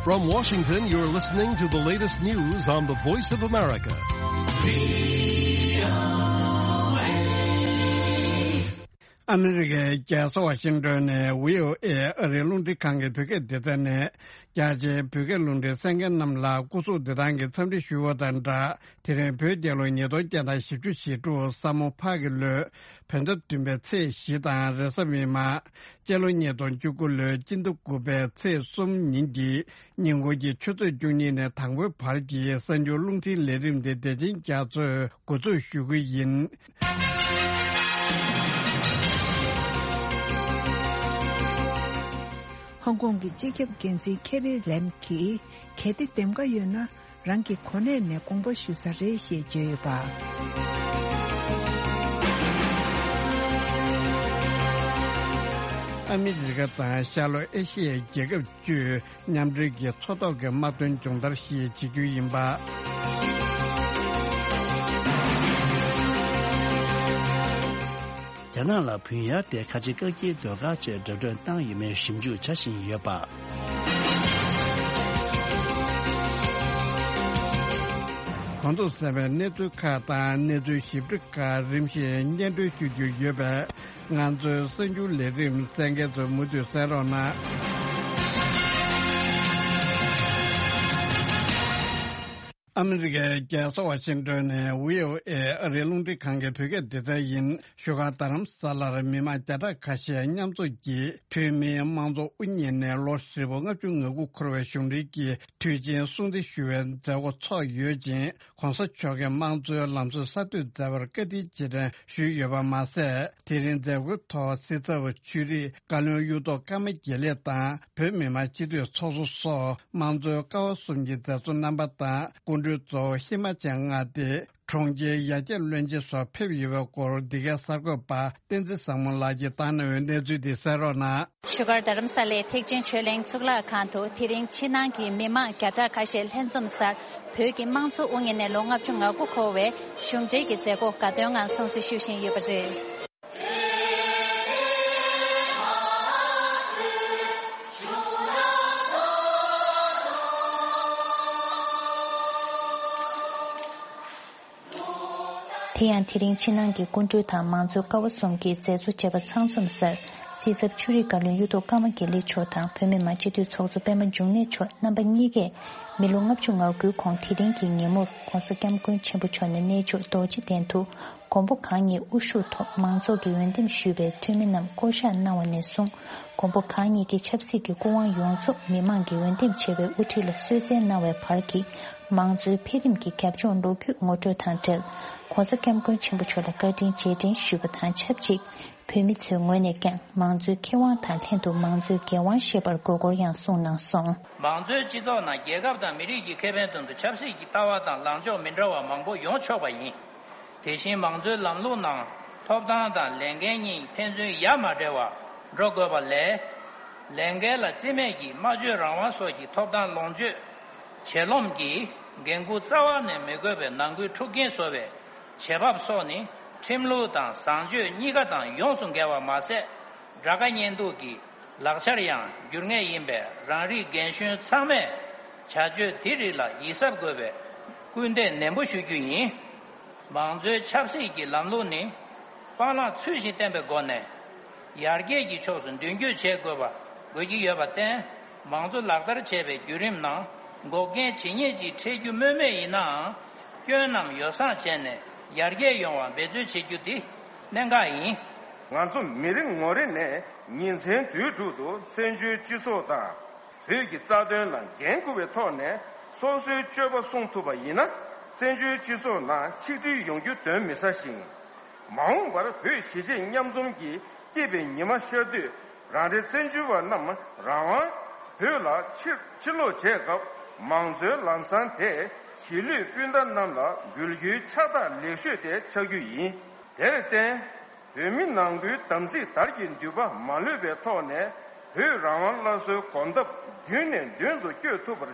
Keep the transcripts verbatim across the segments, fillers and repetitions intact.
From Washington, you're listening to the latest news on the Voice of America. ཨ་མི་རི་ཀའི་རྒྱལ་ས་ཝ་ཤིང་ཏོན་ནས་བྷི་ཨོ་ཨེ་ཨ་རིའི་རླུང་འཕྲིན་ཁང་གི་བོད་སྐད་སྡེ་ཚན་ནས། རྒྱ་ཆེའི་བོད་སྐད་རླུང་འཕྲིན་གསན་མཁན་རྣམས་ལ་སྐུ་གཟུགས་བདེ་ཐང་གི་འཚམས་འདྲི་ཞུ་བ་དང་སྦྲགས། དེ་རིང་བོད་རྒྱལ་ལོ་ཉིས་སྟོང་བརྒྱ་དང་བཞི་བཅུ་ཞེ་དྲུག་ས་མོ་ཕག་གི་ལོའི་བོད་ཟླ་བདུན་པའི་ཚེས་བཞི་དང་རེས་གཟའ་མིག་དམར། སྤྱི་ལོ་ཉིས་སྟོང་བཅུ་དགུ་ལོའི་སྤྱི་ཟླ་དགུ་པའི་ཚེས་གསུམ་ཉིན་གྱི་ཉིན་གུང་གི་ཆུ་ཚོད་བཅུ་གཉིས་ནས་དང་པོའི་བར་གྱི་གསར་འགྱུར་རླུང་འཕྲིན་ལས་རིམ་དེ་བདེ་ཆེན་རྒྱ་མཚོས་འགོ་འཛུགས་ཞུ་གི་ཡིན། ཧོང་ཀོང་གི་སྤྱི་ཁྱབ་འགན་འཛིན་ཁེ་རི་ལེམ་གྱིས། གལ་ཏེ་འདེམས་ཀ་ཡོད་ན། རང་གི་གོ་གནས་ནས་དགོངས་པ་ཞུ་ས་རེད་ཞེས་བརྗོད་ཡོད་པ། ཨ་མི་རི་ཀ་དང་ཤར་ལྷོ་ཨེ་ཤི་ཡའི་རྒྱལ་ཁབ་བཅུས་མཉམ་འབྲེལ་གྱི་མཚོ་ཐོག་གི་དམག་དོན་སྦྱོང་བརྡར་ཞེས་བྱེད་རྒྱུ་ཡིན་པ། རྒྱ་ནག་ལ་བུན་གཡར་ཏེ་ཁ་ཆེ་བཀག་སྐྱིལ་ཟློས་གར་བཅས་འགྲོ་གྲོན་བཏང་ཡོད་མེད་ཞིབ་འཇུག་བྱ་བཞིན་ཡོད་པ། གོང་དུ་གསན་པའི་གནས་ཚུལ་ཁག་དང་གནས་ཚུལ་ཞིབ་ཕྲ་ཁག་རིམ་བཞིན་སྙན་སྒྲོན་ཞུ་རྒྱུ་ཡོད་པས། ང་ཚོའི་གསར་འགྱུར་ལས་རིམ་གསན་མཁན་ཚོས་མུ་མཐུད་གསན་རོགས་གནང་། ཨ་མི་རི་ཀའི་རྒྱལ་ས་ཝ་ཤིང་ཏོན་ནས་བྷི་ཨོ་ཨེ་ཨ་རིའི་རླུང་འཕྲིན་ཁང་གི་བོད་སྐད་སྡེ་ཚན་ཡིན། བཞུགས་སྒར་རྡ་རམ་ས་ལར་མི་མང་བརྒྱ་ཕྲག་ཁ་ཤས་མཉམ་འཛོམས་ཀྱིས་བོད་མིའི་དམངས་གཙོ་དབུ་བརྙེས་ནས་ལོ་ཧྲིལ་པོ་ལྔ་བཅུ་ང་དགུ་འཁོར་བའི་གཞུང་འབྲེལ་གྱི་དུས་ཆེན་སྲུང་བརྩི་ཞུ་བའི་མཛད་སྒོ་ཚོགས་ཡོད་ཅིང་། ྋགོང་ས་མཆོག་གིས་དམངས་གཙོའི་ལམ་སྲོལ་གསར་གཏོད་མཛད་པར་བཀའ་དྲིན་རྗེས་དྲན་ཞུས་ཡོད་པ་མ་ཟད། དེ་རིང་མཛད་སྒོའི་ཐོག་སྲིད་ཚབ་ཆོས་རིག་བཀའ་བློན་གཡུ་ཐོག་ཀརྨ་དགེ་ལེགས་དང་། བོད་མི་མང་སྤྱི་འཐུས་ཚོགས་གཙོ་སོགས་དམངས་གཙོའི་ཀ་བ་གསུམ་གྱི་མཛད་གཙོ་རྣམ་པ་དང་། སྐུ་མགྲོན་གཙོ་བོ་ཧི་མ་ཅལ་མངའ་སྡེ་གྲོང་ཁྱེར་ཡར་རྒྱས་བློན་ཆེན་སོགས་ཕེབས་ཡོད་པའི་སྐོར། འདི་གའི་གསར་འགོད་པ་བསྟན་འཛིན་བཟང་མོ་ལགས་ཀྱིས་བཏང་གནང་བའི་གནས་ཚུལ་འདི་གསན་རོགས་གནང་། བཞུགས་སྒར་རྡ་རམ་ས་ལའི་ཐེག་ཆེན་ཆོས་གླིང་གཙུག་ལག་ཁང་དུ་དེ་རིང་ཕྱི་ནང་གི་མི་མང་བརྒྱ་ཕྲག་ཁ་ཤས་ལྷན་འཛོམས་སར། བོད་ཀྱི་དམངས་གཙོ་དབུ་བརྙེས་ནས་ལོ་ལྔ་བཅུ་ང་དགུ་འཁོར་བའི་གཞུང་འབྲེལ་གྱི་མཛད་སྒོ་དགའ་སྟོན་ངང་སྲུང་བརྩི་ཞུ་བཞིན་ཡོད་པ་རེད། དེ་ཡང་དེ་རིང་ཕྱི་ནང་གི་སྐུ་མགྲོན་དང་མང་གཙོའི་ཀ་བ་གསུམ་གྱི་མཛད་གཙོ་བཅས་པ་ཚང་འཛོམས་སར། སྲིད་ཚབ་ཆོས་རིག་བཀའ་བློན་གཡུ་ཐོག་ཀརྨ་དགེ་ལེགས་མཆོག་དང་བོད་མི་མང་སྤྱི་འཐུས་ཚོགས་གཙོ་པད་མ་འབྱུང་གནས་མཆོག་རྣམ་པ་གཉིས་ཀས། མི་ལོ་ལྔ་བཅུ་ང་དགུའི་གོང་དེ་རིང་གི་ཉིན་མོར་ྋགོང་ས་ྋསྐྱབས་མགོན་ཆེན་པོ་མཆོག་ནས་གནས་མཆོག་རྡོ་རྗེ་གདན་དུ། མགོན་པོ་གང་ཉིད་དབུ་བཞུགས་ཐོག་མང་ཚོགས་ཀྱིས་འོས་འདེམས་ཞུས་པའི་འཐུས་མི་རྣམས་བསྐོ་གཞག་གནང་བ་ནས་བཟུང་། མགོན་པོ་གང་ཉིད་ཀྱི་ཆབ་སྲིད་ཀྱི་སྐུ་དབང་ཡོངས་རྫོགས་མི་མང་གིས་འོས་འདེམས་བྱས་པའི་དབུ་ཁྲིད་ལ་གསོལ་སྩལ་གནང་བའི་བར་གྱི་མང་གཙོའི་འཕེལ་རིམ་གྱི་རྒྱབ་ལྗོངས་ལོ་རྒྱུས་ངོ་སྤྲོད་དང་འབྲེལ། ྋགོང་ས་ྋསྐྱབས་མགོན་ཆེན་པོ་མཆོག་ལ་བཀའ་དྲིན་རྗེས་དྲན་ཞུས་པ་དང་ཆབས་ཅིག་བོད་མི་ཚོའི་ངོས་ནས་ཀྱང་མང་གཙོའི་ཁེ་དབང་དང་ལྷན་དུ་མང་གཙོའི་འགན་དབང་བཞེས་པར་དགོས་སྐོར་ཡང་གསུངས་གནང་སོང་། མང་གཙོའི་སྤྱི་ཚོགས་ནང་རྒྱལ་ཁབ་དང་མི་རིགས་ཀྱི་ཁེ་ཕན་དོན་དུ་ཆབ་སྲིད་ཀྱི་ལྟ་བ་དང་ལངས་ཕྱོགས་མི་འདྲ་བ་མང་པོ་ཡོང་ཆོག་པ་ཡིན། དེ་བཞིན་མང་གཙོའི་ལམ་ལུགས་ནང་ཐོབ་ཐང་དང་ལས་འགན་གཉིས་ཕན་ཚུན་ཡ་མ་བྲལ་བར་འགྲོ་དགོས་པ་ལས། ལས་འགན་ལ་རྩིས་མེད་ཀྱིས་སྨྲ་བརྗོད་རང་དབང་སོགས་ཀྱི་ཐོབ་ཐང་ལོངས་སྤྱོད། བྱེད་ལོངས་ཀྱི་འགན་འཁུར་རྩ་བ་ནས་མི་དགོས་པའི་ནང་ཁུལ་འཁྲུག་རྐྱེན་བཟོ་བའི་བྱེད་བབ་སོགས་ནི་ཁྲིམས་ལུགས་དང་བཟང་སྤྱོད་གཉིས་ཀ་དང་ཡོངས་སུ་འགལ་བ་མ་ཟད། དགྲ་དགའ་གཉེན་སྡུག་གི་ལག་ཆར་ཡང་འགྱུར་ངེས་ཡིན་པས། རང་རིགས་རྒན་གཞོན་ཚང་མས་བྱ་སྤྱོད་དེ་རིགས་ལ་ཡིད་གཟབ་དགོས་པའི་སྐུལ་འདེད་ནན་པོ་ཞུ་རྒྱུ་ཡིན། མང་གཙོའི་ཆབ་སྲིད་ཀྱི་ལམ་ལུགས་ནི་སྤང་བླང་ཚུལ་བཞིན་བསྟེན་པའི་སྒོ་ནས་ཡར་རྒྱས་ཀྱི་ཕྱོགས་སུ་མདུན་སྐྱོད་བྱེད་དགོས་པ་དགོས་ཀྱི་ཡོད་པར་བརྟེན། མང་གཙོ་ལག་བསྟར་བྱེད་པའི་བརྒྱུད་རིམ་ནང་འགོག་རྐྱེན་ཇི་སྙེད་ཅིག་འཕྲད་རྒྱུ་སྨོས་མེད་ཡིན་ནའང་། སྐྱོན་རྣམས་ཡོ་བསྲང་བྱས་ནས་ཡར་རྒྱས་ཡོང་བར་འབད་བརྩོན་བྱེད་རྒྱུ་འདི་གནད་འགག་ཡིན། ང་ཚོ་མི་རེ་ངོ་རེ་ནས་ཉིན་མཚན་དུས་དྲུག་ཏུ་བཙན་བྱོལ་སྤྱི་ཚོགས་དང་། བོད་ཀྱི་རྩ་དོན་ལ་འགན་འཁུར་བའི་ཐོག་ནས་སོ་སོའི་སྤྱོད་པ་སྲུང་ཐུབ་པ་ཡིན་ན། བཙན་བྱོལ་སྤྱི་ཚོགས་ནང་ཆིག་སྒྲིལ་ཡོང་རྒྱུ་གདོན་མི་ཟ་ཞིང་། མ་འོངས་པར་བོད་གཞིས་བྱེས་མཉམ་འཛོམས་ཀྱི་སྐྱིད་པའི་ཉི་མ་ཤར་དུས། རང་རེ་བཙན་བྱོལ་བ་རྣམས་རང་དབང་བོད་ལ་ཕྱིར་ཕྱིར་ལོག་བྱས་སྐབས། མང་གཙོའི་ལམ་བཟང་དེ་གཞིས་ལུས་སྤུན་ཟླ་རྣམས་ལ་འབུལ་རྒྱུའི་ཕྱག་རྟགས་ལེགས་ཤོས་དེ་ཆགས་རྒྱུ་ཡིན། དེར་བརྟེན། བོད་མི་ནང་ཁུལ་དམ་ཚིག་དར་གྱི་མདུད་པ་མ་ལྷོད་པའི་ཐོག་ནས། བོད་རང་དབང་སླར་གསོའི་གོམ་སྟབས་མདུན་ནས་མདུན་དུ་བསྐྱོད་ཐུབ་པར་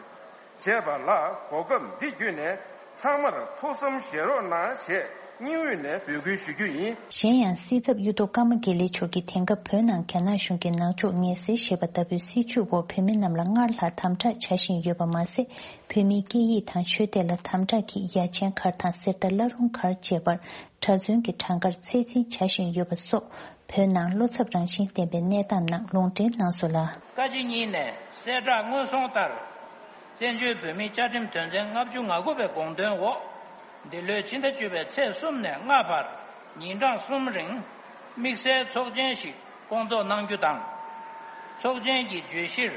བྱས་པ་ལ། གོ་སྐབས་འདི་བརྒྱུད་ནས་ཚང་མར་ཐུགས་བསམ་བཞེས་རོགས་གནང་ཞེས་ སྙིང་དབུས་ནས་འབོད་སྐུལ་ཞུ་རྒྱུ་ཡིན། གཞན་ཡང་སྲིད་ཚབ་གཡུ་ཐོག་ཀརྨ་དགེ་ལེགས་མཆོག་གིས་དེང་སྐབས་བོད་ནང་རྒྱ་ནག་གཞུང་གིས་ནག་ཕྱོགས་ངན་སེལ་ཞེས་པ་ལྟ་བུའི་སྲིད་བྱུས་འོག་བོད་མི་རྣམས་ལ་སྔར་ལྷག་དམ་དྲག་བྱ་བཞིན་ཡོད་པ་མ་ཟད། བོད་མིའི་སྐད་ཡིག་དང་ཆོས་དད་ལ་དམ་དྲག་གིས་ཡ་ཆེན་མཁར་དང་གསེར་རྟ་བླ་རུང་མཁར་བཅས་པར་གྲྭ་བཙུན་གྱི་གྲངས་ཀར་ཚད་འཛིན་བྱ་བཞིན་ཡོད་པ་སོགས། བོད་ནང་བློ་འཚབ་རང་བཞིན་ལྡན་པའི་གནས་སྟངས་རྣམས་ལུང་འདྲེན་གནང་སོང་ལ། བཀའ་སྤྱི་གཉིས་ནས་གསལ་བསྒྲགས་སྔོན་སོང་ལྟར། བཙན་བྱོལ་བོད་མིའི་བཅའ་ཁྲིམས་དོན་ཚན་ལྔ་བཅུ་ང་དགུ་པའི་དགོངས་དོན་འོག་འདི་ལོའི་ཕྱི་ཟླ་བཅུ་པའི་ཚེས་གསུམ་ནས་ལྔ་བར་ཉིན་གྲངས་གསུམ་རིང་དམིགས་བསལ་ཚོགས་ཆེན་ཞིག་སྐོང་ཚོགས་གནང་རྒྱུ་དང་། ཚོགས་ཆེན་གྱི་བརྗོད་གཞིར།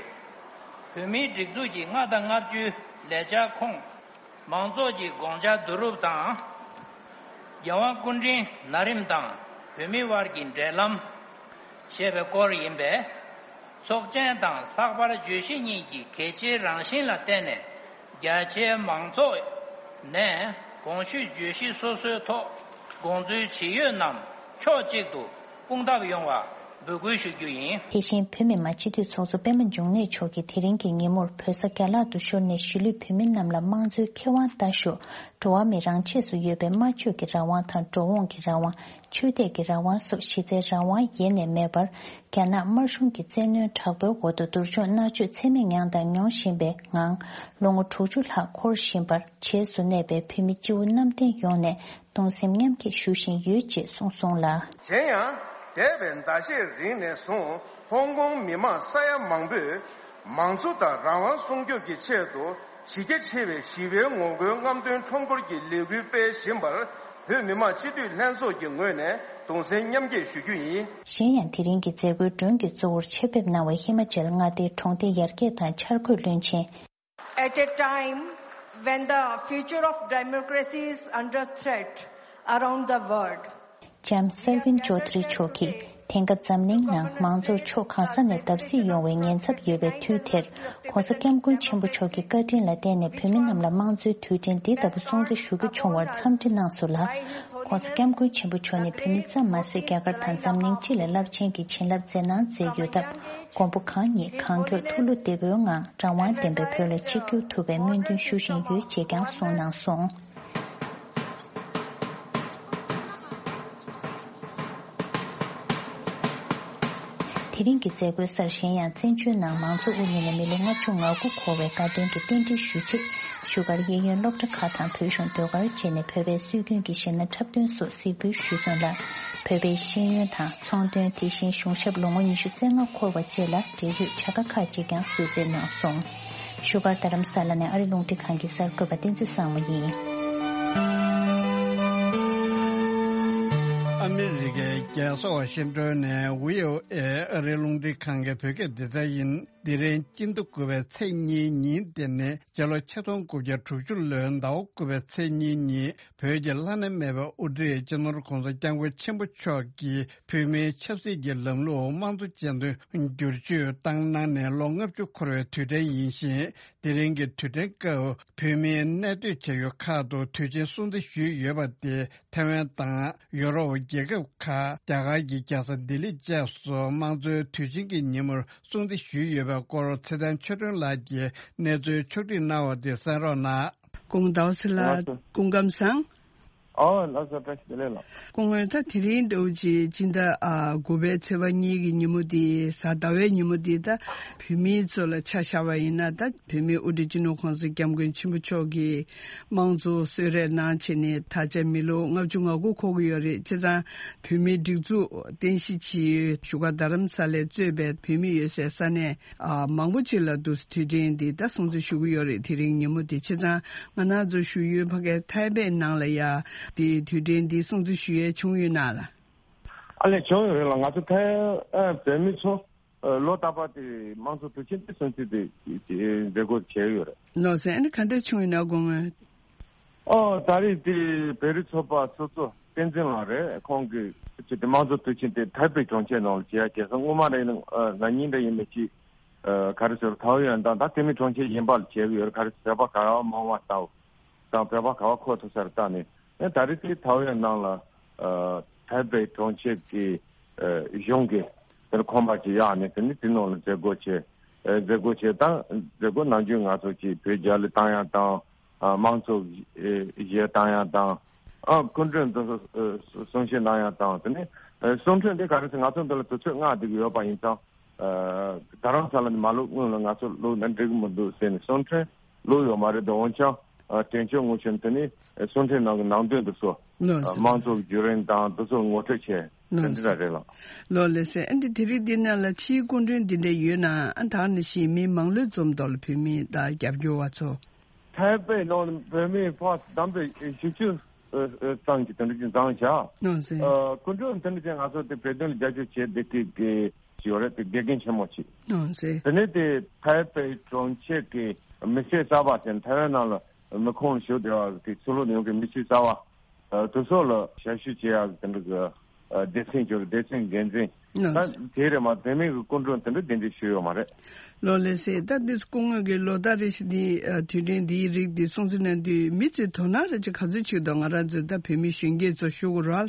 བོད་མིའི་སྒྲིག་འཛུགས་ཀྱི་མངའ་ཐང་ལྔ་བཅུའི་ལས་འཆར་ཁོངས། མང་ཚོགས་ཀྱི་དགོངས་འཆར་བསྡུ་རུབ་དང་། རྒྱལ་དབང་སྐུ་ཕྲེང་ན་རིམ་དང་བོད་མི་དབར་གྱི་འབྲེལ་ལམ། ཞེས་པའི་སྐོར་ཡིན་པས། ཚོགས་ཆེན་དང་ལྷག་པར་བརྗོད་གཞི་གཉིས་ཀྱི་གལ་ཆེའི་རང་བཞིན་ལ་བརྟེན་ནས། རྒྱ་ཆེའི་མང་ཚོགས་ནས་གོང་ཞུས་བརྗོད་གཞི་སོ་སོའི་ཐོག་དགོངས་ཚུལ་ཇི་ཡོད་རྣམས་ཕྱོགས་གཅིག་ཏུ་སྤུངས་ཐབས་ཡོང་བ་འབོད་སྐུལ་ཞུ་རྒྱུ་ཡིན། དེ་བཞིན་བོད་མི་མང་སྤྱི་འཐུས་ཚོགས་གཙོ་པད་མ་འབྱུང་གནས་མཆོག་གིས་དེ་རིང་གི་ཉིན་མོར་བོད་ས་རྒྱ་ལག་ཏུ་ཤོར་ནས་གཞིས་ལུས་བོད་མི་རྣམས་ལ་དམངས་གཙོའི་ཁེ་དབང་ལྟ་ཞོག་འགྲོ་བ་མི་རང་ཆས་སུ་ཡོད་པའི་སྨྲ་བརྗོད་ཀྱི་རང་དབང་དང་འགྲོ་འོང་གི་རང་དབང་། ཆོས་དད་ཀྱི་རང་དབང་སོགས་གཞི་རྩའི་རང་དབང་ཡེ་ནས་མེད་པར། རྒྱ་ནག་དམར་གཞུང་གི་བཙན་གནོན་དྲག་པོའི་འོག་ཏུ་སྡུག་སྦྱོང་མནར་གཅོད་ཚད་མེད་མྱངས་དང་མྱོང་བཞིན་པའི་ངང་། ལོ་ངོ་དྲུག་ཅུ་ལྷག་འཁོར་བཞིན་པར། རྗེས་སུ་གནས་པའི་བོད་མི་སྤྱི་བོ་གནམ་བསྟན་ཡོངས་ནས་གདུང་སེམས་མཉམ་སྐྱེད་ཞུ་བཞིན་ཡོད་ཅེས་གསུངས་སོང་ལ། གཞན་ཡང་། འདས་པའི་ཟླ་ཤས་རིང་ནས་བཟུང་ཧོང་ཀོང་མི་མང་ས་ཡ་མང་པོས་མང་གཙོ་དང་རང་དབང་སྲུང་སྐྱོབ་ཀྱི་ཆེད་དུ་གཞི་རྒྱ་ཆེ་བའི་ཞི་བའི་ངོ་རྒོལ་རྔམ་སྟོན་ཁྲོམ་སྐོར་གྱི་ལས་འགུལ་སྤེལ་བཞིན་པར་བོད་མི་མང་སྤྱི་འཐུས་ལྷན་ཚོགས་ཀྱི་ངོས་ནས་གདུང་སེམས་མཉམ་སྐྱེད་ཞུ་རྒྱུ་ཡིན། གཞན་ཡང་། དེ་རིང་གི་མཛད་སྒོའི་མགྲོན་གྱི་གཙོ་བོར་ཆེད་ཕེབས་གནང་བའི་ཧི་མ་ཅལ་མངའ་སྡེའི་གྲོང་སྡེ་ཡར་རྒྱས་དང་འཆར་འགོད་བློན་ཆེན། At a time when the future of democracy is under threat around the world, ལྕམ་སར་ཝིན་ཅོ་དྷ་རི་མཆོག་གིས་དེང་སྐབས་འཛམ་གླིང་ནང་མང་གཙོར་ཕྱོགས་གང་ས་ནས་བརྡབ་གསིག་ཡོང་བའི་ཉེན་ཚབས་ཡོད་པའི་དུས་དེར། ྋགོང་ས་ྋསྐྱབས་མགོན་ཆེན་པོ་མཆོག་གི་བཀའ་དྲིན་ལ་བརྟེན་ནས་བོད་མི་རྣམས་ལ་དམངས་གཙོའི་དུས་དྲན་འདི་ལྟ་བུ་སྲུང་བརྩི་ཞུ་རྒྱུ་བྱུང་བར་འཚམས་འདྲི་གནང་སོང་ལ། ྋགོང་ས་ྋསྐྱབས་མགོན་ཆེན་པོ་མཆོག་ནི་བོད་མི་ཙམ་མ་ཟད། རྒྱ་གར་དང་འཛམ་གླིང་སྤྱི་ལ་རླབས་ཆེན་གྱི་བྱིན་རླབས་མཛད་གནང་མཛད་ཡོད་སྟབས། མགོན་པོ་གང་ཉིད་གང་མགྱོགས་ཐུགས་བློ་བདེ་པོའི་ངང་རང་དབང་ལྡན་པའི་བོད་ལ་ཆིབས་བསྒྱུར་ཐུབ་པའི་སྨོན་འདུན་ཞུ་བཞིན་ཡོད་ཅེས་ཀྱང་གསུངས་གནང་སོང་། དེ་རིང་གི་མཛད་སྒོའི་སར། གཞན་ཡང་། བཙན་བྱོལ་ནང་མང་གཙོ་དབུ་བརྙེས་ནས་མི་ལོ་ལྔ་བཅུ་ང་དགུ་འཁོར་བའི་དགའ་སྟོན་གྱི་རྟེན་འབྲེལ་ཞུ་ཆེད། བཞུགས་སྒར་གཡས་གཡོན་སློབ་གྲྭ་ཁག་དང་བོད་གཞུང་ཟློས་གར་བཅས་ནས་བོད་པའི་སྲོལ་རྒྱུན་གྱི་གཞས་སྣ་འཁྲབ་སྟོན་སོགས་གཟིགས་འབུལ་ཞུས་སོང་ལ། བོད་པའི་ཤེས་ཡོན་དང་ཚོང་དོན། དེ་བཞིན་གཞུང་ཞབས་ལོ་ངོ་ཉི་ཤུ་རྩ་ལྔ་འཁོར་བ་བཅས་ལ་འབྲེལ་ཡོད་བྱ་དགའ་ཁག་ཅིག་ཀྱང་གསོལ་སྩལ་གནང་སོང་། བཞུགས་སྒར་རྡ་རམ་ས་ལ་ནས་ཨ་རི་རླུང་འཕྲིན་ཁང་གི་གསར་འགོད་པ་བསྟན་འཛིན་བཟང་མོ་ཡིན། ཨ་མི་རི་ཀའི་རྒྱལ་ས་ཝ་ཤིང་ཏོན་ནས་བྷི་ཨོ་ཨེ་ཨ་རིའི་རླུང་འཕྲིན་ཁང་གི་བོད་སྐད་སྡེ་ཚན་ཡིན། འདི་རིང་སྤྱི་ཟླ་དགུ་པའི་ཚེས་གཉིས་ཉིན་དེ་ནི་སྤྱི་ལོ་ཆིག་སྟོང་དགུ་བརྒྱ་དྲུག་ཅུ་ལོའི་ཟླ་བ་དགུ་པའི་ཚེས་གཉིས་ཉིན་བོད་ཀྱི་བླ་ན་མེད་པའི་དབུ་ཁྲིད་སྤྱི་ནོར་༧གོང་ས་༧སྐྱབས་མགོན་ཆེན་པོ་མཆོག་གིས་བོད་མིའི་ཆབ་སྲིད་ཀྱི་ལམ་ལུགས་དམངས་གཙོ་ཅན་དུ་བསྒྱུར་བཅོས་བཏང་གནང་ནས་ལོ་ལྔ་བཅུ་འཁོར་བའི་དུས་དྲན་ཡིན་ཞིང་། དེ་རིང་གི་དུས་དྲན་སྐབས་བོད་མིའི་གནས་སྡོད་བྱ་ཡུལ་ཁག་ཏུ་དུས་ཆེན་སྲུང་བརྩི་ཞུས་ཡོད་པ་དེ་ཐའེ་ཝན་དང་ཡོ་རོབ་རྒྱལ་ཁབ་ཁག་རྒྱ་གར་གྱི་རྒྱལ་ས་ལྡི་ལི་བཅས་སུ་དམངས་གཙོའི་དུས་ཆེན་གྱི་ཉིན་མོར་སྲུང་བརྩི་ཞུས་ཡོད་པའི་སྐོར་ཚེ་བརྟན་ཆོས་སྒྲོན་ལགས་ཀྱིས་གནས་ཚུལ་ཕྱོགས་སྒྲིག་གནང་བ་དེ་གསན་རོགས་གནང་། སྐུ་ངོ་ཟླ་བ་ཚེ་ལགས། ལགས་སོ། སྐུ་ཁམས་བཟང་། ཨོ་ལགས་སོ། བཀྲ་ཤིས་བདེ་ལེགས་ལགས། སྐུ་ངོ། ད་དེ་རིང་ཟླ་བ་གཅིག་སྤྱི་ཟླ་ཨ་དགུ་པའི་ཚེས་པ་གཉིས་ཀྱི་ཉིན་མོ་འདི་གཟའ་ཟླ་བའི་ཉིན་མོ་འདི་ད་བོད་མིའི་གཙོ་ལ་ཆ་བཞག་པ་ཡིན་ན། ད་བོད་མིའི་དབུ་ཁྲིད་སྤྱི་ནོར་༧གོང་ས་༧སྐྱབས་མགོན་ཆེན་པོ་མཆོག་གིས་དམངས་གཙོ་གསོལ་རས་གནང་བྱས་ནས་ད་ཆ་མི་ལོ་ལྔ་བཅུ་ང་དགུ་འཁོར་གྱི་ཡོད་རེད། བྱས་ཙང་བོད་མིའི་སྒྲིག་འཛུགས་རྟེན་གཞི་བྱས་ཡོད་བཞུགས་སྒར་རྡ་རམ་ས་ལས་གཙོས་པའི་བོད་མི་ཡོད་སའི་ས་གནས་ཨ་མང་པོ་ཅིག་ལ་འདུག་སེ་དུས་དྲན་འདི་ད་སྲུང་བརྩི་ཞུ་གི་ཡོད་རེད། དེ་རིང་ཉིན་མོ་འདི། བྱས་ཙང་ང་རང་ཚོ་བཞུགས་ཡུལ་ཕ་གའི་ཐའེ་པེ་ནང་ལ་ཡ་འདི་དུས་དྲན་འདི་སྲུང་བརྩི་ཞུ་ཡས་བྱུང་ཡོད་ན་ལགས། ཨ་ལས། བྱུང་ཡོད་རེད་ལགས། ང་ཚོ་ཐའེ་ཨ་བོད་མི་ཚོ་ཨ་ལོ་རྟག་པར་དེ་དམངས་གཙོ་དུས་ཆེན་དེ་སྲུང་བརྩི་དེ་དེ་མཛད་སྒོ་བྱས་ཡོད་རེད། ལགས་སོ། ཨ་ནི་ག་འདྲ་བྱུང་ཡོད་ན་དགོངས་ངོ་། ཨོ་ད་རེས་དེ་བོད་རིགས་ཚོགས་པ་ཚོགས་གཙོ་བསྟན་འཛིན་ལགས་རེད། ཁོང་གིས་ཅིག་དེ་དམངས་གཙོ་དུས་ཆེན་དེ་ཐའེ་པེ་གྲོང་ཁྱེར་ནང་ལ་བྱས་ཡ་བྱས་སོང་། སྔོན་མ་རེད། ན་ནིང་རེད། ཡིན་མིན་ཅིག་ཨ་ག་རེ་ཟེར། ཐའོ་ཡོན་དང་ད་དེ་མིན་གྲོང་ཁྱེར་གཞན་པ་ལ་བྱས་ཡོད་རེད། ག་རེ་ཟེར། བོད་པ་ག་བ་མང་བ་ལྟ་བུ་དང་བོད་པ་ག་བ་མཁོ་ཐུབ་ས་རེད་ལྟ་ནས། ཨེ་ད་རེས་དེ་ཐའོ་ཡོན་ནང་ལ་ཨ་ཐའེ་པེ་གྲོང་ཁྱེར་གྱི་ཨ་གཞུང་གི་དེར་ཁང་པ་ཅིག་གཡར་ནས། དེ་ནི་དེ་ནང་ལ་མཛད་སྒོ་བྱས། ཨེ་མཛད་སྒོ་བྱས་དང་། མཛད་སྒོ་ནམ་རྒྱུན་ང་ཚོ་ཅིག་བོད་རྒྱ་གླུ་བཏང་ཡ་དང་། ཨ་དམངས་གཙོ་གཞས་བཏང་ཡ་དང་ ཨ་སྐུ་མགྲོན་དུ་གསུང་བཤད་གནང་ཡག་དང་དེ་ནས་གསུང་འཕྲིན་དེ་ག་རེ་ཟེར། ང་ཚོ་འདི་ལ་དུས་ཚོད་ལྔ་བསྡད་ཀྱི་ཡོད་པ་ཡིན་ཙང་། ད་རང་ས་ལ་ནི་མ་ལོག་སྔོན་ལ་ང་ཚོ་ལོག་ན་འགྲིག་གི་མི་འདུག་ཟེར་ནས་གསུང་འཕྲིན་ལོག་ཡོད་མ་རེད་དོ། འོན་ཀྱང་དྲན་གཅོད་དངོས་བྱུང་དེ་ནི་གསུང་འཕྲིན་ནང་གི་ནང་དོན་དུ་སོ། ལགས་སོ། དམངས་གཙོ་བརྒྱུད་རིམ་དང་དེ་ཚོ་ངོ་སྤྲོད་བྱས་དེ་ལགས་འདྲ་སོ། རེད་ལགས། ལོ་ལེགས་སེ། ཨ་འདི་དེ་རིང་འདི་ནང་ལ་ཕྱིའི་སྐུ་མགྲོན་འདི་འདྲ་ཡོད་ན་ཨ་ད་ནི་ཞིག་མི་མང་ལོས་འཛོམས་མདོག་ལ་བོད་མི་དང་རྒྱབ་སྐྱོར་བ་ཚོ། ཐའེ་པེ་ནང་བོད་མི་ཕར་བསྡོམས་པས་བཞི་བཅུ་ཙམ་གྱི་དེ་འདྲ་ཅིག་འཛོམས་བཞག་ཨ་ཟེ། ཨ་སྐུ་མགྲོན་དེ་འདྲ་ཅིག་ང་ཚོ་དེ་བོད་དོན་ལ་རྒྱབ་སྐྱོར་བྱེད་བསྡད་མཁན་གྱི་ཡོད་རེད། དེ་དགེ་རྒན་ཆེན་མོ་ཅིག་ཨ་ཟེ། དེ་ནས་དེ་ཐའེ་པེ་གྲོང་ཁྱེར་གྱི་མི་སེར་གསར་པ་ཟེར་ན་ཐའེ་ཝན་ནང་ལ་མི་ཁོངས་ལ་ཞུགས་བསྡད་པ་དེ་ཚུར་ལོག་ཡོང་གི་མི་སེར་གསར་པ། ཨ་དེ་ཚོ་ལ་ཞབས་ཞུ་བྱེད་ཡག་གི་དེ་འདྲ་གི་ཨ་སྡེ་ཚན་གྱི་སྡེ་ཚན་འགན་འཛིན་ཨ་ད་དེ་རེད་མ། དེ་མིན་གྱི་སྐུ་མགྲོན་དེ་འདྲ་གདན་འདྲེན་ཞུས་ཡོད་མ་རེད། ལོ་ལེགས་སེ། ད་འདི་སྐུ་ངོ་གི་ལོ་ཟླ་རེ་བཞིན་འདི་ཨ་དུས་དྲན་འདིའི་རིགས་འདི་སྲུང་བརྩི་གནང་དུས་མི་ཚོས་དོ་སྣང་རེ་ཅིག་ག་ཚོད་བྱེད་ཀྱི་འདུག་ང་རང་ཚོས་ད་བོད་མི་གཞོན་སྐྱེས་ཚོ་ཞུ་དགོས་ར།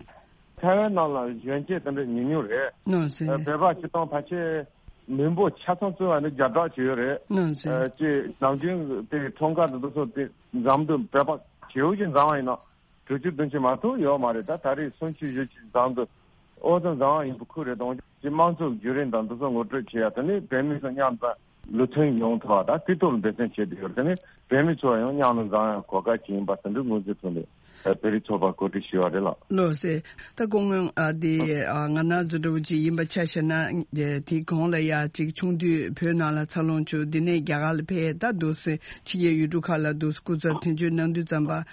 ཐའེ་ཝན་ནང་ལ་གཞོན་སྐྱེས་དེ་འདྲ་ཉུང་ཉུང་རེད། ལོ་ལེགས་སེ། ཨ་བོད་པ་སྤྱི་བཏང་ཕལ་ཆེར་མི་འབོར་ཆ་ཚང་བརྩི་བ་ནི་བརྒྱ་ཕྲག་ཅིག་ཡོད་རེད། ལོ་ལེགས་སེ། ཨ་ཅེ་ནམ་རྒྱུན་དེ་ཁྲོམ་ཁ་དུ་དེ་ཚོ་དེ་འཛོམས་དུས་བོད་པ་ཇེ་ཡོད་ཅིག་འཛོམས་པ་ཡིན་ན། དྲུག་ཅུ་བདུན་ཅུ་མ་གཏོགས་ཡོད་མ་རེད། ད་ད་རེས་སུམ་ཅུ་བཞི་ཅུ་འཛོམས་འདུག་ཨོ་ཙམ་འཛོམས་པ་ཡིན་པ་ཁུལ་རེད། དང་ཅི་དམངས་གཙོའི་བརྒྱུད་རིམ་དང་འདི་ཚོ་ངོ་སྤྲོད་བྱེད་ཡ། དེ་ནས་བོད་མི་ཚོ་མཉམ་དུ་ལུགས་མཐུན་ཡོང་ཐུབ་པ་དང་དེ་ཐོག་ལ་འབད་བརྩོན་བྱེད་དུ་ཡོད། དེ་ནས་བོད་མི་ཚོ་ཡང་མཉམ་དུ་འཛོམས་ཡ་གོ་སྐབས་ཅིག་ཡིན་པ་དེ་འདྲའི་ངོས་འཛིན་ཐོག་ནས་བོད་རིགས་ཚོགས་པ་གོ་སྒྲིག་ཞུས་པ་རེད་ལགས། ལོ་ལེགས་སེ། ད་སྐུ་ངོ་ཨ་དེ་ཨ་ང་རང་ཚོ་འདྲ་བོ་ཅིག་ཡིན་པ་ཆ་བཞག་ན་དེ་གོང་ལ་ཡ་ཅིག་ཆུང་དུས་བོད་ནང་ལ་འཚར་ལོངས་བྱུང་། དེ་ནས་རྒྱ་གར་ལ་ཕེབས། ད་འདུག་སེ་ཕྱི་རྒྱལ་ཡུལ་གྲུ་ཁག་ལ་འདུག་སེ་སྐུ་ཚབ་དོན་གཅོད་གནང་དུས་ཙམ་པ།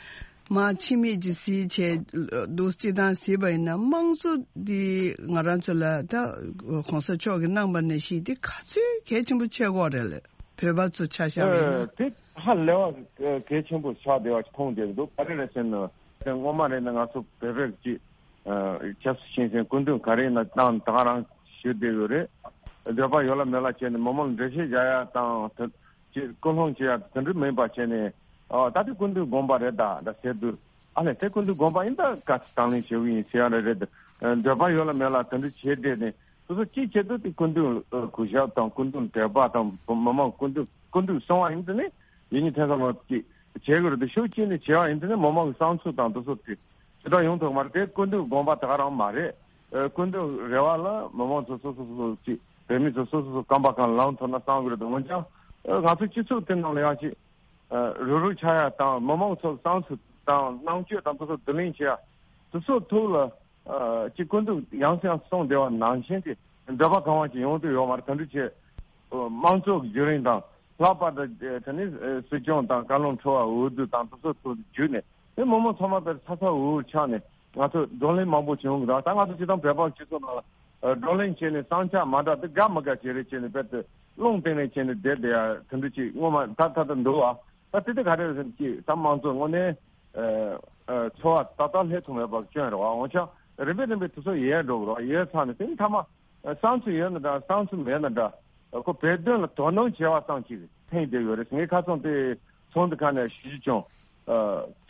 མ་ཕྱི་མིག་ཅིག་གཟིགས་བྱས་འདུག་སྤྱིར་བཏང་གཟིགས་པ་ཡིན་ན་དམངས་གཙོ་འདི་ང་རང་ཚོ་ལ་ད་གོང་ས་མཆོག་གིས་གནང་བ་ནང་བཞིན་འདི་ག་ཚོད་གལ་ཆེན་པོ་ཆགས་ཀྱི་ཡོད་རེད་ལགས། བོད་པ་ཚོ་ཆ་བཞག་པ་ཡིན་ན། ཨ་དེ་ཧ་ལས་པ་གལ་ཆེན་པོ་ཆགས་བསྡད་པ་ཞིག་མཐོང་བསྡད་འདུག་ག་རེ་རེད་ཟེར་ན་དེ་སྔོན་མ་རེད་ན་ང་ཚོ་བོད་པས་ཀྱི་ཆབ་སྲིད་ཞིང་ཆེན་སྐུ་མདུན་ག་རེ་ཡིན་ན་བཏང་ད་ག་རང་ཞུ་བསྡད་ཡོད་རེད། འདོད་པ་ཡོད་ལ་མེད་ལ་བྱས་ནས་མི་མང་ལ་འགྲེལ་བཤད་རྒྱག་ཡ་དང་དེ། ཅེས་སྐུལ་སློང་བྱེད་ཡ་དེ་འདྲ་མིན་པ་བྱས་ནས། ཨ་ད་དེ་སྐུ་མདུན་དགོངས་པ་རེད་ད་ད་ཟེར་དུས། ཨ་ལས་དེ་སྐུ་མདུན་དགོངས་པ་ཡིན་ད་ག་ཚོད་དང་ལེན་བྱེད་ཀྱི་ཡིན་ཟེར་ཡ་རེད་རེད། འདོད་པ་ཡོད་ལ་མེད་ལ་དེ་འདྲ་བྱེད་བསྡད་ནས་སོ་སོ་གཅིག་བྱེད་དུས་དེ་སྐུ་མདུན་གུས་ཞབས་དང་སྐུ་མདུན་དད་པ་དང་མི་མང་སྐུ་མདུན་སྐུ་མདུན་གསུང་བ་ཡིན་དུས་ནི་ཡིན་ནི་ཐེ་ཚོམ་ཅིག་བྱེད་དགོས་རེད་དེ་ཤུགས་གཅིག་ནས་བྱས་པ་ཡིན་དུས་ནི་མི་མང་གི་བསམ་ཚུལ་དང་དེ་ཚོ་དེ་ཇི་ལྟར་ཡོང་ཐུབ་མ་རེད། དེ་སྐུ་མདུན་དགོངས་པ་ད་ག་རང་མ་རེད། ཨ་སྐུ་མདུན་རེ་བ་ལ་མི་མང་ཚོ་སོ་སོ་སོ་སོ་ཅིག་བོད་མི་ཚོ་སོ་སོ་སོ་རྐང་པ་གང་ལངས་ཐུབ་ན་བསམ་གི་རེད་འོན་ཀྱང་། ཨ་ང་ཚོ་སྤྱི་ཚོགས་དེ་ནང་ལ་ཡང་ཅིག་ཨ་རུབ་རུབ་ཆགས་ཡ་དང་མི་མང་ཚོ་བསམ་ཚུལ་དང་རྣམ་དཔྱོད་དང་དེ་ཚོ་བསྡུ་ལེན་བྱེད་ཡ་དེ་ཚོ་ཐོག་ལ་ཨ་ཅིག་སྐུ་མདུན་ཡང་སེ་ཡང་སེ་གསུངས་བསྡད་པ་ནང་བཞིན་གྱི་འདོད་པ་གང་བ་ཅིག་ཡོང་དུས་ཡོད་མ་རེད། དེ་འདྲ་བྱས་དམངས་གཙོ་གི་བརྒྱུད་རིམ་དང་ལྷག་པར་དུ་དེ་ནི་སྲིད་སྐྱོང་དང་བཀའ་བློན་ཁྲི་པ་འོས་བསྡུ་དང་དེ་ཚོ་ཐོག་བརྒྱུད་ནས། དེ་མི་མང་ཚང་མ་དེར་ཚ་ཚ་འུར་འུར་ཆགས་ནས་ང་ཚོ་བགྲོ་གླེང་མང་པོ་བྱུང་གི་རེད། ད་ང་ཚོ་སྤྱིར་བཏང་བོད་པ་སྤྱི་ཚོགས་ནང་ལ་བགྲོ་གླེང་བྱས་ནས་བསམ་འཆར་མ་འདྲ་དེ་དགའ་མི་དགའ་བྱས་རེད་བྱས་ནས་རྦད་དེ་རླུང་བཏིང་ནས་བྱས་ནས་བསྡད་བསྡད་ཡ་དེ་འདྲ་ཅིག་སྔོན་མ་ད་ད་ད་འདུག་བ། ད་དེ་དེ་ག་རེ་རེད་ཅིག་ད་དམངས་གཙོ་དངོས་གནས་འཚོ་བ་ཏག་ཏག་སླེབས་ཐུབ་མེད་པ་སྐྱོན་རེད་བ། འོན་ཀྱང་རིམ་པས་རིམ་པས་དེ་ཚོ་ཡལ་འགྲོ་གི་རེད་བ། ཡལ་ཚར་ནས་དེ་ནི་མཐའ་མ། བསམ་ཚུལ་ཡོད་ན་འདྲ་བསམ་ཚུལ་མེད་ན་འདྲ། ཁོ་བོད་དོན་ལ་དོ་སྣང་བྱེད་པ་ཙམ་ཅིག་ཕན་བསྡད་ཡོད་རེད། ངས་ཁ་སང་དེ་ཚོགས་འདུ་ཁག་ནས་ཞུ་རྒྱུ་བྱུང་།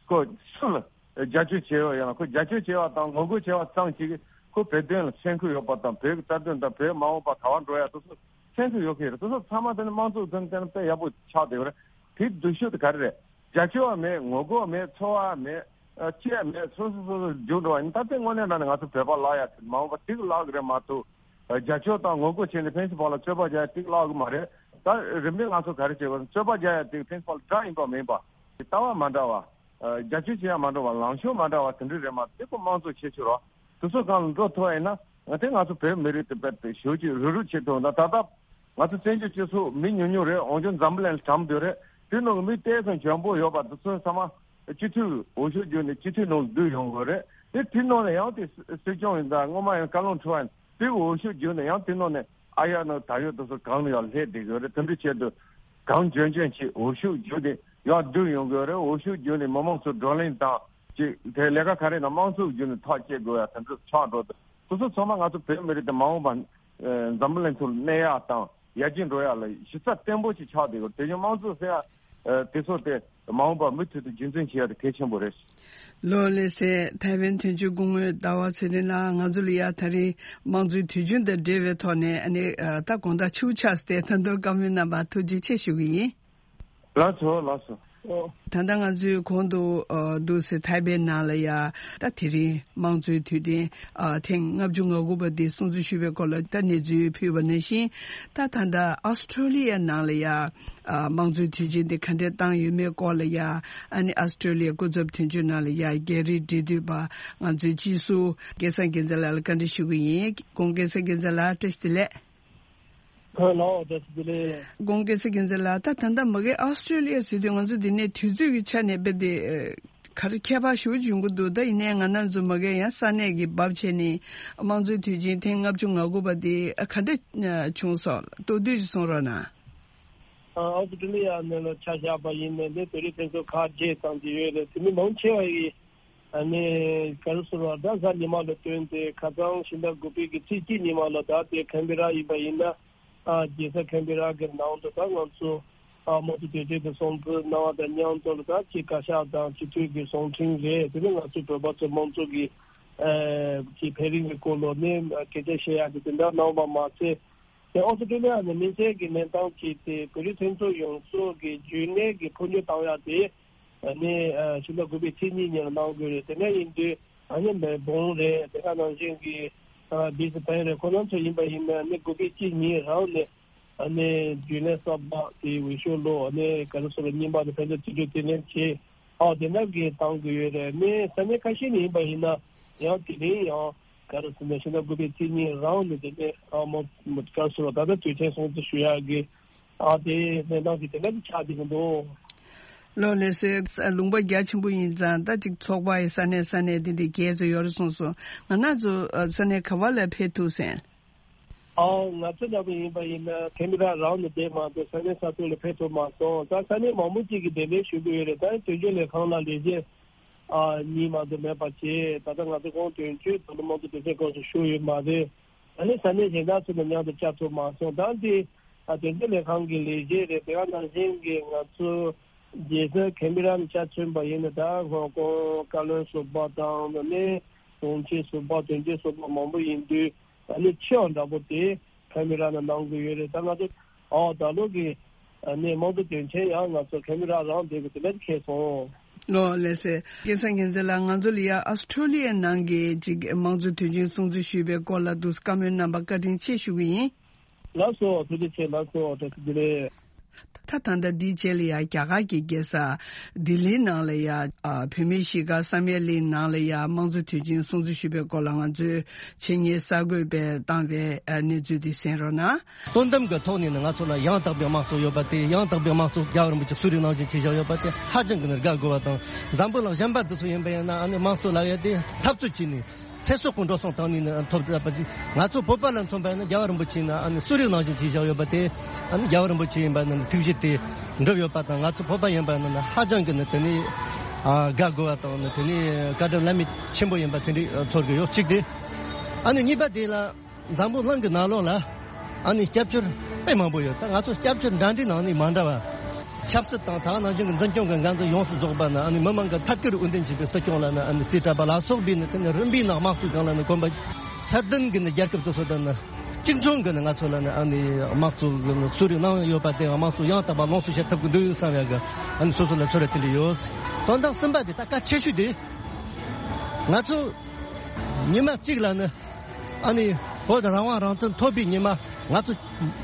ཁོ་སུ་ལ་རྒྱབ་སྐྱོར་བྱས་ཡོད་ཡང་ན་ཁོ་རྒྱབ་སྐྱོར་བྱས་པ་དང་ངོ་རྒོལ་བྱས་པ་ཙམ་ཅིག་ཁོ་བོད་དོན་ལ་སེམས་ཁུར་ཡོད་པ་དང་བོད་ཀྱི་རྩ་དོན་དང་བོད་མ་འོངས་པ་ག་པར་འགྲོ་ཡ་དེ་ཚོ་སེམས་ཁུར་ཡོད་མཁན་རེད། དེ་ཚོ་ཚང་མ་དེ་ནི་དམངས་གཙོའི་དོན་དེ་ནི་དཔེ་ཡག་པོ་ཆགས་བསྡད་ཡོད་རེད། དེའི་སྡུག་ཤོས་དེ་ག་རེ་རེད། རྒྱབ་སྐྱོར་བ་མེད། ངོ་རྒོལ་མེད། ཚོར་བ་མེད། ཨ་ཅི་ཡང་མེད། སོ་སོ་སོ་སོ་རྒྱུགས་འགྲོ་བ་ཡིན། ད་ལྟའི་དངོས་གནས་དྲང་གནས་ང་ཚོ་བོད་པ་ལ་ཡ་མ་འོངས་པ་ཐིག་ལག་གི་རེད་མ་གཏོགས། ཨ་རྒྱབ་སྐྱོར་དང་ངོ་རྒོལ་བྱས་ནས་ཕན་ཚུན་བར་ལ་རྩོད་པ་རྒྱག་ཡ་ཐིག་ལག་གི་མ་རེད། ད་རིམ་པས་ང་ཚོ་ག་རེ་བྱེད་དགོས། རྩོད་པ་རྒྱག་ཡ་དེ་ཕན་ཚུན་བར་ལ་དགྲ་ཡིན་པ་མིན་པ། ལྟ་བ་མ་འདྲ་བ། ཨ་རྒྱབ་སྐྱོར་བྱེད་ཡ་མ་འདྲ་བ། ལངས་ཕྱོགས་མ་འདྲ་བ་དེ་འདྲ་རེད་མ་གཏོགས་དེ་ཁོ་དམངས་གཙོ་ཁྱད་ཆོས་རོ། དེ་ཚོ་སྒང་ལ་འགྲོ་ཐུབ་པ་ཡིན་ན་ང་ཚོས་ང་ཚོ་བོད་མི་རིགས་དེ་དཔེ་དེ་ཞེ་པོ་ཅིག་རུབ་རུབ་བྱེད་ཐུབ། ད་ད་ལྟ་ང་ཚོ་བཙན་བྱོལ་སྤྱི་ཚོགས་མི་ཉུང་ཉུང་རེད། འོན་ཀྱང་འཛམ་བུ་གླིང་ལ་གྲམ་སྡོད་རེད། དེ་ནང་གི་མི་ཏོག་ཙམ་འཇོན་པོ་ཡོད་པ་དེ་ཚོ་ཚང་མ་སྤྱི་འཐུས་འོས་ཤོག་བརྒྱུད་ནས་སྤྱི་འཐུས་ནང་བསྡུས་ཡོང་དགོས་རེད། དེ་དེ་ནང་ནས་ཡང་དེ་སྲིད་སྐྱོང་ཡིན་ད་སྔོན་མ་ཡང་བཀའ་བློན་ཁྲི་པ་ཡིན་དེ་འོས་ཤོག་བརྒྱུད་ནས་ཡང་དེ་ནང་ནས་ཨ་ཡ་ནང་ད་ཡོད་དེ་ཚོ་གང་ལ་ཡང་སླེབས་བསྡད་དགོས་རེད། དེ་འདྲ་བྱས་དུས་གང་འཇོན་འཇོན་ཅིག་འོས་ཤོག་བརྒྱུད་ནས་ཡང་བསྡུས་ཡོང་དགོས་རེད། འོས་ཤོག་བརྒྱུད་ནས་མི་མང་ཚོ་བགྲོ་གླེང་དང་ཅིག་དེ་ལས་ཀ་ག་རེ་ན་དམངས་གཙོ་བརྒྱུད་ནས་ཐག་བཅད་དགོས་ཡ་དེ་འདྲ་ཆགས་འགྲོ་དུས། དེ་ཚོ་ཚང་མ་ང་ཚོ་བོད་མི་རིགས་དེ་མ་འོངས་པ་འཛམ་བུ་གླིང་ཐོག་ལ་གནས་ཡག་དང་ཡར་རྒྱས་འགྲོ་ཡག་ལ་གཞི་རྩ་བརྟན་པོ་ཞིག་ཆགས་བསྡད་ཡོད། དེ་བཞིན་དམངས་གཙོ་ཟེར་ཡག་དེ་ཚོ་དེ་མ་འོངས་པ་མུ་མཐུད་དུ་རྒྱུན་འཛིན་བྱེད་ཡག་དེ་གལ་ཆེན་པོ་རེད། ལོ་ལེགས་སེ། ཐའེ་ཝན་དོན་གཅོད་སྐུ་ངོ་ཟླ་བ་ཚེ་རིང་ལགས། ང་ཚོ་ལ་ཡ་ད་རེས་དམངས་གཙོའི་དུས་ཆེན་དང་འབྲེལ་བའི་ཐོག་ནས་ཨ་ནི་ད་དགོང་དག་ཕྱི་པོ་ཆགས་སུ་བལྟས་ད་དུང་བཀའ་མོལ་གནང་བར་ཐུགས་རྗེ་ཆེ་ཞུ་གི་ཡིན། ལགས་སོ་ལགས་སོ། ད་ལྟ་ང་ཚོས་གོང་དུ་འདུག་སེ་ཐའེ་པེ་ནང་ལ་ཡ་ད་དེ་རིང་དམངས་གཙོའི་དུས་དྲན་ཐེངས་ལྔ་བཅུ་ང་དགུ་པ་འདི་སྲུང་བརྩི་ཞུས་པའི་སྐོར་ལ་ད་གནས་ཚུལ་ཕུལ་བ་ནང་བཞིན། ད་ད་ལྟ་ཨོ་སི་ཀྲོ་ལི་ཡ་ནང་ལ་ཡ་དམངས་གཙོའི་དུས་ཆེན་འདི་ག་འདྲས་བཏང་ཡོད་མེད་སྐོར་ལ་ཡ། ཨ་ནི་ཨོ་སི་ཀྲོ་ལི་ཡའི་སྐུ་ཚབ་དོན་གཅོད་ནང་ལ་ཡ་རྒྱ་རིགས་འབྲེལ་མཐུད་པ་ང་ཚོའི་སྤྱི་ཟུར་སྐལ་བཟང་རྒྱལ་མཚན་ལགས་ལ་བཀའ་འདྲི་ཞུ་གི་ཡིན། སྐུ་ངོ་སྐལ་བཟང་རྒྱལ་མཚན་ལགས་བཀྲ་ཤིས་བདེ་ལེགས། ལགས་བཀྲ་ཤིས་བདེ་ལེགས། སྐུ་ངོ་སྐལ་བཟང་རྒྱལ་མཚན་ལགས། ད་ད་ལྟ་མ་གི་ཨོ་སི་ཀྲོ་ལི་ཡ་ཟེར་དུས་ང་ཚོ་འདི་ནས་དུས་ཚོད་ཀྱི་ཆ་ནས་དཔེ་དེ་ག་རེ་ཁྱད་པར་ཞེ་པོ་ཅིག་ཡོང་གི་འདུག་ད་ཡིན་ནའི་ང་རང་ཚོ་མ་གི་ཡང་ས་གནས་ཀྱི་བབ་བྱས་ནས་དམངས་གཙོའི་དུས་ཆེན་ཐེངས་ལྔ་བཅུ་ང་དགུ་པ་དེ་ག་འདྲ་བྱུང་སོང་། མདོར་བསྡུས་ཅིག་གསུང་རོགས་གནང་། ཨོ་སི་ཀྲོ་ལི་ཡ་ནང་ལ་ཆ་བཞག་པ་ཡིན་ནའི་བོད་རིགས་ཕན་ཚུན་ཁག་བརྗེས་བཏང་གི་ཡོད་རེད། དེ་མི་མང་ཆེ་བ་ཡིས་ཨ་ནི་ག་རེ་ཟེར་བ་ད་གཟའ་ཉི་མ་ལ་བསྟུན་ཏེ་ཁ་སང་ཕྱི་ཟླ་དགུ་པའི་གི་ཚེས་གཅིག་ཉི་མ་ལ་ད་ལྟའི་ཁན་བེ་ར་ཡིན་པ་ཡིན་ན། ཨ་རྒྱལ་ས་ཁན་བེ་ར་གི་ནང་དུ་ད་ང་ཚོ་ཨ་དམངས་གཙོ་དོན་གཅོད་ཀྱི་སྲུང་བརྩི་གནང་བ་དང་མཉམ་དུ་ལ་ད་ཅིག་བཀའ་ཤག་དང་སྤྱི་འཐུས་ཀྱི་གསུང་འཕྲིན་རེད། དེ་ནས་ང་ཚོ་བོད་པ་ཚོ་དམངས་གཙོ་གི་ཨ་ཅིག་འཕེལ་རིམ་གྱི་སྐོར་ལ་ནས་སྐད་ཆ་བཤད་ཡག་གི་དེ་འདྲ་གནང་བ་མ་ཟད། དེ་ཨོ་སི་ཀྲོ་ལི་ཡ་ནས་དམིགས་བསལ་གྱི་གནས་སྟངས་ཅིག་དེ་བོད་རིགས་ཕན་ཚུན་ཡོངས་རྫོགས་ཀྱི་རྒྱུན་གནས་ཀྱི་འཕོ་འགྱུར་བཏང་ཡག་དེ་ཨ་ནི་ཕྱི་ཟླ་དགུ་པའི་ཚེས་གཉིས་ཉིན་ལ་གནང་དགོས་རེད། དེ་ནས་ཡིན་དུས་ཨ་ནི་མེལ་བོན་རེད། དེ་ག་ནང་བཞིན་གྱི་བྷི་སི་བྷེན་རེད། ཁོ་རང་ཚོ་ཡིན་པ་ཡིན་ན་ཨ་ནི་དགུ་པའི་ཚེས་གཉིས་རང་ནས་ཨ་ནི་རྒྱུན་ལས་གསར་པ་དེ་འོས་ཤོག་ལོ་ཨ་ནི་ག་རེ་ཟེར་རྙིང་པ་དེ་ཕན་ཚུན་རྩིས་སྤྲོད་དེ་ནས་བྱས། ཨ་དེ་འདྲ་གི་བཏང་དགོས་ཡོད་རེད། ཨ་ནི་ས་གནས་ཁ་ཤས་ནས་ཡིན་པ་ཡིན་ན་ཡང་དེ་རིང་ཡང་ག་རེ་ཟེར་ན་ཕྱི་ཟླ་དགུ་པའི་ཚེས་གཉིས་རང་ནས་དེ་ནས་ཨ་མོ་ག་རེ་ཟེར་ད་ལྟ་དུས་ཆེན་སྲུང་བརྩི་ཞུ་ཡག་གི་ཨ་དེ་གནས་སྟངས་ཀྱི་དེ་འདྲ་གི་ཆགས་བསྡད་ཀྱི་འདུག་ལོ་ལགས་སེ། ལུང་པ་རྒྱ་ཆེན་པོ་ཡིན་ཙང་ད་ཅིག་ཚོགས་པ་ཡི་ས་གནས་ས་གནས་དེ་འདྲའི་རྒྱས་ཙམ་ཡོད་རེད་གསུངས་སོང་། ང་རང་ཚོ་ས་གནས་ག་བ་ལ་ཕེབས་ཐུབ་སོང་། ཨའོ་ང་ཚོ་འདྲ་པོ་ཡིན་པ་ཡིན་ན་ཁེམ་ར་རང་ནས་བསྡད་མ་གཏོགས་ས་གནས་ས་ཐོག་ལ་ཕེབས་ཐུབ་མ་སོང་། ད་ས་གནས་མང་པོ་ཅིག་གིས་གདན་འདྲེན་ཞུ་གི་ཡོད་རེད། ད་དོན་གཅོད་ལས་ཁང་ལ་ལས་བྱེད་ཨ་གཉིས་མ་གཏོགས་མེད་པ་བྱས། ད་ལྟ་ང་ཚོ་ཁོང་དོན་གཅོད་དང་དམངས་གཙོ་དོན་གཅོད་སྐབས་སུ་ཞུགས་ཡོད་མ་རེད། ད་ནི་ས་གནས་གཞན་དག་ཚོ་དང་མཉམ་དུ་བཅར་ཐུབ་མ་སོང་། ད་འདི་ཨ་དོན་གཅོད་ལས་ཁང་གི་ལས་བྱེད་རེད། དེ་ག་ནང་བཞིན་གྱི་ང་ཚོ་རྒྱལ་ས་ཁེམ་ར་ནས་ཆ་མཚོན་པ་ཡིན་ན་ད་ཧོང་ཀོང་བཀའ་བློན་ཟུར་པ་དང་ད་ནི་དྲུང་ཆེ་ཟུར་པ་དོན་གཅོད་ཟུར་པ་མང་པོ་ཡིན་དུས། ཨ་ནི་ཆེ་བ་འདྲ་པོ་དེ་ཁེམ་ར་ནང་གནང་གི་ཡོད་རེད། ད་ང་ཚོ་ཨོ་ད་ལོ་གི་ཨ་ནི་དམངས་གཙོ་དོན་ཆེན་ཡང་ང་ཚོ་ཁེམ་ར་རང་བསྡད་དགོས་དེ་འདྲ་ཁེལ་སོང་། ལོ་ལགས་སེ། སྐལ་བཟང་རྒྱལ་མཚན་ལགས། ང་ཚོ་ལ་ཡ་ཨོ་སི་ཀྲོ་ལི་ཡའི་ནང་གི་ཅིག་དམངས་གཙོ་དོན་ཆེན་སྲུང་བརྩི་ཞུས་པའི་སྐོར་ལ་འདུག་བཀའ་མོལ་གནང་བར་བཀའ་དྲིན་ཆེ་ཞུ་གི་ཡིན། ལགས་སོ་ཐུགས་རྗེ་ཆེ། ལགས་སོ་བཀྲ་ཤིས་བདེ་ལེགས། ད་ད་ལྟ་འདིའི་རྗེས་ལ་ཡ་རྒྱ་གར་གྱི་རྒྱལ་ས་ལྡི་ལིའི་ནང་ལ་ཡ་ཨ་བོད་མིའི་གཞིས་ཀ་བསམ་ཡས་གླིང་ནང་ལ་ཡ་དམངས་གཙོ་དུས་ཆེན་སྲུང་བརྩི་ཞུས་པའི་སྐོར་ལ་ང་ཚོའི་ཆེད་གཉེར་གསར་འགོད་པས་བཏང་བའི་ཨ་གནས་ཚུལ་འདི་གསན་རོགས་གནང་། དོན་དམ་གྱི་ཐོག་ནས་ནི་ང་ཚོ་ལ་ཡང་དག་པའི་དམངས་གཙོ་ཡོད་པ་དེ། ཡང་དག་པའི་དམངས་གཙོ་རྒྱལ་བ་རིན་པོ་ཆེ་གསོལ་རས་གནང་བཞིན་བྱས་བཞག་ཡོད་པ་དེ་ཧ་ཅང་གི་ནི་དགའ་དགོས་པ་དང་། འཛམ་བུ་གླིང་གཞན་པ་དེ་ཚོ་ཡིན་པ་ཡིན་ན་ཨ་ནི་དམངས་གཙོ་ལབ་ཡ་དེ་འཐབ་རྩོད་བྱས་ནས། ཚེ་སྲོག་གི་འགྲོ་སོང་བཏང་ནས་ནི་ཐོབ་ཐུབ་པ་ཅིག་ང་ཚོ་བོད་པ་ལ་མཚོན་པ་ཡིན་ན་རྒྱལ་བ་རིན་པོ་ཆེ་ནི་ཨ་ནི་གསོལ་རས་གནང་བཞིན་བྱས་བཞག་ཡོད་པ་དེ། ཨ་ནི་རྒྱལ་བ་རིན་པོ་ཆེ་ཡིན་པ་ནི་ཐུགས་རྗེ་དེ་འགྲུབ་ཡོད་པ་དང་། ང་ཚོ་བོད་པ་ཡིན་པ་ནི་ཧ་ཅང་གི་ནི་དེ་ནི་ཨ་དགའ་དགོས་པ་དང་། ནི་དེ་ནི་བཀའ་དྲིན་བླ་མེད་ཆེན་པོ་ཡིན་པ་དེ་འདྲའི་ཚོར་གི་ཡོད། གཅིག་དེ། ཨ་ནི་གཉིས་པ་དེ་ལ་འཛམ་བུ་གླིང་གི་ནང་ལོགས་ལ་ཨ་ནི་སྐྱབས་བཅོལ་དཔེ་མང་པོ་ཡོད། ད་ང་ཚོ་སྐྱབས་བཅོལ་འདྲ་འདྲའི་ནང་ནས་མ་འདྲ་བ། ཆབ་སྲིད་དང་ད་ག་ནང་བཞིན་གྱི་འཛིན་སྐྱོང་གི་འགན་འཛིན་ཡོངས་སུ་རྫོགས་པ་ནི་ཨ་ནི་མི་མང་གི་ཐད་ཀར་འོས་འདེམས་བྱས་པའི་སྲིད་སྐྱོང་ལ་ནི་ཨ་ནི་རྩིས་སྤྲད་པ་ལ་སོགས་པའི་ནི་དེ་ནི་རིམ་པའི་ནང་དམངས་གཙོའི་སྒང་ལ་ནི་གོམ་པ་ཚད་ལྡན་གྱི་ནི་རྒྱལ་ཁབ་དེ་ཚོ་དང་ནི་གཅིག་མཚུངས་ཀྱི་ནི་ང་ཚོ་ལ་ནི་ཨ་ནི་དམངས་གཙོ་གི་ནི་གསོལ་རས་གནང་ཡོད་པ་དེ། དམངས་གཙོ་ཡང་དག་པ་ལོངས་སུ་སྤྱད་ཐུབ་ཀྱི་འདུག་བསམ་ཡག་གི་ཨ་ནི་སོ་སོ་ལ་ཚོར་བ་དེ་འདྲ་ཡོད། དོན་དག་གསུམ་པ་དེ་ད་གལ་ཆེ་ཤོས་དེ། ང་ཚོ་ཉི་མ་གཅིག་ལ་ནི་ཨ་ནི་བོད་རང་དབང་རང་བཙན་ཐོབ་པའི་ཉི་མ། ང་ཚོ་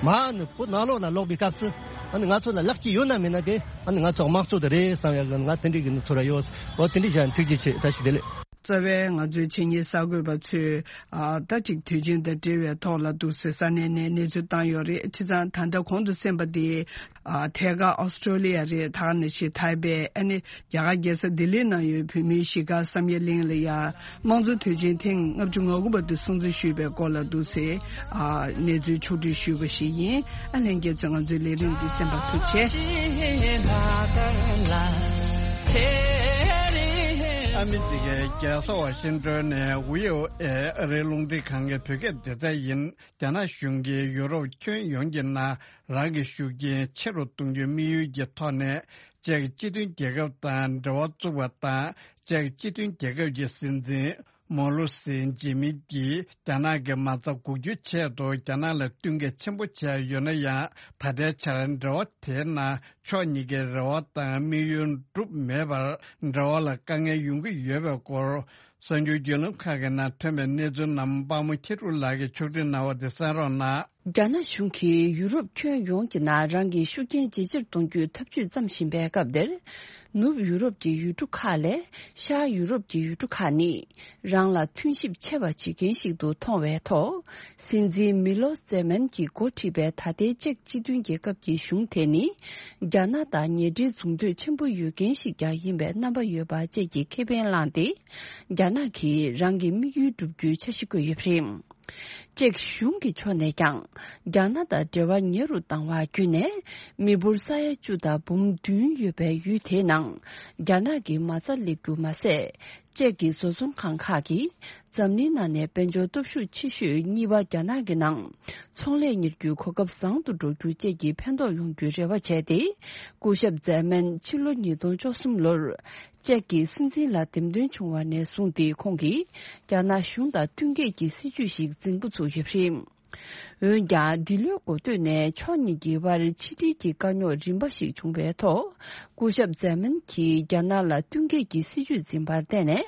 མར་ནི་བོད་ནང་ལོགས་ལ་ལོག་པའི་སྐབས་སུ་ཨ་ནི་ང་ཚོ་ལ་ལེགས་སྐྱེས་ཡོད་ན་མེད་ན་དེ་ཨ་ནི་ང་ཚོ་དམངས་གཙོ་དེ་རེད་བསམ་ཡག་གི་ང་དེ་འདྲའི་གི་ནི་ཚོར་བ་ཡོད། འོ་དེ་འདྲའི་བྱས་ཐུགས་རྗེ་ཆེ། བཀྲ་ཤིས་བདེ་ལེགས། རྩ་བའི་ང་ཚོའི་ཆེད་གཉེར་གསར་འགོད་པ་ཚོས་ཨ་ད་ཅིག་དུས་ཆེན་དང་འབྲེལ་བའི་ཐོག་ལ་འདུག་སེ་ས་གནས་ནས་གནས་ཚུལ་བཏང་ཡོད་རེད། བྱས་ཙང་ད་ལྟ་གོང་དུ་གསན་པ་དེ་ཨ་ཐད་ཀར་ཨོ་སི་ཀྲོ་ལི་ཡ་རེད། ད་ག་ནང་བཞིན་ཐའེ་པེ། ཨ་ནི་རྒྱ་གར་རྒྱལ་ས་ལྡི་ལི་ནང་ཡོད་བོད་མིའི་གཞིས་ཀ་བསམ་ཡས་གླིང་ལ་ཡ་དམངས་གཙོ་དུས་ཆེན་ཐེངས་ལྔ་བཅུ་ང་དགུ་པ་དེ་སྲུང་བརྩི་ཞུས་པའི་སྐོར་ལ་འདུག་སེ་ཨ་གནས་ཚུལ་ཕྱོགས་བསྒྲིགས་ཞུས་པ་ཞིག་ཡིན། ཨ་ལྷན་རྒྱས་ཚོས་ང་ཚོའི་ལས་རིམ་འདི་གསན་པར་ཐུགས་རྗེ་ཆེ། ཨ་མི་རི་ཀའི་རྒྱལ་ས་ཝ་ཤིང་ཏོན་ནས་བྷི་ཨོ་ཨེ་ཨ་རིའི་རླུང་འཕྲིན་ཁང་གི་བོད་སྐད་སྡེ་ཚན་ཡིན། རྒྱ་ནག་གཞུང་གིས་ཡུ་རོབ་ཁྱོན་ཡོངས་ཀྱི་ནང་རང་གི་ཤུགས་རྐྱེན་ཆེ་རུ་གཏོང་རྒྱུའི་དམིགས་ཡུལ་གྱི་ཐོག་ནས། ཅེཀ་སྤྱི་མཐུན་རྒྱལ་ཁབ་དང་འབྲེལ་བ་བཙུགས་པ་དང་། ཅེཀ་སྤྱི་མཐུན་རྒྱལ་ཁབ་ཀྱི་སྲིད་འཛིན་ མོ་ལུ་སི་ཇི་མི་གྱིས་རྒྱ་ནག་གི་མ་རྩ་འགུག་རྒྱུའི་ཆེད་དུ་རྒྱ་ནག་ལ་བསྟུན་མཁས་ཆེན་པོ་བྱས་ཡོད་ན་ཡང་། ད་ལྟའི་ཆར་འབྲེལ་བ་དེའི་ནང་ཕྱོགས་གཉིས་ཀའི་རེ་བ་དང་དམིགས་ཡུལ་འགྲུབ་མེད་པར་འབྲེལ་བ་ལ་དཀའ་ངལ་ཡོང་གི་ཡོད་པའི་སྐོར། གསར་འགྱུར་བརྒྱུད་ལམ་ཁག་གི་ནང་ཐོན་པའི་གནས་ཚུལ་རྣམས་དཔའ་མོ་ཁྱི་ཕྲུག་ལགས་ཀྱིས་ཕྱོགས་སྒྲིག་གནང་བ་དེ་གསན་རོགས་གནང་། རྒྱ་ནག་གཞུང་གིས་ཡུ་རོབ་ཁྱོན་ཡོངས་ཀྱི་ནང་རང་གི་ཤུགས་རྐྱེན་ཇེ་ཆེར་གཏོང་རྒྱུའི་ཐབས་ཇུས་བརྩམས་བཞིན་པའི་སྐབས་འདིར། ནུབ་ཡུ་རོབ་ཀྱི་ཡུལ་གྲུ་ཁག་ལས་ཤར་ཡུ་རོབ་ཀྱི་ཡུལ་གྲུ་ཁག་ནི་རང་ལ་མཐུན་གཤིབ་ཆེ་བ་བྱེད་མཁན་ཞིག་ཏུ་མཐོང་བའི་ཐོག། སྲིད་འཛིན་མི་ལོ་ཛེ་མན་གྱིས་འགོ་ཁྲིད་པའི་ད་ལྟའི་ཅེཀ་སྤྱི་མཐུན་རྒྱལ་ཁབ་ཀྱི་གཞུང་དེ་ནི་རྒྱ་ནག་དང་ཉེ་འབྲེལ་འཛུགས་འདོད་ཆེན་པོ་ཡོད་མཁན་ཞིག་ཀྱང་ཡིན་པའི་རྣམ་པ་ཡོད་པ་བཅས་ཀྱི་ཁེ་ཕན་བླངས་ཏེ། རྒྱ་ནག་གིས་རང་གི་དམིགས་ཡུལ་བསྒྲུབ་རྒྱུའི་འཆར་གཞི་བཀོད་ཡོད་པ་རེད། ཅེཀ་གཞུང་གི་ཕྱོགས་ནས་ཀྱང་རྒྱ་ནག་དང་འབྲེལ་བ་ཉེ་རུ་བཏང་བ་བརྒྱུད་ནས། མི་འབོར་ས་ཡ་བཅུ་དང་འབུམ་བདུན་ཡོད་པའི་ཡུལ་དེའི་ནང་རྒྱ་ནག་གི་མ་རྩ་སླེབས་རྒྱུ་མ་ཟད། ཅེཀ་གི་བཟོ་ཚོང་ཁང་ཁག་གིས་འཛམ་གླིང་ནང་ནས་དཔལ་འབྱོར་སྟོབས་ཤུགས་ཆེ་ཤོས་གཉིས་པ་རྒྱ་ནག་གི་ནང་ཚོང་ལས་གཉེར་རྒྱུའི་གོ་སྐབས་བཟང་དུ་འགྲོ་རྒྱུ་བཅས་ཀྱི་ཕན་ཐོགས་ཡོང་རྒྱུའི་རེ་བ་བྱས་ཏེ། སྐུ་ཞབས་ཛེ་མན་ཕྱི་ལོ་ཉིས་སྟོང་བཅུ་གསུམ་ལོར། ཅེཀ་གི་སྲིད་འཛིན་ལ་འདེམས་ཐོན་བྱུང་བ་ནས་བཟུང་སྟེ། ཁོང་གིས་རྒྱ་ནག་གཞུང་དང་བསྟུན་མཁས་ཀྱི་སྲིད་ཇུས་ཤིག་འཛིན་འགོ་ཚུགས་ཡོད་པ་རེད། འོན་ཀྱང་། འདི་ལོའི་འགོ་སྟོད་ནས་ཕྱོགས་གཉིས་ཀྱི་དབར་ཕྱི་འབྲེལ་གྱི་དཀའ་རྙོག་རིམ་པ་ཞིག་བྱུང་བའི་ཐོག། སྐུ་ཞབས་ཛེ་མན་གྱིས་རྒྱ་ནག་ལ་བསྟུན་མཁས་ཀྱི་སྲིད་ཇུས་འཛིན་པར་བརྟེན་ནས།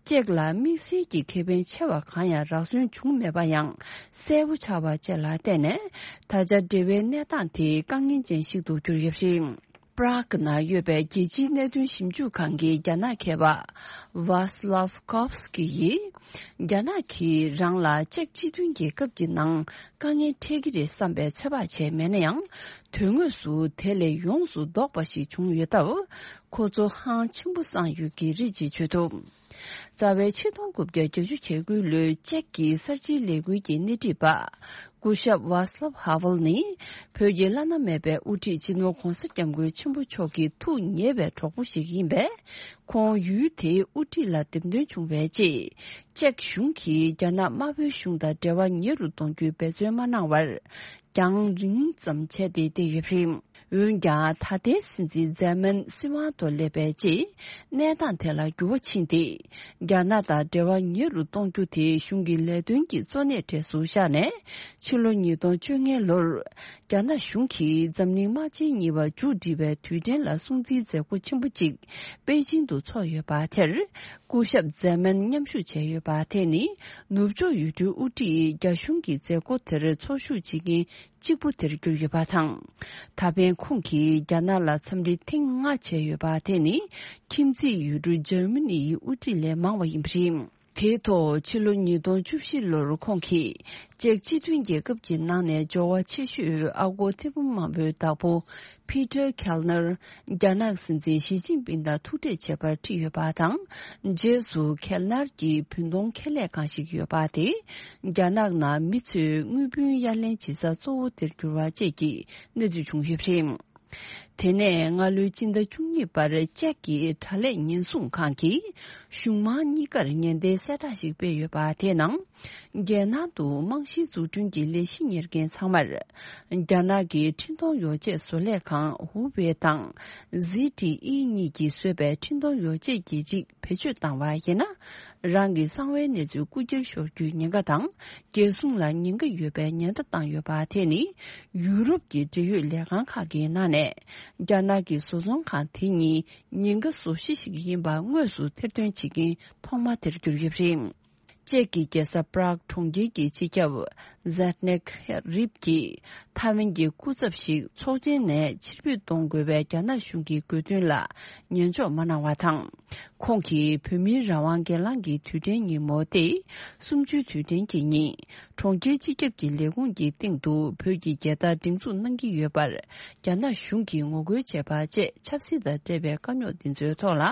ཅེཀ་ལ་དམིགས་བསལ་གྱི་ཁེ་ཕན་ཆེ་བ་གང་ཡང་རག་སོན་བྱུང་མེད་པ་ཡང་གསལ་པོ་ཆགས་པ་བཅས་ལ་བརྟེན་ནས། ད་ཆ་འབྲེལ་བའི་གནས་སྟངས་དེ་དཀའ་ངལ་ཅན་ཞིག་ཏུ་གྱུར་ཡོད་པ་རེད། པྲག་ནང་ཡོད་པའི་རྒྱལ་སྤྱིའི་གནད་དོན་ཞིབ་འཇུག་ཁང་གི་རྒྱ་ནག་མཁས་པ་ཝཱ་སི་ལབ་ཀོབ་སི་ཀི་ཡིས། རྒྱ་ནག་གིས་རང་ལ་ཅེཀ་སྤྱི་མཐུན་རྒྱལ་ཁབ་ཀྱི་ནང་དཀའ་ངལ་འཕྲད་ཀྱི་རེད་བསམ་པའི་ཚོད་དཔག་བྱས་མེད་ན་ཡང་། དོན་དངོས་སུ་དེ་ལས་ཡོངས་སུ་ལྡོག་པ་ཞིག་བྱུང་ཡོད་སྟབས། ཁོ་ཚོ་ཧང་ཆེན་པོ་སངས་ཡོད་ཀྱི་རེད་ཅེས་བརྗོད་འདུག་རྩ་བའི་ཆིག་སྟོང་དགུ་བརྒྱ་བརྒྱད་ཅུ་གྱ་དགུ་ལོའི་ཅེཀ་གི་གསར་བརྗེའི་ལས་འགུལ་གྱི་སྣེ་ཁྲིད་པ། སྐུ་ཞབས་ཝཱ་སི་ལབ་ཧ་ཝལ་ནི། བོད་ཀྱི་བླ་ན་མེད་པའི་དབུ་ཁྲིད་སྤྱི་ནོར་༧གོང་ས་༧སྐྱབས་མགོན་ཆེན་པོ་མཆོག་གི་ཐུགས་ཉེ་བའི་གྲོགས་པོ་ཞིག་ཡིན་པས། ཁོང་ཡུལ་དེའི་དབུ་ཁྲིད་ལ་འདེམས་ཐོན་བྱུང་བའི་རྗེས། ཅེཀ་གཞུང་གིས་རྒྱ་ནག་དམར་པོའི་གཞུང་དང་འབྲེལ་བ་ཉེ་རུ་གཏོང་རྒྱུའི་འབད་བརྩོན་མ་གནང་བར། རྒྱང་རིང་ཙམ་བྱས་ཏེ་བསྡད་ཡོད་པ་རེད། འོན་ཀྱང་། ད་ལྟའི་སྲིད་འཛིན་ཛེ་མན་སྲིད་དབང་དུ་སླེབས་པའི་རྗེས། གནས་སྟངས་དེ་ལ་འགྱུར་བ་ཕྱིན་ཏེ། རྒྱ་ནག་དང་འབྲེལ་བ་ཉེ་རུ་གཏོང་རྒྱུ་དེ་གཞུང་གི་ལས་དོན་གྱི་གཙོ་གནད་གྲས་སུ་བཞག་ནས། ཕྱི་ལོ་ཉིས་སྟོང་བཅོ་ལྔ་ལོར། རྒྱ་ནག་གཞུང་གིས་འཛམ་གླིང་དམག་ཆེན་གཉིས་པ་མཇུག་སྒྲིལ་བའི་དུས་དྲན་ལ་སྲུང་བརྩིའི་མཛད་སྒོ་ཆེན་པོ་གཅིག་པེ་ཅིང་དུ་འཚོགས་ཡོད་པ་དེར། སྐུ་ཞབས་ཛེ་མན་མཉམ་ཞུགས་བྱས་ཡོད་པ་དེ་ནི། ནུབ་ཕྱོགས་ཡུལ་གྲུའི་དབུ་ཁྲིད་རྒྱ་གཞུང་གི་མཛད་སྒོ་དེར་འཚོགས་ཞུགས་བྱེད་མཁན་གཅིག་པུ་དེར་གྱུར་ཡོད་པ་དང་། ད་ཕན་ཁོང་གིས་རྒྱ་ནག་ལ་འཚམས་འདྲི་ཐེངས་ལྔ་བྱས་ཡོད་པ་དེ་ནི། ཁྱིམ་མཚེས་ཡུལ་གྲུ་འཇར་མ་ནི་ཡི་དབུ་ཁྲིད་ལས་མང་བ་ཡིན་པ་རེད། དེའི་ཐོག་ཕྱི་ལོ་ཉིས་སྟོང་བཅུ་བཞི་ལོར་ཁོང་གིས། ཅེཀ་སྤྱི་མཐུན་རྒྱལ་ཁབ་ཀྱི་ནང་ནས་འབྱོར་བ་ཆེ་ཤོས་ཨ་སྒོར་ཐེར་འབུམ་མང་པོའི་བདག་པོ། ཕི་ཏར་ཁེལ་ནར། རྒྱ་ནག་སྲིད་འཛིན་ཞི་ཅིན་ཕིང་དང་ཐུག་འཕྲད་བྱེད་པར་ཁྲིད་ཡོད་པ་དང་། རྗེས་སུ་ཁེལ་ནར་གྱི་བུན་གཏོང་ཁེ་ལས་ཁང་ཞིག་ཡོད་པ་དེ། རྒྱ་ནག་ནང་མི་ཚོས་དངུལ་བུན་གཡར་ལེན་བྱེད་ས་གཙོ་བོ་དེར་གྱུར་བ་བཅས་ཀྱི་གནས་ཚུལ་བྱུང་ཡོད་པ་རེད། དེ་ནས་སྔ་ལོའི་སྤྱི་ཟླ་བཅུ་གཉིས་པར་ཅེཀ་གི་དྲ་ལས་ཉེན་སྲུང་ཁང་གིས་གཞུང་མང་གཉིས་ཀར་ཉེན་བརྡའི་གསལ་བསྒྲགས་ཤིག་སྤེལ་ཡོད་པ་དེའི་ནང་། རྒྱལ་ནང་དུ་རྨང་གཞིའི་འཛུགས་སྐྲུན་གྱི་ལས་གཞི་གཉེར་མཁན་ཚང་མར། རྒྱ་ནག་གི་འཕྲིན་གཏོང་ཡོ་བྱད་བཟོ་ལས་ཁང་ཧུ་ཝེ་དང་། ཟི་ཏི་ཨི་གཉིས་ཀྱིས་བཟོས་པའི་འཕྲིན་གཏོང་ཡོ་བྱད་ཀྱི་རིགས་བེད་སྤྱོད་བཏང་བ་ཡིན་ན། རང་གི་གསང་བའི་གནས་ཚུལ་རྐུ་འཁྱེར་ཤོར་རྒྱུའི་ཉེན་ཁ་དང་། རྒྱལ་སྲུང་ལ་ཉེན་ཁ་ཡོད་པའི་ཉེན་བརྡ་བཏང་ཡོད་པ་དེ་ནི། ཡུ་རོབ་ཀྱི་འབྲེལ་ཡོད་ལས་ཁང་ཁག་གི་ནང་ནས། རྒྱ་ནག་གི་བཟོ་ཚོང་ཁང་དེ་གཉིས་ཉེན་ཁ་བཟོ་གཞི་ཞིག་ཡིན་པ་དངོས་སུ་ཐེར་འདོན་བྱེད་མཁན་ཐོག་མ་དེར་གྱུར་ཡོད་པ་རེད། ཅེཀ་གི་རྒྱལ་ས་པྲག་གྲོང་ཁྱེར་གྱི་སྤྱི་ཁྱབ་ཛེད་ནེག་རིབ་ཀྱིས་ཐའེ་ཝན་གྱི་སྐུ་ཚབ་ཞིག་ཚོགས་ཆེན་ནས་ཕྱིར་འབུད་གཏོང་དགོས་པའི་རྒྱ་ནག་གཞུང་གི་དགོས་འདུན་ལ་ཉན་འཇོག་མ་གནང་བ་དང་། ཁོང་གིས་བོད་མིའི་རང་དབང་སྒེར་ལངས་ཀྱི་དུས་དྲན་ཉིན་མོ་སྟེ། གསུམ་བཅུའི་དུས་དྲན་གྱི་ཉིན། གྲོང་ཁྱེར་སྤྱི་ཁྱབ་ཀྱི་ལས་ཁུངས་ཀྱི་སྟེང་དུ་བོད་ཀྱི་རྒྱལ་དར་སྒྲེང་འཛུགས་གནང་གི་ཡོད་པར། རྒྱ་ནག་གཞུང་གིས་ངོ་རྒོལ་བྱས་པ་བཅས་ཆབ་སྲིད་དང་འབྲེལ་བའི་དཀའ་རྙོག་འདི་ཚོའི་ཐོག་ལ།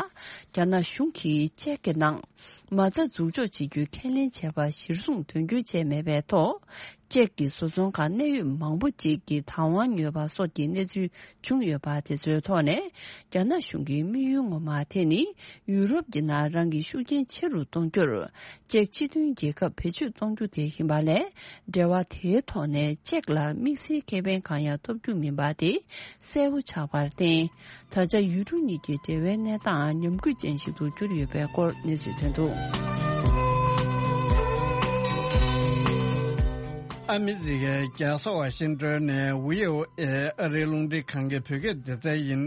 རྒྱ་ནག་གཞུང་གིས་ཅེཀ་གི་ནང་མ་རྩ་འཛུགས་འཇོག་བྱེད་རྒྱུའི་ཁས་ལེན་བྱས་པ་གཞིར་བཟུང་དོན་འཁྱོལ་བྱས་མེད་པའི་ཐོག་ཅེཀ་གི་བཟོ་ཚོང་ཁང་གནད་ཡོད་མང་པོ་ཅིག་གིས་བདག་དབང་ཉོས་པ་སོགས་ཀྱི་གནས་ཚུལ་བྱུང་ཡོད་པ་དེ་ཚོའི་ཐོག་ནས། རྒྱ་ནག་གཞུང་གི་དམིགས་ཡུལ་ངོ་མ་དེ་ནི། ཡུ་རོབ་ཀྱི་ནང་རང་གི་ཤུགས་རྐྱེན་ཆེ་རུ་གཏོང་རྒྱུར། ཅེཀ་སྤྱི་མཐུན་རྒྱལ་ཁབ་བེད་སྤྱོད་གཏོང་རྒྱུ་དེ་ཡིན་པ་ལས། འབྲེལ་བ་དེའི་ཐོག་ནས་ཅེཀ་ལ་དམིགས་བསལ་ཁེ་ཕན་གང་ཡང་ཐོབ་རྒྱུ་མིན་པ་དེ་གསལ་པོ་ཆགས་པར་བརྟེན། ད་ཆ་ཡུལ་གྲུ་གཉིས་ཀྱི་འབྲེལ་བའི་གནས་སྟངས་ཉམས་རྒུད་ཅན་ཞིག་ཏུ་གྱུར་ཡོད་པའི་སྐོར་གནས་ཚུལ་ཐོན་འདུག་ཨ་མི་རི་ཀའི་རྒྱལ་ས་ཝ་ཤིང་ཏོན་ནས་བྷི་ཨོ་ཨེ་ཨ་རིའི་རླུང་འཕྲིན་ཁང་གི་བོད་སྐད་སྡེ་ཚན་ཡིན།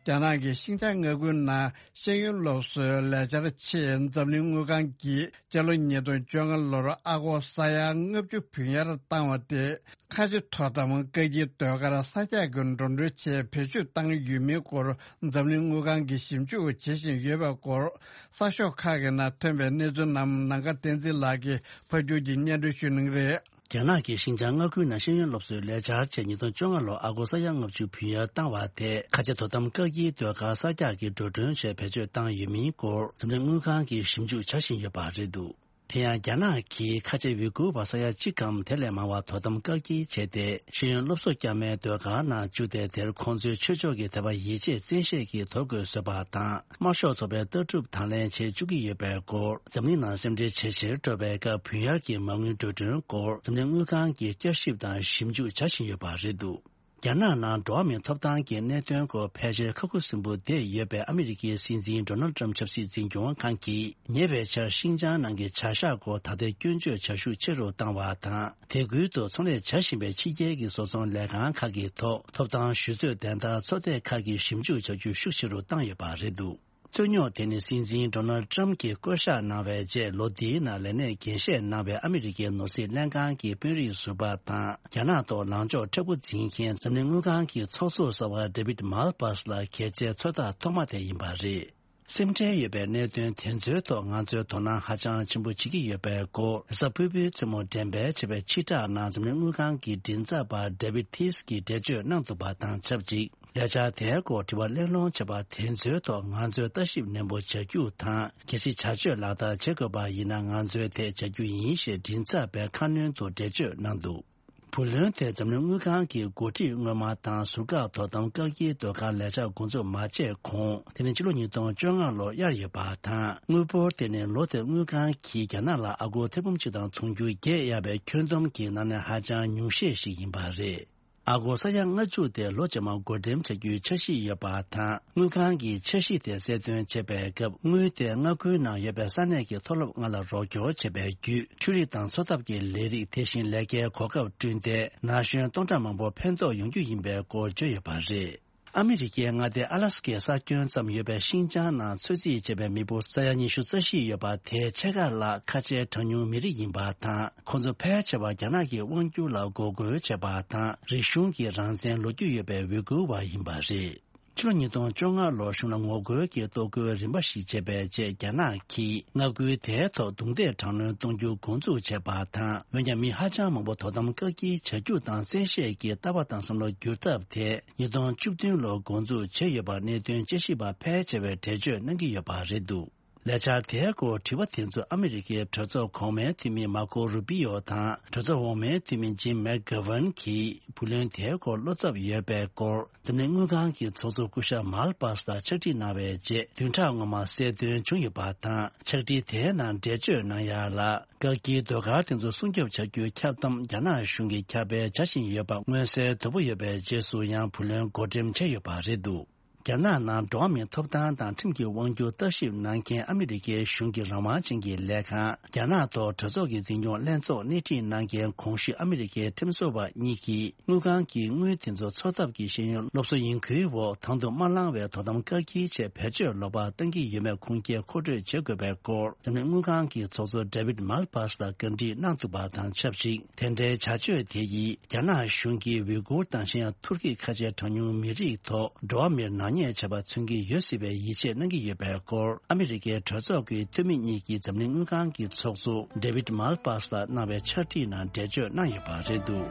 རྒྱ་ནག་གིས་ཤིན་ཅང་མངའ་ཁུལ་ནང་ཤེས་ཡོན་སློབ་གསོའི་ལས་འཆར་ཆེད་འཛམ་གླིང་དངུལ་ཁང་གིས་སྤྱི་ལོ་ཉིས་སྟོང་བཅོ་ལྔ་ལོར་ཨ་སྒོར་ས་ཡ་ལྔ་བཅུ་བུན་གཡར་བཏང་བ་དེ། ཁ་ཆེ་དོ་དམ་བཀག་སྐྱིལ་ཟློས་གར་ས་རྒྱག་གི་འགྲོ་གྲོན་ཆེད་བེད་སྤྱོད་བཏང་ཡོད་མིན་སྐོར་འཛམ་གླིང་དངུལ་ཁང་གིས་ཞིབ་འཇུག་བྱེད་བཞིན་ཡོད་པའི་སྐོར། གསར་ཤོག་ཁག་གི་ནང་ཐོན་པའི་གནས་ཚུལ་རྣམས་ནམ་མཁའ་བསྟན་འཛིན་ལགས་ཀྱིས་ཕབ་སྒྱུར་གྱིས་སྙན་སྒྲོན་ཞུ་གནང་གི་རེད། རྒྱ་ནག་གིས་ཤིན་ཅང་མངའ་ཁུལ་ནང་ཤེས་ཡོན་སློབ་གསོའི་ལས་འཆར་ཆེད་ཉིས་སྟོང་བཅོ་ལྔ་ལོར་ཨ་སྒོར་ས་ཡ་ལྔ་བཅུ་བུན་གཡར་བཏང་བ་དེ་ཁ་ཆེ་དོ་དམ་བཀག་སྐྱིལ་ཟློས་གར་ས་རྒྱག་གི་འགྲོ་གྲོན་ཆེད་བེད་སྤྱོད་བཏང་ཡོད་མིན་སྐོར་འཛམ་གླིང་དངུལ་ཁང་གིས་ཞིབ་འཇུག་བྱ་བཞིན་ཡོད་པ་རེད་འདུག་དེ་ཡང་རྒྱ་ནག་གིས་ཁ་ཆེ་ཝི་གུར་བ་ས་ཡ་གཅིག་གམ་དེ་ལས་མང་བ་དོ་དམ་བཀག་སྐྱིལ་བྱས་ཏེ། ཤེས་ཡོན་སློབ་གསོ་བསྐྱར་མའི་ཟློས་གར་ནང་བཅུག་སྟེ། དེར་ཁོང་ཚོའི་ཆོས་ཕྱོགས་ཀྱི་དད་པ་ཡིད་ཆེས་བཙན་ཤེད་ཀྱིས་དོར་དགོས་བཟོས་པ་དང་། དམར་ཤོག་ཚོགས་པའི་ལྟ་གྲུབ་དང་ལེན་བྱེད་བཅུག་གི་ཡོད་པའི་སྐོར། འཛམ་གླིང་ནང་སེམས་ཁྲལ་ཇེ་ཆེར་འགྲོ་བའི་སྐབས། བུན་གཡར་གྱི་མ་དངུལ་འགྲོ་གྲོན་སྐོར། འཛམ་གླིང་དངུལ་ཁང་གིས་བསྐྱར་ཞིབ་དང་ཞིབ་འཇུག་བྱ་བཞིན་ཡོད་པ་རེད་འདུག་རྒྱ་ནག་ནང་འགྲོ་བ་མིའི་ཐོབ་ཐང་གི་གནད་དོན་སྐོར་ཕལ་ཆེར་ཁག་ཁུར་སིམ་པོ་བསྡད་ཡོད་པའི་ཨ་མི་རི་ཀའི་སྲིད་འཛིན་ཌོ་ནལ་ཏྲམ་ཆབ་སྲིད་འཛིན་སྐྱོང་ཁང་གིས་ཉེ་བའི་ཆར་ཤིན་ཅང་ནང་གི་བྱ་གཞག་སྐོར་ད་ལྟའི་སྐྱོན་བརྗོད་བྱ་ཤུགས་ཆེ་རུ་བཏང་བ་དང་། དེ་ཁུལ་དུ་ཚོང་ལས་བྱ་བཞིན་པའི་ཕྱི་རྒྱལ་གྱི་བཟོ་ཚོང་ལས་ཁང་ཁག་གི་ཐོག་ཐོབ་ཐང་ཞུ་རྩོད་བདེན་བདག་ཚོགས་སྡེ་ཁག་གིས་ཞིབ་འཇུག་བྱ་རྒྱུ་ཤུགས་ཆེ་རུ་བཏང་ཡོད་པ་རེད་འདུག་རྩོད་རྙོག་དེ་ནི་སྲིད་འཛིན་ཌོ་ནལ་ཏྲམ་གྱིས་བསྐོ་གཞག་གནང་བའི་རྗེས་ལོ་འདིའི་ནང་ལས་གནས་རྒྱས་བཤད་གནང་བའི་ཨ་མི་རི་ཀའི་ནོར་སྲིད་ལྷན་ཁང་གི་དཔོན་རིགས་ཟུར་པ་དང་། རྒྱ་ནག་ཐོག་ལངས་ཕྱོགས་མཁྲེགས་པོ་འཛིན་མཁན་འཛམ་གླིང་དངུལ་ཁང་གི་ཚོགས་གཙོ་གསར་པ་ཌེ་བིད་མལ་པཱས་ལ་གལ་ཆེའི་ཚོད་ལྟ་ཐོག་མ་དེ་ཡིན་པ་རེད། སེམས་ཁྲལ་ཡོད་པའི་གནད་དོན་དེ་ཚོའི་ཐོག་ང་ཚོས་དོ་སྣང་ཧ་ཅང་ཆེན་པོ་བྱེད་ཀྱི་ཡོད་པའི་སྐོར། རེས་གཟའ་ཕུར་བུའི་མཚན་མོ་འགྲེམས་སྤེལ་བྱས་པའི་ཕྱིར་བསྒྲགས་ནང་འཛམ་གླིང་དངུལ་ཁང་གི་མགྲིན་ཚབ་པ་ཌེ་བིད་ཐིས་ཀྱིས་འགྲེལ་བརྗོད་གནང་འདུག་པ་དང་ཆབས་ཅིག་ལས་འཆར་དེའི་སྐོར་དྲི་བ་གླེང་སློང་བྱས་པ་དེ་ཚོའི་ཐོག་ང་ཚོས་ལྟ་ཞིབ་ནན་པོ་བྱ་རྒྱུ་དང་། གལ་སྲིད་བྱ་སྤྱོད་ལག་བསྟར་བྱེད་དགོས་པ་ཡིན་ན་ང་ཚོས་དེ་བྱ་རྒྱུ་ཡིན་ཞེས་མགྲིན་ཚབ་པས་ཁ་སྣོན་དུ་འགྲེལ་བརྗོད་གནང་འདུག་བུ་ལོན་དེ་འཛམ་གླིང་དངུལ་ཁང་གི་འགོ་ཁྲིད་སྔོན་མ་དང་ཟུར་བཀག་དོ་དམ་བཀག་སྐྱིལ་ཟློས་གར་ལས་འཆར་འགོ་འཛུགས་མ་བྱས་གོང་། དེ་ནི་ཕྱི་ལོ་ཉིས་སྟོང་བཅོ་ལྔ་ལོར་གཡར་ཡོད་པ་དང་། དངུལ་འབོར་དེ་ནི་ལོ་དེར་དངུལ་ཁང་གིས་རྒྱ་ནག་ལ་ཨ་སྒོར་ཐེར་འབུམ་གཅིག་དང་དུང་ཕྱུར་བརྒྱད་གཡར་བའི་ཁྱོན་བསྡོམས་ཀྱི་ནང་ནས་ཧ་ཅང་ཉུང་ཤས་ཤིག་ཡིན་པ་རེད། ཨ་སྒོར་ས་ཡ་ལྔ་བཅུ་དེ་ལོ་རྗེས་མར་བགོ་འགྲེམས་བྱ་རྒྱུའི་འཆར་གཞི་ཡོད་པ་དང་། དངུལ་ཁང་གིས་འཆར་གཞི་དེ་གསལ་སྟོན་བྱས་པའི་སྐབས། དངུལ་དེ་མངའ་ཁུལ་ནང་ཡོད་པའི་ས་གནས་ཀྱི་མཐོ་སློབ་ལྔ་ལ་རོགས་སྐྱོར་བྱས་པའི་བརྒྱུད། འཕྲུལ་རིག་དང་འཚོ་ཐབས་ཀྱི་ལས་རིགས། དེ་བཞིན་ལས་ཀའི་གོ་སྐབས་བསྐྲུན་ཏེ། ན་གཞོན་སྟོང་ཕྲག་མང་པོར་ཕན་ཐོགས་ཡོང་རྒྱུ་ཡིན་པའི་སྐོར་བརྗོད་ཡོད་པ་རེད། ཨ་མི་རི་ཀའི་མངའ་སྡེ་ཨ་ལ་སི་ཀའི་ས་ཁྱོན་ཙམ་ཡོད་པའི་ཤིན་ཅང་ནང་ཚོད་རྩིས་བྱས་པའི་མི་འབོར་ས་ཡ་ཉི་ཤུ་རྩ་བཞི་ཡོད་པ་དེའི་ཕྱེད་ཀ་ལྷག་ཁ་ཆེའི་གྲངས་ཉུང་མི་རིགས་ཡིན་པ་དང་། ཁོང་ཚོ་ཕལ་ཆེ་བ་རྒྱ་ནག་གི་དབང་སྒྱུར་ལ་འགོག་རྒོལ་བྱས་པ་དང་། རིག་གཞུང་གི་རང་བཙན་ལོ་རྒྱུས་ཡོད་པའི་ཝི་གུར་བ་ཡིན་པ་རེད། ཕྱི་ལོ་ཉིས་སྟོང་བཅོ་ལྔ་ལོར་གཞུང་ལ་ངོ་རྒོལ་གྱི་གཏོར་རྒོལ་རིམ་པ་ཞིག་བྱས་པའི་རྗེས། རྒྱ་ནག་གིས་མངའ་ཁུལ་དེའི་ཐོག་རྡུང་རྡེག་དྲག་གནོན་གཏོང་རྒྱུ་འགོ་འཛུགས་བྱས་པ་དང་། འོན་ཀྱང་མི་ཧ་ཅང་མང་པོ་དོ་དམ་བཀག་སྐྱིལ་བྱ་རྒྱུ་དང་། བཙན་ཤེད་ཀྱིས་ལྟ་བ་དང་བསམ་བློ་བསྒྱུར་ཐབས་དེ་ཉིས་སྟོང་བཅུ་བདུན་ལོར་འགོ་འཛུགས་བྱས་ཡོད་པར་གནད་དོན་དཔྱད་ཞིབ་པ་ཕལ་ཆེ་བས་འགྲེལ་བརྗོད་གནང་གི་ཡོད་པ་རེད་འདུག་ལས་འཆར་དེའི་སྐོར་དྲི་བ་དེ་ཚོ་ཨ་མི་རི་ཀའི་གྲོས་ཚོགས་གོང་མའི་འཐུས་མི་མར་ཀོ་རུ་པི་ཡོ་དང་། གྲོས་ཚོགས་འོག་མའི་འཐུས་མི་ཇིམ་མེག་གྷ་ཝན་གྱིས་བུ་ལོན་དེའི་སྐོར་བློ་འཚབ་ཡོད་པའི་སྐོར། འཛམ་གླིང་དངུལ་ཁང་གི་ཚོགས་གཙོ་སྐུ་ཞབས་མལ་པཱས་ལ་ཕྱག་བྲིས་གནང་བའི་རྗེས། བདུན་ཕྲག་སྔོན་མ་གསལ་སྟོན་བྱུང་ཡོད་པ་དང་། ཕྱག་བྲིས་དེའི་ནང་འགྲེལ་བརྗོད་གནང་ཡ་ལ། བཀག་སྐྱིལ་ཟློས་གར་དེ་ཚོ་སྲུང་སྐྱོབ་བྱ་རྒྱུའི་ཁྱབ་གདམ་རྒྱ་ནག་གཞུང་གིས་ཁྱབ་སྤེལ་བྱ་བཞིན་ཡོད་པ་མངོན་གསལ་དོད་པོ་ཡོད་པའི་རྗེས་སུ་ཡང་བུ་ལོན་བགོ་འགྲེམས་བྱས་ཡོད་པ་རེད་འདུག་རྒྱ་ནག་ནང་འགྲོ་བ་མིའི་ཐོབ་ཐང་དང་ཁྲིམས་ཀྱི་དབང་སྒྱུར་ལྟ་ཞིབ་གནང་མཁན་ཨ་མི་རི་ཀའི་གཞུང་གི་རང་དབང་ཅན་གྱི་ལས་ཁང་། རྒྱ་ནག་ཐོག་གྲོས་ཚོགས་ཀྱི་འཛིན་སྐྱོང་ལྷན་ཚོགས་སྣེ་ཁྲིད་གནང་མཁན་གོང་ཞུས་ཨ་མི་རི་ཀའི་ཁྲིམས་བཟོ་བ་གཉིས་ཀྱིས། དངུལ་ཁང་གིས་དངུལ་དེ་ཚོ་འཚོ་ཐབས་ཀྱི་ཤེས་ཡོན་སློབ་གསོ་ཡིན་ཁུལ་འོག་དང་དུ་མ་བླངས་བའི་དོ་དམ་བཀག་སྐྱིལ་ཆེད་བེད་སྤྱོད་ལོག་པ་བཏང་གི་ཡོད་མེད་ཁུངས་སྐྱེལ་མཁོ་སྤྲོད་བྱེད་དགོས་པའི་སྐོར། འཛམ་གླིང་དངུལ་ཁང་གི་ཚོགས་གཙོ་ཌེ་བིད་མལ་པཱས་ལ་བཀའ་འདྲི་གནང་འདུག་པ་དང་ཆབས་ཅིག་དེ་འདྲའི་བྱ་སྤྱོད་དེ་ཡིས་རྒྱ་ནག་གཞུང་གིས་ཝི་གུར་དང་གཞན་ཡང་ཐུར་ཁེ་ཁ་ཆེའི་གྲངས་ཉུང་མི་རིགས་ཐོག་འགྲོ་བ་མིར་ནག་ཉེས་བྱས་པ་མཚོན་གྱི་ཡོད་སྲིད་པའི་ཡིད་ཆེས་གནང་གི་ཡོད་པའི་སྐོར། ཨ་མི་རི་ཀའི་གྲོས་ཚོགས་ཀྱི་འཐུས་མི་གཉིས་ཀྱིས་འཛམ་གླིང་དངུལ་ཁང་གི་ཚོགས་གཙོ་ཌེ་བིད་མལ་པཱས་ལ་གནང་བའི་ཕྱག་བྲིས་ནང་འགྲེལ་བརྗོད་གནང་ཡོད་པ་རེད་འདུག་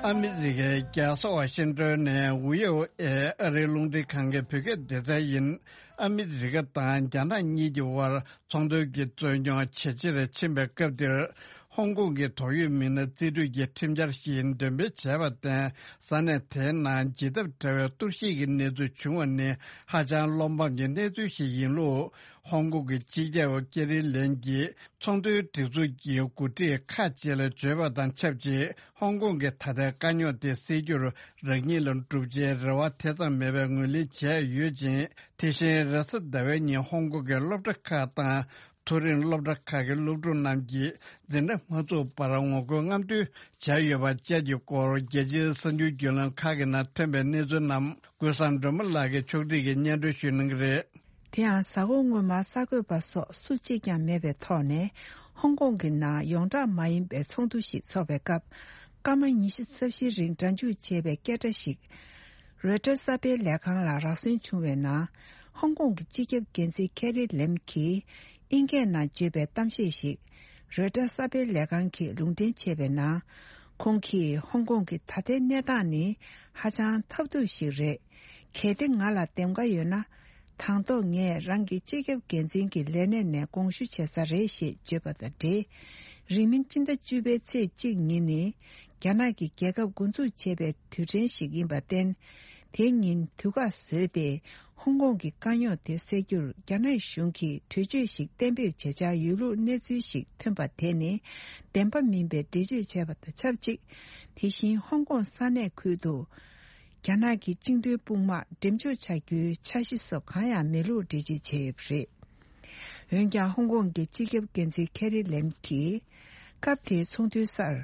ཨ་མི་རི་ཀའི་རྒྱལ་ས་ཝ་ཤིང་ཏོན་ནས་ཝི་ཨོ་ཨེ་ཨ་རིའི་རླུང་འཕྲིན་ཁང་གི་བོད་སྐད་སྡེ་ཚན་ཡིན། ཨ་མི་རི་ཀ་དང་རྒྱ་ནག་གཉིས་ཀྱི་དབར་ཚོང་དོན་གྱི་རྩོད་རྙོག་ཇེ་ཆེར་ཕྱིན་པའི་སྐབས་འདིར། ཧོང་ཀོང་གི་ཏོག་དབྱིབས་མི་སྣ་རྩིས་སྤྲོད་ཀྱི་ཁྲིམས་འཆར་ཞིག་འདོན་སྤེལ་བྱས་པར་བརྟེན། ས་གནས་དེའི་ནང་ཇི་ལྟར་འདྲ་བའི་གཏོར་བཤིག་གི་གནས་ཚུལ་བྱུང་བ་ནི་ཧ་ཅང་བློ་ཕམ་གྱི་གནས་ཚུལ་ཞིག་ཡིན་ལུགས། ཧོང་ཀོང་གི་སྤྱི་ཁྱབ་ཀེ་རི་ལན་གྱིས་ཚོང་དོན་སྒྲིག་འཛུགས་ཀྱི་འགོ་ཁྲིད་ཁག་ཅིག་ལ་བརྗོད་པ་དང་ཆབས་ཅིག་ཧོང་ཀོང་གི་ད་ལྟའི་དཀའ་རྙོག་དེ་སེལ་རྒྱུར་རང་ཉིད་ལ་བསྒྲུབ་བྱའི་རེ་བ་དེ་ཙམ་མེད་པའི་ངོས་ལེན་བྱས་ཡོད་ཅིང་། དེ་བཞིན་རེས་གཟའ་ཟླ་བའི་ཉིན་ཧོང་ཀོང་གི་སློབ་གྲྭ་ཁག་དང་། མཐོ་རིམ་སློབ་གྲྭ་ཁག་གི་སློབ་ཕྲུག་རྣམས་ཀྱིས་འཛིན་གྲྭ་མ་ཚུགས་བར་ངོ་རྒོལ་རྔམ་སྟོན་བྱས་ཡོད་པ་བཅས་ཀྱི་སྐོར། རྒྱལ་སྤྱིའི་གསར་འགྱུར་བརྒྱུད་ལམ་ཁག་གི་ནང་ཐོན་པའི་གནས་ཚུལ་རྣམས་ཀུན་བཟང་སྒྲོལ་མ་ལགས་ཀྱིས་ཕྱོགས་སྒྲིག་གིས་སྙན་སྒྲོན་ཞུ་གནང་གི་རེད། དེ་ཡང་གཟའ་འཁོར་སྔོན་མ་གསར་འགོད་པ་སོགས་སུ་གཅིག་ཀྱང་མེད་པའི་ཐོག་ནས། ཧོང་ཀོང་གི་ནང་ཡོངས་གྲགས་མ་ཡིན་པའི་ཚོགས་འདུ་ཞིག་འཚོགས་པའི་སྐབས། སྐར་མ་ཉི་ཤུ་རྩ་བཞིའི་རིང་སྒྲ་འཇུག་བྱས་པའི་སྐད་སྒྲ་ཞིག་རོའི་ཊར་གསར་སྤེལ་ལས་ཁང་ལ་རག་སོན་བྱུང་བའི་ནང་། ཧོང་ཀོང་གི་སྤྱི་ཁྱབ་འགན་འཛིན་ཁེ་རི་ལེམ་གྱིས་ཨིན་སྐད་ནང་བརྗོད་པའི་གཏམ་བཤད་ཞིག་རོའི་ཊར་གསར་སྤེལ་ལས་ཁང་གིས་ལུང་འདྲེན་བྱས་པའི་ནང་། ཁོང་གིས་ཧོང་ཀོང་གི་ད་ལྟའི་གནས་སྟངས་ནི་ཧ་ཅང་ཐབས་སྡུག་ཞིག་རེད། གལ་ཏེ་ང་ལ་འདེམས་ཀ་ཡོད་ན། དང་ཐོག་ངས་རང་གི་སྤྱི་ཁྱབ་འགན་འཛིན་གྱི་ལས་གནས་ནས་དགོངས་ཞུ་བྱེད་ས་རེད་ཞེས་བརྗོད་པ་དང་འབྲེལ། རིང་མིན་སྤྱི་ཟླ་བཅུ་པའི་ཚེས་གཅིག་ཉིན་ནི། རྒྱ་ནག་གི་རྒྱལ་ཁབ་འགོ་འཛུགས་བྱས་པའི་དུས་དྲན་ཞིག་ཡིན་པར་བརྟེན། དེ་ཉིན་དུས་བཀག་བཟོས་ཏེ། ཧོང་ཀོང་གི་དཀའ་རྙོག་དེ་སེལ་རྒྱུར་རྒྱ་ནག་གཞུང་གིས་གྲོས་ཆོད་ཞིག་གཏན་འབེབས་བྱེད་འཆར་ཡོད་ལུགས་གནས་ཚུལ་ཞིག་ཐོན་པ་དེ་ནི། བདེན་པ་མིན་པའི་འགྲེལ་བརྗོད་བྱས་པ་དང་ཆབས་ཅིག་དེ་བཞིན་ཧོང་ཀོང་ས་གནས་ཁུལ་དུ། རྒྱ་ནག་གི་བཅིངས་འགྲོལ་དཔུང་དམག་འགྲེམས་འཇོག་བྱ་རྒྱུའི་འཆར་གཞི་སོགས་གང་ཡང་མེད་ལུགས་འགྲེལ་བརྗོད་བྱས་ཡོད་པ་རེད། འོན་ཀྱང་ཧོང་ཀོང་གི་སྤྱི་ཁྱབ་འགན་འཛིན་ཁེ་རི་ལེམ་གྱིས། སྐབས་དེའི་ཚོགས་འདུའི་སར།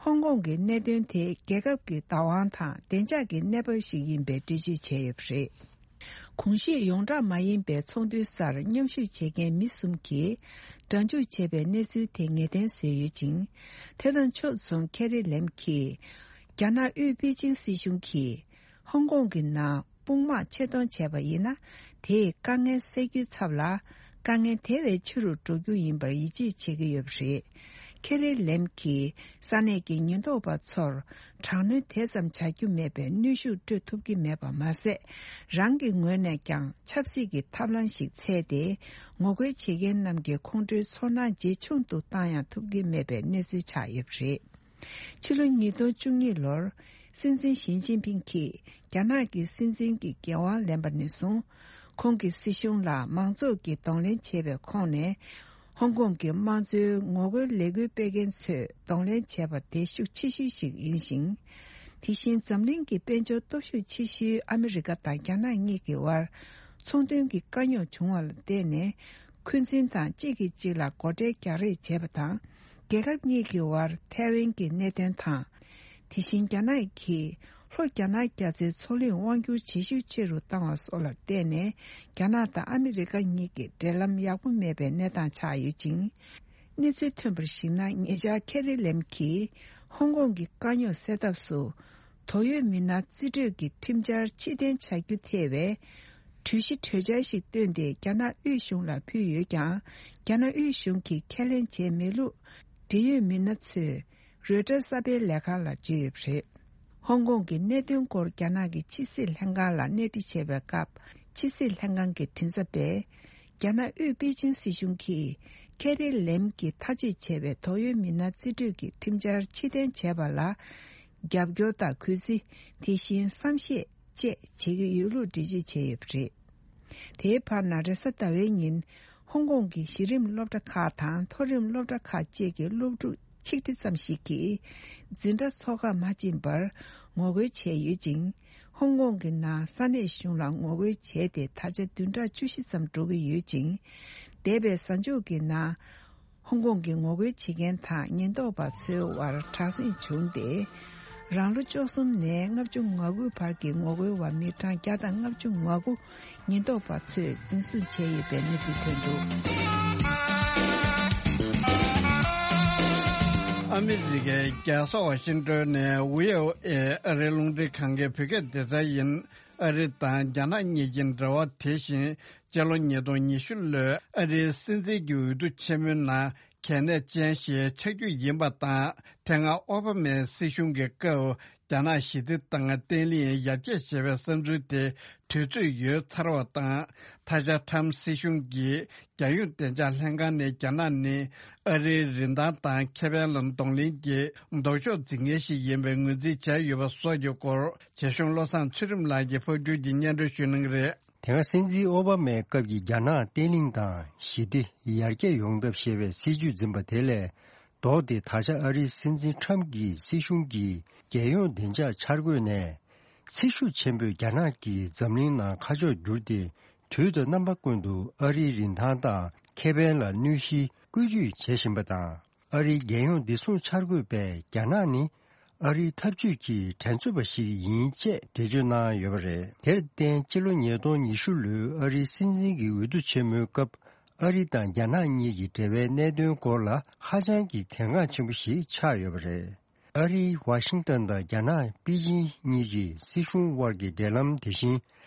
ཧོང་ཀོང་གི་གནད་དོན་དེ་རྒྱལ་ཁབ་ཀྱི་བདག་དབང་དང་བདེ་འཇགས་ཀྱི་གནས་བབ་ཞིག་ཡིན་པའི་འགྲེལ་བརྗོད་བྱས་ཡོད་པ་རེད། གོང་ཞུས་ཡོངས་གྲགས་མ་ཡིན་པའི་ཚོགས་འདུའི་སར་མཉམ་ཞུགས་བྱེད་མཁན་མི་གསུམ་གྱིས་སྒྲ་འཇུག་བྱས་པའི་གནས་ཚུལ་དེ་ངེས་གཏན་བཟོས་ཡོད་ཅིང་། དེ་དང་ཕྱོགས་མཚུངས་ཁེ་རི་ལེམ་གྱིས། རྒྱ་ནག་དབུས་པེ་ཅིང་སྲིད་གཞུང་གིས། ཧོང་ཀོང་གི་ནང་དཔུང་དམག་ཆེད་གཏོང་བྱས་པ་ཡིན་ན། དེས་དཀའ་ངལ་སེལ་རྒྱུའི་ཚབ་ལ། དཀའ་ངལ་དེ་བས་ཆེ་རུ་འགྲོ་རྒྱུ་ཡིན་པར་ཡིད་ཆེས་བྱེད་ཀྱི་ཡོད་པ་རེད། ཁེ་རི་ལེམ་གྱིས་ས་གནས་ཀྱི་ཉེན་རྟོག་པ་ཚོར་དྲག་གནོན་དེ་ཙམ་བྱ་རྒྱུ་མེད་པའི་གནོན་ཤུགས་སྤྲོད་ཐུབ་ཀྱི་མེད་པ་མ་ཟད། རང་གི་ངོས་ནས་ཀྱང་ཆབ་སྲིད་ཀྱི་ཐབས་ལམ་ཞིག་འཚོལ་ཏེ། ངོ་རྒོལ་བྱེད་མཁན་རྣམས་ཀྱི་ཁོང་ཁྲོའི་ཚོར་སྣང་ཇེ་ཆུང་དུ་བཏང་ཡང་ཐུབ་ཀྱི་མེད་པའི་གནས་ཚུལ་ཆགས་ཡོད་པ་རེད། ཕྱི་ལོ་ཉིས་སྟོང་བཅུ་གཉིས་ལོར། སྲིད་འཛིན་ཞི་ཅིན་ཕིང་གིས་རྒྱ་ནག་གི་སྲིད་འཛིན་གྱི་འགན་དབང་ལེན་པ་ནས་བཟུང་། ཁོང་གི་སྲིད་གཞུང་ལ་མང་ཚོགས་ཀྱིས་གདོང་ལེན་བྱས་པའི་ཁོངས་ནས། ཧོང་ཀོང་གི་དམངས་གཙོའི་ངོ་རྒོལ་ལས་འགུལ་སྤེལ་མཁན་ཚོས་གདོང་ལེན་བྱས་པ་དེ་ཤུགས་ཆེ་ཤོས་ཤིག་ཡིན་ཞིང་། དེ་བཞིན་འཛམ་གླིང་གི་དཔལ་འབྱོར་སྟོབས་ཤུགས་ཆེ་ཤོས་ཨ་མི་རི་ཀ་དང་རྒྱ་ནག་གཉིས་ཀྱི་དབར། ཚོང་དོན་གྱི་དཀའ་རྙོག་བྱུང་བ་ལ་བརྟེན་ནས། འཁོན་འཛིན་དང་གཅིག་གིས་གཅིག་ལ་སྒོ་ཁྲལ་རྒྱག་རེས་བྱས་པ་དང་། རྒྱལ་ཁབ་གཉིས་ཀྱི་དབར་ཐའེ་ཝན་གྱི་གནད་དོན་དང་། དེ་བཞིན་རྒྱ་ནག་གིས་ལྷོ་རྒྱ་ནག་རྒྱ་མཚོའི་མཚོ་གླིང་དབང་སྒྱུར་བྱེད་ཤུགས་ཆེ་རུ་བཏང་བ་སོགས་ལ་བརྟེན་ནས། རྒྱ་ནག་དང་ཨ་མི་རི་ཀ་གཉིས་ཀྱི་འབྲེལ་ལམ་ཡག་པོ་མེད་པའི་གནས་སྟངས་ཆགས་ཡོད་ཅིང་། གནས་ཚུལ་ཐོན་པར་གཞིགས་ན། ཉེ་ཆར་ཁེ་རི་ལེམ་གྱིས་ཧོང་ཀོང་གི་དཀའ་རྙོག་སེལ་ཐབས་སུ། དོགས་ཡོད་མི་སྣ་རྩིས་སྤྲོད་ཀྱི་ཁྲིམས་འཆར་ཕྱིར་འཐེན་བྱ་རྒྱུ་ཐེ་བའི་གྲོས་གཞི་གྲོས་འཆར་ཞིག་བཏོན་ཏེ། རྒྱ་ནག་དབུས་གཞུང་ལ་ཕུལ་ཡོད་ཀྱང་། རྒྱ་ནག་དབུས་གཞུང་གིས་ཁས་ལེན་བྱས་མེད་ལུགས། འབྲེལ་ཡོད་མི་སྣ་ཚོས་རོའི་ཊར་གསར་སྤེལ་ལས་ཁང་ལ་བརྗོད་ཡོད་པ་རེད། ཧོང་ཀོང་གི་གནད་དོན་སྐོར་རྒྱ་ནག་གི་ཕྱི་སྲིད་ལྷན་ཁང་ལ་གནས་འདྲི་བྱས་པའི་སྐབས། ཕྱི་སྲིད་ལྷན་ཁང་གི་མགྲིན་ཚབ་པས། རྒྱ་ནག་དབུས་པེ་ཅིང་སྲིད་གཞུང་གིས་ཁེ་རི་ལེམ་གྱིས་ཐག་གཅོད་བྱས་པའི་དོགས་ཡོད་མི་སྣ་རྩིས་སྤྲོད་ཀྱི་ཁྲིམས་འཆར་ཕྱིར་འཐེན་བྱས་པ་ལ། རྒྱབ་སྐྱོར་དང་གུས་བརྩི། དེ་བཞིན་བསམ་ཤེས་བཅས་བྱེད་ཀྱི་ཡོད་ལུགས་འགྲེལ་བརྗོད་བྱས་ཡོད་པ་རེད། དེའི་བར་ན། རེས་གཟའ་ཟླ་བའི་ཉིན། ཧོང་ཀོང་གི་གཞི་རིམ་སློབ་གྲྭ་ཁག་དང་མཐོ་རིམ་སློབ་གྲྭ་ཁག་བཅས་ཀྱི་སློབ་ཕྲུག་ཆིག་ཁྲི་ཙམ་ཞིག་གིས། འཛིན་གྲྭ་འཚོགས་ཁ་མ་ཕྱིན་པར་ངོ་རྒོལ་བྱས་ཡོད་ཅིང་། ཧོང་ཀོང་གི་ནང་ས་གནས་གཞུང་ལ་ངོ་རྒོལ་བྱས་ཏེ། ད་ཆ་བདུན་ཕྲག་བཅུ་བཞི་ཙམ་འགྲོ་གི་ཡོད་ཅིང་། འདས་པའི་གཟའ་མཇུག་གི་ནང་། ཧོང་ཀོང་གི་ངོ་རྒོལ་བྱེད་མཁན་དང་ཉེན་རྟོག་པ་ཚོའི་དབར་དྲག་ཟིང་བྱུང་སྟེ། རང་ལོ་བཅུ་གསུམ་ནས་ལྔ་བཅུ་ང་དགུ་བར་གྱི་ངོ་རྒོལ་བ་མི་གྲངས་བརྒྱ་དང་ལྔ་བཅུ་ང་དགུ་ཉེན་རྟོག་པ་ཚོས་འཛིན་བཟུང་བྱས་ཡོད་པའི་གནས་ཚུལ་ཐོན་འདུག། ཨ་མི་རི་ཀའི་རྒྱལ་ས་ཝ་ཤིང་ཏོན་ནས་ཝི་ཨོ་ཨེ་ཨ་རིའི་རླུང་འཕྲིན་ཁང་གི་བོད་སྐད་སྡེ་ཚན་ཡིན། ཨ་རི་དང་རྒྱ་ནག་གཉིས་ཀྱི་འབྲེལ་བ་དེ་བཞིན། སྤྱི་ལོ་ཉིས་སྟོང་ཉི་ཤུ་ལོའི་ཨ་རིའི་སྲིད་འཛིན་གྱི་འོས་བསྡུ་ཆེན་མོའི་ནང་གལ་གནད་ཅན་ཞིག་ཆགས་རྒྱུ་ཡིན་པ་དང་། དེ་སྔ་ཨོ་བྷ་མའི་སྲིད་གཞུང་གི་སྐབས། རྒྱ་ནག་ཞི་བདེ་དང་བརྟན་ལྷིང་ཡར་རྒྱས་བྱེད་པའི་བསམ་ཚུལ་དེ་དུས་ཚོད་ཡོལ་ཚར་བ་དང་། ད་ཆ་ཁྲམ་སྲིད་གཞུང་གིས་རྒྱལ་ཡོངས་བདེ་འཇགས་ལྷན་ཁང་ནས་རྒྱ་ནག་ནི་ཨ་རིའི་རིན་ཐང་དང་ཁེ་ཕན་ལ་གདོང་ལེན་གྱི་ལྡོག་ཕྱོགས་འཛིན་མཁན་ཞིག་ཡིན་པའི་ངོས་འཛིན་བྱས་ཡོད་པ་སོགས་ཀྱི་སྐོར། རྒྱ་གཞུང་བློ་བཟང་ཚུལ་ཁྲིམས་ལགས་ཀྱིས་ཕབ་སྒྱུར་གྱིས་སྙན་སྒྲོན་ཞུ་གནང་གི་རེད། དེ་སྔ་སྲིད་འཛིན་ཨོ་བྷ་མའི་སྐབས་ཀྱི་རྒྱ་ནག་བརྟན་ལྷིང་དང་ཞི་བདེ་ཡར་རྒྱས་ཡོང་ཐབས་ཞེས་པའི་སྲིད་ཇུས་འཛིན་པ་དེ་ལས་ལྡོག་སྟེ། ད་ཆ་ཨ་རིའི་སྲིད་འཛིན་ཁྲམ་གྱི་སྲིད་གཞུང་གིས་རྒྱལ་ཡོངས་བདེ་འཇགས་འཆར་འགོད་ནས། ཚེ་ཤུགས་ཆེན་པོས་རྒྱ་ནག་གིས་འཛམ་གླིང་ནང་ཁ་ཕྱོགས་བསྒྱུར་ཏེ། དུས་དང་རྣམ་པ་ཀུན་ཏུ་ཨ་རིའི་རིན་ཐང་དང་ཁེ་ཕན་ལ་གནོད་གཞི་བཀོལ་སྤྱོད་བྱེད་བཞིན་པ་དང་། ཨ་རིའི་རྒྱལ་ཡོངས་བདེ་སྲུང་འཆར་འགོད་པས་རྒྱ་ནག་ནི་ཨ་རིའི་འཐབ་ཇུས་ཀྱི་འགྲན་རྩོད་པ་ཞིག་ཡིན་ཅེས་འགྲེལ་བརྗོད་གནང་ཡོད་པ་རེད། དེར་བརྟེན་སྤྱི་ལོ་ཉིས་སྟོང་ཉི་ཤུ་ལོའི་ཨ་རིའི་སྲིད་འཛིན་གྱི་འོས་བསྡུ་ཆེན་མོའི་སྐབས། ཨ་རི་དང་རྒྱ་ནག་གཉིས་ཀྱི་འབྲེལ་བའི་གནད་དོན་སྐོར་ལ་ཧ་ཅང་གི་གལ་འགངས་ཆེན་པོ་ཞིག་ཆགས་ཡོད་པ་རེད། ཨ་རིའི་ཝ་ཤིང་ཏན་དང་རྒྱ་ནག་པེ་ཅིང་གཉིས་ཀྱི་སྲིད་གཞུང་དབར་གྱི་འབྲེལ་ལམ་དེ་བཞིན།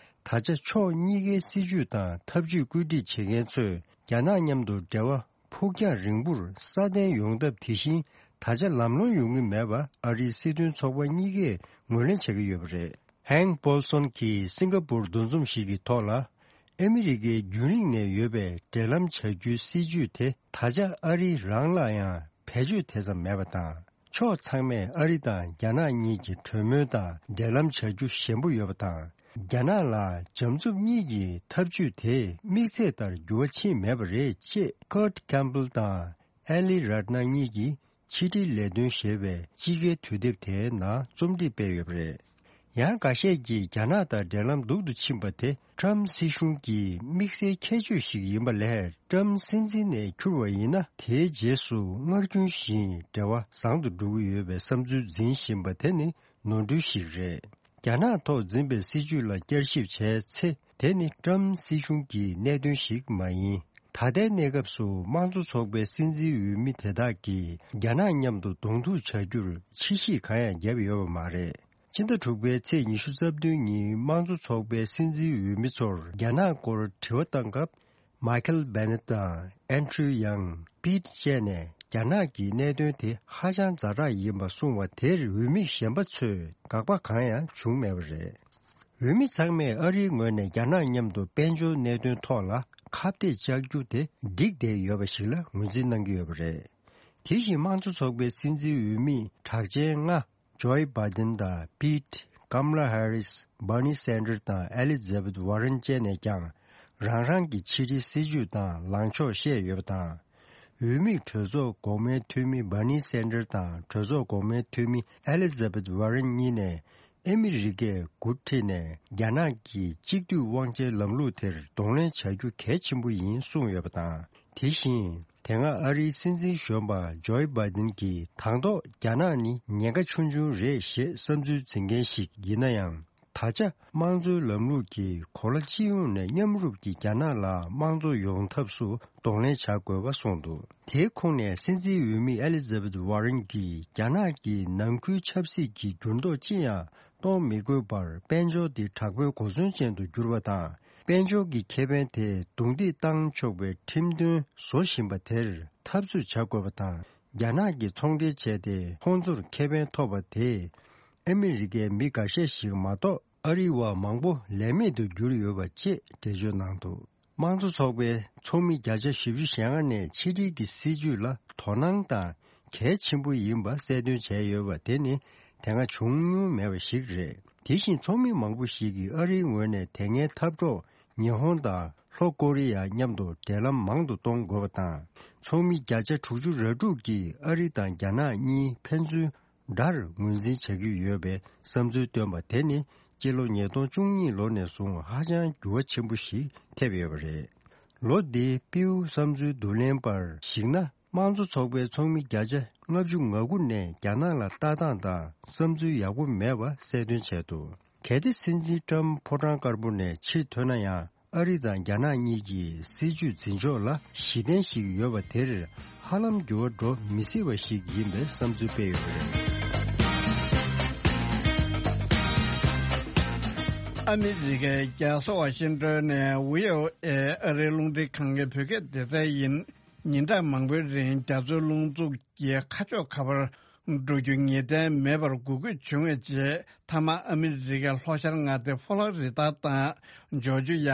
ད་ཆ་ཕྱོགས་གཉིས་ཀའི་སྲིད་ཇུས་དང་འཐབ་ཇུས་བཀོད་སྒྲིག་བྱེད་མཁན་ཚོས་རྒྱ་ནག་མཉམ་དུ་འབྲེལ་བ་ཕུགས་རྒྱང་རིང་པོར་སྲ་བརྟན་ཡོང་ཐབས་དེ་བཞིན། ད་ཆ་ལམ་ལྷོང་ཡོང་གི་མེད་པ་ཨ་རིའི་སྲིད་དོན་ཚོགས་པ་གཉིས་ཀས་ངོས་ལེན་བྱེད་ཀྱི་ཡོད་པ་རེད། ཧན་པོལ་སོན་གྱིས་སིང་ག་པུར་འདུ་འཛོམས་ཤིག་གི་ཐོག་ལ། ཨ་མི་རི་ཀའི་རྒྱུན་རིང་ནས་ཡོད་པའི་འབྲེལ་ལམ་བྱ་རྒྱུའི་སྲིད་ཇུས་དེ་ད་ཆ་ཨ་རི་རང་ལ་ཡང་བེད་སྤྱོད་དེ་ཙམ་མེད་པ་དང་། ཕྱོགས་ཚང་མས་ཨ་རི་དང་རྒྱ་ནག་གཉིས་ཀྱི་གྲོས་མོལ་དང་འབྲེལ་ལམ་བྱ་རྒྱུ་ཞན་པོ་ཡོད་པ་དང་། རྒྱ་ནག་ལ་འཇམ་རྩུབ་གཉིས་ཀྱི་འཐབ་ཇུས་དེ་དམིགས་ཚད་ལྟར་འགྱུར་བ་ཕྱིན་མེད་པ་རེད་ཅེས་ཀར་ཊི་ཁེམ་པེལ་དང་ཨེ་ལི་རཏ་ན་གཉིས་ཀྱིས་ཕྱི་དྲིལ་ལས་དོན་ཞེས་པའི་དཔྱིད་ཀའི་དུས་དེབ་དེའི་ནང་རྩོམ་སྒྲིག་སྤེལ་ཡོད་པ་རེད། ཡང་འགའ་ཤས་ཀྱིས་རྒྱ་ནག་དང་འབྲེལ་ལམ་སྡུག་ཏུ་ཕྱིན་པ་དེ་ཊྲམ་སྲིད་གཞུང་གི་དམིགས་བསལ་ཁྱད་ཆོས་ཤིག་ཡིན་པ་ལས། ཊྲམ་སྲིད་འཛིན་ནས་འཁྱུར་བ་ཡིན་ན་དེའི་རྗེས་སུ་སྔར་རྒྱུན་བཞིན་འབྲེལ་བ་བཟང་དུ་འགྲོ་གི་ཡོད་པའི་བསམ་ཚུལ་འཛིན་བཞིན་པ་དེ་ནི་ནོར་འཁྲུལ་ཞིག་རེད། རྒྱ་ནག་ཐོག་འཛིན་པའི་སྲིད་ཇུས་ལ་བསྐྱར་ཞིབ་བྱས་ཚེ། དེ་ནི་ཊྲམ་སྲིད་གཞུང་གི་གནད་དོན་ཞིག་མ་ཡིན། ད་ལྟའི་གནས་སྐབས་སུ་དམངས་གཙོ་ཚོགས་པའི་སྲིད་འཛིན་འོས་མི་དེ་དག་གིས་རྒྱ་ནག་མཉམ་དུ་གདོང་ཐུག་བྱ་རྒྱུར་ཕྱིས་ཤིག་གང་ཡང་བརྒྱབ་ཡོད་པ་མ་རེད། ཕྱི་ཟླ་དྲུག་པའི་ཚེས་ཉི་ཤུ་རྩ་བདུན་ཉིན་དམངས་གཙོ་ཚོགས་པའི་སྲིད་འཛིན་འོས་མི་ཚོར་རྒྱ་ནག་སྐོར་དྲི་བ་བཏང་སྐབས། མཱི་ཁལ་བྷེ་ནེ་ཊི་དང་ཨན་ཌྲུ་ཡང་པིད་བཅས་ནས་རྒྱ་ནག་གི་གནད་དོན་དེ་ཧ་ཅང་ཛ་དྲག་ཡིན་པ་གསུངས་བ་དེར་འོས་མི་གཞན་པ་ཚོས་དགག་པ་གང་ཡང་བྱུང་མེད་པ་རེད། འོས་མི་ཚང་མས་ཨ་རིའི་ངོས་ནས་རྒྱ་ནག་མཉམ་དུ་དཔལ་འབྱོར་གནད་དོན་ཐོག་ལ་ཁ་གཏད་བཅག་རྒྱུ་དེ་འགྲིག་བསྡད་ཡོད་པ་ཞིག་ལ་ངོས་འཛིན་གནང་གི་ཡོད་པ་རེད། དེ་བཞིན་དམངས་གཙོ་ཚོགས་པའི་སྲིད་འཛིན་འོས་མི་གྲགས་ཅན་ལྔ། ཇོ་བྷའི་ཌེན་དང་པིད། ཀམ་ལ་ཧེ་རིས། བྷར་ནི་སན་ཌར་དང་ཨེ་ལི་ཛ་བྷེཐ་ཝར་རན་བཅས་ནས་ཀྱང་རང་རང་གི་ཕྱི་འབྲེལ་སྲིད་ཇུས་དང་ལངས་ཕྱོགས་བཤད་ཡོད་པ་དང་། འོས་མིས་གྲོས་ཚོགས་འགོག་སྨན་འཐུས་མི་བྷར་ནི་སན་ཌར་དང་གྲོས་ཚོགས་འགོག་སྨན་འཐུས་མི་ཨེ་ལི་ཛ་བྷེཐ་ཝར་རན་གཉིས་ནས་ཨ་མི་རི་ཀས་འགོ་ཁྲིད་ནས་རྒྱ་ནག་གི་གཅིག་སྡུད་དབང་ཆའི་ལམ་ལུགས་དེར་གདོང་ལེན་བྱ་རྒྱུ་གལ་ཆེན་པོ་ཡིན་གསུངས་ཡོད་པ་དང་། དེ་བཞིན། དེ་སྔ་ཨ་རིའི་སྲིད་འཛིན་གཞོན་པ་ཇོ་བྷའི་ཌེན་གྱིས་དང་ཐོག་རྒྱ་ནག་ནི་ཉེན་ཁ་ཆུང་ཆུང་རེད་ཞེས་བསམ་ཚུལ་འཛིན་མཁན་ཞིག་ཡིན་ན་ཡང་། ད་ཆ་དམངས་གཙོའི་ལམ་ལུགས་ཀྱིས་གོ་ལ་སྤྱི་ཡོངས་ནས་མཉམ་རུབ་ཀྱིས་རྒྱ་ནག་ལ་དམངས་གཙོ་ཡོང་ཐབས་སུ་གདོང་ལེན་བྱ་དགོས་པ་གསུངས་འདུག་དེའི་ཁོངས་ནས་སྲིད་འཛིན་འོས་མི་ཨེ་ལི་ཛ་བྷེཐ་ཝར་རན་གྱིས་རྒྱ་ནག་གིས་ནང་ཁུལ་ཆབ་སྲིད་ཀྱི་འགྱུར་ལྡོག་ཅི་ཡང་གཏོང་མི་དགོས་པར་དཔལ་འབྱོར་འདི་དྲག་པོའི་གོ་མཚོན་ཅན་དུ་གྱུར་པ་དང་། དཔལ་འབྱོར་གྱི་ཁེ་ཕན་དེ་རྡུང་རྡེག་བཏང་ཆོག་པའི་ཁྲིམས་དོན་བཟོ་བཞིན་པ་དེར་འཐབ་རྩོད་བྱ་དགོས་པ་དང་། རྒྱ་ནག་གིས་ཚོང་འབྲེལ་བྱས་ཏེ་ཁོང་ཚོར་ཁེ་ཕན་ཐོབ་པ་དེས་ཨ་མི་རི་ཀའི་མི་འགའ་ཤས་ཤིག་མ་གཏོགས་ཨ་རི་བ་མང་པོ་ལས་མེད་དུ་གྱུར་ཡོད་པ་བཅས་འགྲེལ་བརྗོད་གནང་འདུག་དམངས་གཙོ་ཚོགས་པའི་ཚོགས་མི་བརྒྱ་ཆ་བཞི་བཅུ་ཞེ་ལྔ་ནས་ཕྱི་འབྲེལ་གྱི་སྲིད་ཇུས་ལ་དོ་སྣང་དང་གལ་ཆེན་པོ་ཡིན་པ་གསལ་སྟོན་བྱས་ཡོད་པ་དེ་ནི་དེ་སྔ་བྱུང་མྱོང་མེད་པ་ཞིག་རེད། དེ་བཞིན་ཚོགས་མི་མང་པོ་ཞིག་གིས་ཨ་རིའི་ངོས་ནས་དེ་སྔའི་འཐབ་གྲོགས་ཉི་ཧོང་དང་ལྷོ་ཀོ་རི་ཡ་མཉམ་དུ་འབྲེལ་ལམ་མང་དུ་གཏོང་དགོས་པ་དང་། ཚོགས་མི་བརྒྱ་ཆ་དྲུག་ཅུ་རེ་དྲུག་གིས་ཨ་རི་དང་རྒྱ་ནག་གཉིས་ཕན་ཚུན་དགྲར་ངོས་འཛིན་བྱ་གི་ཡོད་པའི་བསམ་ཚུལ་བཏོན་པ་དེ་ནི་སྤྱི་ལོ་ཉིས་སྟོང་བཅུ་གཉིས་ལོ་ནས་བཟུང་ཧ་ཅང་འགྱུར་བ་ཆེན་པོ་ཞིག་ཐེབས་ཡོད་པ་རེད། ལོ་འདིའི་པིའུ་བསམ་ཚུལ་བསྡུ་ལེན་པར་གཞིགས་ན། དམངས་གཙོ་ཚོགས་པའི་ཚོགས་མི་བརྒྱ་ཆ་ལྔ་བཅུ་ང་དགུ་ནས་རྒྱ་ནག་ལ་ལྟ་སྟངས་དང་བསམ་ཚུལ་ཡག་པོ་མེད་པ་གསལ་སྟོན་བྱས་འདུག་གལ་ཏེ་སྲིད་འཛིན་ཀྲམ་ཕོ་བྲང་དཀར་པོ་ནས་ཕྱིར་ཐོན་ན་ཡང་ཨ་རི་དང་རྒྱ་ནག་གཉིས་ཀྱི་སྲིད་ཇུས་འཛིན་ཕྱོགས་ལ་གཞི་རྟེན་ཞིག་ཡོད་པ་དེར་ཧ་ལམ་འགྱུར་བ་འགྲོ་མི་སྲིད་པ་ཞིག་ཡིན་པའི་བསམ་ཚུལ་སྤེལ་ཡོད་པ་རེད། ཨ་མི་རི་ཀའི་རྒྱལ་ས་ཝ་ཤིང་ཏོན་ནས་ཝི་ཨོ་ཨེ་ཨ་རིའི་རླུང་འཕྲིན་ཁང་གི་བོད་སྐད་སྡེ་ཚན་ཡིན། ཉིན་གྲངས་མང་པོའི་རིང་རྒྱ་མཚོའི་རླུང་འཚུབ་ཀྱིས་ཁ་ཕྱོགས་ག་པར་འགྲོ་རྒྱུ་ངེས་གཏན་མེད་པར་འགུལ་སྐྱོད་བྱུང་བའི་རྗེས། མཐའ་མ་ཨ་མི་རི་ཀའི་ལྷོ་ཤར་མངའ་སྡེ་ཧྥོ་ལོ་རི་ད་དང་ཇོར་ཇི་ཡ།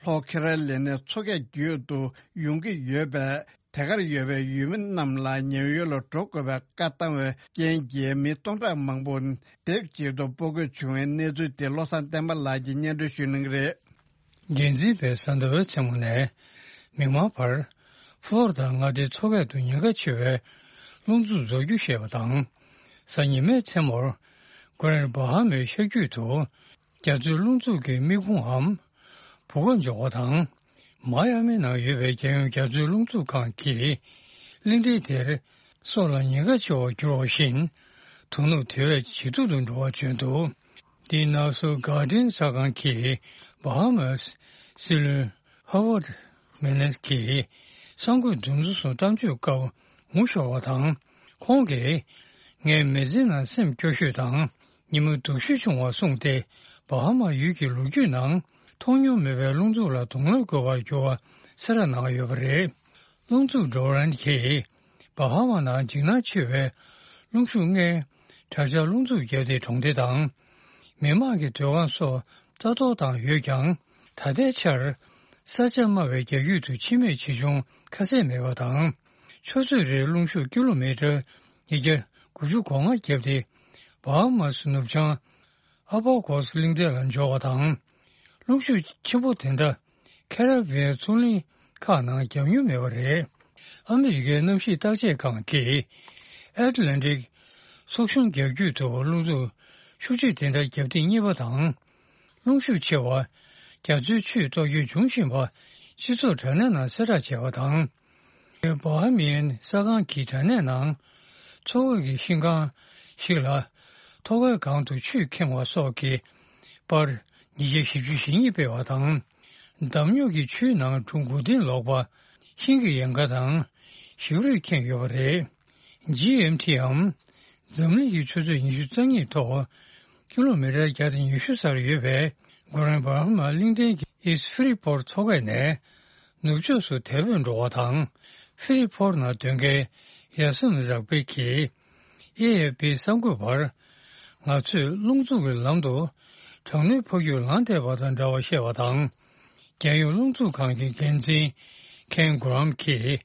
ལྷོ་ཁེ་རོ་ལི་ནའི་མཚོ་ཁའི་རྒྱུད་དུ་ཡོང་གི་ཡོད་པས། དེ་གར་ཡོད་པའི་ཡུལ་མི་རྣམས་ལ་ཉེ་བའི་ཡུལ་ལ་འགྲོ་དགོས་པའི་བཀའ་བཏང་བའི་རྐྱེན་གྱིས། མི་སྟོང་ཕྲག་མང་པོ་སྡེབ་གཅིག་ཏུ་སྤོ་དགོས་བྱུང་བའི་གནས་ཚུལ་དེ་བློ་བཟང་བསྟན་པ་ལགས་ཀྱིས་སྙན་སྒྲོན་ཞུ་གནང་གི་རེད། འགན་འཛིན་པས་གཟའ་ཟླ་བའི་མཚན་མོ་ནས་མིག་དམར་བར། ཧྥོ་ལོ་རི་ད་མངའ་སྡེའི་མཚོ་ཁ་དུ་ཉེན་ཁ་ཆེ་བའི་རླུང་འཚུབ་རྫོགས་རྒྱུ་བཤད་པ་དང་། གཟའ་ཉི་མའི་མཚན་མོར། གྷ་རན་ཌི་བྷ་ཧ་མའི་ཤར་རྒྱུད་དུ། རྒྱ་མཚོའི་རླུང་འཚུབ་ཀྱི་མིག་ཁུང་འམ། བུ་ག་འབྱོར་བ་དང་། མ་ཡ་མི་ནང་ཡོད་པའི་རྒྱལ་ཡོངས་རྒྱ་མཚོའི་རླུང་འཚུབ་ཁང་གིས་གླིང་ཕྲན་དེར་སྲོག་ལ་ཉེན་ཁ་ཆེ་བར་གྱུར་བ་བཞིན། དོ་ནུབ་དེ་བས་ཇེ་སྡུག་ཏུ་འགྲོ་བར་བྱོན་འདུག་འདི་ནང་སོ་གྷར་ཌེན་གསར་ཁང་གིས་བྷ་ཧ་མཱས་སྲིད་བློན་ཧ་ཝར་ཌི་མི་ནེ་གིས་གསར་འགོད་འདུ་འཛོམས་སུ་གཏམ་བརྗོད་སྐབས་ངོ་ཤོར་བ་དང་། ཁོང་གིས་ངའི་མི་ཚེའི་ནང་སེམས་སྐྱོ་ཤོས་དང་ཉིན་མོ་སྡུག་ཤོས་བྱུང་བ་གསུངས་ཏེ། བྷ་ཧ་མ་ཡུལ་གྱི་ལོ་རྒྱུས་ནང་མཐོང་མྱོང་མེད་པའི་རླུང་འཚུབ་ལ་གདོང་ལེན་དགོས་པར་གྱུར་བ་གསལ་བསྒྲགས་གནང་ཡོད་པ་རེད། རླུང་འཚུབ་ཌོ་རན་གྱིས་བྷ་ཧ་མ་ནང་འཇིགས་སྣང་ཆེ་བའི་རླུང་ཤུགས་ལྔའི་དྲག་ཆར་རླུང་འཚུབ་བརྒྱབ་སྟེ་གྲོང་སྡེ་དང་། མི་དམངས་ཀྱི་སྡོད་ཁང་སོགས་རྩ་གཏོར་བཏང་ཡོད་ཀྱང་། ད་ལྟའི་ཆར་ས་ཆ་དམའ་བའི་རྒྱ་ཁུལ་དུ་འཆི་རྨས་ཆེ་ཆུང་ཁ་གསལ་མེད་པ་དང་། ཆུ་ཚོད་རེར་རླུང་ཤུགས་ཀི་ལོ་མི་ཊར་ཉིས་བརྒྱ་དགུ་བཅུ་གོ་ལྔ་བརྒྱབ་སྟེ། བྷ་ཧ་མ་སི་ནུབ་བྱང་ཨ་བྷ་གོ་སི་གླིང་ཕྲན་ལ་འབྱོར་བ་དང་། རླུང་ཤུགས་ཆེན་པོ་དེ་འདྲ་ཁེ་ར་བྷི་ཡན་མཚོ་གླིང་ཁག་ནང་བརྒྱབ་མྱོང་མེད་པ་རེད། ཨ་མི་རི་ཀའི་གནམ་གཤིས་བརྟག་དཔྱད་ཁང་གིས་ཨེཊ་ལན་ཊིག་སོག་གཞུང་རྒྱ་ཁྱོན་དུ་རླུང་འཚུབ་ཤུགས་ཆེ་དེ་འདྲ་བརྒྱབ་ཐེངས་གཉིས་པ་དང་། རླུང་ཤུགས་ཆེ་བ་རྒྱ་མཚོའི་ཆུས་གཏོར་སྐྱོན་བྱུང་བཞིན་པ་སྤྱི་ཚོགས་དྲ་གནས་ནང་གསལ་བསྒྲགས་བྱས་པ་དང་། བྷ་ཧ་མི་ཡན་གསར་ཁང་གི་དྲ་གནས་ནང་མཚོ་ཁ་གི་ཤིང་ཁང་ཞིག་ལ་ཐོག་ཁའི་སྒང་དུ་ཆུས་ཁེངས་པ་སོགས་ཀྱི་པར་ཉིས་བརྒྱ་བཞི་བཅུ་ཞེ་གཉིས་སྤེལ་བ་དང་། འདམ་རྙོག་གིས་ཆུའི་ནང་གྲུ་དགུ་སྟེང་ལོག་པ། ཤིང་གི་ཡལ་ག་དང་ཞིག་རུས་ཁེངས་ཡོད་པ་རེད། ཇི་ཨེམ་ཊིའམ་འཛམ་གླིང་གི་ཆུ་ཚོད་ཉི་ཤུ་རྩ་གཉིས་ཐོག་ཀི་ལོ་མི་ཊར་བརྒྱ་དང་ཉི་ཤུ་སར་ཡོད་པའི་གྷོ་རན་བྷ་ཧ་མ་གླིང་ཕྲན་གྱི་ཨིསི་ཕི་རི་ཕོར་མཚོ་ཁ་ནས་ནུབ་ཕྱོགས་སུ་དལ་བུས་འགྲོ་བ་དང་། ཕི་རི་ཕོར་ནང་སྡོད་མཁན་ཡ་སིན་རག་པེ་གིས་ཨེ་ཨེ་ཕི་གསར་འགོད་པར། ང་ཚོས་རླུང་འཚུབ་ཀྱི་ལམ་དུ་གྲང་ནུས་འཕོ་འགྱུར་ལངས་བསྡད་པ་དང་འདྲ་བ་བཤད་པ་དང་། རྒྱལ་ཡོངས་རླུང་འཚུབ་ཁང་གི་འགན་འཛིན་ཁེན་གྷོ་རམ་གྱིས།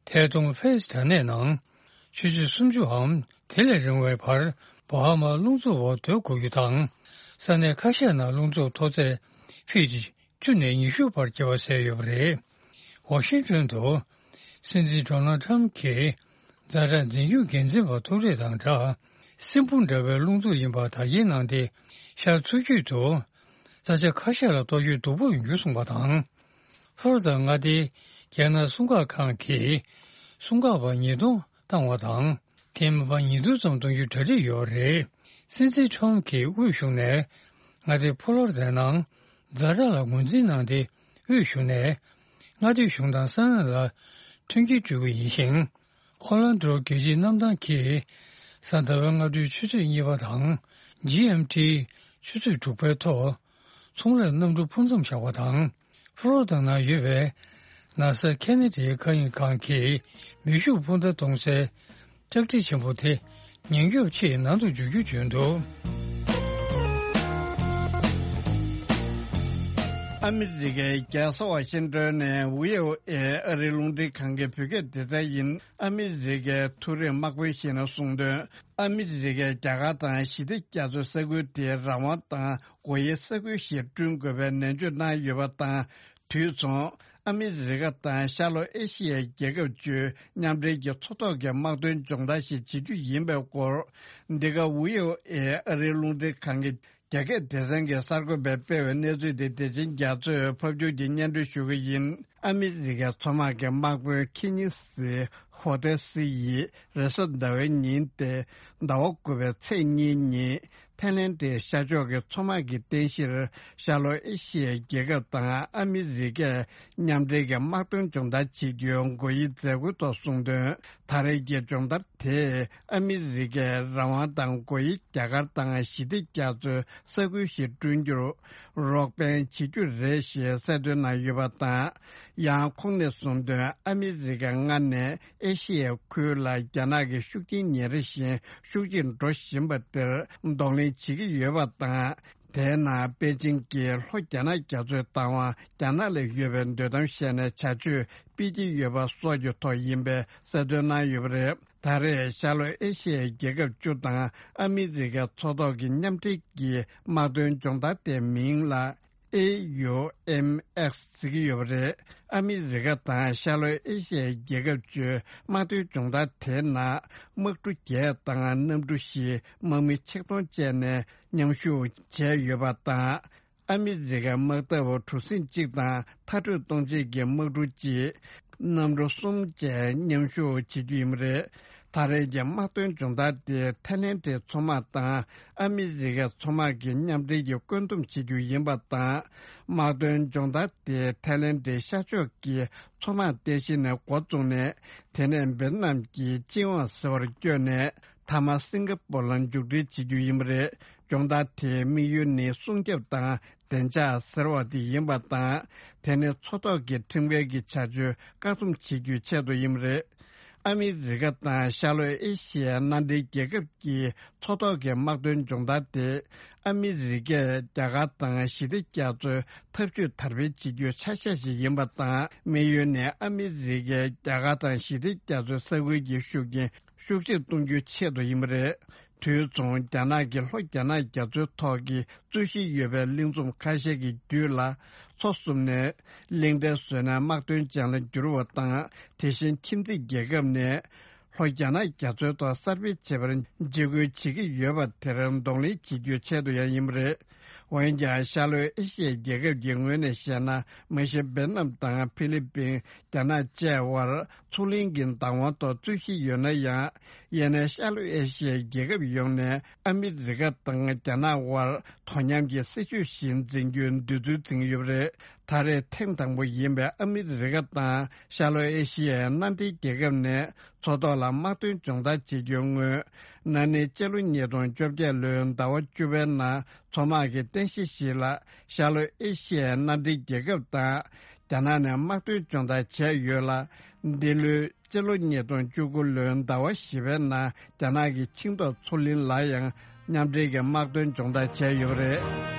ཐད་གཏོང་ཕེ་སི་དྲ་གནས་ནང་ཆུ་ཚོད་སུམ་ཅུའམ་དེ་ལས་རིང་བའི་བར་བྷ་ཧ་མར་རླུང་འཚུབ་འོག་སྡོད་དགོས་རྒྱུ་དང་། ས་གནས་ཁ་ཤས་ནང་རླུང་འཚུབ་མཐོ་ཚད་ཕིཊ་བཅུ་ནས་ཉི་ཤུ་བར་སྐྱེ་བ་གསལ་ཡོད་པ་རེད། ཝ་ཤིང་ཊོན་དུ་སྲིད་འཛིན་ཌོ་ནལ་ཊམ་གྱིས་ཛ་དྲག་འཛིན་སྐྱོང་འགན་འཛིན་པ་ཐུག་འཕྲད་དང་སྦྲགས། སྲིན་འབུ་འདྲ་བའི་རླུང་འཚུབ་ཡིན་པ་དག་སྐྱེལ་གནང་སྟེ། ཤར་མཚོ་རྒྱུད་དུ་ས་ཆ་ཁ་ཤས་ལ་གཏོར་སྐྱོན་སྡུག་པོ་ཡོང་རྒྱུ་གསུངས་པ་དང་། ཧྥོ་རོ་དང་མངའ་སྡེའི་རྒྱལ་ནང་སྲུང་སྐར་ཁང་གིས་སྲུང་སྐར་པ་ཉིས་སྟོང་བཏང་བ་དང་། དེ་མིན་པ་ཉིས་སྟོང་ཙམ་གཏོང་རྒྱུའི་གྲ་སྒྲིག་ཡོད་པ་རེད། སྲིད་འཛིན་ཁྲོམ་གྱིས་དབུས་གཞུང་ནས་མངའ་སྡེ་ཕོ་ལོ་རི་དའི་ནང་ཛ་དྲག་ལ་ངོས་འཛིན་གནང་སྟེ། དབུས་གཞུང་ནས་མངའ་སྡེ་གཞུང་དང་ས་གནས་ལ་མཐུན་རྐྱེན་སྤྲོད་ཀྱི་ཡིན་ཞིང་། ཨོ་ལན་ཌོ་རྒྱལ་སྤྱིའི་གནམ་ཐང་གིས་གཟའ་ཟླ་བའི་སྔ་དྲོའི་ཆུ་ཚོད་གཉིས་པ་དང་། ཇི་ཨེམ་ཊིའི་ཆུ་ཚོད་དྲུག་པའི་ཐོག་ཚོང་ལས་གནམ་གྲུ་འཕུར་མཚམས་བཞག་པ་དང་། ཧྥོ་རོ་དང་ནང་ཡོད་པའི་ན་ས་ཁེ་ན་ཌའི་མཁའ་དབྱིངས་ཁང་གིས་མེ་ཤུགས་འཕུར་མདའ་གཏོང་སའི་ལྕགས་ཁྲི་ཆེན་པོ་དེ་ཉེན་སྐྱོབ་ཆེད་ནང་དུ་འཇུག་རྒྱུ་བྱོན་འདུག་ཨ་མི་རི་ཀའི་རྒྱལ་ས་ཝ་ཤིང་ཏོན་ནས་བྷི་ཨོ་ཨེ་ཨ་རིའི་རླུང་འཕྲིན་ཁང་གི་བོད་སྐད་སྡེ་ཚན་ཡིན། ཨ་མི་རི་ཀའི་མཐོ་རིམ་དམག་དཔོན་ཞིག་ནས་གསུངས་དོན། ཨ་མི་རི་ཀས་རྒྱ་གར་དང་ཞི་བདེ་རྒྱ་མཚོའི་ས་ཁུལ་དེའི་རང་དབང་དང་སྒོ་དབྱེའི་ས་ཁུལ་ཞིག་བསྐྲུན་དགོས་པའི་ནན་བརྗོད་གནང་ཡོད་པ་དང་། དུས་མཚུངས། ཨ་མི་རི་ཀ་དང་ཤར་ལྷོ་ཨེ་ཤི་ཡའི་རྒྱལ་ཁབ་བཅུའི་མཉམ་འབྲེལ་གྱི་མཚོ་ཐོག་གི་དམག་དོན་སྦྱོང་བརྡར་ཞིག་བྱེད་རྒྱུ་ཡིན་པའི་སྐོར། འདི་ག་བྷི་ཨོ་ཨེ་ཨ་རིའི་རླུང་འཕྲིན་ཁང་གི་རྒྱ་སྐད་སྡེ་ཚན་གྱི་གསར་འགོད་པས་སྤེལ་བའི་གནས་ཚུལ་དེ་བདེ་ཆེན་རྒྱ་མཚོས་ཕབ་སྒྱུར་གྱིས་སྙན་སྒྲོན་ཞུ་གི་ཡིན། ཨ་མི་རི་ཀའི་མཚོ་དམག་གི་དམག་དཔོན་ཁི་ཉི་སི་ཧོ་ཏེ་སི་ཡིས་རེས་གཟའ་ཟླ་བའི་ཉིན་ཏེ་ཟླ་བ་དགུ་པའི་ཚེས་གཉིས་ཉིན་ཐའི་ལེན་ཌའི་ཤར་ཕྱོགས་ཀྱི་མཚོ་དམག་གི་རྟེན་གཞིར་ཤར་ལྷོ་ཨེ་ཤི་ཡའི་རྒྱལ་ཁབ་དང་ཨ་མི་རི་ཀས་མཉམ་འབྲེལ་གྱི་དམག་དོན་སྦྱོང་བརྡར་བྱེད་རྒྱུའི་དགོས་ཡིག་མཛད་སྒོའི་ཐོག་གསུངས་དོན། ད་རེས་ཀྱི་སྦྱོང་བརྡར་དེས་ཨ་མི་རི་ཀའི་རང་དབང་དང་སྒོ་དབྱེ་རྒྱ་གར་དང་ཞི་བདེ་རྒྱ་མཚོའི་ས་ཁུལ་ཞིག་བསྐྲུན་རྒྱུར་རོགས་ཕན་བྱེད་རྒྱུ་རེད་ཞེས་གསལ་སྟོན་གནང་ཡོད་པ་དང་། ཡང་ཁོང་ནས་གསུངས་དོན། ཨ་མི་རི་ཀས་སྔར་ནས་ཨེ་ཤི་ཡའི་ཁུལ་ལ་རྒྱ་ནག་གི་ཤུགས་རྐྱེན་ཉིན་རེ་བཞིན་ཤུགས་ཆེར་འགྲོ་བཞིན་པ་དེར་གདོང་ལེན་བྱེད་ཀྱི་ཡོད་པ་དང་། དེའི་ནང་པེ་ཅིང་གིས་ལྷོ་རྒྱ་ནག་རྒྱ་མཚོའི་བདག་དབང་རྒྱ་ནག་ལ་ཡོད་པའི་འདོད་གཏམ་བཤད་ནས་བྱ་སྤྱོད་སྤེལ་གྱི་ཡོད་པ་སོགས་ཀྱི་ཐོག་ཡིན་པའི་གསལ་སྟོན་གནང་ཡོད་པ་རེད། ད་རེས་ཤར་ལྷོ་ཨེ་ཤི་ཡའི་རྒྱལ་ཁབ་བཅུ་དང་ཨ་མི་རི་ཀའི་མཚོ་ཐོག་གི་མཉམ་འབྲེལ་གྱི་དམག་དོན་སྦྱོང་བརྡར་དེའི་མིང་ལ་ཨེ་ཡུ་ཨེམ་ཨེགས་ཟེར་གྱི་ཡོད་པ་རེད། ཨ་མི་རི་ཀ་དང་ཤར་ལྷོ་ཨེ་ཤི་ཡའི་རྒྱལ་ཁབ་བཅུའི་དམག་དོན་སྦྱོང་བརྡར་དེའི་ནང་དམག་གྲུ་བརྒྱད་དང་གནམ་གྲུ་བཞི། དམག་མི་ཆིག་སྟོང་བཅས་ནས་མཉམ་ཞུགས་བྱས་ཡོད་པ་དང་། ཨ་མི་རི་ཀའི་དམག་འཐབ་གྲུ་གཟིངས་གཅིག་དང་མཐར་སྐྲོད་གཏོང་བྱེད་ཀྱི་དམག་གྲུ་གཅིག་གནམ་གྲུ་གསུམ་བཅས་མཉམ་ཞུགས་བྱེད་རྒྱུ་ཡིན་པ་རེད། ད་རེས་ཀྱི་དམག་དོན་སྦྱོང་བརྡར་དེ་ཐའི་ལེན་ཌའི་མཚོ་དམག་དང་ཨ་མི་རི་ཀའི་མཚོ་དམག་གི་མཉམ་འབྲེལ་གྱིས་བཀོད་འདོམས་བྱེད་རྒྱུ་ཡིན་པ་དང་། དམག་དོན་སྦྱོང་བརྡར་དེ་ཐའི་ལེན་ཌའི་ཤར་ཕྱོགས་ཀྱི་མཚོ་དམག་རྟེན་གཞི་ནས་འགོ་བཙུགས་ནས། དེ་ནས་ཝེ་ཏི་ནམ་གྱི་ཅིན་ཝང་ཟེར་བར་བསྐྱོད་ནས། མཐའ་མ་སིང་ག་པོར་ལ་མཇུག་སྒྲིལ་བྱེད་རྒྱུ་ཡིན་པ་རེད། སྦྱོང་བརྡར་དེའི་དམིགས་ཡུལ་ནི་སྲུང་སྐྱོབ་དང་བདེ་འཇགས་ཟེར་བ་དེ་ཡིན་པ་དང་། དེ་ནི་མཚོ་ཐོག་གི་ཁྲིམས་འགལ་གྱི་བྱ་སྤྱོད་བཀག་སྡོམ་བྱེད་རྒྱུའི་ཆེད་དུ་ཡིན་པ་རེད། ཨ་མི་རི་ཀ་དང་ཤར་ལྷོ་ཨེ་ཤི་ཡའི་མནའ་འབྲེལ་རྒྱལ་ཁབ་ཀྱི་མཚོ་ཐོག་གི་དམག་དོན་སྦྱོང་བརྡར་དེ། ཨ་མི་རི་ཀས་རྒྱ་གར་དང་ཞི་བདེ་རྒྱ་མཚོའི་འཐབ་ཇུས་དར་སྤེལ་བྱེད་རྒྱུའི་ཆ་ཤས་ཤིག་ཡིན་པ་དང་། དམིགས་ཡུལ་ནི་ཨ་མི་རི་ཀས་རྒྱ་གར་དང་ཞི་བདེ་རྒྱ་མཚོའི་ས་ཁུལ་གྱི་ཤུགས་རྐྱེན་ཤུགས་ཆེར་གཏོང་རྒྱུའི་ཆེད་དུ་ཡིན་པ་རེད། དུས་མཚུངས་རྒྱ་ནག་གིས་ལྷོ་རྒྱ་ནག་རྒྱ་མཚོའི་ཐོག་གི་རྩོད་གཞི་ཡོད་པའི་གླིང་ཚོམ་ཁ་ཤས་ཀྱི་རྒྱུད་ལ་མཚོ་བསུབས་ནས་གླིང་ཕྲན་བཟོས་ནས་དམག་དོན་ཅན་ལ་བསྒྱུར་བ་དང་། དེ་བཞིན་ཁྱིམ་མཚེས་རྒྱལ་ཁབ་ནས་ལྷོ་རྒྱ་ནག་རྒྱ་མཚོའི་ཐོག་གསར་སྤེལ་བྱེད་པར་འཇིགས་སྐུལ་བྱེད་ཀྱི་ཡོད་པ་དེར་གདོང་ལེན་བྱེད་རྒྱུའི་ཆེད་དུ་ཡང་ཡིན་པ་རེད། འོན་ཀྱང་ཤར་ལྷོའི་ཨེ་ཤི་ཡའི་རྒྱལ་ཁབ་ཀྱི་ངོས་ནས་བཤད་ན། མ་གཞི་ཝེ་ཏི་ནམ་དང་ཧྥི་ལི་པིན། རྒྱ་ནག་བཅས་དབར་མཚོ་གླིང་གི་བདག་དབང་ཐོག་རྩོད་གཞི་ཡོད་ན་ཡང་། ཡང་ན་ཤར་ལྷོ་ཨེ་ཤི་ཡའི་རྒྱལ་ཁབ་ཡོངས་ནས་ཨ་མི་རི་ཀ་དང་རྒྱ་ནག་དབར་དོ་མཉམ་གྱི་སྲིད་ཇུས་ཤིག་འཛིན་རྒྱུའི་འདོད་ཚུལ་འཛིན་ཡོད་པ་རེད། ད་རེས་ཐེངས་དང་པོ་ཡིན་པའི་ཨ་མི་རི་ཀ་དང་ཤར་ལྷོ་ཨེ་ཤི་ཡའི་མནའ་འབྲེལ་རྒྱལ་ཁབ་ནས་མཚོ་ཐོག་ལ་དམག་དོན་སྦྱོང་བརྡར་བྱེད་རྒྱུའི་སྔོན། ན་ནིང་སྤྱི་ལོ་ཉིས་སྟོང་བཅོ་བརྒྱད་ལོའི་ཟླ་བ་བཅུ་པའི་ནང་མཚོ་དམག་གི་རྟེན་གཞི་ཞིག་ལ་ཤར་ལྷོ་ཨེ་ཤི་ཡའི་མནའ་འབྲེལ་རྒྱལ་ཁབ་དང་རྒྱ་ནག་ནས་དམག་དོན་སྦྱོང་བརྡར་བྱས་ཡོད་ལ། འདི་ལོའི་སྤྱི་ལོ་ཉིས་སྟོང་བཅུ་དགུ་ལོའི་ཟླ་བ་བཞི་པའི་ནང་རྒྱ་ནག་གི་ཆིང་ཏོག་མཚོ་གླིང་ལ་ཡང་མཉམ་འབྲེལ་གྱི་དམག་དོན་སྦྱོང་བརྡར་བྱས་ཡོད་པ་རེད།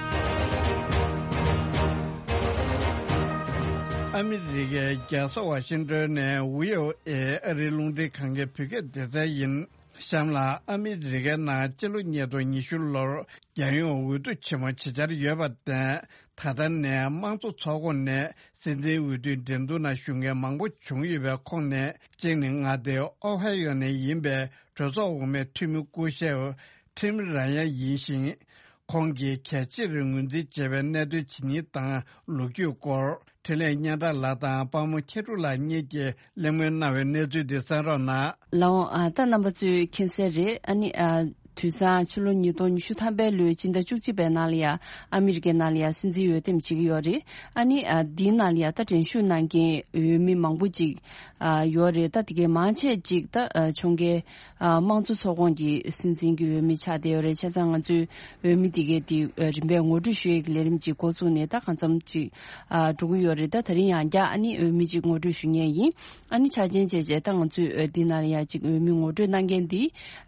ཨ་མི་རི་ཀའི་རྒྱལ་ས་ཝ་ཤིང་ཏོན་ནས་བྷི་ཨོ་ཨེ་ཨ་རིའི་རླུང་འཕྲིན་ཁང་གི་བོད་སྐད་སྡེ་ཚན་ཡིན། གཤམ་ལ་ཨ་མི་རི་ཀའི་ནང་སྤྱི་ལོ་ཉིས་སྟོང་ཉི་ཤུ་ལོར་རྒྱལ་ཡོངས་འོས་བསྡུ་ཆེན་མོ་ཇི་ཆགས་ཡོད་པར་བརྟེན། ད་ལྟ་ནས་དམངས་གཙོ་ཚོགས་ཁོངས་ནས་སྲིད་འཛིན་འོས་བསྡུའི་འགྲན་བསྡུར་ནང་ཞུགས་མཁན་མང་པོ་བྱུང་ཡོད་པའི་ཁོངས་ནས། གཅིག་ནི་མངའ་སྡེ་ཨོ་ཧའི་ཡོ་ནས་ཡིན་པའི་གྲོས་ཚོགས་འོག་མའི་འཐུས་མི་སྐུ་ཞབས་ཊིམ་ར་ཡན་ཡིན་ཞིང་། ཁོང་གིས་གལ་ཆེར་ངོས་འཛིན་བྱས་པའི་གནད་དོན་ཇི་སྙེད་དང་ལོ་རྒྱུས་སྐོར། འཕྲིན་ལས་སྙན་གྲགས་ལགས་དང་དཔལ་མོ་མཁྱེན་སྒྲོན་ལགས་གཉིས་ཀྱིས་གླེང་མོལ་གནང་བའི་གནས་ཚུལ་འདི་གསན་རོགས་གནང་། ལགས་འོང་། ཨ། ད་རྣམ་པ་ཚོས་མཁྱེན་གསལ་རེད། ཨ་ནི། ཨ། དུས་སང་ཕྱི་ལོ་ཉིས་སྟོང་ཉི་ཤུ་ཐམ་པའི་ལོའི་སྤྱི་ཟླ་བཅུ་གཅིག་པའི་ནང་ལ་ཡ་ཨ་མི་རི་ཀའི་ནང་ལ་ཡ་སྲིད་འཛིན་འོས་འདེམས་བྱེད་ཀྱི་ཡོད་རེད། ཨ་ནི། ཨ། འདིའི་ནང་ལ་ཡ་ད་འགྲན་ཞུགས་གནང་མཁན་འོས་མི་མང་པོ་ཅིག་ཨ། ཡོད་རེད། ད་དེ་གའི་མང་ཆེ་ཅིག་ད། ཨ། ཁྱོན་གའི། ཨ། དམངས་གཙོ་ཚོགས་ཁོངས་ཀྱི་སྲིད་འཛིན་གྱི་འོས་མི་ཆགས་བསྡད་ཡོད་རེད། བྱས་ཙང་ང་ཚོས་འོས་མི་དེ་གའི་དེ། ཨ། རིམ་པས་ངོ་སྤྲོད་ཞུ་ཡས་ཀྱི་ལས་རིམ་ཅིག་འགོ་བཙུགས་ནས་ད་གང་འཚམ་ཅིག་ཨ། འགྲོ་གི་ཡོད་རེད། ད་དེ་རིང་ཡང་བསྐྱར་ཨ་ནི་འོས་མི་ཅིག་ངོ་སྤྲོད་ཞུ་མཁན་ཡིན། ཨ་ནི་ཆ་རྐྱེན་བྱས་བྱས་ད་ང་ཚོས། ཨ། འདི་ནང་ལ་ཡ་ཅིག་འོས་མི་ངོ་སྤྲོད་གནང་མཁན་འདི།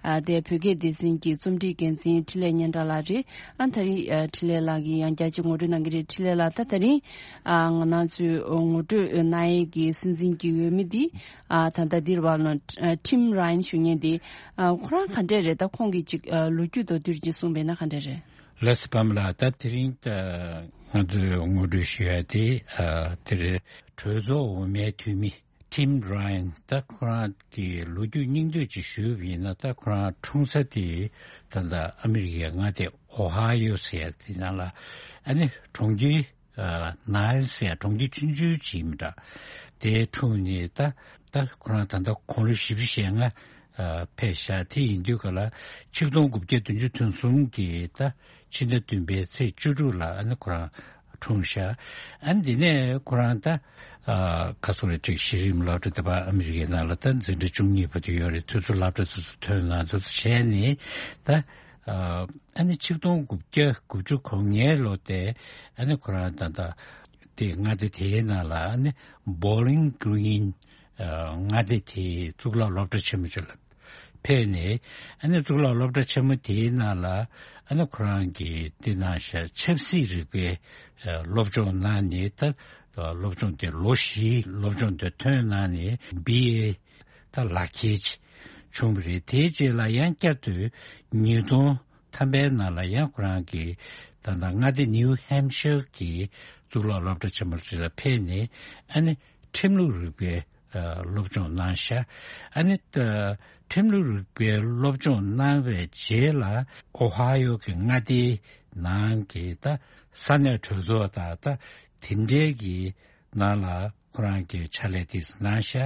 ཨ། དེ་བོད་སྐད་སྡེ་ཚན་གྱི་རྩོམ་སྒྲིག་འགན་འཛིན་འཕྲིན་ལས་སྙན་གྲགས་ལགས་རེད། ཨ། ད་རིང་། ཨ། འཕྲིན་ལས་ལགས་ཀྱིས་ཡང་བསྐྱར་ཅིག་ངོ་སྤྲོད་གནང་གི་རེད། འཕྲིན་ལས་ལགས། ད་དེ་རིང་། ཨ། ང་རང་ཚོས་ངོ་སྤྲོད་གནང་ཡས་ཀྱི་སྲིད་འཛིན་གྱི་འོས་མི་འདི། ཨ། ད་ལྟ་འདིར་བ་ལོ། ཨ། ཊིམ་ར་ཡན་ཞུ་མཁན་འདི། ཨ། ཁོ་རང་ག་འདྲས་རེད། ད་ཁོང་གི་ཅིག་ཨ། ལོ་རྒྱུས་མདོར་བསྡུས་ཅིག་གསུངས་པས་ན་ག་འདྲས་རེད། ལགས་སོ། པདྨ་ལགས། ད་དེ་རིང་ད་ང་ཚོས་ངོ་སྤྲོད་ཞུ་ཡ་དེ། ཨ། དེ་རེད། གྲོས་ཚོགས་འོག་མའི་འཐུས་མི་ཊིམ་ར་ཡན། ད་ཁོ་རང་གི་ལོ་རྒྱུས་སྙིང་བསྡུས་ཅིག་ཞུས་པ་ཡིན་ན། ད་ཁོ་རང་འཁྲུངས་ས་དེ་ད་ལྟ་ཨ་མི་རི་ཀའི་མངའ་སྡེ་ཨོ་ཧ་ཡོ་ཟེར་ཡ་དེ་ནང་ལ། ཨ་ནི་གྲོང་ཁྱེར། ཨ། ནའིལ་ཟེར་ཡ་གྲོང་ཁྱེར་ཆུང་ཆུང་ཅིག་ཡིན་པ་འདྲ། དེའི་དྲུང་ནས་ད། ད་ཁོ་རང་ད་ལྟ་དགུང་ལོ་བཞི་བཅུ་ཞེ་ལྔ། ཨ། ཕེབས་ཤག་དེ་ཡིན་དུས་ག་ལ་ཆིག་སྟོང་དགུ་བརྒྱ་བདུན་ཅུ་དོན་གསུམ་གྱི་ད་ཕྱི་ཟླ་བདུན་པའི་ཚེས་བཅུ་དྲུག་ལ་ཨ་ནི་ཁོ་རང་འཁྲུངས་ཤག་ཨ་ནི་དེ་ནས་ཁོ་རང་ད། ཨ། ཁ་སོ་རེ་ཅིག་གཞི་རིམ་སློབ་གྲྭ་དེ་བ་ཨ་མི་རི་ཀའི་ནང་ལ་ད་འཛིན་གྲྭ་བཅུ་གཉིས་བར་དུ་ཡོད་རེད། དུས་ཚོད་སློབ་གྲྭ་དེ་ཚོ་ཐོན་ན་དེ་ཚོ་བྱས་ནས་ད། ཨ། ཨ་ནི་ཆིག་སྟོང་དགུ་བརྒྱ་དགུ་བཅུ་གོ་ལྔའི་ལོ་དེ་ཨ་ནི་ཁོ་རང་ད་ལྟ་དེ་མངའ་སྡེ་དེའི་ནང་ལ་ཨ་ནི་བོ་ལིང་གི་རིན། ཨ། མངའ་སྡེ་དེའི་གཙུག་ལག་སློབ་གྲྭ་ཆེན་མོ་ཅིག་ལ་ཕེབས་ནས། ཨ་ནི་གཙུག་ལག་སློབ་གྲྭ་ཆེན་མོ་དེའི་ནང་ལ་ཨ་ནི་ཁོ་རང་གིས་དེ་ནང་བཞིན་ཆབ་སྲིད་རིག་པའི། ཨ། སློབ་སྦྱོང་གནང་ནས། ད་སློབ་སྦྱོང་དེ་ལོ་བཞིའི་སློབ་སྦྱོང་དེ་ཐོན་གནང་ནས་བྷི་ཨེ། ད་ལག་ཁྱེར་ཅིག་བྱུང་བ་རེད། དེའི་རྗེས་ལ་ཡང་བསྐྱར་དུ་ཉིས་སྟོང་ཐམ་པའི་ནང་ལ་ཡང་ཁོ་རང་གིས་ད་ལྟ་མངའ་སྡེ་ནིའུ་ཧེམ་ཤར་གྱི་གཙུག་ལག་སློབ་གྲྭ་ཆེན་མོ་ཅིག་ལ་ཕེབས་ནས། ཨ་ནི་ཁྲིམས་ལུགས་རིག་པའི། ཨ། སློབ་སྦྱོང་གནང་ཤག་ཨ་ནི་ད་ ཁྲིམས་ལུགས་རིག་པའི་སློབ་སྦྱོང་གནང་བའི་རྗེས་ལ་ཨོ་ཧ་ཡོ་གི་མངའ་སྡེའི་ནང་གི་ད་ས་གནས་གྲོས་ཚོགས་དང་ད་དེ་འབྲེལ་གྱི་ནང་ལ་ཁོ་རང་གི་ཕྱག་ལས་དེ་གནང་ཤག་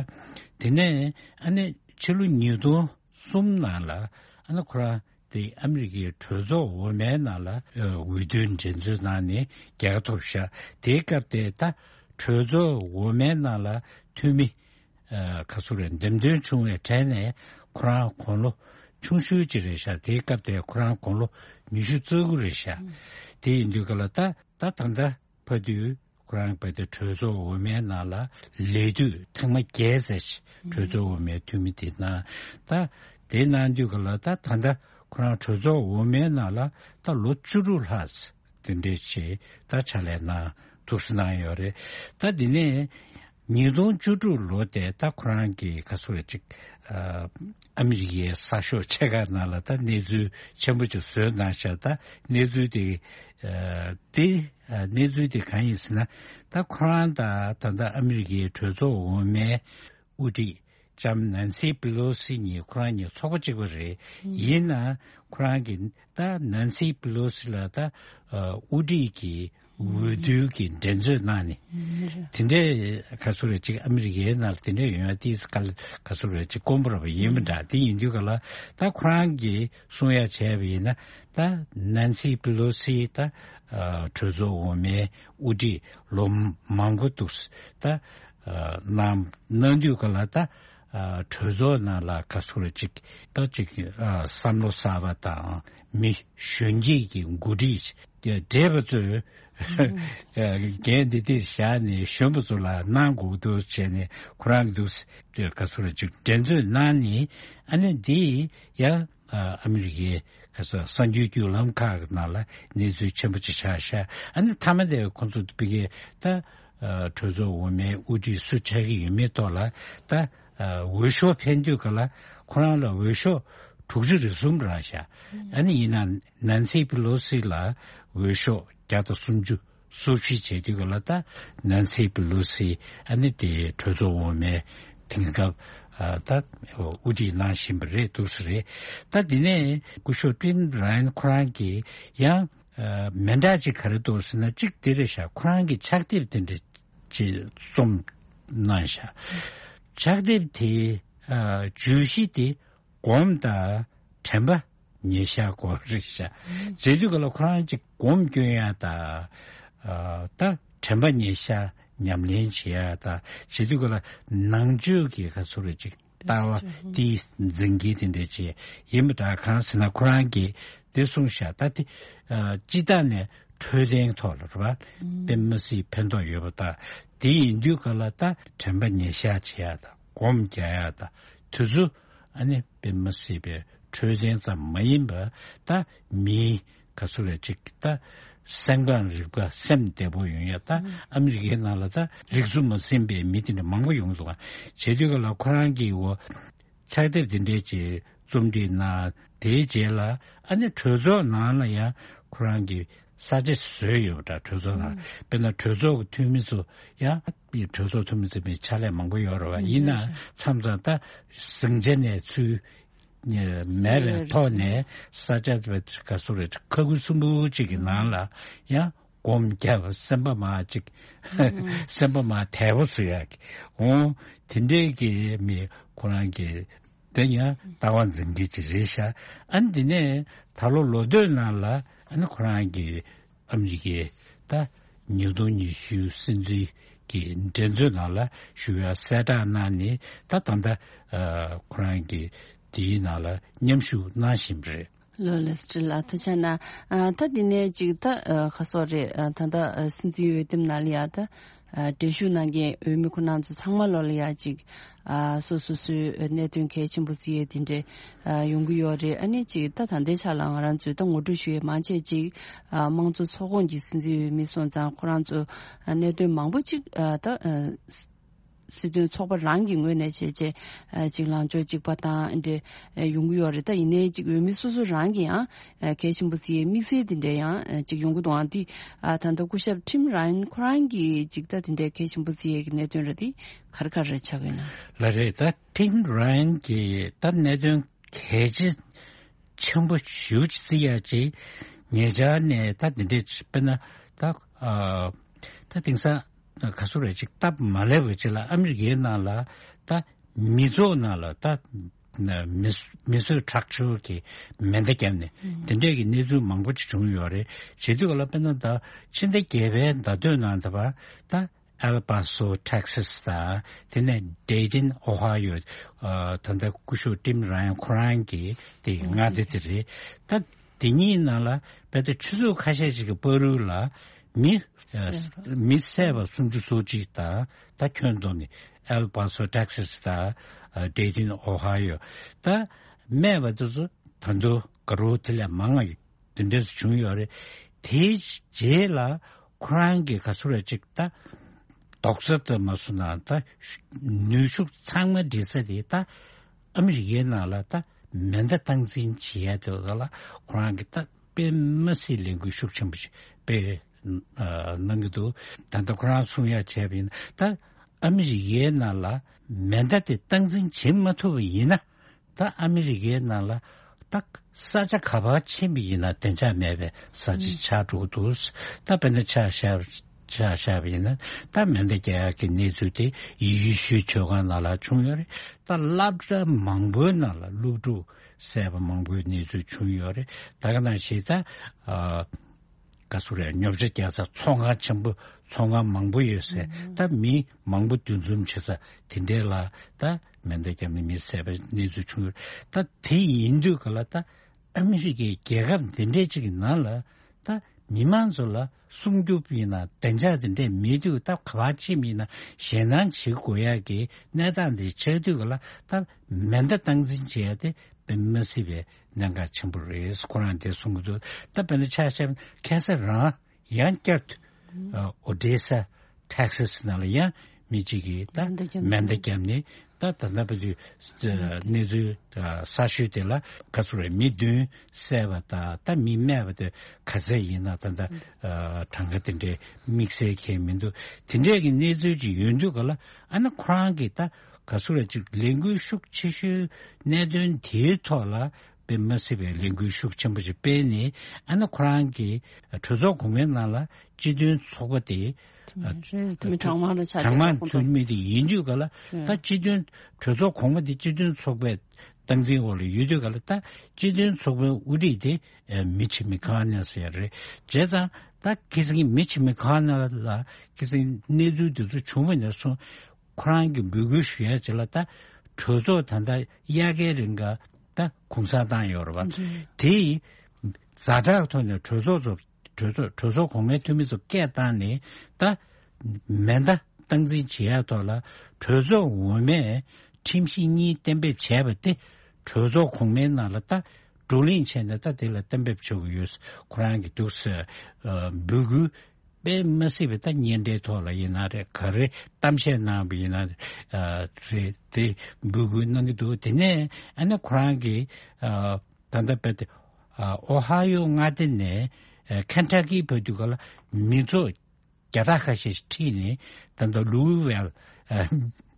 དེ་ནས་ཨ་ནི་ཕྱི་ལོ་ཉིས་སྟོང་གསུམ་ནང་ལ་ཨ་ནི་ཁོ་རང་དེ་ཨ་མི་རི་ཀའི་གྲོས་ཚོགས་འོག་མའི་ནང་ལ་འོས་བསྡུའི་འགྲན་རྩོད་གནང་ནས་རྒྱལ་ཁ་ཐོབ་ཤག་དེའི་སྐབས་དེ་ད་གྲོས་ཚོགས་འོག་མའི་ནང་ལ་འཐུས་མི་ག་ཚོད་རེད་འདེམས་ཐོན་བྱུང་བའི་གྲས་ནས་ཁོ་རང་དགུང་ལོ་ཆུང་ཤོས་ཅིག་རེད་ཤག་དེའི་སྐབས་དེ་ཁོ་རང་དགུང་ལོ་ཉི་ཤུ་རྩ་དགུ་རེད་ཤག་དེ་ཡིན་དུས་ག་ལ་ད་ད་ད་ལྟ་བར་དུ་ཁོ་རང་བར་དུ་གྲོས་ཚོགས་འོག་མའི་ནང་ལ་ལས་དུས་ཐེངས་མ་བརྒྱད་ཙམ་ཞིག་གྲོས་ཚོགས་འོག་མའི་འཐུས་མི་དེ་གནང་། ད་དེ་གནང་དུས་ག་ལ་ད་ད་ལྟ་ཁོ་རང་གྲོས་ཚོགས་འོག་མའི་ནང་ལ་ད་ལོ་བཅུ་དྲུག་ལྷག་དེ་འདྲས་བྱས་ད་ཕྱག་ལས་གནང་འདུག་སེ་གནང་ཡོད་རེད། ད་དེ་ནས་ཉིས་སྟོང་བཅུ་དྲུག་ལོ་དེ་ད་ཁོ་རང་གི་ག་ཚོད་རེད་ཅིག་ཨ་མི་རི་ཀའི་གསར་ཤོག་ཆེ་ཁག་ནང་ལ་ད་གནས་ཚུལ་ཆེན་པོ་ཅིག་བཟོས་གནང་ཤག་ད་གནས་ཚུལ་དེ་དེ་གནས་ཚུལ་དེ་གང་ཡིན་ཟེར་ན། ད་ཁོ་རང་དང་ད་ལྟ་ཨ་མི་རི་ཀའི་གྲོས་ཚོགས་འོག་མའི་དབུ་ཁྲིད་ལྕམ་ནན་སི་པི་ལོ་སི་གཉིས་ཁོ་རང་གཉིས་ཚོགས་པ་གཅིག་པ་རེད། ཡིན་ན་ཁོ་རང་གི་ད་ནན་སི་པི་ལོ་སི་ལ་ད་དབུ་ཁྲིད་ཀྱི་འོས་བསྡུ་གི་འགྲན་རྩོད་གནང་ནས་དེ་འདྲའི་ག་ཚོད་རེད་ཅིག་ཨ་མི་རི་ཀའི་ནང་ལ་དེ་འདྲའི་ཡོང་ཡ་ཏིས་ག་ག་ཚོད་རེད་ཅིག་དཀོན་པོ་ར་བ་ཡིན་མི་འདྲ། དེ་ཡིན་དུས་ག་ལ་ད་ཁོ་རང་གིས་གསུང་ཡ་བྱས་པ་ཡིན་ན་ད་ནན་སི་པི་ལོ་སི་ད་གྲོས་ཚོགས་འོག་མའི་དབུ་ཁྲིད་ལོ་མང་པོ་འདུག་ད་གནང་གནང་དུས་ག་ལ་ད་གྲོས་ཚོགས་ནང་ལ་ག་ཚོད་རེད་ཅིག་ད་ཅིག་བསམ་བློ་གསར་པ་དང་མི་གཞོན་སྐྱེས་ཀྱི་འགོ་ཁྲིད་བགྲེས་པ་ཚོས་འགན་འདི་འདིར་བཞག་ནས་གཞོན་པ་ཚོ་ལ་གནང་དགོས་འདུག་བྱས་ནས་ཁོ་རང་གི་འདུག་ག་ཚོད་རེད་ཅིག་འགྲན་རྩོད་གནང་ནས་ཨ་ནི་འདི་ཡང་ཨ་མི་རི་ཀའི་ག་ས་གསར་འགྱུར་བརྒྱུད་ལམ་ཁག་གི་ནང་ལ་གནས་ཚུལ་ཆེན་པོ་ཅིག་ཆགས་ཤག་ཨ་ནི་མཐའ་མ་དེ་ཁོང་ཚོ་ཕ་གིའི་ད་གྲོས་ཚོགས་འོག་མའི་དབུ་ཁྲིད་སུ་ཆགས་ཀྱི་ཡོད་མེད་ཐོག་ལ་ད་འོས་ཤོག་འཕེན་དུས་ག་ལ་ཁོ་རང་ལ་འོས་ཤོག་དྲུག་ཅུ་རེ་གསུམ་རག་ཤག་ཨ་ནི་ཡིན་ན་ནན་སི་པི་ལོ་སི་ལ་འོས་ཤོག་བརྒྱ་དང་སུམ་ཅུ། སུ་ཞིག་བྱེད་དུས་ག་ལ་ད་ནན་སི་པི་ལོ་སི་ཨ་ནི་དེ་གྲོས་ཚོགས་འོག་མའི་དེང་སྐབས་ད་དབུ་ཁྲིད་གནང་བཞིན་པ་རེད་འདུག་ས་རེད། ད་དེ་ནས་སྐུ་ཞབས་ཀྲིན་རན་ཁོ་རང་གིས་ཡང་མི་འདྲ་ཅིག་ག་རེ་འདུག་ཟེར་ན་གཅིག་དེ་རེད་ཤག་ཁོ་རང་གི་ཕྱག་དེབ་དེ་འདྲ་ཅིག་རྩོམ་གནང་ཤག་ཕྱག་དེབ་དེ་བརྗོད་གཞི་དེ་སྒོམ་དང་དྲན་པ་ཉེ་ཤ་སྐོར་རེད་ཤག་བྱེད་དུས་ག་ལ་ཁོ་རང་ཅིག་སྒོམ་སྐྱོན་ཡ་ད་ད་དྲན་པ་ཉེ་ཤ་ཉམས་ལེན་བྱེད་ཡ་ད་བྱེད་དུས་ག་ལ་ནང་ཆོས་ཀྱི་ག་ཚོད་རེད་ཅིག་ལྟ་བ་དེ་འཛིན་གྱི་དེ་འདྲ་བྱེད་ཡིན་པ་འདྲ། གང་ཟེར་ན་ཁོ་རང་གིས་དེ་གསུངས་ཤག་ད་དེ་སྤྱི་བཏང་ནས་འཕྲོད་བསྟེན་ཐོག་ལ་རེད་པ་དཔེ་མི་སྲིད་ཕན་ཐོགས་ཡོད་པ་ད་དེ་ཡིན་དུས་ག་ལ་ད་དྲན་པ་ཉེ་ཤ་བྱེད་ཡ་ད་སྒོམ་རྒྱག་ཡ་ད་དུས་ཚོད། ཨ་ནི་དཔེ་མི་སྲིད་པའི་འཕྲོད་བསྟེན་ཙམ་མ་ཡིན་པར་ད་མིའི་ག་ཚོད་རེད་ཅིག་ད་སེམས་ཁམས་རིག་པ་སེམས་བདེ་པོ་ཡོང་ཡ་ད་ཨ་མི་རི་ཀའི་ནང་ལ་ད་རིག་འཛུགས་མ་ཟིན་པའི་མི་དེ་འདྲ་མང་པོ་ཡོང་འདུག་ག་བྱེད་དུས་ག་ལ་ཁོ་རང་གིས་འོ་ཕྱག་དེབ་དེ་འདྲའི་ཅིག་རྩོམ་སྒྲིག་གནང་། དེའི་རྗེས་ལ་ཨ་ནི་གྲོས་ཚོགས་ནང་ལ་ཡང་ཁོ་རང་གིས་ས་ཆ་བཟོས་ཡོད་པ་འདྲ། གྲོས་ཚོགས་ནང་དཔེར་ན་གྲོས་ཚོགས་ཀྱི་འཐུས་མི་ཚོ་ཡང་གྲོས་ཚོགས་འཐུས་མི་ཚོ་མི་ཕྱག་ལས་མང་པོ་ཡོད་རེད་བ། ཡིན་ན་མཚམས་མཚམས་ད་ཟིང་ཆ་ནས་ཚུར་མེད་པའི་ཐོག་ནས་ས་ཆ་ག་ཚོད་རེད་ཁ་ཁུ་སིམ་པོ་གཅིག་གི་ནང་ལ་ཡང་སྒོམ་རྒྱབ་སེམས་པ་མ་གཅིག་སེམས་པ་མ་དལ་པོ་བཟོ་ཡག་གི་འོང་དེ་འདྲའི་གི་མི་ཁོ་རང་གི་དེ་ཡང་ལྟ་བ་འཛིན་གྱི་ཅིག་རེད་ཤག་ཨ་ནི་དེ་ནས་ད་ལོ་ལོ་སྟོད་ནང་ལ་ཨ་ནི་ཁོ་རང་གི་ཨ་མི་རི་ཀའི་ད་ཉིས་སྟོང་ཉི་ཤུ་སྲིད་འཛིན་གྱི་འགྲན་རྩོད་ནང་ལ་ཞུགས་ཡ་གསལ་བསྒྲགས་གནང་ནས་ད་ད་ལྟ་ཁོ་རང་གི་དེའི་ནང་ལ་མཉམ་ཞུགས་གནང་བཞིན་པ་རེད། ལོ་ལེགས་སྤྲེལ་ལགས་ཐུགས་རྗེ་གནང་། ཨ་ད་འདི་ནས་ཅིག་ད་ཨ་ཁ་སོག་རེད། ཨ་ད་ལྟ་ཨ་སྲིད་འཛིན་འོས་འདེམས་ནང་ལ་ཡ་ད་ཨ་གྲལ་ཞུགས་གནང་མཁན་འོས་མི་ཁོ་རང་ཚོ་ཚང་མ་ལོ་ལ་ཡ་ཅིག་ཨ་སོ་སོ་སོའི་གནད་དོན་གལ་ཆེན་པོ་བརྩི་ཡས་དེ་འདྲས་ཨ་ཡོང་གི་ཡོད་རེད། ཨ་ནི་ཅིག་ད་ད་ལྟའི་ཆ་ལ་ང་རང་ཚོས་ད་ངོ་སྤྲོད་ཞུ་ཡས་མང་ཆེ་ཅིག་ཨ་དམངས་གཙོ་ཚོགས་ཁོངས་ཀྱི་སྲིད་འཛིན་འོས་མི་སོང་ཙང་ཁོ་རང་ཚོ་ཨ་གནད་དོན་མང་པོ་ཅིག་ཨ་ད་ཨ། སྲིད་དོན་ཚོགས་པ་རང་གི་ངོས་ནས་བྱས་བྱས་ཨ་ཅིག་ལངས་ཕྱོགས་གཅིག་པ་དང་འདྲ་ཨ་ཡོང་གི་ཡོད་རེད། ད་ཡིན་ནའི་ཅིག་འོས་མི་སོ་སོ་རང་གི་ཡང་ཨ་གལ་ཆེན་པོ་བརྩི་ཡའི་དམིགས་བསལ་དེ་འདྲ་ཡང་ཨ་ཅིག་ཡོང་གི་འདུག་ཨང་། འདི་ཨ་ད་ལྟ་སྐུ་ཞབས་ཊིམ་ར་ཡན་ཁོ་རང་གིས་ཅིག་ད་དེ་འདྲའི་གལ་ཆེན་པོ་བརྩི་ཡའི་གི་གནད་དོན་རེད། འདི་ག་རེ་ག་རེ་ཆགས་ཀྱི་ཡོད་ན། ལགས་རེད། ད་ཊིམ་ར་ཡན་གྱིས་ད་གནད་དོན་གལ་ཆེ་ཆེན་པོ་ཞེ་པོ་ཅིག་བརྩི་ཡ་ཅིག་ཉེ་ཆར་ནས་ད་འདི་འདྲས་དཔེར་ན་ད་ཨ་ད་དེང་སང་ག་ཚོད་རེད་ཅིག་སྟབས་མ་ལེགས་པ་ཅིག་ལ་ཨ་མི་རི་ཀའི་ནང་ལ་ད་མི་ཚོགས་ནང་ལ་ད་མི་མི་གསོད་ཁྲག་སྦྱོར་གྱི་མེ་མདའ་བརྒྱབ་ནས་དེ་འདྲས་ཀྱི་གནས་ཚུལ་མང་པོ་ཅིག་བྱུང་ཡོད་རེད། བྱེད་དུས་ག་ལ་དཔེར་ན་ད་ཕྱི་ཟླ་བརྒྱད་པའི་ཟླ་སྟོད་ནང་ད་བར་ད་ཨལ་པ་སོ་ཊེག་སི་དང་དེ་ནས་ཌེ་ཏིན་ཨོ་ཧ་ཡོ་ད་ལྟ་སྐུ་ཞབས་ཊིམ་ར་ཡན་ཁོ་རང་གི་དེ་མངའ་སྡེ་དེ་རེད། ད་དེ་གཉིས་ནང་ལ་དཔེ་ད་ཆུ་ཚོད་ཁ་ཤས་ཤིག་གི་བར་དུ་ལ་མི་མི་བསད་པ་སུམ་ཅུ་སོ་གཅིག་དང་ད་ཁྱོན་བསྡོམས་ནས་ཨལ་པ་སོ་ཊེག་སི་དང་ཌེ་ཏིན་ཨོ་ཧ་ཡོ་ད་རྨས་པ་དེ་ཚོ་ད་དུང་ག་རོ་དེ་ལས་མང་ང་ཡོད། དེ་འདྲས་བྱུང་ཡོད་རེད། དེའི་རྗེས་ལ་ཁོ་རང་གི་ག་ཚོད་རེད་ཅིག་ད་རྡོག་རྩ་ལྟ་མ་སོང་ན་ད་ནུས་ཤུགས་ཚང་མ་སྒྲིལ་ས་དེ་ད་ཨ་མི་རི་ཀའི་ནང་ལ་ད་མེ་མདའ་སྟངས་འཛིན་བྱེད་ཡ་དེ་ལ་ཁོ་རང་གི་ད་དཔེ་མ་སྲིད་ལས་འགུལ་ཤུགས་ཆེན་པོ་ཞིག་སྤེལ་གནང་གི་འདུག་ད་ལྟ་ཁོ་རང་གསུང་ཡ་བྱས་པ་ཡིན་ན་ད་ཨ་མི་རི་ཀའི་ནང་ལ་མེ་མདའ་དེ་སྟངས་འཛིན་བྱེད་མ་ཐུབ་པ་ཡིན་ན། ད་ཨ་མི་རི་ཀའི་ནང་ལ་ད་ས་ཆ་ག་པར་ཕྱིན་པ་ཡིན་ན་བདེ་འཇགས་མེད་པའི་ས་ཆ་ཆགས་འགྲོ་གི་འདུག་ད་དཔེར་ན་ཆ་བཞག་ཆ་བཞག་པ་ཡིན་ན་ད་མེ་མདའ་རྒྱག་ཡག་གི་གནས་ཚུལ་དེ་ཡེ་ཤུའི་ཆོལ་ཁ་ནང་ལ་བྱུང་ཡོད་རེད། ད་སློབ་གྲྭ་མང་པོའི་ནང་ལ་སློབ་ཕྲུག་བསད་པ་མང་པོའི་གནས་ཚུལ་བྱུང་ཡོད་རེད། ད་ག་ནང་བཞིན་ད་ཨ། ག་ཚོད་རེད། ཉོ་ཆ་རྒྱག་ས་ཚོང་ཁང་ཆེན་པོ་ཚོང་ཁང་མང་པོ་ཡོད་སའི་ད་མི་མང་པོ་འདུ་འཛོམས་བྱེད་ས་དེ་འདྲའི་ལ་ད་མེ་མདའ་བརྒྱབ་ནས་མི་བསད་པའི་གནས་ཚུལ་བྱུང་ཡོད། ད་དེ་ཡིན་དུས་ག་ལ་ད་ཨ་མི་རི་ཀའི་རྒྱལ་ཁབ་འདི་འདྲའི་ཅིག་གི་ནང་ལ་ད་མི་མང་ཚོ་ལ་སྲུང་སྐྱོབ་ཡིན་ན་བདེ་འཇགས་དེ་འདྲས་མེད་དུས་ད་ག་པར་ཕྱིན་ཡིན་ན་ཞེད་སྣང་བྱེད་དགོས་ཡག་གི་གནས་སྟངས་དེ་ཆགས་དུས་ག་ལ་ད་མེ་མདའ་སྟངས་འཛིན་བྱེད་ཡ་དེ་དཔེ་མ་སྲིད་པའི་གནད་འགག་ཆེན་པོ་རེད། ཁོ་རང་དེ་གསུང་གི་འདུག་ད་དཔེར་ན་ཆ་བཞག་ན་ཁ་སང་རང་ཡང་བསྐྱར་དུ་ཨོ་ཌེ་ས་ཊེག་སཱ་ནང་ལ་ཡང་མི་གཅིག་གིས་ད་མེ་མདའ་བརྒྱབ་ནས་ད་ད་ལྟ་བར་དུ་གནས་ཚུལ་གསར་ཤོས་དེ་ལ་ག་ཚོད་རེད། མི་བདུན་བསད་པ་དང་ད་མི་རྨས་པ་དེ་ག་ཚད་ཡིན་ན་ད་ལྟ་གྲངས་ཀ་དེ་འདྲའི་དམིགས་བསལ་གང་ཡང་མི་འདུག་དེ་འདྲའི་གི་གནས་ཚུལ་ཅིག་ཡོད་དུས་ག་ལ་ཨ་ན་ཁོ་རང་གིས་ད་ག་ཚོད་རེད་ཅིག་ལས་འགུལ་ཤུགས་ཆེ་ཤོས་གནད་དོན་དེའི་ཐོག་ལ་དཔེ་མ་སྲིད་པའི་ལས་འགུལ་ཤུགས་ཆེན་པོ་ཞིག་སྤེལ་ནས་ཨ་ནི་ཁོ་རང་གི་གྲོས་ཚོགས་གོང་མའི་ནང་ལ་སྤྱི་མཐུན་ཚོགས་པ་དེ་དེ་མིན་གྲངས་མང་ལ་ཆ་གྲངས་མང་ཚོགས་མི་དེ་ཡིན་དུས་ག་ལ་ད་སྤྱི་མཐུན་གྲོས་ཚོགས་གོང་མ་དེ་སྤྱི་མཐུན་ཚོགས་པའི་སྟངས་འཛིན་འོག་ལ་ཡོད་དུས་ག་ལ་ད་སྤྱི་མཐུན་ཚོགས་པའི་དབུ་ཁྲིད་དེ་མི་ཆི་མི་ཁ་ནེ་ཟེར་རེད། བྱས་ཙང་ད་ཁ་སང་མི་ཆི་མི་ཁ་ནེ་ལ་ཁ་སང་གནས་ཚུལ་དེ་ཚོ་བྱུང་བ་ནས་བཟུང་ཁོ་རང་གིས་འབོད་སྐུལ་ཞུ་ཡ་ཅིག་ལ་ད་གྲོས་ཚོགས་ད་ལྟ་དབྱར་ཁའི་རིང་ག་ད་གུང་སེང་བཏང་ཡོད་རེད་བ། དེ་ཛ་དྲག་ཐོག་ནས་གྲོས་ཚོགས་ཚོ་གྲོས་ཚོགས་གྲོས་ཚོགས་གོང་མའི་འཐུས་མི་ཚོ་སྐད་བཏང་ནས་ད་མེ་མདའ་སྟངས་འཛིན་བྱེད་ཡ་ཐོག་ལ་གྲོས་ཚོགས་འོག་མས་ཁྲིམས་གཞི་གཉིས་གཏན་འབེབས་བྱས་པ་དེ་གྲོས་ཚོགས་གོང་མའི་ནང་ལ་ད་བགྲོ་གླེང་བྱས་ནས་ད་དེ་ལ་གཏན་འབེབས་བྱེད་དགོས་ཡོད། ཁོ་རང་གི་འདུག་ཟེར་འབོད་སྐུལ་དཔེ་མ་སྲིད་པའི་ད་སྙན་སྒྲའི་ཐོག་ལ་ཡིན་ན་རེད། ག་རེ་གཏམ་བཤད་གནང་བ་ཡིན་ན་རེད། དེ་འབོད་སྐུལ་གནང་གི་འདུག་དེ་ནས་ཨ་ནི་ཁོ་རང་གིས་ད་ལྟ་བར་དུ་ཨོ་ཧ་ཡོ་མངའ་སྡེ་ནས་ཁེན་ཊ་ཀི་བར་དུ་ག་ལ་མི་ཚོགས་བརྒྱ་ཕྲག་ཁ་ཤས་ཤིག་ཁྲིད་ནས་ད་ལྟ་ལུའུ་ཝེལ་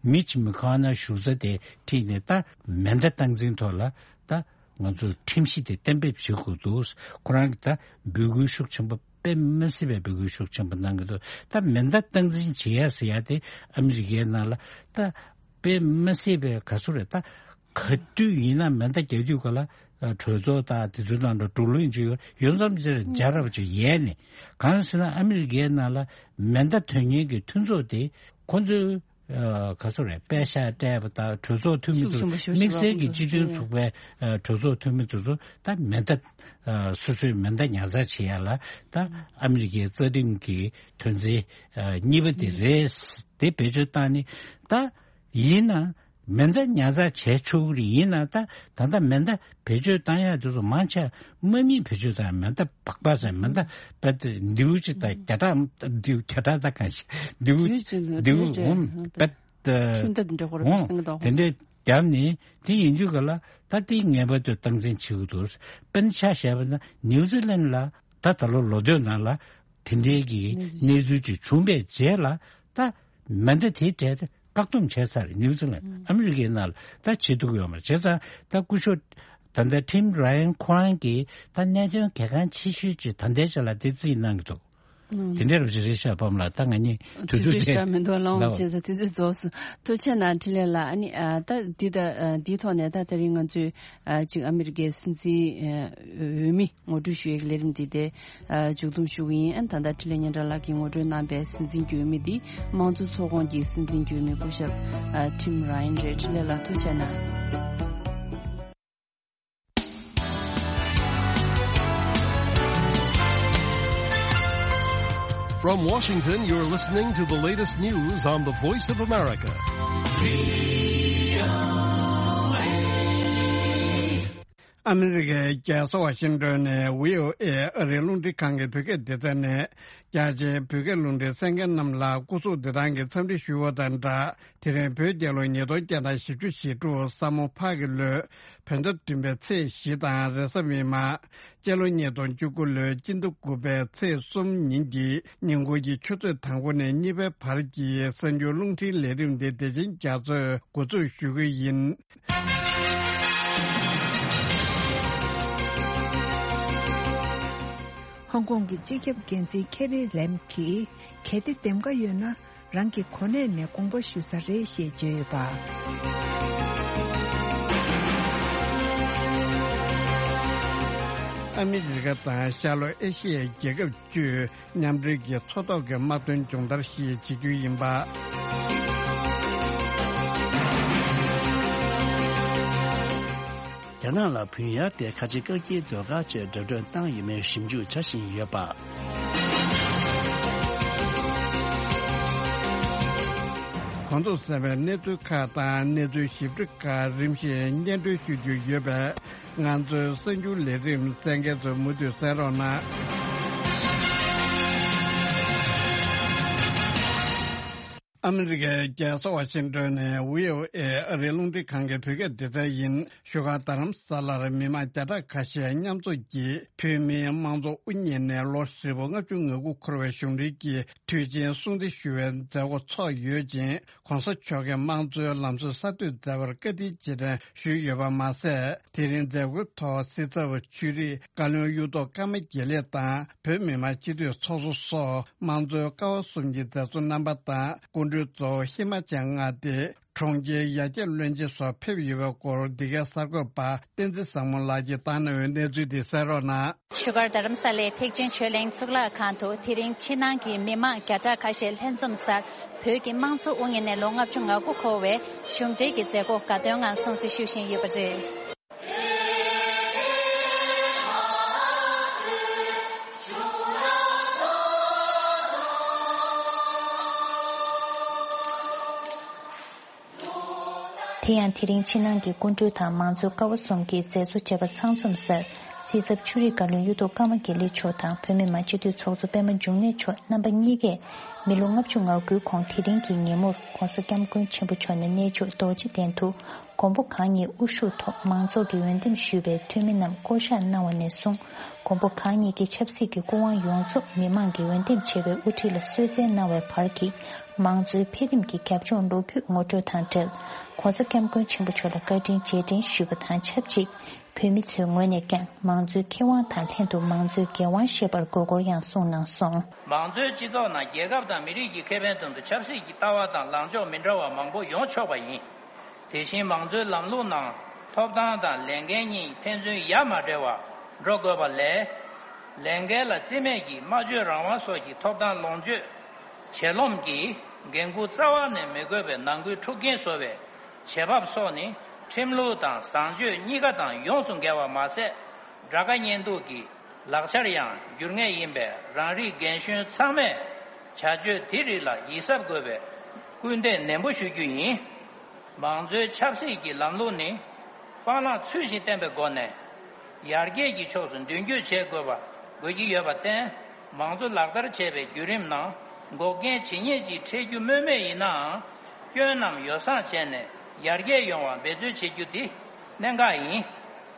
མི་ཆི་མི་ཁ་ན་བཞུགས་ས་དེ་ཁྲིད་ནས་ད་མེ་མདའ་སྟངས་འཛིན་ཐོག་ལ་ད་ང་ཚོས་ཁྲིམས་གཞི་དེ་གཏན་འབེབས་བྱེད་དགོས་འདུག་ཁོ་རང་གིས་ད་འབོད་སྐུལ་ཤུགས་ཆེན་པོ་དཔེ་མ་སྲིད་པའི་འབོད་སྐུལ་ཤུགས་ཆེན་པོ་གནང་གི་འདུག་ད་མེ་མདའ་སྟངས་འཛིན་བྱེད་ཡ་ཟེར་ཡ་དེ་ཨ་མི་རི་ཀའི་ནང་ལ་ད་དཔེ་མ་སྲིད་པའི་ག་ཚོད་རེད། ད་ག་དུས་ཡིན་ན་མེ་མདའ་རྒྱག་དུས་ག་ལ་གྲོས་ཚོགས་དང་དེ་ཚོའི་ནང་དུ་བགྲོ་གླེང་བྱེད་ཡོད་ཡོད་མཚམས་ཅིག་རྒྱ་རབ་ཅིག་ཡལ་ནས་གང་ཟེར་ན་ཨ་མི་རི་ཀའི་ནང་ལ་མེ་མདའ་ཐོན་མཁན་གྱི་མཐུན་ཚོགས་དེ་ཁོ་ཚོའི་ག་ཚོད་རེད། པད་ཤག་སྤྲད་པ་དང་གྲོས་ཚོགས་འཐུས་མི་ཚོ་དམིགས་བསལ་གྱི་སྤྱི་མཐུན་ཚོགས་པའི་གྲོས་ཚོགས་འཐུས་མི་ཚོ་ཚོ་ད་མེ་མདའ་སོ་སོའི་མེ་མདའ་ཉར་ཚགས་བྱེད་ཡ་ལ་ད་ཨ་མི་རི་ཀའི་རྩ་ཁྲིམས་ཀྱི་དོན་ཚན་གཉིས་པ་དེ་རེད། དེ་བེད་སྤྱོད་བཏང་ནས་ད་ཡིན་ན། མེ་མདའ་ཉར་ཚགས་བྱས་ཆོག་གི་རེད། ཡིན་ན་ད་ད་ལྟ་མེ་མདའ་བེད་སྤྱོད་བཏང་ཡག་དེ་ཚོ་མང་ཆེ་དམག་མིས་བེད་སྤྱོད་བཏང་ཡག་མེ་མདའ་སྦག་སྦག་ཟེར་མེ་མདའ་བེད་མདེའུ་གཅིག་དང་བརྒྱ་ཕྲག་མདེའུ་བརྒྱ་ཕྲག་ད་གང་ཞིག་མདེའུ་མདེའུ་འོང་བེད་ ད་ཁྲུན་ཏག་འདྲ་ཁོ་རང་ཨོ་སེང་གེ་དོག་དེ་འདྲའི་རྒྱབ་ནས་དེ་ཡིན་དུས་ག་ལ་ད་དེ་ངེས་པར་དུ་སྟངས་འཛིན་བྱེད་དགོས་འདུག་དཔེར་ན་ཆ་བཞག་པ་ན་ནིའུ་ཛི་ལན་ལ་ད་ད་ལོ་ལོ་སྟོད་ནང་ལ་དེ་འདྲའི་གི་གནས་ཚུལ་དེ་བྱུང་བའི་རྗེས་ལ་ད་མེ་མདའ་དེའི་གྲས་དེ་བཀག་སྡོམ་བྱས་ཚར་ནིའུ་ཛི་ལན་ཨ་མི་རི་ཀའི་ནང་ལ་ད་བྱེད་ཐུབ་ཀྱི་ཡོད་མ་རེད། བྱས་ཙང་ད་སྐུ་ཞབས་ད་ལྟ་ཊིམ་ར་ཡན་ཁོ་རང་གིས་ད་གནད་དོན་གལ་འགངས་ཆེ་ཤོས་ཅིག་ད་ལྟའི་ཆ་ལ་དེ་རྩིས་གནང་གི་འདུག་དེ་འདྲ་རེད་ཤག་པམ་ལགས། ད་ང་གཉིས་དུས་དུས་ཚོད་ཚོད་ཞག་མི་འདུག་ལོང་ལབ་བྱས་ཙང་དུས་ཚོད་རྫོགས་སོང་། ཐུགས་རྗེ་གནང་འཕྲིན་ལས་ལགས། ཨ་ནི་ཨ་ད་འདི་ད་ཨ་འདིའི་ཐོག་ནས་ད་དེ་རིང་ང་ཚོས་ཨ་ཅིག་ཨ་མི་རི་ཀའི་སྲིད་འཛིན་ཨ་འོས་མི་ངོ་སྤྲོད་ཞུ་ཡས་ཀྱི་ལས་རིམ་འདི་དེ་ཨ་མཇུག་བསྡོམས་ཞུ་གི་ཡིན། ཨ་ད་ལྟ་འཕྲིན་ལས་སྙན་གྲགས་ལགས་ཀྱིས་ངོ་སྤྲོད་གནང་པའི་སྲིད་འཛིན་འོས་མི་འདི་དམངས་གཙོ་ཚོགས་ཁོངས་ཀྱི་སྲིད་འཛིན་འོས་མི་སྐུ་ཞབས་ཨ་ཊིམ་ར་ཡན་རེད། འཕྲིན་ལས་ལགས་ཐུགས་རྗེ་གནང་། From Washington, you're listening to the latest news on the Voice of America. ཨ་མི་རི་ཀའི་རྒྱལ་ས་ཝ་ཤིང་ཏོན་ནས་བྷི་ཨོ་ཨེ་ཨ་རིའི་རླུང་འཕྲིན་ཁང་གི་བོད་སྐད་སྡེ་ཚན་ནས། རྒྱ་ཆེའི་བོད་སྐད་རླུང་འཕྲིན་གསན་མཁན་རྣམས་ལ་སྐུ་གཟུགས་བདེ་ཐང་གི་འཚམས་འདྲི་ཞུ་བ་དང་སྦྲགས། དེ་རིང་བོད་རྒྱལ་ལོ་ཉིས་སྟོང་བརྒྱ་དང་བཞི་བཅུ་ཞེ་དྲུག་ས་མོ་ཕག་གི་ལོའི་བོད་ཟླ་བདུན་པའི་ཚེས་བཞི་དང་རེས་གཟའ་མིག་དམར། སྤྱི་ལོ་ཉིས་སྟོང་བཅུ་དགུ་ལོའི་སྤྱི་ཟླ་དགུ་པའི་ཚེས་གསུམ་ཉིན་གྱི་ཉིན་གུང་གི་ཆུ་ཚོད་དང་པོ་ནས་གཉིས་པའི་བར་གྱི་གསར་འགྱུར་རླུང་འཕྲིན་ལས་རིམ་འདི་བདེ་ཆེན་རྒྱ་མཚོས་འགོ་འཛུགས་ཞུ་གི་ཡིན། ཧོང་ཀོང་གི་སྤྱི་ཁྱབ་འགན་འཛིན་ཁེ་རི་ལེམ་གྱིས་གལ་ཏེ་འདེམས་ཀ་ཡོད་ན། རང་གི་གོ་གནས་ནས་དགོངས་པ་ཞུ་ས་རེད་ཞེས་བརྗོད་ཡོད་པ། ཨ་མི་རི་ཀ་དང་ཤར་ལྷོ་ཨེ་ཤི་ཡའི་རྒྱལ་ཁབ་བཅུས་མཉམ་འབྲེལ་གྱིས་མཚོ་ཐོག་གི་དམག་དོན་སྦྱོང་བརྡར་ཞིག་བྱེད་རྒྱུ་ཡིན་པ། རྒྱ་ནག་ལ་བུན་གཡར་ཏེ་ཁ་ཆེ་བཀག་སྐྱིལ་ཟློས་གར་ཆེད་འགྲོ་གྲོན་བཏང་ཡོད་མེད་ཞིབ་འཇུག་བྱ་བཞིན་ཡོད་པ། གོང་དུ་གསན་པའི་གནས་ཚུལ་ཁག་དང་གནས་ཚུལ་ཞིབ་ཕྲ་ཁག་རིམ་བཞིན་སྙན་སྒྲོན་ཞུ་རྒྱུ་ཡོད་པས། ང་ཚོའི་གསར་འགྱུར་ལས་རིམ་གསན་མཁན་ཚོས་མུ་མཐུད་གསན་རོགས་གནང་། ཨ་མི་རི་ཀའི་རྒྱལ་ས་ཝ་ཤིང་ཏོན་ནས་བྷི་ཨོ་ཨེ་ཨ་རིའི་རླུང་འཕྲིན་ཁང་གི་བོད་སྐད་སྡེ་ཚན་ཡིན། བཞུགས་སྒར་རྡ་རམ་ས་ལར་མི་མང་བརྒྱ་ཕྲག་ཁ་ཤས་མཉམ་འཛོམས་ཀྱིས་བོད་མིའི་དམངས་གཙོ་དབུ་བརྙེས་ནས་ལོ་ཧྲིལ་པོ་ལྔ་བཅུ་ང་དགུ་འཁོར་བའི་གཞུང་འབྲེལ་གྱི་དུས་ཆེན་སྲུང་བརྩི་ཞུ་བའི་མཛད་སྒོ་ཚོགས་ཡོད་ཅིང་། ྋགོང་ས་མཆོག་གིས་དམངས་གཙོའི་ལམ་སྲོལ་གསར་གཏོད་མཛད་པར་བཀའ་དྲིན་རྗེས་དྲན་ཞུས་ཡོད་པ་མ་ཟད། དེ་རིང་མཛད་སྒོའི་ཐོག་སྲིད་ཚབ་ཆོས་རིག་བཀའ་བློན་གཡུ་ཐོག་ཀརྨ་དགེ་ལེགས་དང་། བོད་མི་མང་སྤྱི་འཐུས་ཚོགས་གཙོ་སོགས་དམངས་གཙོའི་ཀ་བ་གསུམ་གྱི་མཛད་གཙོ་རྣམ་པ་དང་། སྐུ་མགྲོན་གཙོ་བོ་ཧི་མ་ཅལ་མངའ་སྡེ་གྲོང་ཁྱེར་ཡར་རྒྱས་བློན་ཆེན་སོགས་ཕེབས་ཡོད་པའི་སྐོར། འདི་གའི་གསར་འགོད་པ་བསྟན་འཛིན་བཟང་མོ་ལགས་ཀྱིས་བཏང་གནང་བའི་གནས་ཚུལ་དེ་གསན་རོགས་གནང་། བཞུགས་སྒར་རྡ་རམ་ས་ལའི་ཐེག་ཆེན་ཆོས་གླིང་གཙུག་ལག་ཁང་དུ་དེ་རིང་ཕྱི་ནང་གི་མི་མང་བརྒྱ་ཕྲག་ཁ་ཤས་ལྷན་འཛོམས་སར། བོད་ཀྱི་དམངས་གཙོ་དབུ་བརྙེས་ནས་ལོ་ལྔ་བཅུ་ང་དགུ་འཁོར་བའི་གཞུང་འབྲེལ་གྱི་མཛད་སྒོ་དགའ་སྟོན་ངང་སྲུང་བརྩི་ཞུ་བཞིན་ཡོད་པ་རེད། དེ་ཡང་དེ་རིང་ཕྱི་ནང་གི་སྐུ་མགྲོན་དང་མང་གཙོའི་ཀ་བ་གསུམ་གྱི་མཛད་གཙོ་བཅས་པ་ཚང་འཛོམས་སར། སྲིད་ཚབ་ཆོས་རིག་བཀའ་བློན་གཡུ་ཐོག་ཀརྨ་དགེ་ལེགས་མཆོག་དང་། བོད་མི་མང་སྤྱི་འཐུས་ཚོགས་གཙོ་པད་མ་འབྱུང་གནས་མཆོག་རྣམ་པ་གཉིས་ཀས། མི་ལོ་ལྔ་བཅུ་ང་དགུའི་གོང་དེ་རིང་གི་ཉིན་མོར་༧གོང་ས་༧སྐྱབས་མགོན་ཆེན་པོ་མཆོག་ནས་གནས་མཆོག་རྡོ་རྗེ་གདན་དུ། མགོན་པོ་གང་ཉིད་དབུ་བཞུགས་ཐོག་མང་ཚོགས་ཀྱིས་འོས་འདེམས་ཞུས་པའི་འཐུས་མི་རྣམས་བསྐོ་གཞག་གནང་བ་ནས་བཟུང་། མགོན་པོ་གང་ཉིད་ཀྱི་ཆབ་སྲིད་ཀྱི་སྐུ་དབང་ཡོངས་རྫོགས་མི་མང་གིས་འོས་འདེམས་བྱས་པའི་དབུ་ཁྲིད་ལ་གསོལ་སྩལ་གནང་བའི་བར་གྱི། མང་གཙོའི་འཕེལ་རིམ་གྱི་རྒྱབ་ལྗོངས་ལོ་རྒྱུས་ངོ་སྤྲོད་དང་འབྲེལ། ྋགོང་ས་ྋསྐྱབས་མགོན་ཆེན་པོ་མཆོག་ལ་བཀའ་དྲིན་རྗེས་དྲན་ཞུས་པ་དང་ཆབས་ཅིག་བོད་མི་ཚོའི་ངོས་ནས་ཀྱང་མང་གཙོའི་ཁེ་དབང་དང་ལྷན་དུ་མང་གཙོའི་འགན་དབང་བཞེས་པར་དགོས་སྐོར་ཡང་གསུངས་གནང་སོང་། མང་གཙོའི་སྤྱི་ཚོགས་ནང་རྒྱལ་ཁབ་དང་མི་རིགས་ཀྱི་ཁེ་ཕན་དོན་དུ་ཆབ་སྲིད་ཀྱི་ལྟ་བ་དང་ལངས་ཕྱོགས་མི་འདྲ་བ་མང་པོ་ཡོང་ཆོག་པ་ཡིན། དེ་བཞིན་མང་གཙོའི་ལམ་ལུགས་ནང་ཐོབ་ཐང་དང་ལས་འགན་གཉིས་ཕན་ཚུན་ཡ་མ་བྲལ་བར་འགྲོ་དགོས་པ་ལས། ལས་འགན་ལ་རྩིས་མེད་ཀྱིས་སྨྲ་བརྗོད་རང་དབང་སོགས་ཀྱི་ཐོབ་ཐང་ལོངས་སྤྱོད། ཆེ་རློམ་གྱིས་འགན་འཁུར་རྩ་བ་ནས་མི་དགོས་པའི་ནང་ཁུལ་འཁྲུག་རྐྱེན་བཟོ་བའི་བྱེད་བབ་སོགས་ནི་ཁྲིམས་ལུགས་དང་བཟང་སྤྱོད་གཉིས་ཀ་དང་ཡོངས་སུ་འགལ་བ་མ་ཟད། དགྲ་དགའ་གཉེན་སྡུག་གི་ལག་ཆར་ཡང་འགྱུར་ངེས་ཡིན་པས། རང་རིགས་རྒན་གཞོན་ཚང་མས་བྱ་སྤྱོད་དེ་རིགས་ལ་ཡིད་གཟབ་དགོས་པའི་སྐུལ་འདེད་ནན་པོ་ཞུ་རྒྱུ་ཡིན། མང་གཙོའི་ཆབ་སྲིད་ཀྱི་ལམ་ལུགས་ནི་སྤང་བླང་ཚུལ་བཞིན་བསྟེན་པའི་སྒོ་ནས་ཡར་རྒྱས་ཀྱི་ཕྱོགས་སུ་མདུན་སྐྱོད་བྱེད་དགོས་པ་དགོས་ཀྱི་ཡོད་པར་བརྟེན། མང་གཙོ་ལག་བསྟར་བྱེད་པའི་བརྒྱུད་རིམ་ནང་འགོག་རྐྱེན་ཇི་སྙེད་ཅིག་འཕྲད་རྒྱུ་སྨོས་མེད་ཡིན་ནའང་། སྐྱོན་རྣམས་ཡོ་བསྲང་བྱས་ནས་ཡར་རྒྱས་ཡོང་བར་འབད་རྩོལ་བྱེད་རྒྱུ་འདི་གནད་འགག་ཡིན།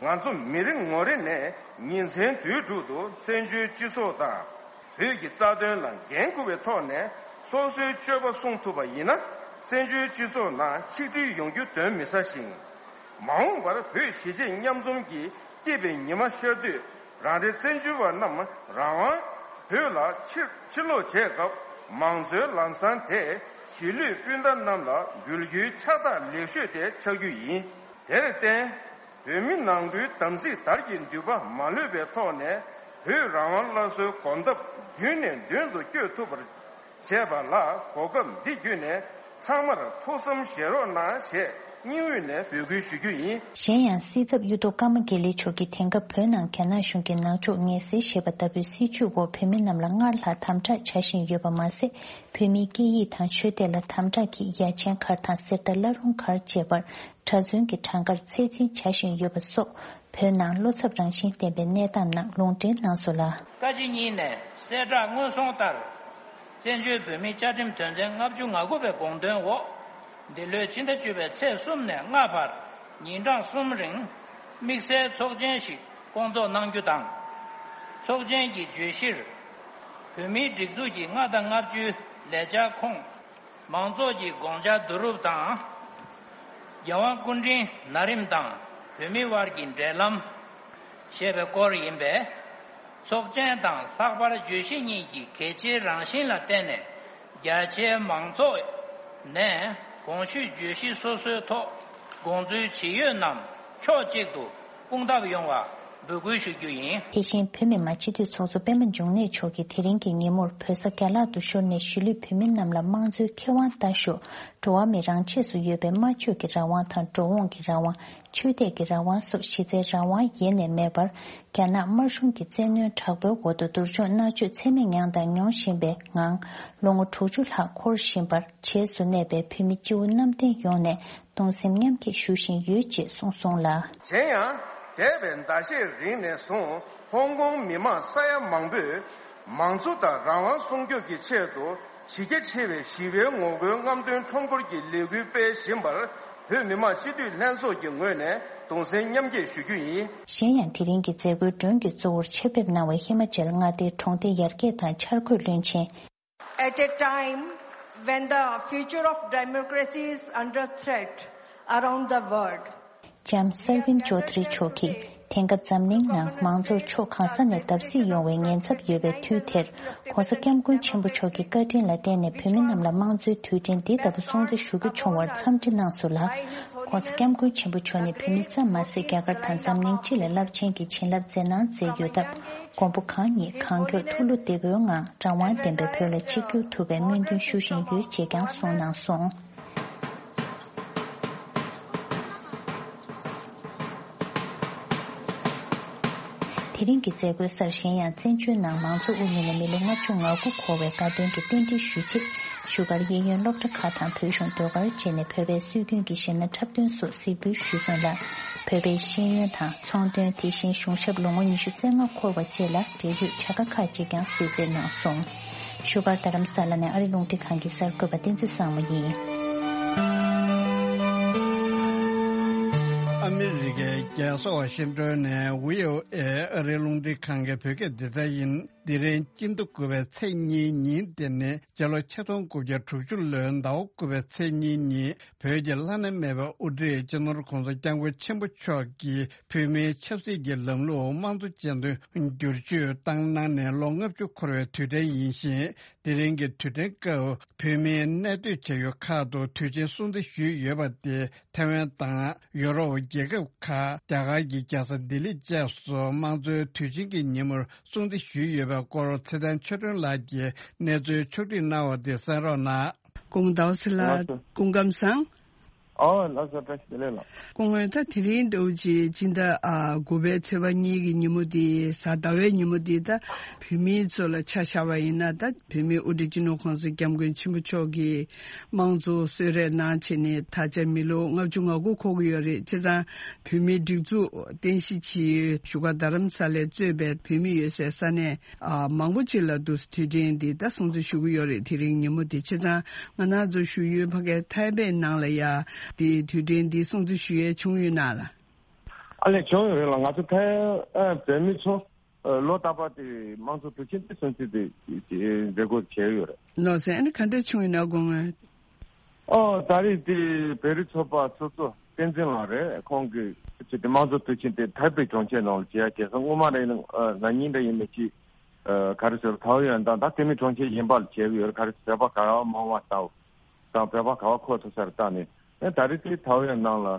ང་ཚོ་མི་རེ་ངོ་རེ་ནས་ཉིན་མཚན་དུས་དྲུག་ཏུ་བཙན་བྱོལ་སྤྱི་ཚོགས་དང་། བོད་ཀྱི་རྩ་དོན་ལ་འགན་འཁུར་བའི་ཐོག་ནས་སོ་སོའི་སྤྱོད་པ་སྲུང་ཐུབ་པ་ཡིན་ན། བཙན་བྱོལ་སྤྱི་ཚོགས་ནང་ཆིག་སྒྲིལ་ཡོང་རྒྱུ་གདོན་མི་ཟ་ཞིང་། མ་འོངས་པར་བོད་གཞིས་བྱེས་མཉམ་འཛོམས་ཀྱིས་སྐྱིད་པའི་ཉི་མ་ཤར་དུས། རང་རེ་བཙན་བྱོལ་བ་རྣམས་རང་དབང་བོད་ལ་ཕྱིར་ཕྱིར་ལོག་བྱས་སྐབས། མང་གཙོའི་ལམ་བཟང་དེ་གཞིས་ལུས་སྤུན་ཟླ་རྣམས་ལ་འབུལ་རྒྱུའི་ཕྱག་རྟགས་ལེགས་ཤོས་དེ་ཆགས་རྒྱུ་ཡིན། དེར་བརྟེན། བོད་མི་ནང་ཁུལ་དམ་ཚིག་དར་གྱི་འདུན་པ་མ་ལྷོད་པའི་ཐོག་ནས། བོད་རང་དབང་སླར་གསོའི་གོམ་སྟབས་མདུན་ནས་མདུན་དུ་བསྐྱོད་ཐུབ་པར་བྱས་པ་ལ། གོ་སྐབས་འདི་བརྒྱུད་ནས་ཚང་མར་ཐུགས་བསམ་བཞེས་རོགས་གནང་ཞེས་སྙིང་དབུས་ནས་འབོད་སྐུལ་ཞུ་རྒྱུ་ཡིན། གཞན་ཡང་། སྲིད་ཚབ་གཡུ་ཐོག་ཀརྨ་དགེ་ལེགས་མཆོག་གིས་དེང་སྐབས་བོད་ནང་རྒྱ་ནག་གཞུང་གིས་ནག་ཕྱོགས་ངན་སེལ་ཞེས་པ་ལྟ་བུའི་སྲིད་བྱུས་འོག་བོད་མི་རྣམས་ལ་སྔར་ལྷག་དམ་དྲག་བྱ་བཞིན་ཡོད་པ་མ་ཟད། བོད་མིའི་སྐད་ཡིག་དང་ཆོས་དད་ལ་དམ་དྲག་གིས་ཡ་ཆེན་མཁར་དང་གསེར་རྟ་བླ་རུང་མཁར་བཅས་པར་གྲྭ་བཙུན་གྱི་གྲངས་ཀར་ཚད་འཛིན་བྱ་བཞིན་ཡོད་པ་སོགས། བོད་ནང་བློ་འཚབ་རང་བཞིན་ལྡན་པའི་གནས་སྟངས་ནང་ལུང་འདྲེན་གནང་སོང་ལ། བཀའ་སྤྱི་གཉིས་ནས་གསལ་བསྒྲགས་སྔོན་སོང་ལྟར། བཙན་བྱོལ་བོད་མིའི་བཅའ་ཁྲིམས་དོན་ཚན་ལྔ་བཅུ་ང་དགུ་པའི་དགོངས་དོན་འོག་འདི་ལོའི་ཕྱི་ཟླ་བཅུ་པའི་ཚེས་གསུམ་ནས་ལྔ་བར་ཉིན་གྲངས་གསུམ་རིང་དམིགས་བསལ་ཚོགས་ཆེན་ཞིག་སྐོང་ཚོགས་གནང་རྒྱུ་དང་། ཚོགས་ཆེན་གྱི་བརྗོད་གཞིར། བོད་མིའི་སྒྲིག་འཛུགས་ཀྱི་ལྔ་དང་ལྔ་བཅུའི་ལས་འཆར་ཁོངས། མང་ཚོགས་ཀྱི་དགོངས་འཆར་བསྡུ་རུབ་དང་། རྒྱལ་དབང་སྐུ་ཕྲེང་ན་རིམ་དང་བོད་མི་དབར་གྱི་འབྲེལ་ལམ། ཞེས་པའི་སྐོར་ཡིན་པས། ཚོགས་ཆེན་དང་ལྷག་པར་བརྗོད་གཞི་གཉིས་ཀྱི་གལ་ཆེའི་རང་བཞིན་ལ་བརྟེན་ནས། རྒྱ་ཆེའི་མང་ཚོགས་ནས་གོང་ཞུས་བརྗོད་གཞི་སོ་སོའི་ཐོག་དགོངས་ཚུལ་ཇི་ཡོད་རྣམས་ཕྱོགས་གཅིག་ཏུ་སྐོང་ཐབས་ཡོང་བ་འབོད་སྐུལ་ཞུ་རྒྱུ་ཡིན། དེ་བཞིན་བོད་མི་མང་སྤྱི་འཐུས་ཚོགས་གཙོ་སྤེན་པ་འབྱུང་གནས་མཆོག་གིས་དེ་རིང་གི་ཉིན་མོར་བོད་ས་རྒྱ་ལག་ཏུ་ཤོར་ནས་གཞིས་ལུས་བོད་མི་རྣམས་ལ་དམངས་གཙོའི་ཁེ་དབང་ལྟ་ཞོག་འགྲོ་བ་མི་རང་ཆས་སུ་ཡོད་པའི་སྨྲ་བརྗོད་ཀྱི་རང་དབང་དང་འགྲོ་འོང་གི་རང་དབང་། ཆོས་དད་ཀྱི་རང་དབང་སོགས་གཞི་རྩའི་རང་དབང་ཡེ་ནས་མེད་པར། རྒྱ་ནག་དམར་གཞུང་གི་བཙན་གནོན་དྲག་པོའི་འོག་ཏུ་སྡུག་སྦྱོང་མནར་གཅོད་ཚད་མེད་མྱངས་དང་མྱོང་བཞིན་པའི་ངང་། ལོ་ངོ་དྲུག་ཅུ་ལྷག་འཁོར་བཞིན་པར། བྱེས་སུ་གནས་པའི་བོད་མི་སྤྱི་བོ་གནམ་བསྟན་ཡོངས་ནས་གདུང་སེམས་མཉམ་སྐྱེད་ཞུ་བཞིན་ཡོད་ཅེས་གསུངས་སོང་ལ། གཞན་ཡང་། འདས་པའི་ཟླ་ཤས་རིང་ནས་བཟུང་ཧོང་ཀོང་མི་མང་ས་ཡ་མང་པོས་མང་གཙོ་དང་རང་དབང་སྲུང་སྐྱོབ་ཀྱི་ཆེད་དུ་གཞི་རྒྱ་ཆེ་བའི་ཞི་བའི་ངོ་རྒོལ་རྔམ་སྟོན་ཁྲོམ་སྐོར་གྱི་ལས་འགུལ་སྤེལ་བཞིན་པར་བོད་མི་མང་སྤྱི་འཐུས་ལྷན་ཚོགས་ཀྱི་ངོས་ནས་གདུང་སེམས་མཉམ་སྐྱེད་ཞུ་རྒྱུ་ཡིན། གཞན་ཡང་། དེ་རིང་གི་མཛད་སྒོའི་མགྲོན་གྱི་གཙོ་བོར་ཆེད་ཕེབས་གནང་བའི་ཧི་མ་ཅལ་མངའ་སྡེའི་གྲོང་སྡེ་ཡར་རྒྱས་དང་འཆར་འགོད་བློན་ཆེན། At a time when the future of democracy is under threat around the world, ལྕམ་སར་ཝིན་ཅོ་དྷ་རི་མཆོག་གིས་དེང་སྐབས་འཛམ་གླིང་ནང་མང་གཙོར་ཕྱོགས་གང་ས་ནས་བརྡབ་གསིག་ཡོང་བའི་ཉེན་ཚབས་ཡོད་པའི་དུས་དེར། ྋགོང་ས་ྋསྐྱབས་མགོན་ཆེན་པོ་མཆོག་གི་བཀའ་དྲིན་ལ་བརྟེན་ནས་བོད་མི་རྣམས་ལ་དམངས་གཙོའི་དུས་དྲན་འདི་ལྟ་བུ་སྲུང་བརྩི་ཞུ་རྒྱུ་བྱུང་བར་འཚམས་འདྲི་གནང་སོང་ལ། ྋགོང་ས་ྋསྐྱབས་མགོན་ཆེན་པོ་མཆོག་ནི་བོད་མི་ཙམ་མ་ཟད། རྒྱ་གར་དང་འཛམ་གླིང་སྤྱི་ལ་རླབས་ཆེན་གྱི་བྱིན་རླབས་མཛད་གནང་མཛད་ཡོད་སྟབས། མགོན་པོ་གང་ཉིད་གང་མགྱོགས་ཐུགས་བློ་བདེ་པོའི་ངང་རང་དབང་ལྡན་པའི་བོད་ལ་ཆིབས་བསྒྱུར་ཐུབ་པའི་སྨོན་འདུན་ཞུ་བཞིན་ཡོད་ཅེས་ཀྱང་གསུངས་གནང་སོང་། དེ་རིང་གི་མཛད་སྒོའི་སར། གཞན་ཡང་། བཙན་བྱོལ་ནང་མང་གཙོ་དབུ་བརྙེས་ནས་མི་ལོ་ལྔ་བཅུ་ང་དགུ་འཁོར་བའི་དགའ་སྟོན་གྱི་རྟེན་འབྲེལ་ཞུ་ཆེད། བཞུགས་སྒར་གཡས་གཡོན་སློབ་གྲྭ་ཁག་དང་བོད་གཞུང་ཟློས་གར་བཅས་ནས་བོད་པའི་སྲོལ་རྒྱུན་གྱི་གཞས་སྣ་འཁྲབ་སྟོན་སོགས་གཟིགས་འབུལ་ཞུས་སོང་ལ། བོད་པའི་ཤེས་ཡོན་དང་ཚོང་དོན། དེ་བཞིན་གཞུང་ཞབས་ལོ་ངོ་ཉི་ཤུ་རྩ་ལྔ་འཁོར་བ་བཅས་ལ་འབྲེལ་ཡོད་བྱ་དགའ་ཁག་ཅིག་ཀྱང་གསོལ་སྩལ་གནང་སོང་། བཞུགས་སྒར་རྡ་རམ་ས་ལ་ནས་ཨ་རི་རླུང་འཕྲིན་ཁང་གི་གསར་འགོད་པ་བསྟན་འཛིན་བཟང་མོ་ཡིན། ཨ་མི་རི་ཀའི་རྒྱལ་ས་ཝ་ཤིང་ཏོན་ནས་ཝི་ཨོ་ཨེ་ཨ་རིའི་རླུང་འཕྲིན་ཁང་གི་བོད་སྐད་སྡེ་ཚན་ཡིན། འདི་རིང་སྤྱི་ཟླ་དགུ་པའི་ཚེས་གཉིས་ཉིན་དེ་ནི་སྤྱི་ལོ་ཆིག་སྟོང་དགུ་བརྒྱ་དྲུག་ཅུ་ལོའི་ཟླ་བ་དགུ་པའི་ཚེས་གཉིས་ཉིན་བོད་ཀྱི་བླ་ན་མེད་པའི་དབུ་ཁྲིད་སྤྱི་ནོར་༧གོང་ས་༧སྐྱབས་མགོན་ཆེན་པོ་མཆོག་གིས་བོད་མིའི་ཆབ་སྲིད་ཀྱི་ལམ་ལུགས་དམངས་གཙོ་ཅན་དུ་བསྒྱུར་བཅོས་བཏང་གནང་ནས་ལོ་ལྔ་བཅུ་འཁོར་བའི་དུས་དྲན་ཡིན་ཞིང་། དེ་རིང་གི་དུས་དྲན་སྐབས་བོད་མིའི་གནས་སྡོད་བྱ་ཡུལ་ཁག་ཏུ་དུས་ཆེན་སྲུང་བརྩི་ཞུས་ཡོད་པ་དེ། ཐའེ་ཝན་དང་ཡོ་རོབ་རྒྱལ་ཁབ་ཁག་རྒྱ་གར་གྱི་རྒྱལ་ས་ལྡི་ལི་བཅས་སུ་དམངས་གཙོའི་དུས་ཆེན་གྱི་ཉིན་མོར་སྲུང་བརྩི་ཞུས་ཡོད་པའི་སྐོར་ཚེ་བརྟན་ཆོས་སྒྲོན་ལགས་ཀྱིས་གནས་ཚུལ་ཕྱོགས་སྒྲིག་གནང་བ་དེ་གསན་རོགས་གནང་། སྐུ་ངོ་ཟླ་བ་ཚེ་ལགས། སྐུ་ཁམས་བཟང་། ཨོ་ལགས་སོ། བཀྲ་ཤིས་བདེ་ལེགས་ལགས། སྐུ་ངོ། ད་དེ་རིང་འདྲ་བོ་ཅིག་སྤྱི་ཟླ་ཨ་དགུ་པའི་ཚེས་པ་གཉིས་ཀྱི་ཉིན་མོ་འདི་གཟའ་ཟླ་བའི་ཉིན་མོ་འདི་ད་བོད་མི་ཚོ་ལ་ཆ་བཞག་པ་ཡིན་ན། ད་བོད་མིའི་དབུ་ཁྲིད་སྤྱི་ནོར་གོང་ས་སྐྱབས་མགོན་ཆེན་པོ་མཆོག་གིས་དམངས་གཙོ་གསོལ་རས་གནང་བྱས་ནས་ད་ཆ་མི་ལོ་ལྔ་བཅུ་ང་དགུ་འཁོར་གྱི་ཡོད་རེད། བྱས་ཙང་བོད་མིའི་སྒྲིག་འཛུགས་རྟེན་གཞི་བྱས་བཞུགས་སྒར་རྡ་རམ་ས་ལས་གཙོས་པའི་བོད་མི་ཡོད་སའི་ས་གནས་ཨ་མང་པོ་ཅིག་ལ་འདུག་སེ་དུས་དྲན་འདི་ད་སྲུང་བརྩི་ཞུ་གི་ཡོད་རེད། དེ་རིང་ཉིན་མོ་འདི། བྱས་ཙང་ང་རང་ཚོ་བཞུགས་ཡུལ་ཕ་གའི་ཐའེ་པེ་ནང་ལ་ཡ་འདི་དུས་དྲན་འདི་སྲུང་བརྩི་ཞུ་ཡས་བྱུང་ཡོད་ན་ལགས། ཨ་ལས། བྱུང་ཡོད་རེད་ལགས། ང་ཚོ་ཐའེ་ཨ་བོད་མི་ཚོ་ཨ་ལོ་རྟག་པར་དེ་དམངས་གཙོ་དུས་ཆེན་དེ་སྲུང་བརྩི་དེ་མཛད་སྒོ་བྱས་ཡོད་རེད། ལགས་སོ། ཨ་ནི་ག་འདྲ་བྱུང་ཡོད་ན་དགོངས་ངོ་། ཨོ། ད་རེས་དེ་བོད་རིགས་ཚོགས་པ་སོ་སོ་བསྟན་འཛིན་ལགས་རེད། ཁོང་གིས་ཅིག་དེ་དམངས་གཙོ་དུས་ཆེན་དེ་ཐའེ་པེ་གྲོང་ཁྱེར་ནང་ལ་བྱས་ཡ་གལ་སྲིད་སྔོན་མ་རེད་ན་ན་ནིང་འདྲ་ཡིན་ནའི་ཅིག་ཨ་ག་རེ་ཟེར། ཐའོ་ཡོན་དང་ད་དེ་མིན་གྲོང་ཁྱེར་གཞན་པ་ལ་བྱས་ཡོད་རེད། ག་རེ་ཟེར། བོད་པ་ག་བ་མང་བ་ལྟ་བུ་དང་བོད་པ་ག་བ་མཁོ་ཐུབ་ས་རེད་བལྟས་ནས། ཨ་ད་རེས་དེ་ཐའོ་ཡོན་ནང་ལ་ཨ་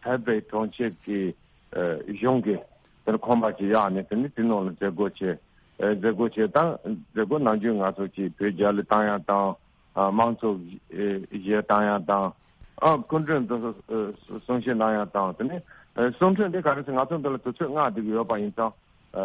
ཐའེ་པེ་གྲོང་ཁྱེར་གྱི་ཨ་གཞུང་གིས་དེར་ཁང་པ་ཅིག་གཡར་ནས། དེ་ནས་དེ་ནང་ལ་མཛད་སྒོ་བྱས། ཨ་མཛད་སྒོ་བྱས་དང་མཛད་སྒོ་ནམ་རྒྱུན་ང་ཚོ་ཅིག་བོད་རྒྱ་གླུ་བཏང་ཡ་དང་། ཨ་དམངས་གཙོ་གཞས་བཏང་ཡ་དང་། ཨ་སྐུ་མགྲོན་དེ་ཚོ་གསུང་བཤད་གནང་ཡ་དང་། དེ་ནས་ཨ་གསུང་འཕྲིན་འདི་ག་རེ་ཟེར། ང་ཚོ་འདི་ལ་དུས་ཚོད་མངགས་བསྡད་ཀྱི་ཡོད་པ་ཡིན་ཙང་། ཨ་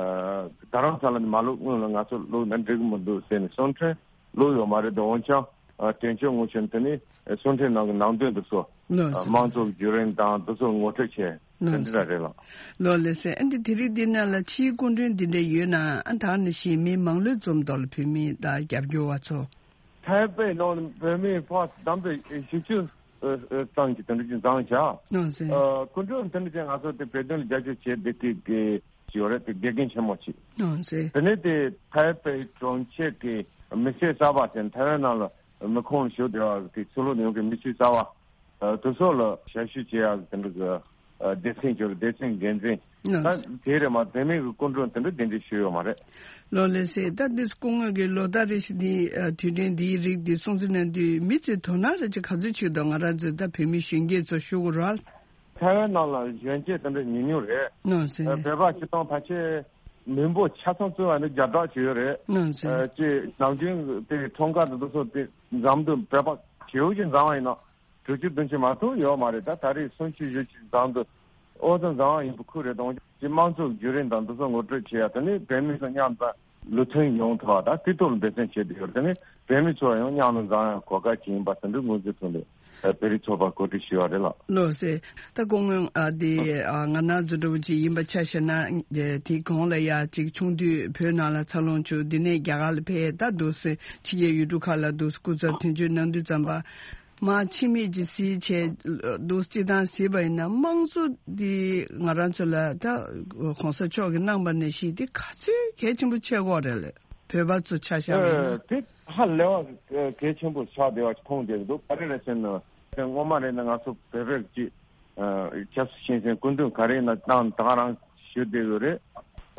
རྡ་རམ་ས་ལ་ནས་མ་ལོག་སྔོན་ལ་ང་ཚོ་ལོག་ན་འགྲིག་གི་མི་འདུག་ཟེར་ནས་གསུང་འཕྲིན་བླུགས་ཡོད་མ་རེད་དོ། འོན་ཀྱང་ཨ་དྲན་གཅོད་ངོ་ཤེས་དེ་ནས་གསུང་འཕྲིན་ནང་གི་ནང་དོན་འདི་ཚོ། ལགས་སོ། དམངས་གཙོ་བརྒྱུད་རིམ་དང་འདི་ཚོ་ངོ་སྤྲོད་བྱས། ལགས་སོ། དེ་འདྲ་རེད་ལགས། ལགས་ལགས་སོ། ཨ་འདི་དེ་རིང་འདི་ནང་ལ་ཕྱིའི་སྐུ་མགྲོན་འདི་འདྲ་ཡོད་ན། ཨ་ད་ནི་གཞན་མི་མང་ལོས་འཛོམས་ཐོག་ལ་བོད་མི་དང་རྒྱབ་སྐྱོར་བ་ཚོ། ཐའེ་པེ་ནང་བོད་མི་ཕར་བདམས་པའི་བཞི་བཅུ་ཙམ་གྱི་དེ་འདྲ་ཅིག་འཛོམས་བྱ། ལགས་སོ། ཨ་སྐུ་མགྲོན་དེ་འདྲ་ཅིག་ང་ཚོ་དེ་བོད་དོན་ལ་རྒྱབ་སྐྱོར་བྱེད་བསྡད་མཁན་གྱི་ཡོད་རེད། དེ་དགེ་རྒན་ཆེན་མོ་ཅིག། ལགས་སོ། དེ་ནས་དེ་ཐའེ་པེ་གྲོང་ཁྱེར་གྱི་མི་སེར་གསར་པ་ཟེར། ཐའེ་ཝན་ནང་ལ་མི་ཁོངས་ཞུགས་བསྡད་པ་གི་ཕྱི་ལོགས་ནས་ཡོང་མཁན་མི་སེར་གསར་པ་ཨ་དེ་ཚོ་ལ་ཞབས་ཞུ་བྱེད་ཡག་གི་དེ་འདྲ་གི་ཨ་སྡེ་ཚན་ཅིག་ཡོད་རེད། སྡེ་ཚན་འགན་འཛིན། ལགས་སོ། ད་དེ་རེད་མ། དེ་མིན་གྱི་སྐུ་མགྲོན་དེ་འདྲ་གདན་འདྲེན་ཞུས་ཡོད་མ་རེད། ལགས་ལགས་སོ། ད་འདི་སྐུ་ངོ་གིས་ལོ་ལྟར་རེ་བཞིན་འདི་ཨ་དུས་དྲན་འདིའི་རིགས་འདི་སྲུང་བརྩི་གནང་དུས་མི་ཚོས་དོ་སྣང་རེ་ཅིག་ག་ཚོད་བྱེད་འདུག། ང་རང་ཚོས་ད་བོད་མི་གཞོན་སྐྱེས་ཚོ་ཞུ་དགོས་རེད། ཐའེ་ཝན་ནང་ལ་གཞོན་སྐྱེས་དེ་འདྲ་ཉུང་ཉུང་རེད། ལགས་སོ། ཨ་བོད་པ་སྤྱིར་བཏང་ཕལ་ཆེར་མི་འབོར་ཆ་ཚང་བརྩི་བ་ནི་བརྒྱ་ཕྲག་ཅིག་ཡོད་རེད། ལགས་སོ། ཨ་ཅེ་ནམ་རྒྱུན་དེ་ཁྲོམ་ཁ་དང་དེ་ཚོ་དེ་འཛོམས་དུས་བོད་པ་ཞེ་པོ་ཅིག་འཛོམས་པ་ཡིན་ན། དྲུག་ཅུ་བདུན་ཅུ་མ་གཏོགས་ཡོད་མ་རེད། ད་ད་རེས་སུམ་ཅུ་བཞི་ཅུ་འཛོམས་འདུག། ཨོ་ཙམ་འཛོམས་པ་ཡིན་པ་ཁུལ་རེད། དང་དམངས་གཙོ་བརྒྱུད་རིམ་དང་འདི་ཚོ་ངོ་སྤྲོད་བྱེད་ཡ། དེ་ནས་བོད་མི་ཚོ་མཉམ་དུ་ལུགས་མཐུན་ཡོང་ཐུབ་པ་དང་དེ་ཐོག་ལ་འབད་བརྩོན་བྱེད་དུ་ཡོད། དེ་ནས་བོད་མི་ཚོ་ཡང་མཉམ་དུ་འཛོམས་ཡ་གོ་སྐབས་ཅིག་ཡིན་པ་དེ་འདྲ་ངོས་འཛིན་ཐོག་ནས་བོད་རིགས་ཚོགས་པ་གོ་སྒྲིག་ཞུས་པ་རེད་ལགས། ལགས་སོ། ད་སྐུ་ངོ་ཨ་དེ་ཨ་ང་རང་ཚོ་འདྲ་བོ་ཅིག་ཡིན་པ་ཆ་བཞག་ན། དེ་གོང་ལ་ཡ་ཅིག་ཆུང་དུས་བོད་ནང་ལ་འཚར་ལོངས་བྱུང་། དེ་ནས་རྒྱ་གར་ལ་ཕེབས། ད་འདུག་སེ་ཕྱི་རྒྱལ་ཡུལ་གྲུ་ཁག་ལ་འདུག་སེ་སྐུ་ཚབ་དོན་གཅོད་གནང་དུས་ཙམ་པ། མར་ཕྱི་མིག་ཅིག་གཟིགས་བྱས་འདུག་སྤྱིར་བཏང་གཟིགས་པ་ཡིན་ན་དམངས་གཙོ་འདི་ང་རང་ཚོ་ལ་ད་གོང་ས་མཆོག་གིས་གནང་པ་ནང་བཞིན་འདི་ག་ཚོད་གལ་ཆེན་པོ་ཆགས་ཀྱི་ཡོད་རེད་ལགས། བོད་པ་ཚོ་ཆ་བཞག་པ་ཡིན་ན། ཨ་དེ་ཧ་ལས་པ་གལ་ཆེན་པོ་ཆགས་བསྡད་པ་མཐོང་བསྡད་ཀྱི་འདུག། ག་རེ་རེད་ཟེར་ན། སྔོན་མ་རེད་ན་ང་ཚོ་བོད་པས་ཀྱི་ཨ་ཆབ་སྲིད་ཆེན་སེང་སྐུ་མདུན་ག་རེ་ཡིན་ན་བཏང་། ད་ག་རང་ཞུ་བསྡད་ཡོད་རེད།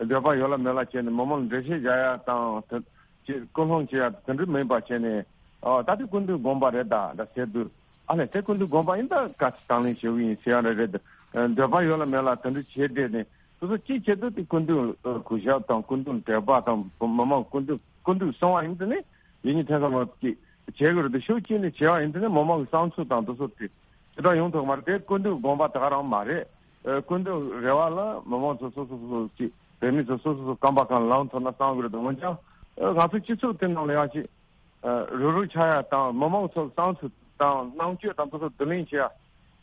འདོད་པ་ཡོད་ལ་མེད་ལ་བྱས་ནས་མི་མང་ལ་འགྲེལ་བཤད་རྒྱག་ཡ་དང་དེ། ཅིག་སྐུལ་སློང་བྱེད་ཡ་དེ་འདྲ་མིན་པ་བྱས་ནས། ཨ་ད་དེ་སྐུ་མདུན་དགོངས་པ་རེད་ད་ད་ཟེར་དུས། ཨ་ལས་དེ་སྐུ་མདུན་དགོངས་པ་ཡིན་ད་ག་ཚོད་དང་ལེན་བྱེད་ཀྱི་ཡིན་ཟེར་ཡ་རེ་རེད། འདོད་པ་ཡོད་ལ་མེད་ལ་དེ་འདྲ་བྱས་བསྡད་ནས་སོ་སོ་ཅིག་བྱེད་དུས་དེ་སྐུ་མདུན་གུས་ཞབས་དང་སྐུ་མདུན་དད་པ་དང་མི་མང་སྐུ་མདུན་སྐུ་མདུན་གསུང་བ་ཡིན་དེ་ནས་ཡིན་ནི་ཐེ་ཚོམ་ཅིག་བྱེད་དགོས་རེད་དེ། ཤུགས་ཅིག་ནས་བྱེད་པ་ཡིན་དེ་ནས་མི་མང་གི་བསམ་ཚུལ་དང་དེ་ཚོ་དེ་དེ་འདྲ་ཡོང་ཐུབ་མ་རེད། དེ་སྐུ་མདུན་དགོངས་པ་ད་ག་རང་མ་རེད། ཨ་སྐུ་མདུན་རེ་བ་ལ་མི་མང་ཚོ་སོ་སོ་སོ་སོ་ཅིག་བོད་མི་ཚོ་སོ་སོ་སོ་རྐང་པ་གང་ལངས་ཐུབ་ན་བསམ་གི་རེད་འདུག། འོན་ཀྱང་ཨ་ང་ཚོ་སྤྱི་ཚོགས་དེ་ནང་ལ་ཡང་ཅིག་ཨ་རུབ་རུབ་ཆགས་ཡ་དང་མི་མང་ཚོ་བསམ་ཚུལ་དང་རྣམ་དཔྱོད་དང་དེ་ཚོ་བསྡུ་ལེན་བྱེད་ཡ་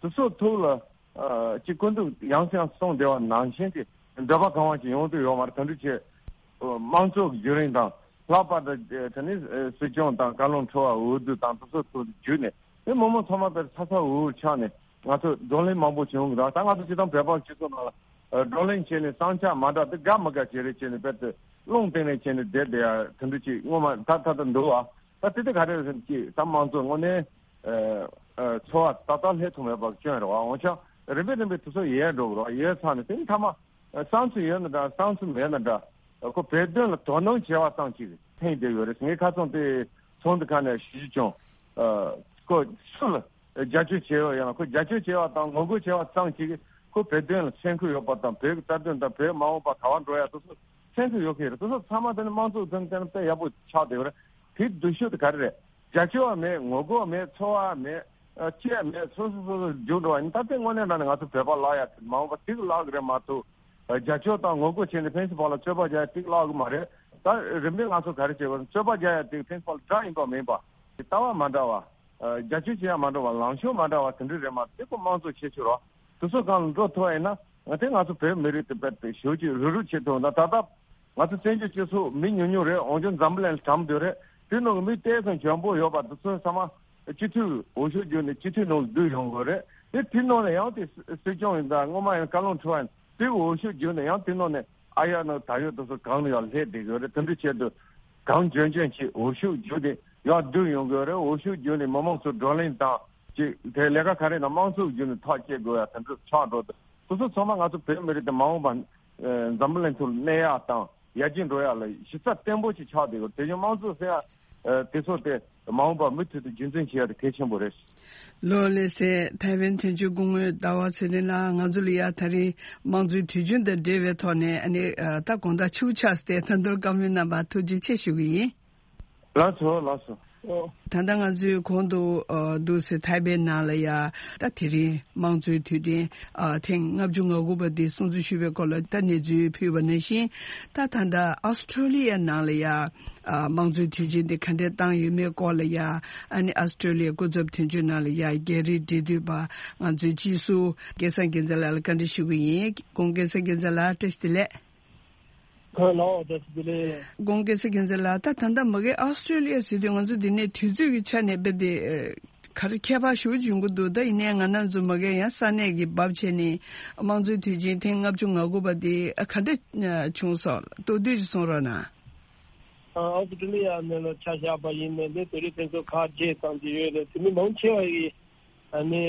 དེ་ཚོ་ཐུགས་ལ་ཨ་ཅིག་སྐུ་མདུན་ཡང་སེ་ཡང་སེ་གསུངས་བསྡད་པ་ནང་བཞིན་གྱི་འདོད་པ་གང་བ་ཅིག་ཡོང་དུས་ཡོད་མ་རེད། དེ་འདྲ་བྱས་དམངས་གཙོ་གི་བརྒྱུད་རིམ་དང་། ལྷག་པར་དུ་དེ་ནི་སྲིད་སྐྱོང་དང་བཀའ་བློན་ཁྲི་པ་འོས་བསྡུ་དང་དེ་ཚོ་ཚོ་བརྒྱུད་ནས་དེ་མི་མང་ཚང་མ་དཔེ་ཚ་ཚ་འུར་འུར་ཆགས་ནས་ང་ཚོ་བགྲོ་གླེང་མང་པོ་བྱུང་གི་རེད། ད་ང་ཚོ་སྤྱིར་བཏང་བོད་པ་སྤྱི་ཚོགས་ནང་ལ་བགྲོ་གླེང་བྱས་ནས་བསམ་འཆར་མ་འདྲ་དེ་དགའ་མི་དགའ་བྱས་རེད་བྱས་ནས་དཔེ་དེ་རླུང་བཏང་ནས་བྱས་ནས་བསྡད་བསྡད་ཡ་དེ་འདྲ་ཅིག་སྔོན་མ་ད་ད་ད་འདུག་ཨ། ད་དེ་དེ་ག་རེ་རེད་ཟེར་ན་ཅིག་ད་དམངས་གཙོ་དངོས་གནས་ཚོར་བ་ཏག་ཏག་སླེབས་ཐུབ་མེད་པ་སྐྱོན་རེད་བ། འོན་ཀྱང་རིམ་པས་རིམ་པས་དེ་ཚོ་ཡལ་འགྲོ་གི་རེད་བ། ཡལ་ཚར་ནས་དེ་ནི་མཐའ་མ། བསམ་ཚུལ་ཡོད་ན་འདྲ་བསམ་ཚུལ་མེད་ན་འདྲ། ཁོ་བོད་དོན་ལ་དོ་སྣང་བྱས་པ་ཙམ་ཅིག་ཕན་བདེ་ཡོད་རེད། ངས་ཁ་སང་དེ་ཚོགས་འདུ་ཁག་ནས་ཞུ་རྒྱུ་བྱུང་། ཁོ་སུ་ལ་རྒྱབ་སྐྱོར་བྱས་ཡོད་ཡང་ན་ཁོ་རྒྱབ་སྐྱོར་བྱས་པ་དང་ངོ་རྒོལ་བྱས་པ་ཙམ་ཅིག་ཁོ་བོད་དོན་ལ་སེམས་ཁུར་ཡོད་པ་དང་བོད་ཀྱི་རྩ་དོན་དང་བོད་མ་འོངས་པ་ག་པར་འགྲོ་ཡ་དེ་ཚོ་སེམས་ཁུར་ཡོད་ཀྱི་རེད། དེ་ཚོ་ཚང་མ་དེ་ནི་དམངས་གཙོ་དོན་དེ་ནི་དཔེ་ཡག་པོ་ཆགས་བསྡད་ཡོད་རེད། དེའི་སྡུག་ཤོས་དེ་ག་རེ་རེད། རྒྱབ་སྐྱོར་བ་མེད། ངོ་རྒོལ་བ་མེད། ཚོར་བ་མེད། ཅི་ཡང་མེད། སོ་སོ་སོ་སོ་རྒྱུགས་འགྲོ་བ་ཡིན། ད་ལྟའི་དངོས་གནས་དྲང་གནས་ང་ཚོ་བོད་པ་ལབ་ཡ་དེ་མ་འོངས་པ་ཏིག་ལབ་གི་རེད་མ་གཏོགས། རྒྱབ་སྐྱོར་དང་ངོ་རྒོལ་བྱས་ནས་ཕན་ཚུན་བར་ལ་རྩོད་པ་རྒྱག་ཡ་ཏིག་ལབ་གི་མ་རེད། ད་རིམ་པས་ང་ཚོ་ག་རེ་བྱེད་དགོས། རྩོད་པ་རྒྱག་ཡ་ཏིག་ཕན་ཚུན་བར་ལ་དགྲ་ཡིན་པ་མིན་པ། ལྟ་བ་མ་འདྲ་བ། རྒྱབ་སྐྱོར་བྱེད་ཡ་མ་འདྲ་བ། ལངས་ཕྱོགས་མ་འདྲ་བ་དེ་འདྲ་རེད་མ་གཏོགས། དེ་ཀོ་དམངས་གཙོ་ཁྱད་ཆོས་རོ། དེ་ཚོ་སྒང་ལ་འགྲོ་ཐུབ་པ་ཡིན་ན། ང་ཚོ་ང་ཚོ་བོད་མི་རིགས་དེ་བེད་དེ་ཞོལ་གྱི་རུབ་རུབ་བྱེད་ཐུབ་ན། ད་ལྟ་ང་ཚོ་བཙན་བྱོལ་སྤྱི་ཚོགས་མི་ཉུང་ཉུང་རེད། འོན་ཀྱང་འཛམ་བུ་གླིང་ལ་གྲམ་དུ་རེད། དེ་ནང་གི་མི་ཏོག་ཙམ་འཇོན་པོ་ཡོད་པ་དེ་ཚོ་ཚང་མ་སྤྱི་འཐུས་འོས་ཤོག་བརྒྱུད་ནས་སྤྱི་འཐུས་ནང་ལ་བསྡུ་ཡོང་དགོས་རེད། དེ་དེ་ནང་ནས་ཡང་དེ་སྲིད་སྐྱོང་ཡིན་ད་སྔོན་མ་ཡང་བཀའ་བློན་ཁྲི་པ་ཡིན་དེ་འོས་ཤོག་བརྒྱུད་ནས་ཡང་དེ་ནང་ནས་ཨ་ཡ་ནང་ད་ཡོད་དེ་ཚོ་གང་ལ་ཡང་སླེབས་བསྡད་ཡོད་རེད། དེ་འདྲའི་ཆེད་དུ་གང་འཇོན་འཇོན་ཅིག་འོས་ཤོག་བརྒྱུད་དེ་ཡང་བསྡུ་ཡོང་དགོས་རེད། འོས་ཤོག་བརྒྱུད་ནས་མི་མང་ཚོ་བགྲོ་གླེང་དང་ཅིག་དེ་ལས་ཀ་ག་རེ་ན་དམངས་གཙོ་བརྒྱུད་ནས་ཐག་བཅད་དགོས་ཡ་དེ་འདྲ་ཆགས་འགྲོ་དུས། སོ་སོ་ཚང་མ་ང་ཚོ་བོད་མི་རིགས་དེ་མ་འོངས་པ་འཛམ་བུ་གླིང་ཐོག་ལ་གནས་ཡག་དང་ཡར་རྒྱས་འགྲོ་ཡག་ལ་གཞི་རྩ་བརྟན་པོ་ཞིག་ཆགས་བསྡད་ཡོད། དེ་བཞིན་དམངས་གཙོ་ཟེར་ཡག་དེ་ཚོ་དེ་མ་འོངས་པ་མུ་མཐུད་དུ་རྒྱུན་འཛིན་བྱེད་ཡག་དེ་གལ་ཆེན་པོ་རེད། ལོ་ལེ་སེ་ཐའེ་ཝན་དོན་གཅོད་སྐུ་ངོ་ཟླ་བ་ཚེ་རིང་ལགས། ང་ཚོ་ལ་ཡ་ད་རིང་དམངས་གཙོའི་དུས་ཆེན་དང་འབྲེལ་བའི་ཐོག་ནས་ཨ་ནི་ད་དགོང་དག་ཕྱི་པོ་ཆགས་སྟེ་ད་དུང་བཀའ་མོལ་གནང་བར་ཐུགས་རྗེ་ཆེ་ཞུ་གི་ཡིན། ལགས་སོ་ལགས་སོ། ད་ལྟ་ང་ཚོས་གོང་དུ་འདུག་སེ་ཐའེ་པེ་ནང་ལ་ཡ་ད་དེ་རིང་དམངས་གཙོའི་དུས་དྲན་ཐེངས་ལྔ་བཅུ་ང་དགུ་པ་འདི་སྲུང་བརྩི་ཞུས་པའི་སྐོར་ལ་ད་གནས་ཚུལ་ཕུལ་བ་ནང་བཞིན། ད་ད་ལྟ་ཨོ་སི་ཀྲོ་ལི་ཡ་ནང་ལ་ཡ་དམངས་གཙོའི་དུས་ཆེན་འདི་ག་འདྲས་བཏང་ཡོད་མེད་སྐོར་ལ་ཡ་ཨ་ནི་ཨོ་སི་ཀྲོ་ལི་ཡ་སྐུ་ཚབ་དོན་གཅོད་ནང་ལ་ཡ་རྒྱ་རིགས་འབྲེལ་མཐུད་པ་ང་ཚོའི་སྤྱི་ཟུར་སྐལ་བཟང་རྒྱལ་མཚན་ལགས་ལ་བཀའ་འདྲི་ཞུ་གི་ཡིན། སྐུ་ངོ་སྐལ་བཟང་རྒྱལ་མཚན་ལགས་བཀྲ་ཤིས་བདེ་ལེགས། ཁོང་ལའོ་བཀྲ་ཤིས་བདེ་ལེགས། སྐུ་ངོ་སྐལ་བཟང་རྒྱལ་མཚན་ལགས། ད་ད་ལྟ་མ་གི་ཨོ་སི་ཀྲོ་ལི་ཡ་ཟེར་དུས་ང་ཚོ་འདི་ནས་དུས་ཚོད་ཀྱི་ཆ་ནས་དཔེ་དེ་ག་རེ་ཁྱད་པར་ཞེ་པོ་ཅིག་ཡོང་གི་འདུག་ད་ཡིན་ནའི་ང་རང་ཚོ་མ་གི་ཡང་ས་གནས་ཀྱི་བབ་བྱས་ནས་དམངས་གཙོའི་དུས་ཆེན་ཐེངས་ལྔ་བཅུ་ང་དགུ་པ་དེ་ག་འདྲ་བྱུང་སོང་། མདོར་བསྡུས་ཅིག་གསུང་རོགས་གནང་། ཨོ་སི་ཀྲོ་ལི་ཡ་ནས་ལ་ཆ་བཞག་པ་ཡིན་ནའི་ནི་བོད་རིགས་ཕན་ཚུན་ཁག་བརྗེས་ཙམ་གྱི་ཡོད་རེད། དེ་མི་མང་ཆེ་བ་ཡིས་ཨ་ནི་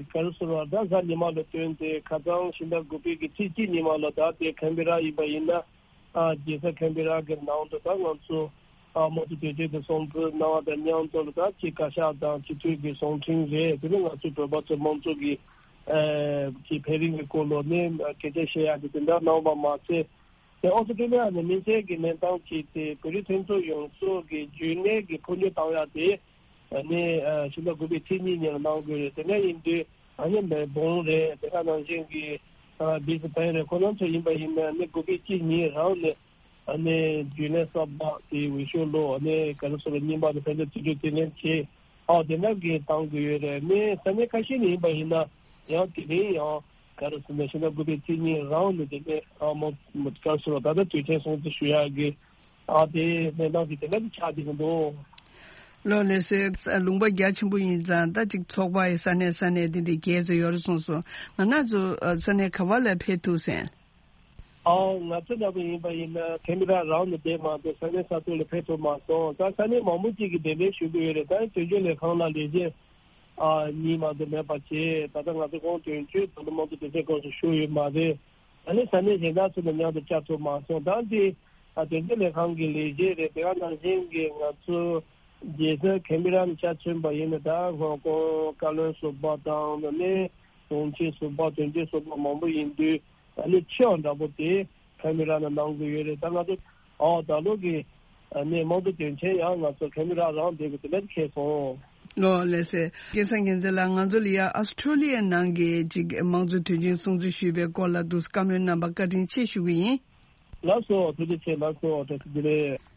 ག་རེ་ཟེར་བ་ད་གཟའ་ཉི་མ་ལ་བསྟུན་ཏེ་ཁ་སང་ཕྱི་ཟླ་དགུ་པའི་གི་ཚེས་གཅིག་ཉི་མ་ལ་ད་དེ་ཁན་བེ་ར་ཡིན་པ་ཡིན་ན། ཨ་རྒྱལ་ས་ཁན་བེ་ར་གི་ནང་དུ་ད་ང་ཚོ་ཨ་དམངས་གཙོ་དོན་གཅོད་དུ་སྲུང་བརྩི་གནང་བ་དང་མཉམ་དུ་ལ་ད་ཅིག་བཀའ་ཤག་དང་སྤྱི་འཐུས་ཀྱི་གསུང་འཕྲིན་རེད། དེ་ནས་ང་ཚོ་བོད་པ་ཚོ་དམངས་གཙོ་གི་ཨ་ཅིག་འཕེལ་རིམ་གྱི་སྐོར་ལ་ནས་སྐད་ཆ་བཤད་ཡག་གི་དེ་འདྲ་གནང་བ་མ་ཟད། དེ་ཨོ་སི་ཀྲོ་ལི་ཡ་ནས་མི་སེར་གྱི་གནས་སྟངས་ཀྱི་དེ་བོད་རིགས་མཐུན་ཚོགས་ཡོངས་རྫོགས་ཀྱི་རྒྱུན་གནས་ཀྱི་འཕོ་འགྱུར་བཏང་ཡག་དེ་ནི་ཕྱི་ཟླ་དགུ་པའི་ཚེས་གཉིས་ཉིན་ལ་གནང་དགོས་རེད། དེ་འདྲ་ཡིན་དུས་ཨ་ནི་མེལ་བོན་རེད། དེ་ག་ནང་བཞིན་གྱི་སྦི་སི་བན་རེད། ཁོ་རང་ཚོ་ཡིན་པ་ཡིན་ན་ནི་དགུ་པའི་ཚེས་གཉིས་རང་ནས་ཨ་ནི་རྒྱུན་ལས་གསར་པ་དེ་འོས་ཤོག་ལོ་ཨ་ནི་ག་རེ་ཟེར་རྙིང་པ་དང་ཕན་ཚུན་རྩིས་སྤྲོད་རྩིས་ལེན་བྱས། ཨ་དེ་འདྲ་གི་བཏང་དགོས་ཡོད་རེད། ནི་ས་གནས་ཁ་ཤས་ནས་ཡིན་པ་ཡིན་ན་ཡང་དེ་རིང་ཡང་ག་རེ་ཟེར་ན་ཕྱི་ཟླ་དགུ་པའི་ཚེས་གཉིས་རང་ནས་དེ་ནས་ཨ་མོ་ག་རེ་ཟེར་ད་ལྟ་དུས་ཆེན་སྲུང་བརྩི་ཞུ་ཡག་གི་ཨ་དེ་གནས་སྟངས་ཀྱི་དེ་འདྲ་གི་ཆགས་བསྡད་ཀྱི་འདུག་ལོ་ལེ་སེ་ལུང་པ་རྒྱ་ཆེན་པོ་ཡིན་ཙང་ད་ཅིག་ཚོགས་པ་ཡི་ས་གནས་ས་གནས་དེ་འདྲའི་རྒྱས་ཚོ་ཡོད་རེད་གསུངས་སོང་། ང་རང་ཚོ་ས་གནས་ག་བ་ལ་ཕེབས་ཐུབ་སོང་། ཨའོ་ང་ཚོ་འདྲ་པོ་ཡིན་པ་ཡིན་ན་ཁེམ་ར་རང་ནས་བསྡད་མ་གཏོགས་ས་གནས་ས་ཐོག་ལ་ཕེབས་ཐུབ་མ་སོང་། ད་ས་གནས་མང་པོ་ཅིག་གིས་གདན་འདྲེན་ཞུ་གི་ཡོད་རེད། ད་དོན་གཅོད་ལས་ཁང་ལ་ལས་བྱེད་ཨ་གཉིས་མ་གཏོགས་མེད་པ་བྱས། ད་ལྟ་ང་ཚོ་ཁོང་དོན་གཅོད་དང་དམངས་གཙོ་དོན་ཚན་ཁོངས་སུ་ཞུགས་ཡོད་མ་རེད། ད་ནི་ས་གནས་གཞན་དག་ཚོ་དང་མཉམ་དུ་བཅར་ཐུབ་མ་སོང་། ད་འདི་ཨ་དོན་གཅོད་ལས་ཁང་གི་ལས་བྱེད་རེད། དེ་ག་ནང་བཞིན་གྱི་ང་ཚོ་རྒྱལ་ས་ཁེམ་ར་ནས་ཆ་མཚོན་པ་ཡིན་ན་ད་ཧོང་ཀོང་བཀའ་བློན་ཟུར་པ་དང་ནི་དྲུང་ཆེ་ཟུར་པ་དོན་གཅོད་ཟུར་པ་མང་པོ་ཡིན་དུས། ཨ་ནི་ཆེ་བ་འདྲ་པོ་དེ་ཁ་མི་ར་ན་གནང་གི་ཡོད་རེད། ད་ང་ཚོ་ཨོ་ད་ལོ་གི་ཨ་ནི་དམངས་གཙོ་དོན་ཆེན་ཡང་ང་ཚོ་ཁ་མི་ར་རང་བསྡད་དགོས་དེ་འདྲ་ཁེལ་སོང་། ལོ་ལེ་སེ་སྐལ་བཟང་རྒྱལ་མཚན་ལགས། ང་ཚོ་ལ་ཡ་ཨོ་སི་ཀྲོ་ལི་ཡའི་ནང་གི་ཅིག་དམངས་གཙོ་དོན་ཆེན་སྲུང་བརྩི་ཞུས་པའི་སྐོར་ལ་འདུག་བཀའ་མོལ་གནང་བར་བཀའ་དྲིན་ཆེ་ཞུ་གི་ཡིན། ལགས་སོ་ཐུགས་རྗེ་ཆེ། ལགས་སོ་བཀྲ་ཤིས་བདེ་ལེགས།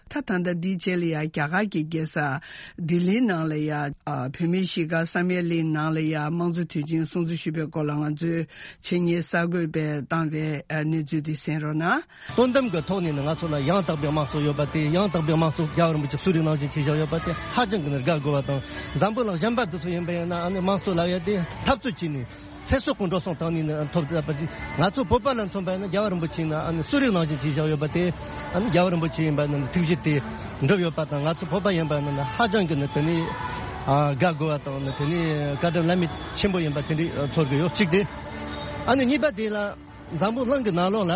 ད་ད་ལྟ་འདིའི་རྗེས་ལ་ཡ་རྒྱ་གར་གྱི་རྒྱལ་ས་ལྡི་ལིའི་ནང་ལ་ཡ་ཨ་བོད་མིའི་གཞིས་ཀ་བསམ་ཡས་གླིང་ནང་ལ་ཡ་དམངས་གཙོ་དུས་ཆེན་སྲུང་བརྩི་ཞུས་པའི་སྐོར་ལ་ང་ཚོའི་ཆེད་གཉེར་གསར་འགོད་པས་བཏང་བའི་ཨ་གནས་ཚུལ་དེ་གསན་རོགས་གནང་། དོན་དམ་གྱི་ཐོག་ནས་ནི་ང་ཚོ་ལ་ཡང་དག་པའི་དམངས་གཙོ་ཡོད་པ་དེ། ཡང་དག་པའི་དམངས་གཙོ་རྒྱལ་བ་རིན་པོ་ཆེ་གསོ་རིག་ནང་བཞིན་བྱས་བཞག་ཡོད་པ་དེ་ཧ་ཅང་གི་ནི་དགའ་དགོས་པ་དང་། འཛམ་བུ་གླིང་གཞན་པ་འདི་ཚོ་ཡིན་པ་ཡིན་ན་ཨ་ནི་དམངས་གཙོ་ལབ་ཡ་དེ་འཐབ་རྩོད་བྱས་ནས། ཚེ་སྲོག་གི་འགྲོ་སོང་བཏང་ནས་ནི་ཐོབ་ཐུབ་པ་ཅིག་ང་ཚོ་བོད་པ་ལ་མཚོན་པ་ཡིན་ན་རྒྱལ་བ་རིན་པོ་ཆེ་ཡིན་ན་ཨ་ནི་གསོ་རིག་ནང་བཞིན་བྱས་བཞག་ཡོད་པ་དེ། ཨ་ནི་རྒྱལ་བ་རིན་པོ་ཆེ་ཡིན་པ་ནི་ཐུགས་རྗེ་དེ་འགྲུབ་ཡོད་པ་དང་། ང་ཚོ་བོད་པ་ཡིན་པ་ནི་ཧ་ཅང་གི་ནི་དེ་ནས་ཨ་དགའ་དགོས་པ་དང་། ནི་དེ་ནས་བཀའ་དྲིན་བླ་མེད་ཆེན་པོ་ཡིན་པ་དེ་འདྲ་ཚོར་གི་ཡོད། གཅིག་དེ། ཨ་ནི་གཉིས་པ་དེ་ལ་འཛམ་བུ་གླིང་གི་ནང་ལོགས་ལ་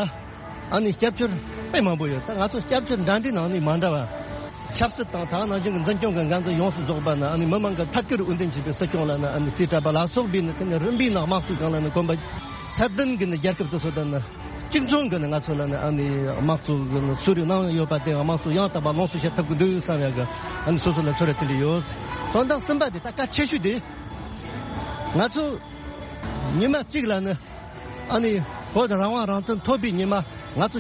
ཨ་ནི་སྐྱབས་བཅོལ་དཔེ་མང་པོ་ཡོད། ད་ང་ཚོ་སྐྱབས་བཅོལ་འདྲ་འདྲའི་ནང་ནས་མ་འདྲ་བ། ཆབ་སྲིད་དང་དེ་ནང་བཞིན་གྱི་འཛིན་སྐྱོང་གི་འགན་འཛིན་ཡོངས་སུ་རྫོགས་པ་ནི་ཨ་ནི་མི་མང་གི་ཐད་ཀར་འོས་འདེམས་བྱས་པའི་སྲིད་སྐྱོང་ལ་ནི་ཨ་ནི་རྩིས་སྤྲད་པ་ལ་སོགས་པའི་ནི་དེ་ནི་རིམ་པས་ནི་དམངས་གཙོའི་སྒང་ལ་ནི་གོམ་པ་ཚད་ལྡན་གྱི་ནི་རྒྱལ་ཁབ་དེ་ཚོ་དང་ནི་ གཅིག་མཚུངས་ཀྱི་ནི་ང་ཚོ་ལ་ནི་ཨ་ནི་དམངས་གཙོ་གི་ནི་སྲོལ་རྒྱུན་གནང་ཡོད་པ་དེ་དམངས་གཙོ་ཡང་དག་པ་ལོངས་སུ་སྤྱད་ཐུབ་ཀྱི་འདུག་བསམ་ཡག་གི་ཨ་ནི་སོ་སོ་ལ་ཚོར་བ་དེ་འདྲ་ཡོད། དོན་དག་གསུམ་པ་དེ་ད་གལ་ཆེ་ཤོས་དེ་ང་ཚོ་ཉི་མ་གཅིག་ལ་ནི་ཨ་ནི་བོད་རང་དབང་རང་བཙན་ཐོབ་པའི་ཉི་མ་ང་ཚོ་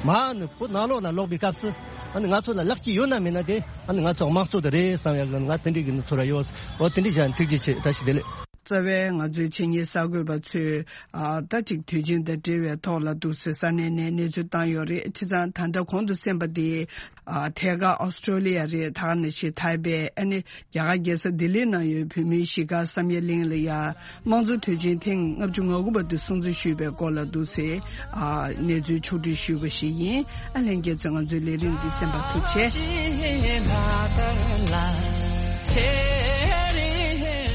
མར་ནི་བོད་ནང་ལོགས་ལ་ལོག་པའི་སྐབས་སུ་ཨ་ནི་ང་ཚོ་ལ་ལེགས་སྐྱེས་ཡོད་ན་མེད་ན་དེ་ཨ་ནི་ང་ཚོ་དམངས་གཙོ་དེ་རེད་བསམ་ཡག་གི་ང་དེ་འདྲའི་གི་ནི་ཚོར་བ་ཡོད། འོ་དེ་འདྲའི་བྱས་ནས་ཐུགས་རྗེ་ཆེ། བཀྲ་ཤིས་བདེ་ལེགས། རྩ་བའི་ང་ཚོའི་ཆེད་གཉེར་གསར་འགོད་པ་ཚོས་ཨ་ཟླ་གཅིག་དུས་ཆེན་དང་འབྲེལ་བའི་ཐོག་ལ་འདུག་སེ་ས་གནས་ནས་གནས་ཚུལ་བཏང་ཡོད་རེད། བྱས་ཙང་ད་ལྟ་གོང་དུ་གསན་པ་དེ་ཨ་ཐད་ཀར་ཨོ་སི་ཀྲོ་ལི་ཡ་རེད། ད་ག་ནང་བཞིན་ཐའེ་པེ་ཨ་ནི་རྒྱ་གར་རྒྱལ་ས་ལྡི་ལིའི་ནང་ཡོད་བོད་མིའི་གཞིས་སྒར་བསམ་ཡས་གླིང་ལ་ཡ་དམངས་གཙོ་དུས་ཆེན་ཐེངས་ལྔ་བཅུ་ང་དགུ་པ་དེ་སྲུང་བརྩི་ཞུས་པའི་སྐོར་ལ་འདུག་སེ་ཨ་གནས་ཚུལ་ཕྱོགས་བསྒྲིགས་ཞུས་པ་ཞིག་ཡིན། ཨ་ལྷན་རྒྱས་ཚོས་ང་ཚོའི་ལས་རིམ་འདི་གསན་པར་ཐུགས་རྗེ་ཆེ།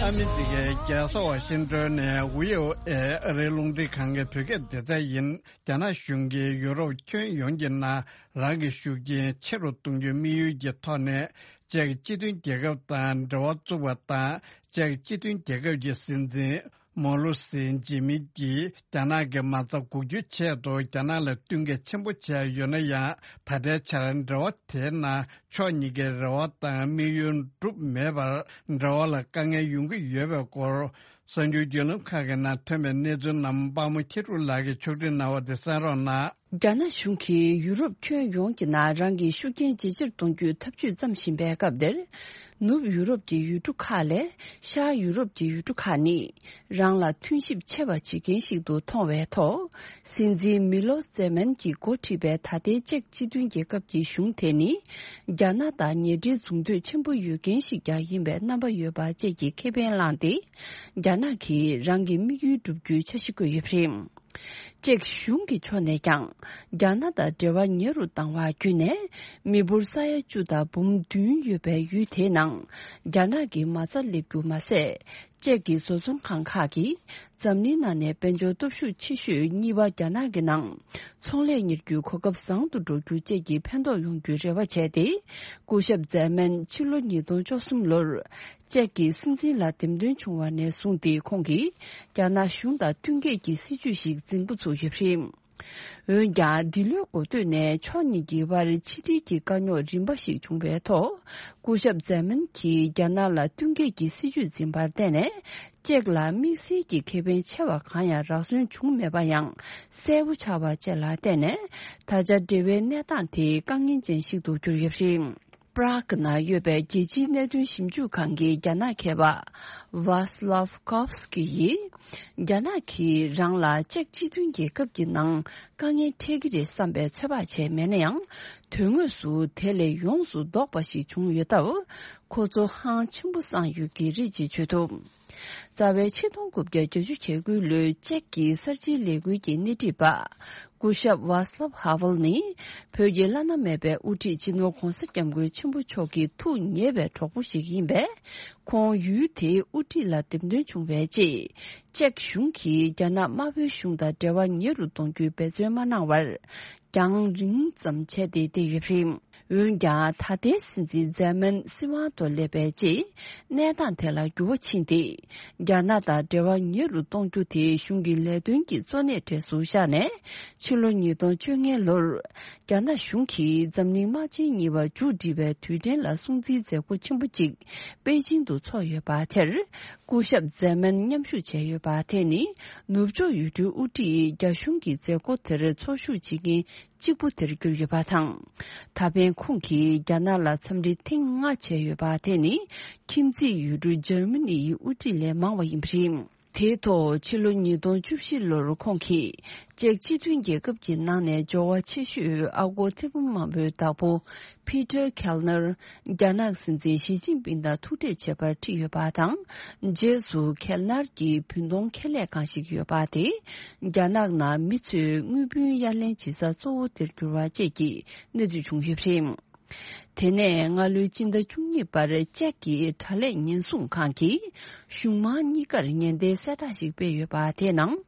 ཨ་མི་རི་ཀའི་རྒྱལ་ས་ཝ་ཤིང་ཏོན་ནས་བྷི་ཨོ་ཨེ་ཨ་རིའི་རླུང་འཕྲིན་ཁང་གི་བོད་སྐད་སྡེ་ཚན་ཡིན། རྒྱ་ནག་གཞུང་གིས་ཡུ་རོབ་ཁྱོན་ཡོངས་ཀྱི་ནང་རང་གི་ཤུགས་རྐྱེན་ཆེ་རུ་གཏོང་རྒྱུའི་དམིགས་ཡུལ་གྱི་ཐོག་ནས་ཅེཀ་སྤྱི་མཐུན་རྒྱལ་ཁབ་དང་འབྲེལ་བ་བཙུགས་པ་དང་། ཅེཀ་སྤྱི་མཐུན་རྒྱལ་ཁབ་ཀྱི་སྲིད་འཛིན་མོ་ལུ་སི་ཇི་མིན་གྱིས་རྒྱ་ནག་གི་མ་རྩ་འགུག་རྒྱུའི་ཆེད་དུ་རྒྱ་ནག་ལ་བསྟུན་མཁས་ཆེན་པོ་བྱས་ཡོད་ན་ཡང་། ད་ལྟའི་ཆར་འབྲེལ་བ་དེའི་ནང་ཕྱོགས་གཉིས་ཀའི་རེ་བ་དང་དམིགས་ཡུལ་འགྲུབ་མེད་པར་འབྲེལ་བ་ལ་དཀའ་ངལ་ཡོང་གི་ཡོད་པའི་སྐོར། གསར་འགྱུར་བརྒྱུད་ལམ་ཁག་གི་ནང་ཐོན་པའི་གནས་ཚུལ་རྣམས་དཔའ་མོ་ཁྱི་ཕྲུག་ལགས་ཀྱིས་ཕྱོགས་སྒྲིག་གནང་བ་དེ་གསན་རོགས་གནང་། རྒྱ་ནག་གཞུང་གིས་ཡུ་རོབ་ཁྱོན་ཡོངས་ཀྱི་ནང་རང་གི་ཤུགས་རྐྱེན་ཇེ་ཆེར་གཏོང་རྒྱུའི་འཐབ་ཇུས་བརྩམས་བཞིན་པའི་སྐབས་འདིར། ནུབ་ཡུ་རོབ་ཀྱི་ཡུལ་གྲུ་ཁག་ལས་ཤར་ཡུ་རོབ་ཀྱི་ཡུལ་གྲུ་ཁག་ནི་རང་ལ་མཐུན་གཤིབ་ཆེ་བ་བྱེད་མཁན་ཞིག་ཏུ་མཐོང་བའི་ཐོག་སྲིད་འཛིན་མི་ལོ་ཛེ་མན་གྱིས་འགོ་ཁྲིད་པའི་ད་ལྟའི་ཅེཀ་སྤྱི་མཐུན་རྒྱལ་ཁབ་ཀྱི་གཞུང་དེ་ནི། རྒྱ་ནག་དང་ཉེ་འབྲེལ་འཛུགས་འདོད་ཆེན་པོ་ཡོད་མཁན་ཞིག་ཀྱང་ཡིན་པའི་རྣམ་པ་ཡོད་པ་བཅས་ཀྱི་ཁེ་ཕན་བླངས་ཏེ། རྒྱ་ནག་གིས་རང་གི་དམིགས་ཡུལ་བསྒྲུབ་རྒྱུའི་འཆར་གཞི་བཀོད་ཡོད་པ་རེད། ཅེཀ་གཞུང་གི་ཕྱོགས་ནས་ཀྱང་རྒྱ་ནག་དང་འབྲེལ་བ་ཉེ་རུ་བཏང་བ་བརྒྱུད་ནས། མི་འབོར་ས་ཡ་བཅུ་དང་འབུམ་བདུན་ཡོད་པའི་ཡུལ་དེའི་ནང་རྒྱ་ནག་གི་མ་རྩ་སླེབས་རྒྱུ་མ་ཟད། ཅེཀ་གི་བཟོ་ཚོང་ཁང་ཁག་གིས་འཛམ་གླིང་ནང་ནས་དཔལ་འབྱོར་སྟོབས་ཤུགས་ཆེ་ཤོས་གཉིས་པ་རྒྱ་ནག་གི་ནང་ཚོང་ལས་གཉེར་རྒྱུའི་གོ་སྐབས་བཟང་དུ་འགྲོ་རྒྱུ་བཅས་ཀྱི་ཕན་ཐོགས་ཡོང་རྒྱུའི་རེ་བ་བྱས་ཏེ། སྐུ་ཞབས་ཛེ་མན་ཕྱི་ལོ་ཉིས་སྟོང་བཅུ་གསུམ་ལོར་ཅེཀ་གི་སྲིད་འཛིན་ལ་འདེམས་ཐོན་བྱུང་བ་ནས་བཟུང་སྟེ། ཁོང་གིས་རྒྱ་ནག་གཞུང་དང་བསྟུན་མཁས་ཀྱི་སྲིད་ཇུས་ཤིག་འཛིན་འགོ་ཚུགས་ཡོད་པ་རེད། འོན་ཀྱང་། འདི་ལོའི་འགོ་སྟོད་ནས་ཕྱོགས་གཉིས་ཀྱི་དབར་ཕྱི་འབྲེལ་གྱི་དཀའ་རྙོག་རིམ་པ་ཞིག་བྱུང་བའི་ཐོག་སྐུ་ཞབས་ཛེ་མན་གྱིས་རྒྱ་ནག་ལ་བསྟུན་མཁས་ཀྱི་སྲིད་ཇུས་འཛིན་པར་བརྟེན་ནས། ཅེཀ་ལ་དམིགས་བསལ་གྱི་ཁེ་ཕན་ཆེ་བ་གང་ཡང་རག་སོན་བྱུང་མེད་པ་ཡང་གསལ་པོ་ཆགས་པ་བཅས་ལ་བརྟེན་ནས། ད་ཆ་འབྲེལ་བའི་གནས་སྟངས་དེ་དཀའ་ངལ་ཅན་ཞིག་ཏུ་གྱུར་ཡོད་པ་རེད། པྲག་ནང་ཡོད་པའི་རྒྱལ་སྤྱིའི་གནད་དོན་ཞིབ་འཇུག་ཁང་གི་རྒྱ་ནག་མཁས་པ་ཝཱ་སི་ལབ་ཀོབ་སི་ཀི་ཡིས། རྒྱ་ནག་གིས་རང་ལ་ཅེཀ་སྤྱི་མཐུན་རྒྱལ་ཁབ་ཀྱི་ནང་དཀའ་ངལ་འཕྲད་ཀྱི་རེད་བསམ་པའི་ཚོད་དཔག་བྱས་མེད་ན་ཡང་། དོན་དངོས་སུ་དེ་ལས་ཡོངས་སུ་ལྡོག་པ་ཞིག་བྱུང་ཡོད་སྟབས། ཁོ་ཚོ་ཧང་ཆེན་པོ་སངས་ཡོད་ཀྱི་རེད་ཅེས་བརྗོད་འདུག་རྩ་བའི་ཆིག་སྟོང་དགུ་བརྒྱ་བརྒྱད་ཅུ་གྱ་དགུ་ལོའི་ཅེཀ་གི་གསར་བརྗེའི་ལས་འགུལ་གྱི་སྣེ་ཁྲིད་པ། སྐུ་ཞབས་ཝཱ་སི་ལབ་ཧ་ཝེལ་ནི། བོད་ཀྱི་བླ་ན་མེད་པའི་དབུ་ཁྲིད་སྤྱི་ནོར་༧གོང་ས་༧སྐྱབས་མགོན་ཆེན་པོ་མཆོག་གི་ཐུགས་ཉེ་བའི་གྲོགས་པོ་ཞིག་ཡིན་པས། ཁོང་ཡུལ་དེའི་དབུ་ཁྲིད་ལ་འདེམས་ཐོན་བྱུང་བའི་རྗེས། ཅེཀ་གཞུང་གིས་རྒྱ་ནག་དམར་པོའི་གཞུང་དང་འབྲེལ་བ་ཉེ་རུ་གཏོང་རྒྱུའི་འབད་བརྩོན་མ་གནང་བར། རྒྱང་རིང་ཙམ་བྱས་ཏེ་བསྡད་ཡོད་པ་རེད། འོན་ཀྱང་། ད་ལྟའི་སྲིད་འཛིན་ཛེ་མན་སྲིད་དབང་དུ་སླེབས་པའི་རྗེས། གནས་སྟངས་དེ་ལ་འགྱུར་བ་ཕྱིན་ཏེ། རྒྱ་ནག་དང་འབྲེལ་བ་ཉེ་རུ་གཏོང་རྒྱུ་དེ་གཞུང་གི་ལས་དོན་གྱི་གཙོ་གནད་གྲས་སུ་བཞག་ནས། ཕྱི་ལོ་ཉིས་སྟོང་བཅོ་ལྔ་ལོར། རྒྱ་ནག་གཞུང་གིས་འཛམ་གླིང་དམག་ཆེན་གཉིས་པ་མཇུག་སྒྲིལ་བའི་དུས་དྲན་ལ་སྲུང་བརྩིའི་མཛད་སྒོ་ཆེན་པོ་གཅིག་པེ་ཅིང་དུ་འཚོགས་ཡོད་པ་དེར། སྐུ་ཞབས་ཛེ་མན་མཉམ་ཞུགས་བྱས་ཡོད་པ་དེ་ནི། ནུབ་ཕྱོགས་ཡུལ་གྲུའི་དབུ་ཁྲིད་རྒྱ་གཞུང་གི་མཛད་སྒོ་དེར་འཚོགས་ཞུགས་བྱེད་མཁན་གཅིག་པུ་དེར་གྱུར་ཡོད་པ་དང་། ད་ཕན་ཁོང་གིས་རྒྱ་ནག་ལ་འཚམས་འདྲི་ཐེངས་ལྔ་བྱས་ཡོད་པ་དེ་ནི། ཁྱིམ་མཚེས་ཡུལ་གྲུ་འཇར་མ་ནི་ཡི་དབུ་ཁྲིད་ལས་མང་བ་ཡིན་པ་རེད། དེའི་ཐོག་ཕྱི་ལོ་ཉིས་སྟོང་བཅུ་བཞི་ལོར་ཁོང་གིས་ཅེཀ་སྤྱི་མཐུན་རྒྱལ་ཁབ་ཀྱི་ནང་ནས་འབྱོར་བ་ཆེ་ཤོས་ཨ་སྒོར་ཐེར་འབུམ་མང་པོའི་བདག་པོ་ཕི་ཏར་ཁེལ་ནར་རྒྱ་ནག་སྲིད་འཛིན་ཞི་ཅིན་ཕིང་དང་ཐུག་འཕྲད་བྱེད་པར་ཁྲིད་ཡོད་པ་དང་། རྗེས་སུ་ཁེལ་ནར་གྱི་བུན་གཏོང་ཁེ་ལས་ཁང་ཞིག་ཡོད་པ་དེ། རྒྱ་ནག་ནང་མི་ཚོས་དངུལ་བུན་གཡར་ལེན་བྱེད་ས་གཙོ་བོ་དེར་གྱུར་བ་བཅས་ཀྱི་གནས་ཚུལ་བྱུང་ཡོད་པ་རེད། དེ་ནས་སྔ་ལོའི་སྤྱི་ཟླ་བཅུ་གཉིས་པར་ཅེཀ་གི་དྲ་ལས་ཉེན་སྲུང་ཁང་གིས་གཞུང་མང་གཉིས་ཀར་ཉེན་བརྡའི་གསལ་བསྒྲགས་ཤིག་སྤེལ་ཡོད་པ་དེའི་ནང་།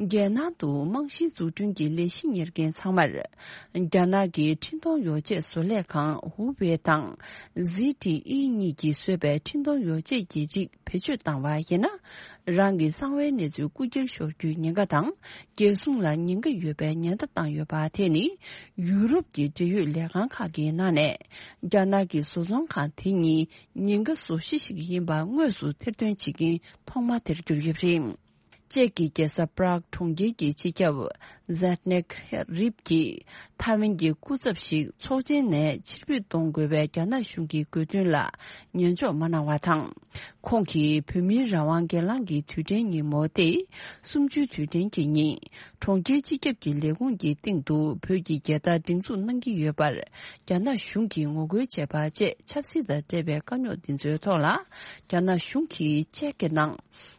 རྒྱལ་ནང་དུ་རྨང་གཞིའི་འཛུགས་སྐྲུན་གྱི་ལས་གཞི་གཉེར་མཁན་ཚང་མར། རྒྱ་ནག་གི་འཕྲིན་གཏོང་ཡོ་བྱད་བཟོ་ལས་ཁང་ཧུ་ཝེ་དང་། ཟི་ཏི་ཨི་གཉིས་ཀྱིས་བཟོས་པའི་འཕྲིན་གཏོང་ཡོ་བྱད་ཀྱི་རིགས་བེད་སྤྱོད་བཏང་བ་ཡིན་ན། རང་གི་གསང་བའི་གནས་ཚུལ་རྐུ་འཁྱེར་ཤོར་རྒྱུའི་ཉེན་ཁ་དང་། རྒྱལ་སྲུང་ལ་ཉེན་ཁ་ཡོད་པའི་ཉེན་བརྡ་བཏང་ཡོད་པ་དེ་ནི། ཡུ་རོབ་ཀྱི་འབྲེལ་ཡོད་ལས་ཁང་ཁག་གི་ནང་ནས། རྒྱ་ནག་གི་བཟོ་ཚོང་ཁང་དེ་གཉིས་ཉེན་ཁ་བཟོ་གཞི་ཞིག་ཡིན་པ་དངོས་སུ་ཐེར་འདོན་བྱེད་མཁན་ཐོག་མ་དེར་གྱུར་ཡོད་པ་རེད། ཅེཀ་གི་རྒྱལ་ས་པ་རག་གྲོང་ཁྱེར་གྱི་སྤྱི་ཁྱབ་ཛེད་ནེག་རིབ་ཀྱིས་ཐའེ་ཝན་གྱི་སྐུ་ཚབ་ཞིག་ཚོགས་ཆེན་ནས་ཕྱིར་འབུད་གཏོང་དགོས་པའི་རྒྱ་ནག་གཞུང་གི་དགོས་འདུན་ལ་ཉན་འཇོག་མ་གནང་བ་དང་། ཁོང་གིས་བོད་མིའི་རང་དབང་སྒེར་ལངས་ཀྱི་དུས་དྲན་ཉིན་མོ་སྟེ། གསུམ་བཅུའི་དུས་དྲན་གྱི་ཉིན། གྲོང་ཁྱེར་སྤྱི་ཁྱབ་ཀྱི་ལས་ཁུངས་ཀྱི་སྟེང་དུ་བོད་ཀྱི་རྒྱལ་དར་སྒྲེང་འཛུགས་གནང་གི་ཡོད་པར། རྒྱ་ནག་གཞུང་གིས་ངོ་རྒོལ་བྱས་པ་བཅས་ཆབ་སྲིད་དང་འབྲེལ་བའི་དཀའ་རྙོག་འདི་ཚོའི་ཐོག་ལ། རྒྱ་ནག་གཞུང་གིས་ཅེཀ་གི་ནང་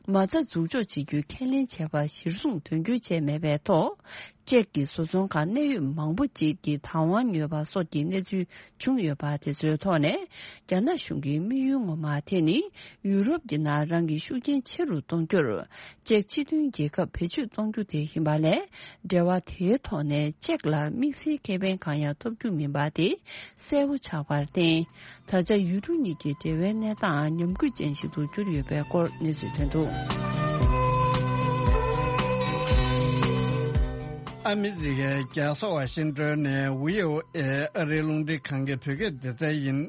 མ་རྩ་འཛུགས་འཇོག་བྱེད་རྒྱུའི་ཁས་ལེན་བྱས་པ་གཞིར་བཟུང་དོན་འཁྱོལ་བྱས་མེད་པའི་ཐོག་ཅེཀ་གི་བཟོ་ཚོང་ཁང་གནད་ཡོད་མང་པོ་ཅིག་གིས་བདག་དབང་ཉོས་པ་སོགས་ཀྱི་གནས་ཚུལ་བྱུང་ཡོད་པ་དེ་ཚོའི་ཐོག་ནས། རྒྱ་ནག་གཞུང་གི་དམིགས་ཡུལ་ངོ་མ་དེ་ནི། ཡུ་རོབ་ཀྱི་ནང་རང་གི་ཤུགས་རྐྱེན་ཆེ་རུ་གཏོང་རྒྱུར། ཅེཀ་སྤྱི་མཐུན་རྒྱལ་ཁབ་བེད་སྤྱོད་གཏོང་རྒྱུ་དེ་ཡིན་པ་ལས། འབྲེལ་བ་དེའི་ཐོག་ནས་ཅེཀ་ལ་དམིགས་བསལ་ཁེ་ཕན་གང་ཡང་ཐོབ་རྒྱུ་མིན་པ་དེ་གསལ་པོ་ཆགས་པར་བརྟེན། ད་ཆ་ཡུལ་གྲུ་གཉིས་ཀྱི་འབྲེལ་བའི་གནས་སྟངས་ཉམས་རྒུད་ཅན་ཞིག་ཏུ་གྱུར་ཡོད་པའི་སྐོར་གནས་ཚུལ་ཐོན་འདུག་ཨ་མི་རི་ཀའི་རྒྱལ་ས་ཝ་ཤིང་ཏོན་ནས་བྷི་ཨོ་ཨེ་ཨ་རིའི་རླུང་འཕྲིན་ཁང་གི་བོད་སྐད་སྡེ་ཚན་ཡིན།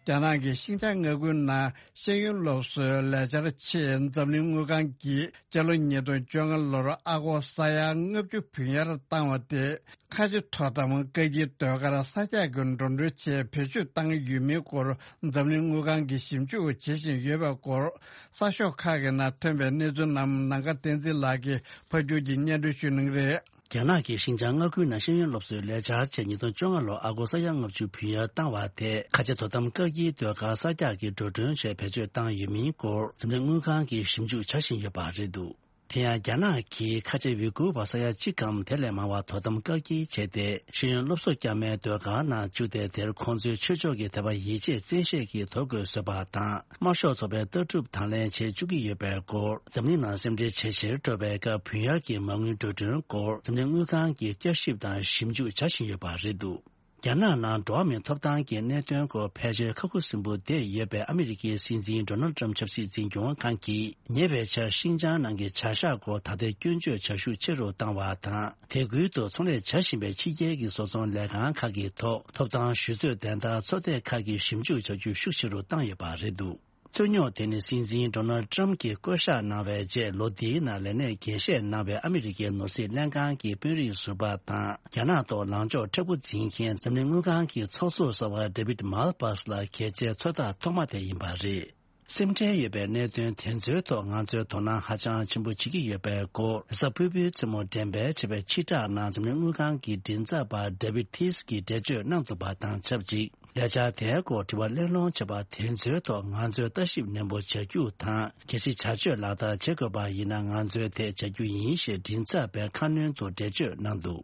རྒྱ་ནག་གིས་ཤིན་ཅང་མངའ་ཁུལ་ནང་ཤེས་ཡོན་སློབ་གསོའི་ལས་འཆར་ཆེད་འཛམ་གླིང་དངུལ་ཁང་གིས་སྤྱི་ལོ་ཉིས་སྟོང་བཅོ་ལྔ་ལོར་ཨ་སྒོར་ས་ཡ་ལྔ་བཅུ་བུན་གཡར་བཏང་བ་དེ། ཁ་ཆེ་དོ་དམ་བཀག་སྐྱིལ་ཟློས་གར་གསར་རྒྱག་གི་འགྲོ་གྲོན་ཆེད་བེད་སྤྱོད་བཏང་ཡོད་མིན་སྐོར་འཛམ་གླིང་དངུལ་ཁང་གིས་ཞིབ་འཇུག་བྱེད་བཞིན་ཡོད་པའི་སྐོར། གསར་ཤོག་ཁག་གི་ནང་ཐོན་པའི་གནས་ཚུལ་རྣམས་ནམ་མཁའ་བསྟན་འཛིན་ལགས་ཀྱིས་ཕབ་སྒྱུར་གྱིས་སྙན་སྒྲོན་ཞུ་གནང་རེད། རྒྱ་ནག་གིས་ཤིན་ཅང་མངའ་ཁུལ་ནང་ཤེས་ཡོན་སློབ་གསོའི་ལས་འཆར་ཆེད་ཉིས་སྟོང་བཅོ་ལྔ་ལོར་ཨ་སྒོར་ས་ཡ་ལྔ་བཅུ་བུན་གཡར་བཏང་བ་དེ་ཁ་ཆེ་དོ་དམ་བཀག་སྐྱིལ་ཟློས་གར་གསར་རྒྱག་གི་འགྲོ་གྲོན་ཆེད་བེད་སྤྱོད་བཏང་ཡོད་མིན་སྐོར་འཛམ་གླིང་དངུལ་ཁང་གིས་ཞིབ་འཇུག་བྱ་བཞིན་ཡོད་པ་རེད་འདུག་དེ་ཡང་རྒྱ་ནག་གིས་ཁ་ཆེ་ཝི་གུར་བ་ས་ཡ་གཅིག་གམ་དེ་ལས་མང་བ་དོ་དམ་བཀག་སྐྱིལ་བྱས་ཏེ་ཤེས་ཡོན་སློབ་གསོ་བསྐྱར་མའི་ཟློས་གར་ནང་བཅུག་སྟེ། དེར་ཁོང་ཚོའི་ཆོས་ཕྱོགས་ཀྱི་དད་པ་ཡིད་ཆེས་བཙན་ཤེད་ཀྱིས་དོ་དགོས་བཟོས་པ་དང་། དམར་ཤོག་ཚོགས་པའི་ལྟ་གྲུབ་དང་ལེན་བྱེད་བཅུག་གི་ཡོད་པའི་སྐོར། འཛམ་གླིང་ནང་སེམས་ཁྲལ་ཇེ་ཆེར་འགྲོ་བའི་སྐབས་བུན་གཡར་གྱི་མ་དངུལ་འགྲོ་གྲོན་སྐོར་འཛམ་གླིང་དངུལ་ཁང་གིས་བསྐྱར་ཞིབ་དང་ཞིབ་འཇུག་བྱ་བཞིན་ཡོད་པ་རེད་འདུག་རྒྱ་ནག་ནང་འགྲོ་བ་མིའི་ཐོབ་ཐང་གི་གནད་དོན་སྐོར་ཕལ་ཆེར་ཁག་ཁུར་སིམ་པོ་བསྡད་ཡོད་པའི་ཨ་མི་རི་ཀའི་སྲིད་འཛིན་ཌོ་ནལ་ཊམ་ཆབ་སྲིད་འཛིན་སྐྱོང་ཁང་གིས་ཉེ་བའི་ཆར་ཤིན་ཅང་ནང་གི་བྱ་གཞག་སྐོར་ད་ལྟའི་སྐྱོན་བརྗོད་བྱ་ཤུགས་ཆེ་རུ་བཏང་བ་དང་། དེ་ཁུལ་དུ་ཚོང་ལས་བྱ་བཞིན་པའི་ཕྱི་རྒྱལ་གྱི་བཟོ་ཚོང་ལས་ཁང་ཁག་གི་ཐོག་ཐོབ་ཐང་ཞུ་རྩོད་བདེན་མཐའ་ཚོད་ལྟ་ཁག་གི་ཞིབ་འཇུག་བྱ་རྒྱུ་ཤུགས་ཆེ་རུ་བཏང་ཡོད་པ་རེད་འདུག་རྩོད་རྙོག་དེ་ནི་སྲིད་འཛིན་ཌོ་ནལ་ཊམ་གྱིས་བསྐོ་གཞག་གནང་བའི་རྗེས་ལོ་འདིའི་ནང་ལས་གནས་རྒྱས་བཤད་གནང་བའི་ཨ་མི་རི་ཀའི་ནོར་སྲིད་ལྷན་ཁང་གི་དཔོན་རིགས་ཟུར་པ་དང་། རྒྱ་ནག་ཐོག་ལངས་ཕྱོགས་མཁྲེགས་པོ་འཛིན་མཁན་འཛམ་གླིང་དངུལ་ཁང་གི་ཚོགས་གཙོ་གསར་པ་ཌེ་བིད་མལ་པཱས་ལ་གལ་ཆེའི་ཚོད་ལྟ་ཐོག་མ་དེ་ཡིན་པ་རེད། སེམས་ཁྲལ་ཡོད་པའི་གནད་དོན་དེ་ཚོའི་ཐོག་ང་ཚོས་དོ་སྣང་ཧ་ཅང་ཆེན་པོ་བྱེད་ཀྱི་ཡོད་པའི་སྐོར། རེས་གཟའ་ཕུར་བུའི་མཚན་མོ་འགྲེམས་སྤེལ་བྱས་པའི་ཕྱིར་བསྒྲགས་ནང་འཛམ་གླིང་དངུལ་ཁང་གི་མགྲིན་ཚབ་པ་ཌེ་བིད་ཐིས་ཀྱིས་འགྲེལ་བརྗོད་གནང་འདུག་པ་དང་ཆབས་ཅིག་ལས་འཆར་དེའི་སྐོར་དྲི་བ་གླེང་སློང་བྱས་པ་དེ་ཚོའི་ཐོག་ང་ཚོས་ལྟ་ཞིབ་ནན་པོ་བྱ་རྒྱུ་དང་། གལ་སྲིད་བྱ་སྤྱོད་ལག་བསྟར་བྱེད་དགོས་པ་ཡིན་ན་ང་ཚོས་དེ་བྱ་རྒྱུ་ཡིན་ཞེས་མགྲིན་ཚབ་པས་ཁ་སྣོན་དུ་འགྲེལ་བརྗོད་གནང་འདུག་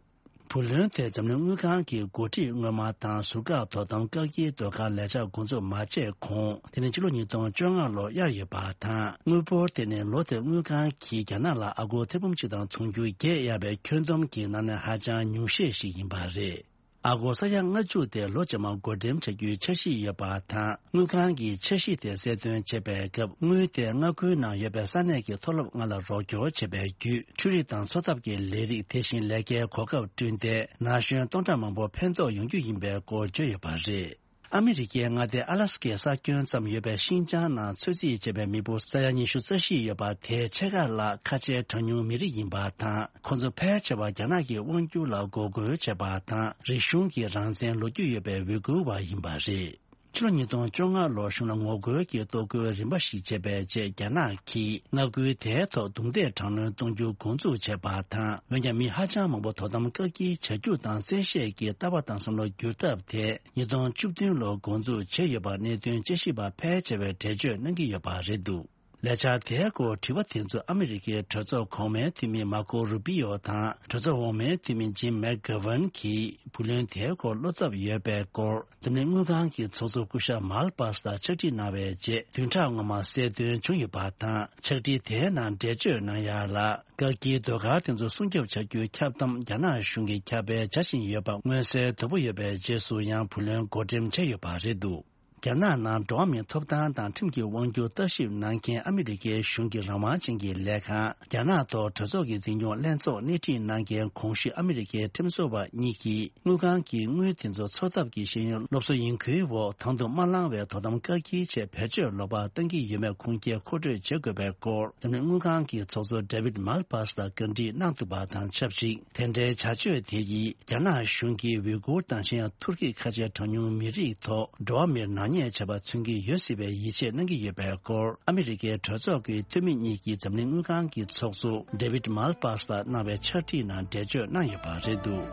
བུ་ལོན་དེ་འཛམ་གླིང་དངུལ་ཁང་གི་འགོ་ཁྲིད་སྔོན་མ་དང་ཟུར་བཀག་དོ་དམ་བཀག་སྐྱིལ་ཟློས་གར་ལས་འཆར་འགོ་འཛུགས་མ་བྱས་གོང་། དེ་ནི་ཕྱི་ལོ་ཉིས་སྟོང་བཅོ་ལྔ་ལོར་གཡར་ཡོད་པ་དང་། དངུལ་འབོར་དེ་ནི་ལོ་དེར་དངུལ་ཁང་གིས་རྒྱ་ནག་ལ་ཨ་སྒོར་ཐེར་འབུམ་གཅིག་དང་དུང་ཕྱུར་བརྒྱད་གཡར་བའི་ཁྱོན་བསྡོམས་ཀྱི་ནང་ནས་ཧ་ཅང་ཉུང་ཤས་ཤིག་ཡིན་པ་རེད། ཨ་སྒོར་ས་ཡ་ལྔ་བཅུ་དེ་ལོ་རྗེས་མར་བགོ་འགྲེམས་བྱ་རྒྱུའི་འཆར་གཞི་ཡོད་པ་དང་། དངུལ་ཁང་གིས་འཆར་གཞི་དེ་གསལ་སྟོན་བྱེད་པའི་སྐབས། དངུལ་དེ་མངའ་ཁུལ་ནང་ཡོད་པའི་ས་གནས་ཀྱི་མཐོ་སློབ་ལྔ་ལ་རོགས་སྐྱོར་བྱེད་པའི་བརྒྱུད། འཕྲུལ་རིག་དང་འཚོ་ཐབས་ཀྱི་ལས་རིགས། དེ་བཞིན་ལས་ཀའི་གོ་སྐབས་བསྐྲུན་ཏེ། ན་གཞོན་སྟོང་ཕྲག་མང་པོ་ཕན་ཐོགས་ཡོང་རྒྱུ་ཡིན་པའི་སྐོར་བརྗོད་ཡོད་པ་རེད། ཨ་མི་རི་ཀའི་མངའ་སྡེ་ཨ་ལ་སི་ཀའི་ས་ཁྱོན་ཙམ་ཡོད་པའི་ཤིན་ཅང་ནང་ཚོད་རྩིས་བྱས་པའི་མི་འབོར་ས་ཡ་ཉི་ཤུ་རྩ་བཞི་ཡོད་པ་དེའི་ཕྱེད་ཀ་ལ་ཁ་ཆེའི་གྲངས་ཉུང་མི་རིགས་ཡིན་པ་དང་། ཁོ་ཚོ་ཕལ་ཆེ་བ་རྒྱ་ནག་གི་དབང་སྒྱུར་ལ་འགོག་རྒོལ་བྱས་པ་དང་། རིག་གཞུང་གི་རང་བཙན་ལོ་རྒྱུས་ཡོད་པའི་ཝི་གུར་བ་ཡིན་པ་རེད། ཕྱི་ལོ་ཉིས་སྟོང་བཅོ་ལྔ་ལོར་གཞུང་ལ་ངོ་རྒོལ་གྱི་གཏོར་རྒོལ་རིམ་པ་ཞིག་བྱས་པའི་རྗེས། རྒྱ་ནག་གིས་མངའ་ཁུལ་དེའི་ཐོག་རྡུང་རྡེག་དྲག་གནོན་གཏོང་རྒྱུ་འགོ་འཛུགས་བྱས་པ་དང་། འོན་ཀྱང་མི་ཧ་ཅང་མང་པོ་དོ་དམ་བཀག་སྐྱིལ་བྱ་རྒྱུ་དང་། བཙན་ཤེད་ཀྱིས་ལྟ་བ་དང་བསམ་བློ་བསྒྱུར་ཐབས་དེ་ཉིས་སྟོང་བཅུ་བདུན་ལོར་འགོ་འཛུགས་བྱས་ཡོད་པ་གནད་དོན་དཔྱད་ཞིབ་པ་ཕལ་ཆེ་བས་འགྲེལ་བརྗོད་གནང་གི་ཡོད་པ་རེད་འདུག་ལས་འཆར་དེའི་སྐོར་དྲི་བ་དེ་ཚོ་ཨ་མི་རི་ཀའི་གྲོས་ཚོགས་གོང་མའི་འཐུས་མི་མར་ཀོ་རུ་པི་ཡོ་དང་གྲོས་ཚོགས་འོག་མའི་འཐུས་མི་ཇིམ་མེག་གྷ་ཝན་གྱིས་བུ་ལོན་དེའི་སྐོར་བློ་འཚབ་ཡོད་པའི་སྐོར་འཛམ་གླིང་དངུལ་ཁང་གི་ཚོགས་གཙོ་སྐུ་ཞབས་མཱལ་པཱ་སི་ལ་ཕྱག་བྲིས་གནང་བའི་རྗེས་བདུན་ཕྲག་སྔོན་མ་གསལ་སྟོན་བྱུང་ཡོད་པ་དང་། ཕྱག་བྲིས་དེའི་ནང་འགྲེལ་བརྗོད་གནང་ཡ་ལ། བཀག་སྐྱིལ་ཟློས་གར་དེ་ཚོ་སྲུང་སྐྱོབ་བྱ་རྒྱུའི་ཁྱབ་གདམ་རྒྱ་ནག་གཞུང་གིས་ཁྱབ་སྤེལ་བྱ་བཞིན་ཡོད་པ་མངོན་གསལ་དོད་པོ་ཡོད་པའི་རྗེས་སུ་ཡང་བུ་ལོན་བགོ་འགྲེམས་བྱས་ཡོད་པ་རེད་འདུག་རྒྱ་ནག་ནང་འགྲོ་བ་མིའི་ཐོབ་ཐང་དང་ཁྲིམས་ཀྱི་དབང་སྒྱུར་ལྟ་ཞིབ་གནང་མཁན་ཨ་མི་རི་ཀའི་གཞུང་གི་རང་དབང་ཅན་གྱི་ལས་ཁང་རྒྱ་ནག་ཐོག་གྲོས་ཚོགས་ཀྱི་འཛིན་སྐྱོང་ལྷན་ཚོགས་སྣེ་ཁྲིད་གནང་མཁན་གོང་ཞུས་ཨ་མི་རི་ཀའི་ཁྲིམས་བཟོ་བ་གཉིས་ཀྱིས་དངུལ་ཁང་གི་དངུལ་དེ་ཚོ་འཚོ་ཐབས་ཀྱི་ཤེས་ཡོན་སློབ་གསོ་ཡིན་ཁུལ་འོག་དང་དུ་མ་བླངས་བའི་དོ་དམ་བཀག་སྐྱིལ་ཆེད་བེད་སྤྱོད་ལོག་པ་བཏང་གི་ཡོད་མེད་ཁུངས་སྐྱེལ་མཁོ་སྤྲོད་བྱེད་དགོས་པའི་སྐོར་འཛམ་གླིང་དངུལ་ཁང་གི་ཚོགས་གཙོ་ཌེ་བིད་མཱལ་པཱ་སི་ལ་བཀའ་འདྲི་གནང་འདུག་པ་དང་ཆབས་ཅིག་དེ་འདྲའི་བྱ་སྤྱོད་དེ་ཡིས་རྒྱ་ནག་གཞུང་གིས་ཝུའི་གུར་དང་གཞན་ཡང་ཐུར་ཁེ་ཁ་ཆེའི་གྲངས་ཉུང་མི་རིགས་ཐོག་འགྲོ་བ་མིར་ནག་ཉེས་བྱས་པ་མཚོན་གྱི་ཡོད་སྲིད་པའི་ཡིད་ཆེས་གནང་གི་ཡོད་པའི་སྐོར་ཨ་མི་རི་ཀའི་གྲོས་ཚོགས་ཀྱི་འཐུས་མི་གཉིས་ཀྱིས་འཛམ་གླིང་དངུལ་ཁང་གི་ཚོགས་གཙོ་ཌེ་བིད་མཱལ་པཱ་སི་ལ་གནང་བའི་ཕྱག་བྲིས་ནང་འགྲེལ་བརྗོད་གནང་ཡོད་པ་རེད་འདུག་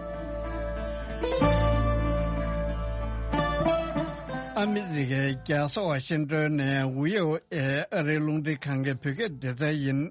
ཨ་མི་རི་ཀའི་རྒྱལ་ས་ཝ་ཤིང་ཏོན་ནས་ཝི་ཨོ་ཨེ་ཨ་རིའི་རླུང་འཕྲིན་ཁང་གི་བོད་སྐད་སྡེ་ཚན་ཡིན།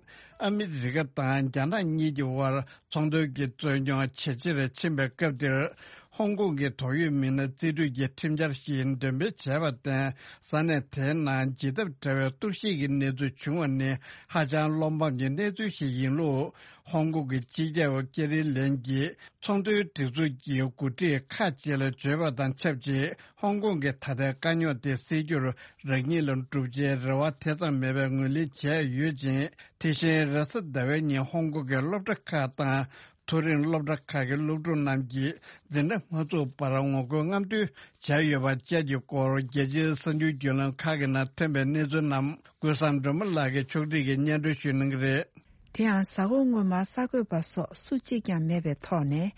ཨ་མི་རི་ཀ་དང་རྒྱ་ནག་གཉིས་ཀྱི་དབར་ཚོང་དོན་གྱི་རྩོད་རྙོག་ཇེ་ཆེར་ཕྱིན་པའི་སྐབས་འདིར། ཧོང་ཀོང་གི་དོགས་ཡོད་མི་སྣ་རྩིས་སྤྲོད་ཀྱི་ཁྲིམས་འཆར་ཞིག་འདོན་སྤེལ་བྱས་པར་བརྟེན། ས་གནས་དེའི་ནང་ཇི་ལྟར་བྲལ་བའི་གཏོར་བཤིག་གི་གནས་ཚུལ་བྱུང་བ་ནི་ཧ་ཅང་བློ་ཕམ་གྱི་གནས་ཚུལ་ཞིག་ཡིན་ལུགས། ཧོང་ཀོང་གི་སྤྱི་ཁྱབ་ཀེ་རི་ལེམ་གྱིས་ཚོང་དོན་སྒྲིག་འཛུགས་ཀྱི་འགོ་ཁྲིད་ཁག་ཅིག་ལ་བརྗོད་པ་དང་ཆབས་ཅིག་ཧོང་ཀོང་གི་ད་ལྟའི་དཀའ་རྙོག་དེ་སེལ་རྒྱུར་རང་ཉིད་ལ་འགྲུབ་ཆེད་རེ་བ་དེ་ཙམ་མེད་པའི་ངོས་ལེན་བྱས་ཡོད་ཅིང་། དེ་བཞིན་རེས་གཟའ་ཟླ་བའི་ཉིན་ཧོང་ཀོང་གི་སློབ་གྲྭ་ཁག་དང་མཐོ་རིམ་སློབ་གྲྭ་ཁག་གི་སློབ་ཕྲུག་རྣམས་ཀྱིས་འཛིན་གྲྭ་མ་ཚུགས་པར་ངོ་རྒོལ་རྔམ་སྟོན་བྱས་ཡོད་པ་བཅས་ཀྱི་སྐོར་རྒྱལ་སྤྱིའི་གསར་འགྱུར་བརྒྱུད་ལམ་ཁག་གི་ནང་ཐོན་པའི་གནས་ཚུལ་རྣམས་ཀུན་བཟང་སྒྲོལ་མ་ལགས་ཀྱིས་ཕྱོགས་སྒྲིག་གིས་སྙན་སྒྲོན་ཞུ་གནང་གི་རེད། དེ་ཡང་གཟའ་འཁོར་སྔོན་མ་གསར་འགོད་པ་སོགས་སུ་གཅིག་ཀྱང་མེད་པའི་ཐོག་ནས་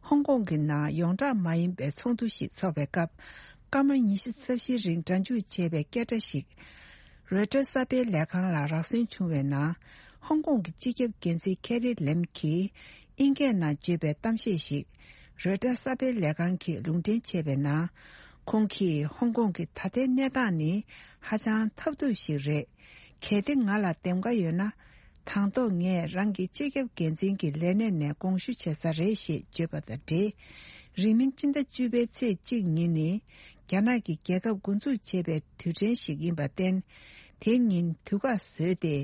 ཧོང་ཀོང་གི་ནང་ཡོངས་གྲགས་མ་ཡིན་པའི་ཚོགས་འདུ་ཞིག་འཚོགས་པའི་སྐབས། སྐར་མ་ཉི་ཤུ་རྩ་བཞིའི་རིང་སྒྲ་འཇུག་བྱས་པའི་སྐད་སྒྲ་ཞིག་རོའི་ཊར་གསར་སྤེལ་ལས་ཁང་ལ་རག་སོན་བྱུང་བའི་ནང་། ཧོང་ཀོང་གི་སྤྱི་ཁྱབ་འགན་འཛིན་ཁེ་རི་ལེམ་གྱིས་ཨིན་སྐད་ནང་བརྗོད་པའི་གཏམ་བཤད་ཞིག་རོའི་ཊར་གསར་སྤེལ་ལས་ཁང་གིས་ལུང་འདྲེན་བྱས་པའི་ནང་། ཁོང་གིས་ཧོང་ཀོང་གི་ད་ལྟའི་གནས་སྟངས་ནི་ཧ་ཅང་ཐབས་སྡུག་ཞིག་རེད། གལ་ཏེ་ང་ལ་འདེམས་ཀ་ཡོད་ན། དང་ཐོག་ངས་རང་གི་སྤྱི་ཁྱབ་འགན་འཛིན་གྱི་ལས་གནས་ནས་དགོངས་ཞུ་བྱེད་ས་རེད་ཞེས་བརྗོད་པ་དང་འབྲེལ། རིང་མིན་སྤྱི་ཟླ་བཅུ་པའི་ཚེས་གཅིག་ཉིན་ནི་རྒྱ་ནག་གི་རྒྱལ་ཁབ་འགོ་འཛུགས་བྱེད་པའི་དུས་དྲན་ཞིག་ཡིན་པར་བརྟེན། དེ་ཉིན་དུས་བཀག་བཟོས་ཏེ་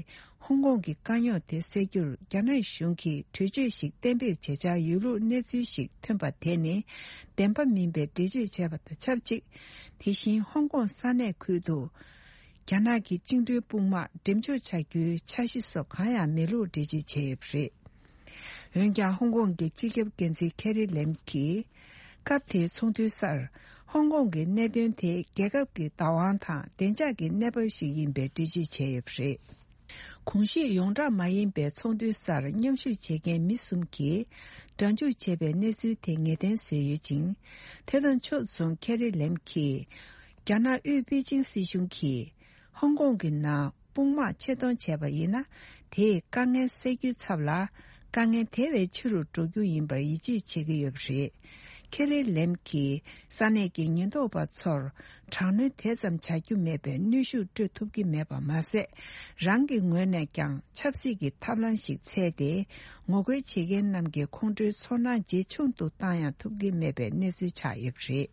ཧོང་ཀོང་གི་དཀའ་རྙོག་དེ་སེལ་རྒྱུར་རྒྱ་ནག་གཞུང་གིས་གྲོས་ཆོད་ཞིག་གཏན་འབེབས་བྱེད་འཆར་ཡོད་ལུགས་གནས་ཚུལ་ཞིག་ཐོན་པ་དེ་ནི་བདེན་པ་མིན་པའི་འགྲེལ་བརྗོད་བྱས་པ་དང་ཆབས་ཅིག་དེ་བཞིན་ཧོང་ཀོང་ས་གནས་ཁུལ་དུ། རྒྱ་ནག་གི་བཅིངས་འགྲོལ་དཔུང་དམག་འགྲེམས་འཇོག་བྱ་རྒྱུའི་འཆར་གཞི་སོགས་གང་ཡང་མེད་ལུགས་འགྲེལ་བརྗོད་བྱས་ཡོད་པ་རེད། འོན་ཀྱང་ཧོང་ཀོང་གི་སྤྱི་ཁྱབ་འགན་འཛིན་ཁེ་རི་ལེམ་གྱིས། སྐབས་དེའི་ཚོགས་འདུའི་སར་ཧོང་ཀོང་གི་གནད་དོན་དེ་རྒྱལ་ཁབ་ཀྱི་བདག་དབང་དང་བདེ་འཇགས་ཀྱི་གནས་བབ་ཞིག་ཡིན་པའི་འགྲེལ་བརྗོད་བྱས་ཡོད་པ་རེད། གོང་ཞུས་ཡོངས་གྲགས་མ་ཡིན་པའི་ཚོགས་འདུའི་སར་མཉམ་ཞུགས་བྱེད་མཁན་མི་གསུམ་གྱིས་སྒྲ་འཇུག་བྱས་པའི་གནས་ཚུལ་དེ་ངེས་གཏན་བཟོས་ཡོད་ཅིང་། དེ་དང་ཕྱོགས་མཚུངས་ཁེ་རི་ལེམ་གྱིས། རྒྱ་ནག་དབུས་པེ་ཅིང་སྲིད་གཞུང་གིས། ཧོང་ཀོང་གི་ནང་དཔུང་དམག་ཆེད་གཏོང་བྱས་པ་ཡིན་ན། དེས་དཀའ་ངལ་སེལ་རྒྱུའི་ཚབ་ལ། དཀའ་ངལ་དེ་བས་ཆེ་རུ་འགྲོ་རྒྱུ་ཡིན་པར་ཡིད་ཆེས་བྱེད་ཀྱི་ཡོད་པ་རེད། ཁེ་རི་ལེམ་གྱིས་ས་གནས་ཀྱི་ཉེན་རྟོག་པ་ཚོར་དྲག་གནོན་དེ་ཙམ་བྱ་རྒྱུ་མེད་པའི་གནོན་ཤུགས་སྤྲོད་ཐུབ་ཀྱི་མེད་པ་མ་ཟད། རང་གི་ངོས་ནས་ཀྱང་ཆབ་སྲིད་ཀྱི་ཐབས་ལམ་ཞིག་འཚོལ་ཏེ། ངོ་རྒོལ་བྱེད་མཁན་རྣམས་ཀྱི་ཁོང་ཁྲོའི་ཚོར་སྣང་ཇེ་ཆུང་དུ་བཏང་ཡང་ཐུབ་ཀྱི་མེད་པའི་གནས་ཚུལ་ཆགས་ཡོད་པ་རེད།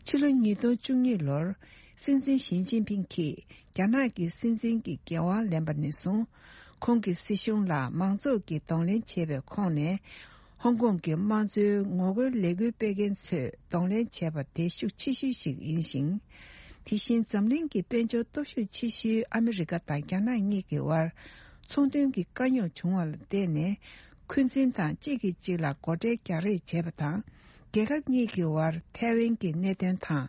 ཕྱི་ལོ་ཉིས་སྟོང་བཅུ་གཉིས་ལོར། སྲིད་འཛིན་ཞི་ཅིན་ཕིང་གིས་རྒྱ་ནག་གི་སྲིད་འཛིན་གྱི་འགན་དབང་ལེན་པ་ནས་བཟུང་། ཁོང་གི་སྲིད་གཞུང་ལ་མང་ཚོགས་ཀྱིས་གདོང་ལེན་བྱས་པའི་ཁོངས་ནས། ཧོང་ཀོང་གི་དམངས་གཙོའི་ངོ་རྒོལ་ལས་འགུལ་སྤེལ་མཁན་ཚོས་གདོང་ལེན་བྱས་པ་དེ་ཤུགས་ཆེ་ཤོས་ཤིག་ཡིན་ཞིང་། དེ་བཞིན་འཛམ་གླིང་གི་དཔལ་འབྱོར་སྟོབས་ཤུགས་ཆེ་ཤོས་ཨ་མི་རི་ཀ་དང་རྒྱ་ནག་གཉིས་ཀྱི་དབར། ཚོང་དོན་གྱི་དཀའ་རྙོག་བྱུང་བ་ལ་བརྟེན་ནས། འཁོན་འཛིན་དང་གཅིག་གིས་གཅིག་ལ་སྒོ་ཁྲལ་རྒྱག་རེས་བྱས་པ་དང་། རྒྱལ་ཁབ་གཉིས་ཀྱི་དབར་ཐའེ་ཝན་གྱི་གནད་དོན་དང་།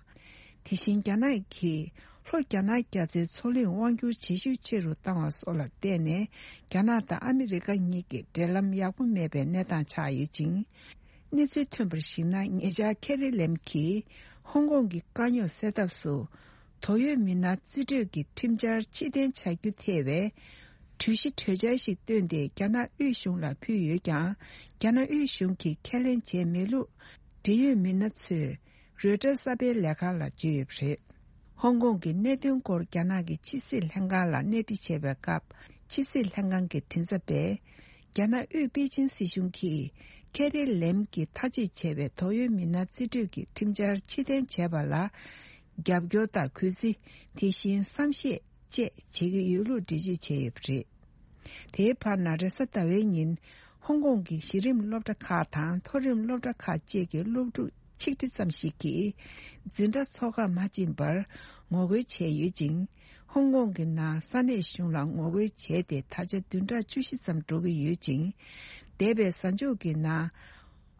དེ་བཞིན་རྒྱ་ནག་གིས་ལྷོ་རྒྱ་ནག་རྒྱ་མཚོའི་མཚོ་གླིང་དབང་སྒྱུར་བྱེད་ཤུགས་ཆེ་རུ་བཏང་བ་སོགས་ལ་བརྟེན་ནས། རྒྱ་ནག་དང་ཨ་མི་རི་ཀ་གཉིས་ཀྱི་འབྲེལ་ལམ་ཡག་པོ་མེད་པའི་གནས་སྟངས་ཆགས་ཡོད་ཅིང་། གནས་ཚུལ་ཐོན་པར་གཞིགས་ན། ཉེ་ཆར་ཁེ་རི་ལེམ་གྱིས་ཧོང་ཀོང་གི་དཀའ་རྙོག་སེལ་ཐབས་སུ། དོགས་ཡོད་མི་སྣ་རྩིས་སྤྲོད་ཀྱི་ཁྲིམས་འཆར་ཕྱིར་འཐེན་བྱ་རྒྱུ་ཐེ་བའི་གྲོས་གཞི་གྲོས་འཆར་ཞིག་བཏོན་ཏེ་རྒྱ་ནག་དབུས་གཞུང་ལ་ཕུལ་ཡོད་ཀྱང་། རྒྱ་ནག་དབུས་གཞུང་གིས་ཁས་ལེན་བྱས་མེད་ལུགས་འབྲེལ་ཡོད་མི་སྣ་ཚོས་རོའི་ཊར་གསར་སྤེལ་ལས་ཁང་ལ་བརྗོད་ཡོད་པ་རེད། ཧོང་ཀོང་གི་གནད་དོན་སྐོར་རྒྱ་ནག་གི་ཕྱི་སྲིད་ལྷན་ཁང་ལ་གནས་འདྲི་བྱས་པའི་སྐབས། ཕྱི་སྲིད་ལྷན་ཁང་གི་མགྲིན་ཚབ་པས། རྒྱ་ནག་དབུས་པེ་ཅིན་སྲིད་གཞུང་གིས་ཁེ་ཐེ་ལེམ་གྱིས་ཐག་གཅོད་བྱས་པའི་དོགས་ཡོད་མི་སྣ་རྩིས་སྤྲོད་ཀྱི་ཁྲིམས་འཆར་ཕྱིར་འཐེན་བྱས་པ་ལ། རྒྱབ་སྐྱོར་དང་གུས་བརྩི། དེ་བཞིན་བསམ་ཤེས་བཅས་བྱེད་ཀྱི་ཡོད་ལུགས་འགྲེལ་བརྗོད་བྱས་ཡོད་པ་རེད། དེའི་བར་ན་རེས་གཟའ་ཟླ་བའི་ཉིན། ཧོང་ཀོང་གི་གཞི་རིམ་སློབ་གྲྭ་ཁག་དང་མཐོ་རིམ་སློབ་གྲྭ་ཁག་བཅས་ཀྱི་སློབ་ཕྲུག་ཆིག་ཁྲི་ཙམ་ཞིག་གིས། འཛིན་གྲྭ་འཚོགས་ཁག་མ་ཕྱིན་པར་ངོ་རྒོལ་བྱས་ཡོད་ཅིང་། ཧོང་ཀོང་གི་ནང་ས་གནས་གཞུང་ལ་ངོ་རྒོལ་བྱས་ཏེ་ད་ཆ་བདུན་ཕྲག་བཅུ་བཞི་ཙམ་འགྲོ་གི་ཡོད་ཅིང་། འདས་པའི་གཟའ་མཇུག་གི་ནང་།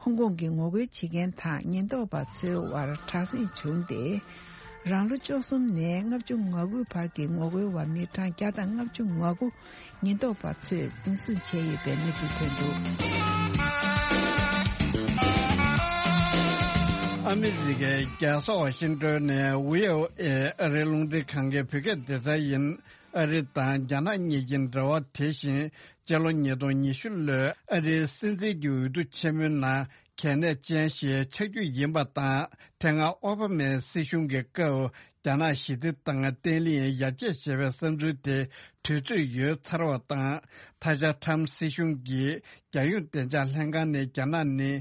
ཧོང་ཀོང་གི་ངོ་རྒོལ་བྱེད་མཁན་དང་ཉེན་རྟོག་པ་ཚོའི་དབར་དྲག་ཟིང་བྱུང་སྟེ། རང་ལོ་བཅུ་གསུམ་ནས་ལྔ་བཅུ་ང་དགུའི་བར་གྱི་ངོ་རྒོལ་བ་མི་གྲངས་བརྒྱ་དང་ལྔ་བཅུ་ང་དགུ་ཉེན་རྟོག་པ་ཚོས་འཛིན་བཟུང་བྱས་ཡོད་པའི་གནས་ཚུལ་ཐོན་འདུག། ཨ་མི་རི་ཀའི་རྒྱལ་ས་ཝ་ཤིང་ཏོན་ནས་ཝི་ཨོ་ཨེ་ཨ་རིའི་རླུང་འཕྲིན་ཁང་གི་བོད་སྐད་སྡེ་ཚན་ཡིན། ཨ་རི་དང་རྒྱ་ནག་གཉིས་ཀྱི་འབྲེལ་བ། དེ་བཞིན་སྤྱི་ལོ་ཉིས་སྟོང་ཉི་ཤུ་ལོའི་ཨ་རིའི་སྲིད་འཛིན་གྱི་འོས་བསྡུ་ཆེན་མོའི་ནང་གལ་གནད་ཅན་ཞིག་ཆགས་རྒྱུ་ཡིན་པ་དང་། དེ་སྔ་ཨོ་བྷ་མའི་སྲིད་གཞུང་གི་སྐབས་རྒྱ་ནག་ཞི་བདེ་དང་བརྟན་ལྷིང་ཡར་རྒྱས་བྱེད་པའི་བསམ་ཚུལ་དེ་དུས་ཚོད་ཡོལ་ཚར་བ་དང་། ད་ཆ་ཊམ་སྲིད་གཞུང་གིས་རྒྱལ་ཡོངས་བདེ་འཇགས་ལྷན་ཁང་ནས་རྒྱ་ནག་ནི་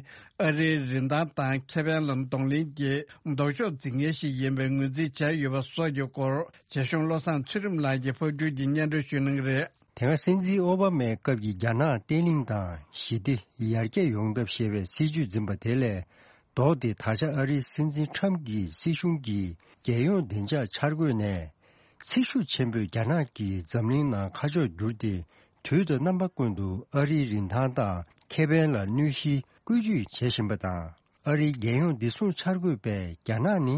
ཨ་རིའི་རིན་ཐང་དང་ཁེ་ཕན་ལ་གདོང་ལེན་གྱི་ལྡོག་ཕྱོགས་འཛིན་མཁན་ཞིག་ཡིན་པའི་ངོས་འཛིན་བྱས་ཡོད་པ་སོགས་ཀྱི་སྐོར། རྒྱ་གཞུང་བློ་བཟང་ཚུལ་ཁྲིམས་ལགས་ཀྱིས་ཕབ་སྒྱུར་གྱིས་སྙན་སྒྲོན་ཞུ་གནང་གི་རེད། དེ་སྔ་སྲིད་འཛིན་ཨོ་བྷ་མའི་སྐབས་ཀྱི་རྒྱ་ནག་བརྟན་ལྷིང་དང་ཞི་བདེ་ཡར་རྒྱས་ཡོང་ཐབས་ཞེས་པའི་སྲིད་ཇུས་འཛིན་པ་དེ་ལས་ལྡོག་སྟེ། ད་ཆ་ཨ་རིའི་སྲིད་འཛིན་ཊམ་གྱི་སྲིད་གཞུང་གིས་རྒྱལ་ཡོངས་བདེ་འཇགས་འཆར་འགོད་ནས། ཚེ་ཤུགས་ཆེན་པོས་རྒྱ་ནག་གིས་འཛམ་གླིང་ནང་ཁ་ཕྱོགས་བསྒྱུར་ཏེ། དུས་དང་རྣམ་པ་ཀུན་ཏུ་ཨ་རིའི་རིན་ཐང་དང་ཁེ་ཕན་ལ་གནོད་གཞིའི་བཀོལ་སྤྱོད་བྱེད་བཞིན་པ་དང་། ཨ་རིའི་རྒྱལ་ཡོངས་བདེ་སྲུང་འཆར་འགོད་པས་རྒྱ་ནག་ནི་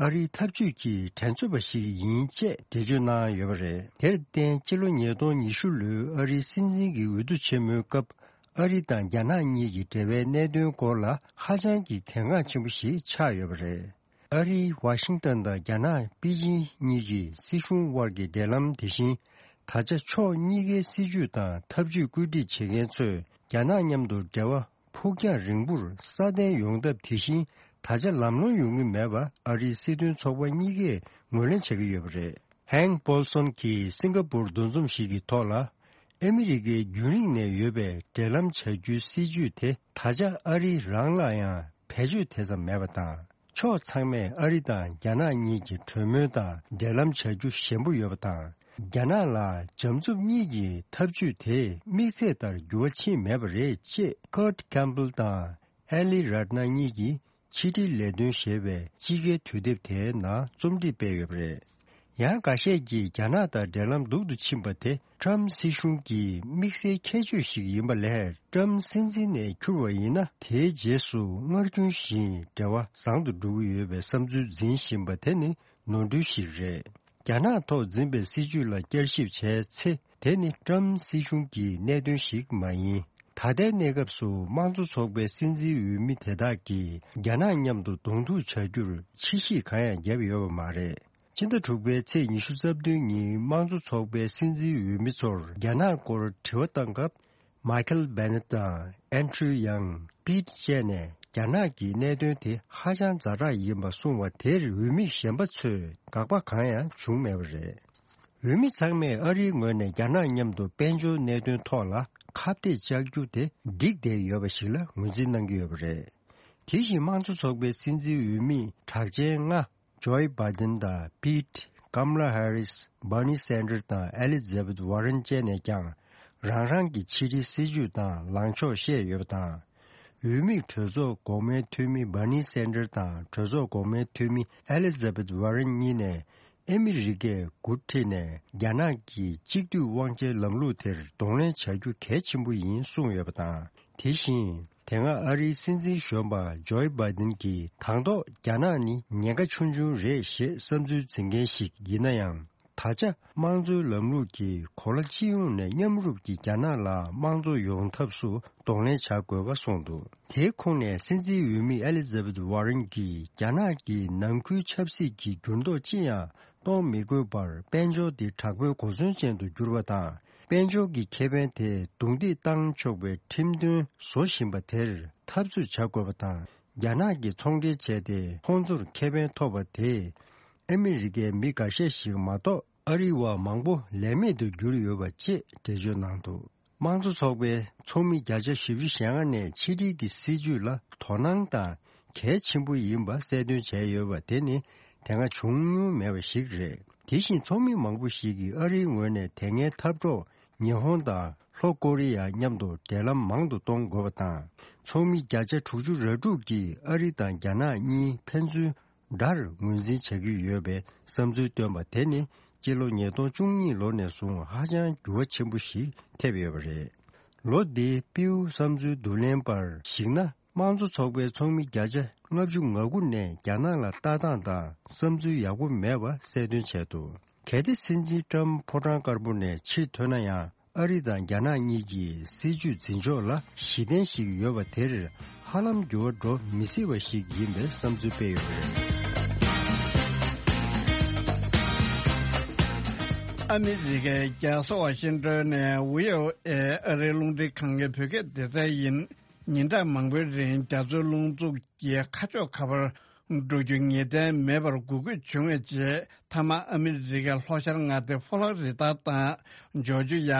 ཨ་རིའི་འཐབ་ཇུས་ཀྱི་འགྲན་རྩོད་པ་ཞིག་ཡིན་ཅེས་འགྲེལ་བརྗོད་གནང་ཡོད་པ་རེད། དེར་བརྟེན། སྤྱི་ལོ་ཉིས་སྟོང་ཉི་ཤུ་ལོའི་ཨ་རིའི་སྲིད་འཛིན་གྱི་འོས་བསྡུ་ཆེན་མོའི་སྐབས། ཨ་རི་དང་རྒྱ་ནག་གཉིས་ཀྱི་འབྲེལ་བའི་གནད་དོན་སྐོར་ལ་ཧ་ཅང་གི་གལ་འགངས་ཆེན་པོ་ཞིག་ཆགས་ཡོད་པ་རེད། ཨ་རིའི་ཝ་ཤིང་ཏན་དང་རྒྱ་ནག་པེ་ཅིན་གཉིས་ཀྱི་སྲིད་གཞུང་དབར་གྱི་འབྲེལ་ལམ་དེ་བཞིན། ད་ཆ་ཕྱོགས་གཉིས་ཀའི་སྲིད་ཇུས་དང་ཐབས་ཇུས་བཀོད་སྒྲིག་བྱེད་མཁན་ཚོས་རྒྱ་ནག་མཉམ་དུ་འབྲེལ་བ་ཕུགས་རྒྱང་རིང་པོར་སྲ་བརྟན་ཡོང་ཐབས་དེ་བཞིན། ད་ཆ་ལམ་ལྷོང་ཡོང་གི་མེད་པ་ཨ་རིའི་སྲིད་དོན་ཚོགས་པ་གཉིས་ཀས་ངོས་ལེན་བྱེད་ཀྱི་ཡོད་པ་རེད། ཧན་པོལ་སོན་གྱིས་སིང་ག་པུར་འདུ་འཛོམས་ཤིག་གི་ཐོག་ལ། ཨ་མི་རི་ཀའི་རྒྱུན་རིང་ནས་ཡོད་པའི་འབྲེལ་ལམ་བྱ་རྒྱུའི་སྲིད་ཇུས་དེ་ད་ཆ་ཨ་རི་རང་ལ་ཡང་བེད་སྤྱོད་དེ་ཙམ་མེད་པ་དང་། ཕྱོགས་ཚང་མས་ཨ་རི་དང་རྒྱ་ནག་གཉིས་ཀྱི་གྲོས་མོལ་དང་འབྲེལ་ལམ་བྱ་རྒྱུ་ཞན་པོ་ཡོད་པ་དང་། རྒྱ་ནག་ལ་འཇམ་རྩུབ་གཉིས་ཀྱི་འཐབ་ཇུས་དེས་དམིགས་ཚད་ལྟར་འགྱུར་བ་ཕྱིན་མེད་པ་རེད་ཅེས། ཀར་ཊི་ཁེམ་པེལ་དང་ཨེ་ལི་རཏ་ན་གཉིས་ཀྱིས་ཕྱི་དྲིལ་ལས་དོན་ཞེས་པའི་དཔྱིད་ཀའི་དུས་དེབ་དེའི་ནང་རྩོམ་སྒྲིག་སྤེལ་ཡོད་པ་རེད། ཡང་འགའ་ཤས་ཀྱིས་རྒྱ་ནག་དང་འབྲེལ་ལམ་སྡུག་ཏུ་ཕྱིན་པ་དེ་ཊམ་སྲིད་གཞུང་གི་དམིགས་བསལ་ཁྱད་ཆོས་ཤིག་ཡིན་པ་ལས། ཊམ་སྲིད་འཛིན་ནས་འཁྱུར་བ་ཡིན་ན། དེའི་རྗེས་སུ་སྔར་རྒྱུན་བཞིན་འབྲེལ་བ་བཟང་དུ་འགྲོ་གི་ཡོད་པའི་བསམ་ཚུལ་འཛིན་བཞིན་པ་དེ་ནི་ནོར་འཁྲུལ་ཞིག་རེད། རྒྱ་ནག་ཐོག་འཛིན་པའི་སྲིད་ཇུས་ལ་བསྐྱར་ཞིབ་བྱས་ཚེ། དེ་ནི་ཊམ་སྲིད་གཞུང་གི་གནད་དོན་ཞིག་མ་ཡིན། ད་ལྟའི་གནས་སྐབས་སུ་དམངས་གཙོ་ཚོགས་པའི་སྲིད་འཛིན་འོས་མི་དེ་དག་གིས་རྒྱ་ནག་མཉམ་དུ་གདོང་ཐུག་བྱ་རྒྱུར་ཕྱི་བཤིག་གང་ཡང་བརྒྱབ་ཡོད་པ་མ་རེད། སྤྱི་ཟླ་དྲུག་པའི་ཚེས་ཉི་ཤུ་རྩ་བདུན་ཉིན་དམངས་གཙོ་ཚོགས་པའི་སྲིད་འཛིན་འོས་མི་ཚོར་རྒྱ་ནག་སྐོར་དྲི་བ་བཏང་སྐབས། མའི་ཁལ་བྷེ་ནེ་ཊི་དང་ཨན་ཌྲུ་ཡང་པིད་བཅས་ནས་རྒྱ་ནག་གི་གནད་དོན་དེ་ཧ་ཅང་ཛ་དྲག་ཡིན་པ་གསུངས་པ་དེར་འོས་མི་གཞན་པ་ཚོས་དགག་པ་གང་ཡང་བྱུང་མེད་པ་རེད། འོས་མི་ཚང་མས་ཨ་རིའི་ངོས་ནས་རྒྱ་ནག་མཉམ་དུ་དཔལ་འབྱོར་གནད་དོན་ཐོག་ལ་ཁ་གཏད་བཅག་རྒྱུ་དེ་འགྲིག་བསྡད་ཡོད་པ་ཞིག་ལ་ངོས་འཛིན་གནང་གི་ཡོད་པ་རེད། དེ་བཞིན་དམངས་གཙོ་ཚོགས་པའི་སྲིད་འཛིན་འོས་མི་གྲགས་ཅན་ལྔ། ཇོ་བྷའི་ཌེན་དང་པིད། ཀམ་ལ་ཧེ་རིས། སྦར་ནི་སན་ཌར་དང་ཨེ་ལི་ཛ་བྷེཐ་ཝ་རན་བཅས་ནས་ཀྱང་རང་རང་གི་ཕྱི་དྲིལ་སྲིད་ཇུས་དང་ལངས་ཕྱོགས་བཤད་ཡོད་པ་དང་། འོས་མི་གྲོས་ཚོགས་འགོ་དམའི་འཐུས་མི་སྦར་ནི་སན་ཌར་དང་གྲོས་ཚོགས་འགོ་དམའི་འཐུས་མི་ཨེ་ལི་ཛ་བྷེཐ་ཝ་རན་གཉིས་ནས་ཨ་མི་རི་ཀས་འགོ་ཁྲིད་ནས་རྒྱ་ནག་གི་གཅིག་སྡུད་དབང་ཆའི་ལམ་ལུགས་དེར་གདོང་ལེན་བྱ་རྒྱུ་གལ་ཆེན་པོ་ཡིན་གསུངས་ཡོད་པ་དང་། དེ་བཞིན། དེ་སྔ་ཨ་རིའི་སྲིད་འཛིན་གཞོན་པ་ཇོ་བྷའི་ཌེན་གྱིས་དང་ཐོག་རྒྱ་ནག་ནི་ཉེན་ཁ་ཆུང་ཆུང་རེད་ཞེས་བསམ་ཚུལ་འཛིན་མཁན་ཞིག་ཡིན་ན་ཡང་། ད་ཆ་དམངས་གཙོའི་ལམ་ལུགས་ཀྱིས་གོ་ལ་སྤྱི་ཡོངས་ནས་མཉམ་རུབ་ཀྱིས་རྒྱ་ནག་ལ་དམངས་གཙོ་ཡོང་ཐབས་སུ་གདོང་ལེན་བྱ་དགོས་པ་གསུངས་འདུག་དེའི་ཁོངས་ནས་སྲིད་འཛིན་འོས་མི་ཨེ་ལི་ཛ་བྷེཐ་ཝ་རན་གྱིས་རྒྱ་ནག་གིས་ནང་ཁུལ་ཆབ་སྲིད་ཀྱི་འགྱུར་ལྡོག་ཅི་ཡང་གཏོང་མི་དགོས་པར་དཔལ་འབྱོར་འདི་དྲག་པོའི་གོ་མཚོན་ཅན་དུ་གྱུར་པ་དང་། དཔལ་འབྱོར་གྱི་ཁེ་ཕན་དེ་རྡུང་རྡེག་བཏང་ཆོག་པའི་ཁྲིམས་དོན་བཟོ་བཞིན་པ་དེར་འཐབ་རྩོད་བྱ་དགོས་པ་དང་། རྒྱ་ནག་གིས་ཚོང་འབྲེལ་བྱས་ཏེ་ཁོང་ཚོར་ཁེ་ཕན་ཐོབ་པ་དེས་ ཨ་མི་རི་ཀའི་མི་འགའ་ཤས་ཤིག་མ་གཏོགས་ཨ་རིའི་བ་མང་པོ་ལས་མེད་དུ་གྱུར་ཡོད་པ་བཅས་འགྲེལ་བརྗོད་གནང་འདུག། དམངས་གཙོ་ཚོགས་པའི་ཚོགས་མི་བརྒྱ་ཆ་བཞི་བཅུ་ཞེ་ལྔ་ནས་ཕྱི་འབྲེལ་གྱི་སྲིད་ཇུས་ལ་དོ་སྣང་དང་གལ་ཆེན་པོ་ཡིན་པ་གསལ་སྟོན་བྱས་ཡོད་པ་དེ་ནི་དེ་སྔ་བྱུང་མྱོང་མེད་པ་ཞིག་རེད། དེ་བཞིན་ཚོགས་མི་མང་པོ་ཞིག་གིས་ཨ་རིའི་ངོས་ནས་དེ་སྔའི་འཐབ་གྲོགས་ཉི་ཧོང་དང་ལྷོ་ཀོ་རི་ཡ་མཉམ་དུ་འབྲེལ་ལམ་མང་དུ་གཏོང་དགོས་པ་དང་། ཚོགས་མི་བརྒྱ་ཆ་དྲུག་ཅུ་རེ་དྲུག་གིས་ཨ་རི་དང་རྒྱ་ནག་གཉིས་ཕན་ཚུན་དགྲར་ངོས་འཛིན་བྱ་གི་ཡོད་པའི་བསམ་ཚུལ་བཏོན་པ་དེ་ནི་སྤྱི་ལོ་ཉིས་སྟོང་བཅུ་གཉིས་ལོ་ནས་བཟུང་ཧ་ཅང་འགྱུར་བ་ཆེན་པོ་ཞིག་ཐེབས་ཡོད་པ་རེད། ལོ་འདིའི་པིའུ་བསམ་ཚུལ་བསྡུ་ལེན་པར་གཞིགས་ན། དམངས་གཙོ་ཚོགས་པའི་ཚོགས་མི་བརྒྱ་ཆ་ལྔ་བཅུ་ང་དགུ་ནས་རྒྱ་ནག་ལ་ལྟ་སྟངས་དང་བསམ་ཚུལ་ཡག་པོ་མེད་པ་གསལ་སྟོན་བྱས་འདུག། གལ་ཏེ་སྲིད་འཛིན་ཀྲམ་ཕོ་བྲང་དཀར་པོ་ནས་ཕྱིར་ཐོན་ན་ཡང་། ཨ་རི་དང་རྒྱ་ནག་གཉིས་ཀྱི་སྲིད་ཇུས་འཛིན་ཕྱོགས་ལ་གཞི་རྟེན་ཞིག་ཡོད་པ་དེར་ཧ་ལམ་འགྱུར་བ་འགྲོ་མི་སྲིད་པ་ཞིག་ཡིན་པའི་བསམ་ཚུལ་སྤེལ་ཡོད་པ་རེད། ཨ་མི་རི་ཀའི་རྒྱལ་ས་ཝ་ཤིང་ཏོན་ནས་ཝི་ཨོ་ཨེ་ཨ་རིའི་རླུང་འཕྲིན་ཁང་གི་བོད་སྐད་སྡེ་ཚན་ཡིན། ཉིན་གྲངས་མང་པོའི་རིང་རྒྱ་མཚོའི་རླུང་འཚུབ་ཀྱིས་ཁ་ཕྱོགས་ག་པར་འགྲོ་རྒྱུ་ངེས་གཏན་མེད་པར་འགོག་རྒོལ་བྱུང་བའི་རྗེས། མཐའ་མ་ཨ་མི་རི་ཀའི་ལྷོ་ཤར་མངའ་སྡེ་ཕོ་ལྷོ་རི་ཐར་དང་ཇོར་ཇི་ཡ།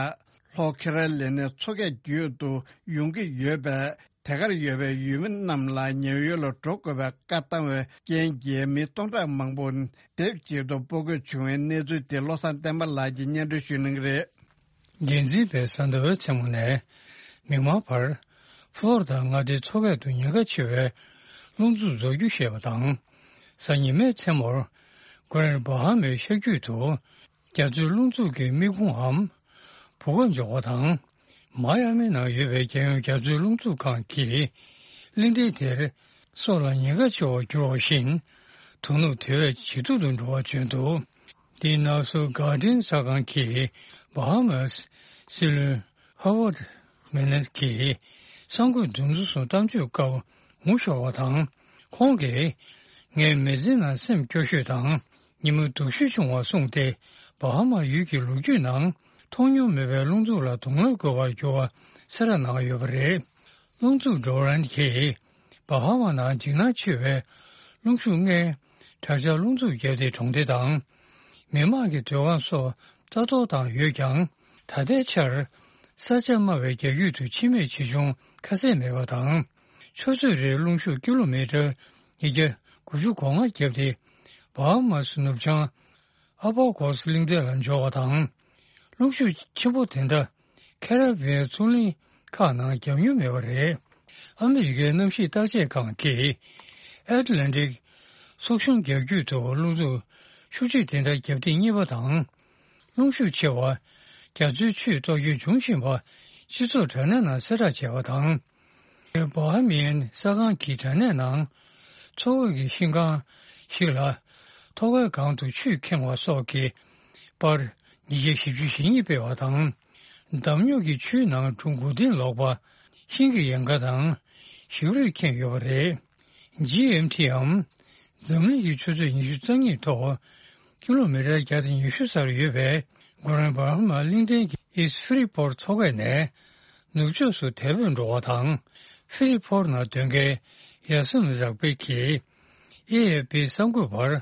ལྷོ་ཁེ་རོ་ལི་ནའི་མཚོ་ཁའི་རྒྱུད་དུ་ཡོང་གི་ཡོད་པས། དེ་གར་ཡོད་པའི་ཡུལ་མི་རྣམས་ལ་ཉེ་བའི་ཡུལ་ལ་འགྲོ་དགོས་པའི་བཀའ་བཏང་བའི་རྐྱེན་གྱིས་མི་སྟོང་ཕྲག་མང་པོ་སྡེབ་གཅིག་ཏུ་སྤོ་དགོས་བྱུང་བའི་གནས་ཚུལ་དེ་བློ་བཟང་བསྟན་པ་ལགས་ཀྱིས་སྙན་སྒྲོན་ཞུ་གནང་གི་རེད། འགན་འཛིན་པས་གཟའ་ཟླ་བའི་མཚན་མོ་ནས་མིག་དམར་བར་ཕློ་རི་དཱ་མངའ་སྡེའི་མཚོ་ཁ་དུ་ཉེན་ཁ་ཆེ་བའི་རླུང་འཚུབ་རྫོགས་རྒྱུ་བཤད་པ་དང་། གཟའ་ཉི་མའི་མཚན་མོར་གྷ་རན་ཌི་བྷ་ཧ་མའི་ཤར་རྒྱུད་དུ་རྒྱ་མཚོའི་རླུང་འཚུབ་ཀྱི་མིག་ཁུང་འམ་བུ་ག་འབྱུང་བ་དང་། མ་ཡ་མི་ནང་ཡོད་པའི་རྒྱལ་ཡོངས་རྒྱ་མཚོའི་རླུང་འཚུབ་ཁང་གིས་གླིང་ཕྲན་དེར་སྲོག་ལ་ཉེན་ཁ་ཆེ་བར་གྱུར་བ་བཞིན་དོ་ནུབ་དེ་བས་ཇེ་སྡུག་ཏུ་འགྲོ་བར་བརྗོད་འདུག། འདི་ནང་སོ་གྷར་ཌིན་གསར་ཁང་གིས་བྷ་ཧ་མ་སི་སྲིད་བློན་ཧ་ཝར་ཌི་མི་ནེ་གིས་གསར་འགོད་འདུ་འཛོམས་སུ་གཏམ་བརྗོད་སྐབས་ངོ་ཤོར་བ་དང་། ཁོང་གིས་ངའི་མི་ཚེའི་ནང་སེམས་སྐྱོ་ཤོས་དང་ཉི་མ་སྡུག་ཤོས་བྱུང་བ་གསུངས་ཏེ། བྷ་ཧ་མ་ཡུལ་གྱི་ལོ་རྒྱུས་ནང་མཐོང་མྱོང་མེད་པའི་རླུང་འཚུབ་ལ་གདོང་ལེན་དགོས་པར་གྱུར་བ་གསལ་བསྒྲགས་གནང་ཡོད་པ་རེད། རླུང་འཚུབ་ཌོ་རན་གྱིས་བྷ་ཧ་མ་ནང་འཇིགས་སྣང་ཆེ་བའི་རླུང་ཤུགས་ལྔའི་དྲག་ཆར་རླུང་འཚུབ་བརྒྱབ་སྟེ་གྲོང་སྡེ་དང་མི་མང་གི་སྡོད་ཁང་སོགས་རྩ་གཏོར་བཏང་ཡོད་ཀྱང་། ད་ལྟའི་ཆར་ས་ཆ་དམའ་བའི་རྒྱ་རྒྱུད་དུ་འཆི་རྨས་ཆེ་ཆུང་ཁ་གསལ་མེད་པ་དང་། ཆུ་ཚོད་རེར་རླུང་ཤུགས་ཀི་ལོ་མི་ཊར་ཉིས་བརྒྱ་དགུ་བཅུ་གོ་ལྔ་བརྒྱབ་སྟེ་བྷ་ཧ་མ་སི་ནུབ་བྱང་ཨ་བྷ་གོ་སི་གླིང་ཕྲན་ལ་འབྱོར་བ་དང་། རླུང་ཤུགས་ཆེན་པོ་དེ་འདྲ་ཁེ་ར་བི་ཡན་མཚོ་གླིང་ཁག་ནང་བརྒྱབ་མྱོང་མེད་པ་རེད། ཨ་མི་རི་ཀའི་གནམ་གཤིས་བརྟག་དཔྱད་ཁང་གིས་ཨེཊ་ལན་ཊིག་སོག་གཞུང་རྒྱ་རྒྱུད་དུ་རླུང་འཚུབ་ཤུགས་ཆེ་དེ་འདྲ་བརྒྱབ་ཐེངས་གཉིས་པ་དང་། རླུང་ཤུགས་ཆེ་བ་རྒྱ་མཚོའི་ཆུས་གཏོར་སྐྱོན་འབྱུང་བཞིན་པ་སྤྱི་ཚོགས་དྲ་གནས་ནང་གསལ་བསྒྲགས་བྱས་པ་དང་། བྷ་ཧ་མི་ཡན་གསར་ཁང་གི་དྲ་གནས་ནང་མཚོ་འོག་གི་ཤིང་ཁང་ཞིག་ལ་ཐོག་ཁའི་སྒང་དུ་ཆུས་ཁེངས་པ་སོགས་ཀྱི་པར་ཉིས་བརྒྱ་བཞི་བཅུ་ཞེ་གཉིས་སྤེལ་བ་དང་། འདམ་རྙོག་གིས་ཆུའི་ནང་གྲུ་དགུ་སྟེང་ལོག་པ། ཤིང་གི་ཡལ་ག་དང་ཞིག་རུས་ཁེངས་ཡོད་པ་རེད། ཇི་ཨེམ་ཊིའམ་འཛམ་གླིང་གི་ཆུ་ཚོད་ཉི་ཤུ་རྩ་གཉིས་ཐོག་ཀི་ལོ་མི་ཊར་བརྒྱ་དང་ཉི་ཤུ་སར་ཡོད་པའི་གྷ་རན་ཌི་བྷ་ཧ་མ་གླིང་ཕྲན་གྱི་ཨིསི་ཕི་རི་ཕོར་མཚོ་ཁ་ནས་ནུབ་ཕྱོགས་སུ་དལ་བུས་འགྲོ་བ་དང་། ཕི་རི་ཕོར་ནང་སྡོད་མཁན་ཡ་སི་མི་རག་པེ་གིས་ཨེ་ཨེ་པི་གསར་འགོད་པར།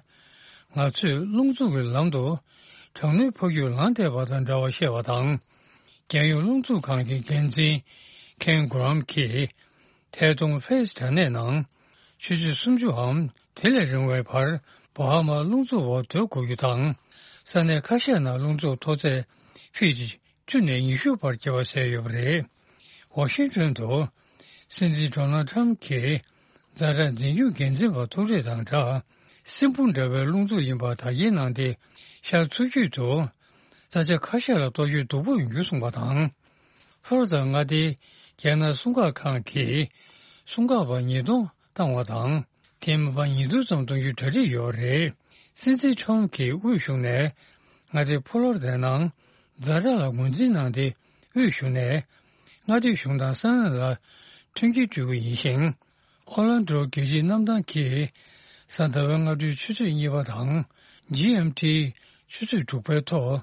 ང་ཚོས་རླུང་འཚུབ་ཀྱི་ལམ་དུ་གྲང་ནུས་འཕར་རྒྱུག་ལངས་བསྡད་པ་དང་འདྲ་བ་བཤད་པ་དང་། རྒྱལ་ཡོངས་རླུང་འཚུབ་ཁང་གི་འགན་འཛིན་ཁེན་གྷོ་རམ་གྱིས། ཐད་གཏོང་ཕེ་སི་དྲ་གནས་ནང་ཆུ་ཚོད་སུམ་ཅུའམ་དེ་ལས་རིང་བའི་བར་བྷ་ཧ་མ་རླུང་འཚུབ་འོག་སྡོད་དགོས་རྒྱུ་དང་། ས་གནས་ཁ་ཤས་ནང་རླུང་འཚུབ་མཐོ་ཚད་ཕིཊ་བཅུ་ནས་ཉི་ཤུ་བར་བརྒྱབ་པ་གསལ་ཡོད་པ་རེད། ཝ་ཤིང་ཊོན་དུ་སྲིད་འཛིན་ཌོ་ནལ་ཊམ་གྱིས་ཛ་དྲག་འཛིན་སྐྱོང་འགན་འཛིན་པ་ཐུག་འཕྲད་དང་སྦྲགས། སྲིན་འབུ་འདྲ་བའི་རླུང་འཚུབ་ཡིན་པ་བརྡ་འཁྱེར་གནང་སྟེ། ཤར་མཚོ་རྒྱུད་དུ་ས་ཆ་ཁ་ཤས་ལ་གཏོར་སྐྱོན་སྡུག་པོ་ཡོང་རྒྱུ་གསུངས་པ་དང་། ཧྥོ་རོ་དང་མངའ་སྡེའི་རྒྱལ་ནང་སྲུང་སྐར་ཁང་གིས་སྲུང་སྐར་པ་ཉིས་སྟོང་བཏང་བ་དང་། དེ་མིན་པ་ཉིས་སྟོང་ཙམ་གཏོང་རྒྱུའི་གྲ་སྒྲིག་ཡོད་རེད། སྲིད་འཛིན་ཁྲོམ་གྱིས་དབུས་གཞུང་ནས་མངའ་སྡེ་ཕོ་ལོ་རི་ནང་ཛ་དྲག་ལ་ངོས་འཛིན་གནང་སྟེ། དབུས་གཞུང་ནས་མངའ་སྡེ་གཞུང་དང་ས་གནས་ལ་མཐུན་རྐྱེན་སྤྲོད་རྒྱུ་ཡིན་ཞིང་། ཨོ་ལན་ཌོ་རྒྱལ་སྤྱིའི་གནམ་ཐང་གིས་གཟའ་ཟླ་བའི་སྔ་དྲོའི་ཆུ་ཚོད་གཉིས་པ་དང་ཇི་ཨེམ་ཊི་ཆུ་ཚོད་དྲུག་པའི་ཐོག་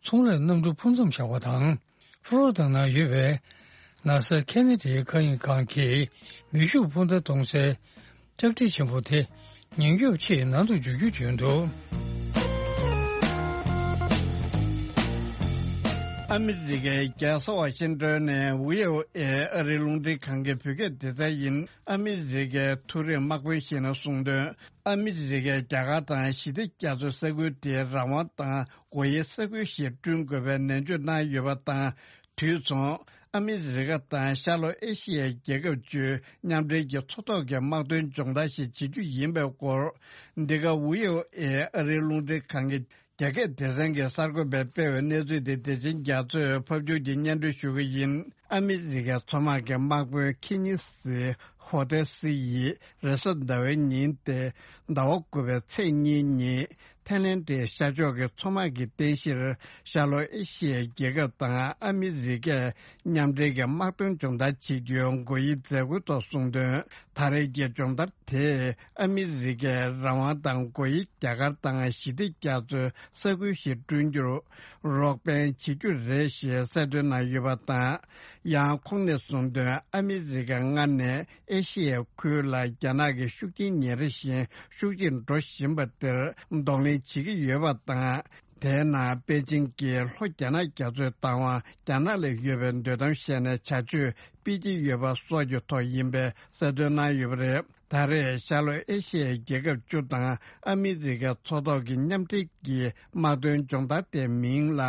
ཚོང་ལས་གནམ་གྲུ་འཕུར་མཚམས་བཞག་པ་དང་། ཕློ་རི་ཌ་ནང་ཡོད་པའི་ནཱ་སཱ་ཁེ་ན་ཌའི་མཁའ་དབྱིངས་ཁང་གི་མེ་ཤུགས་འཕུར་མདའ་གཏོང་སའི་ལྕགས་རི་ཆེན་པོ་དེ་ ཉན་སྐྱོབ་ཆེད་ནང་དུ་འཇུག་རྒྱུ་བྱུང་འདུག། ཨ་མི་རི་ཀའི་རྒྱལ་ས་ཝ་ཤིང་ཏོན་ནས་ཝི་ཨོ་ཨེ་ཨ་རིའི་རླུང་འཕྲིན་ཁང་གི་བོད་སྐད་སྡེ་ཚན་ཡིན། ཨ་མི་རི་ཀའི་མཐོ་རིམ་དམག་དཔོན་ཞིག་ནས་གསུངས་དོན། ཨ་མི་རི་ཀས་རྒྱ་གར་དང་ཞི་བདེ་རྒྱ་མཚོའི་ས་ཁུལ་དེའི་རང་དབང་དང་སྒོ་དབྱེའི་ས་ཁུལ་ཞིག་བསྐྲུན་དགོས་པའི་ནན་བརྗོད་གནང་ཡོད་པ་དང་། དུས་མཚུངས། ཨ་མི་རི་ཀ་དང་ཤར་ལྷོ་ཨེ་ཤི་ཡའི་རྒྱལ་ཁབ་བཅུའི་མཉམ་འབྲེལ་གྱི་མཚོ་ཐོག་གི་དམག་དོན་སྦྱོང་བརྡར་ཞིག་བྱེད་རྒྱུ་ཡིན་པའི་སྐོར། འདི་ག་ཝི་ཨོ་ཨེ་ཨ་རིའི་རླུང་འཕྲིན་ཁང་གི་རྒྱ་སྐད་སྡེ་ཚན་གྱི་གསར་འགོད་པས་སྤེལ་བའི་གནས་ཚུལ་དེ་བདེ་ཆེན་རྒྱ་མཚོས་ཕབ་སྒྱུར་གྱིས་སྙན་སྒྲོན་ཞུ་གི་ཡིན། ཨ་མི་རི་ཀའི་མཚོ་དམག་གི་དམག་དཔོན་ཁི་ཉི་སི་ཧོ་ཏེ་སི་ཡིས་རེས་གཟའ་ཟླ་བའི་ཉིན་ཏེ་ཟླ་བ་དགུ་པའི་ཚེས་གཉིས་ཉིན་ཐའི་ལེན་ཌའི་ཤར་ཕྱོགས་ཀྱི་མཚོ་དམག་གི་རྟེན་གཞིར་ཤར་ལྷོ་ཨེ་ཤི་ཡའི་རྒྱལ་ཁབ་དང་ཨ་མི་རི་ཀས་མཉམ་འབྲེལ་གྱི་དམག་དོན་སྦྱོང་བརྡར་བྱེད་རྒྱུའི་དགོས་ཡིག་མཛད་སྒོའི་ཐོག་གསུངས་དོན། ད་རེས་ཀྱི་སྦྱོང་བརྡར་དེས་ཨ་མི་རི་ཀའི་རང་དབང་དང་སྒོ་དབྱེ་རྒྱ་གར་དང་ཞི་བདེ་རྒྱ་མཚོའི་ས་ཁུལ་ཞིག་བསྐྲུན་རྒྱུར་རོགས་ཕན་བྱེད་རྒྱུ་རེད་ཞེས་གསལ་སྟོན་གནང་ཡོད་པ་དང་། ཡང་ཁོང་ནས་གསུངས་དོན། ཨ་མི་རི་ཀས་སྔར་ནས་ཨེ་ཤི་ཡའི་ཁུལ་ལ་རྒྱ་ནག་གི་ཤུགས་རྐྱེན་ཉིན་རེ་བཞིན་ཤུགས་ཆེར་འགྲོ་བཞིན་པ་དེར་གདོང་ལེན་བྱེད་ཀྱི་ཡོད་པ་དང་། དེའི་ནང་པེ་ཅིང་གིས་ལྷོ་རྒྱ་ནག་རྒྱ་མཚོའི་བདག་དབང་རྒྱ་ནག་ལ་ཡོད་པའི་འདོད་གཏམ་བཤད་ནས་བྱ་སྤྱོད་སྤེལ་གྱི་ཡོད་པ་སོགས་ཀྱི་ཐོག་ཡིན་པའི་གསལ་སྟོན་གནང་ཡོད་པ་རེད། ད་རེས་ཤར་ལྷོ་ཨེ་ཤི་ཡའི་རྒྱལ་ཁབ་བཅུ་དང་ཨ་མི་རི་ཀའི་མཚོ་ཐོག་གི་མཉམ་འབྲེལ་གྱི་དམག་དོན་སྦྱོང་བརྡར་དེའི་མིང་ལ་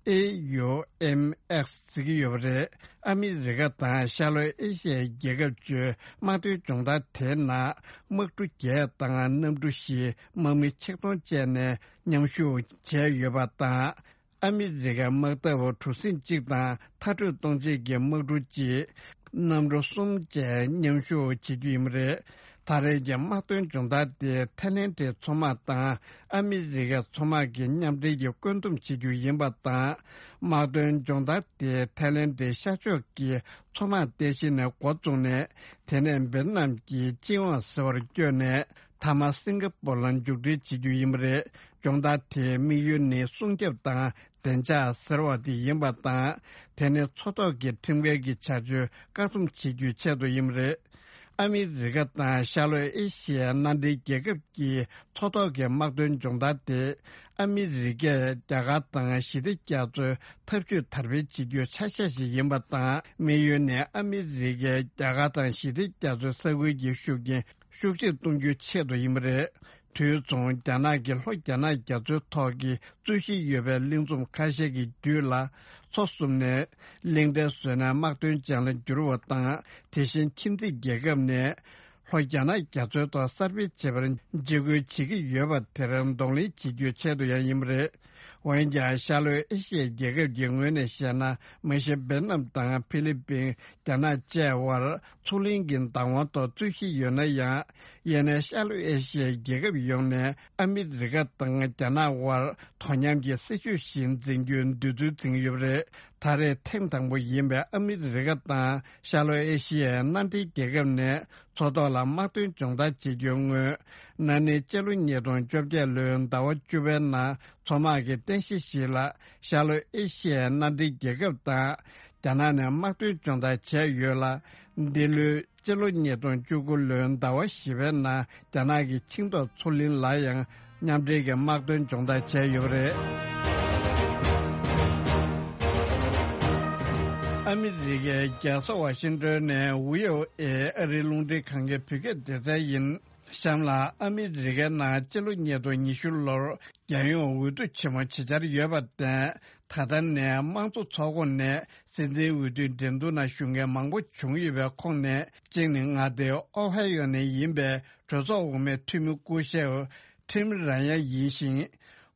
ཨེ་ཡུ་ཨེམ་ཨེགས་ཟེར་གྱི་ཡོད་པ་རེད། ཨ་མི་རི་ཀ་དང་ཤར་ལྷོ་ཨེ་ཤི་ཡའི་རྒྱལ་ཁབ་བཅུའི་དམག་དོན་སྦྱོང་བརྡར་དེའི་ནང་དམག་གྲུ་བརྒྱད་དང་གནམ་གྲུ་བཞི། དམག་མི་ཆིག་སྟོང་བཅས་ནས་མཉམ་ཞུགས་བྱས་ཡོད་པ་དང་། ཨ་མི་རི་ཀའི་དམག་འཐབ་གྲུ་གཟིངས་གཅིག་དང་མཐར་སྐྲོད་གཏོང་བྱེད་ཀྱི་དམག་གྲུ་གཅིག། གནམ་གྲུ་གསུམ་བཅས་མཉམ་ཞུགས་བྱེད་རྒྱུ་ཡིན་པ་རེད། ད་རེས་ཀྱི་དམག་དོན་སྦྱོང་བརྡར་དེ་ཐའི་ལེན་ཌའི་མཚོ་དམག་དང་ཨ་མི་རི་ཀའི་མཚོ་དམག་གི་མཉམ་འབྲེལ་གྱིས་བཀོད་འདོམས་བྱེད་རྒྱུ་ཡིན་པ་དང་། དམག་དོན་སྦྱོང་བརྡར་དེ་ཐའི་ལེན་ཌའི་ཤར་ཕྱོགས་ཀྱི་མཚོ་དམག་རྟེན་གཞི་ནས་འགོ་བཙུགས་ནས། དེ་ནས་ཝེ་ཏི་ནམ་གྱི་ཅིན་ཝང་ཟེར་བར་བསྐྱོད་ནས། མཐའ་མ་སིང་ག་པོར་ལ་མཇུག་སྒྲིལ་བྱེད་རྒྱུ་ཡིན་པ་རེད། སྦྱོང་བརྡར་དེའི་དམིགས་ཡུལ་ནི་སྲུང་སྐྱོབ་དང་བདེ་འཇགས་ཟེར་བ་དེ་ཡིན་པ་དང་། དེ་ནི་མཚོ་ཐོག་གི་ཁྲིམས་འགལ་གྱི་བྱ་སྤྱོད་བཀག་སྡོམ་བྱེད་རྒྱུའི་ཆེད་དུ་ཡིན་པ་རེད། ཨ་མི་རི་ཀ་དང་ཤར་ལྷོ་ཨེ་ཤི་ཡའི་མནའ་འབྲེལ་རྒྱལ་ཁབ་ཀྱི་མཚོ་ཐོག་གི་དམག་དོན་སྦྱོང་བརྡར་དེ། ཨ་མི་རི་ཀས་རྒྱ་གར་དང་ཞི་བདེ་རྒྱ་མཚོའི་འཐབ་ཇུས་དར་སྤེལ་བྱེད་རྒྱུའི་ཆ་ཤས་ཤིག་ཡིན་པ་དང་། དམིགས་ཡུལ་ནི་ཨ་མི་རི་ཀས་རྒྱ་གར་དང་ཞི་བདེ་རྒྱ་མཚོའི་ས་ཁུལ་གྱི་ཤུགས་རྐྱེན་ཤུགས་ཆེར་གཏོང་རྒྱུའི་ཆེད་དུ་ཡིན་པ་རེད། དུས་མཚུངས། རྒྱ་ནག་གིས་ལྷོ་རྒྱ་ནག་རྒྱ་མཚོའི་ཐོག་གི་རྩོད་གཞི་ཡོད་པའི་གླིང་ཚོམ་ཁ་ཤས་ཀྱི་རྒྱུད་ལ་མཚོ་བསུབས་ནས་གླིང་ཕྲན་བཟོས་ནས་དམག་དོན་ཅན་ལ་བསྒྱུར་བ་དང་། དེ་བཞིན་ཁྱིམ་མཚེས་རྒྱལ་ཁབ་ནས་ལྷོ་རྒྱ་ནག་རྒྱ་མཚོའི་ཐོག་གསར་སྤེལ་བྱེད་པར་འཇིགས་སྐུལ་བྱེད་ཀྱི་ཡོད་པ་དེར་གདོང་ལེན་བྱེད་རྒྱུའི་ཆེད་དུ་ཡང་ཡིན་པ་རེད། འོན་ཀྱང་། ཤར་ལྷོའི་ཨེ་ཤི་ཡའི་རྒྱལ་ཁབ་ཀྱི་ངོས་ནས་བཤད་ན། མ་གཞི་ཝེ་ཏི་ནམ་དང་ཕི་ལི་པིན། རྒྱ་ནག་བཅས་དབར་མཚོ་གླིང་གི་བདག་དབང་ཐོག་རྩོད་གཞི་ཡོད་ན་ཡང་། ཡང་ན་ཤར་ལྷོ་ཨེ་ཤི་ཡའི་རྒྱལ་ཁབ་ཡོངས་ནས་ཨ་མི་རི་ཀ་དང་རྒྱ་ནག་དབར་དོ་མཉམ་གྱི་སྲིད་ཇུས་ཤིག་འཛིན་རྒྱུའི་འདོད་ཚུལ་འཛིན་གྱི་ཡོད་པ་རེད། ད་རེས་ཐེངས་དང་པོ་ཡིན་པའི་ཨ་མི་རི་ཀ་དང་ཤར་ལྷོ་ཨེ་ཤི་ཡའི་མནའ་འབྲེལ་རྒྱལ་ཁབ་ནས་མཚོ་ཐོག་ལ་དམག་དོན་སྦྱོང་བརྡར་བྱེད་རྒྱུའི་སྔོན། ན་ནིང་སྤྱི་ལོ་ཉིས་སྟོང་བཅོ་བརྒྱད་ལོའི་ཟླ་བ་བཅུ་པའི་ནང་མཚོ་དམག་གི་རྟེན་གཞི་ཞིག་ལ་ཤར་ལྷོ་ཨེ་ཤི་ཡའི་མནའ་འབྲེལ་རྒྱལ་ཁབ་དང་རྒྱ་ནག་ནས་དམག་དོན་སྦྱོང་བརྡར་བྱས་ཡོད་ལ། འདི་ལོའི་སྤྱི་ལོ་ཉིས་སྟོང་བཅུ་དགུ་ལོའི་ཟླ་བ་བཞི་པའི་ནང་རྒྱ་ནག་གི་ཆིང་ཏོག་མཚོ་གླིང་ལ་ཡང་མཉམ་འབྲེལ་གྱི་དམག་དོན་སྦྱོང་བརྡར་བྱས་ཡོད་པ་རེད། ཨ་མི་རི་ཀའི་རྒྱལ་ས་ཝ་ཤིང་ཏོན་ནས་ཝི་ཨོ་ཨེ་ཨ་རིའི་རླུང་འཕྲིན་ཁང་གི་བོད་སྐད་སྡེ་ཚན་ཡིན། གཤམ་ལ། ཨ་མི་རི་ཀའི་ནང་སྤྱི་ལོ་ཉིས་སྟོང་ཉི་ཤུ་ལོར་རྒྱལ་ཡོངས་འོས་བསྡུ་ཆེན་མོ་བྱེད་འཆར་ཡོད་པར་བརྟེན། ད་ལྟ་ནས་དམངས་གཙོ་ཚོགས་ཁོངས་ནས་སྲིད་འཛིན་འོས་བསྡུའི་འགྲན་བསྡུར་ནང་ཞུགས་མཁན་མང་པོ་བྱུང་ཡོད་པའི་ཁོངས་ནས། གཅིག་ནི་མངའ་སྡེ་ཨོ་ཧའི་ཡོ་ནས་ཡིན་པའི་གྲོས་ཚོགས་འོག་མའི་འཐུས་མི་སྐུ་ཞབས་ཊིམ་ར་ཡན་ཡིན་ཞིང་།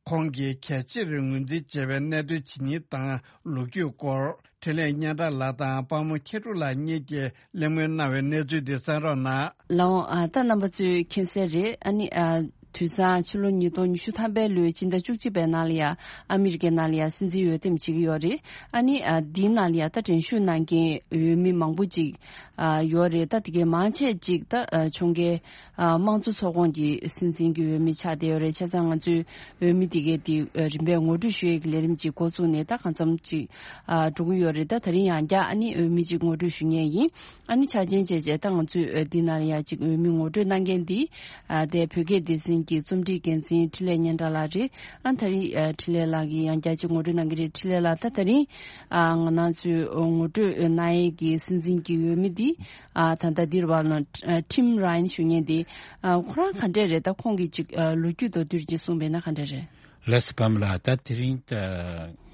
ཁོང་གིས་གལ་ཆེར་ངོས་འཛིན་བྱས་པའི་གནད་དོན་ཇི་སྙེད་དང་ལོ་རྒྱུས་སྐོར། འཕྲིན་ལས་སྙན་གྲགས་ལགས་དང་དཔལ་མོ་མཁས་གྲུབ་ལགས་གཉིས་ཀྱིས་གླེང་མོལ་གནང་བའི་གནས་ཚུལ་འདི་གསན་རོགས་གནང་། ལགས་འོང་། ཨ། ད་རྣམ་པ་ཚོས་མཁྱེན་གསལ་རེད། ཨ་ནི། ཨ། དུས་སང་ཕྱི་ལོ་ཉིས་སྟོང་ཉི་ཤུ་ཐམ་པའི་ལོའི་ཕྱི་ཟླ་བཅུ་གཅིག་པའི་ནང་ལ་ཡ་ཨ་མི་རི་ཀའི་ནང་ལ་ཡ་སྲིད་འཛིན་འོས་འདེམས་བྱེད་ཀྱི་ཡོད་རེད། ཨ་ནི་ཨ་འདིའི་ནང་ལ་ཡ་ད་འགྲན་ཞུགས་གནང་མཁན་འོས་མི་མང་པོ་ཅིག་ཨ་ཡོད་རེད། ད་དེ་གའི་མང་ཆེ་ཅིག་ད་ཨ་ཁྱོན་གའི་ཨ་དམངས་གཙོ་ཚོགས་ཁོངས་ཀྱི་སྲིད་འཛིན་གྱི་འོས་མི་ཆགས་བསྡད་ཡོད་རེད། བྱས་ཙང་ང་ཚོའི་འོས་མི་དེ་གའི་དེ་ཨ་རིམ་པས་ངོ་སྤྲོད་ཞུ་ཡས་ཀྱི་ལས་རིམ་ཅིག་འགོ་བཙུགས་ནས་ད་གང་འཚམ་ཅིག་ཨ་འགྲོ་གི་ཡོད་རེད། ད་དེ་རིང་ཡང་བསྐྱར་ཨ་ནི་འོས་མི་ཅིག་ངོ་སྤྲོད་ཞུ་མཁན་ཡིན། ཨ་ནི་ཆ་ཆེན་བྱས་བྱས་ད་ང་ཚོས་ཨ་འདི་ནང་ལ་ཡ་ཅིག་འོས་མི་ངོ་སྤྲོད་གནང་མཁན་འདི་ཨ་དེ་བོད་སྐད་སྡེ་ཚན་གྱི་རྩོམ་སྒྲིག་འགན་འཛིན་འཕྲིན་ལས་སྙན་གྲགས་ལགས་རེད། ཨ་ད་རིང་ཨ་འཕྲིན་ལས་ལགས་ཀྱིས་ཡང་བསྐྱར་ཅིག་ངོ་སྤྲོད་གནང་གི་རེད། འཕྲིན་ལས་ལགས་ད་དེ་རིང་ཨ་ང་རང་ཚོའི་ངོ་སྤྲོད་གནང་ཡས་ཀྱི་སྲིད་འཛིན་གྱི་འོས་མི་འདི་ཨ་ད་ལྟ་འདིར་བ་ལོ་ཨ་ཊིམ་ར་ཡན་ཞུ་མཁན་འདི་ཨ་ཁོ་རང་ག་འདྲས་རེད། ད་ཁོང་གི་ཅིག་ཨ་ལོ་རྒྱུས་མདོར་བསྡུས་ཅིག་གསུངས་པས་ན་ག་འདྲས་རེད། ལགས་སོ། པདྨ་ལགས། ད་དེ་རིང་ད་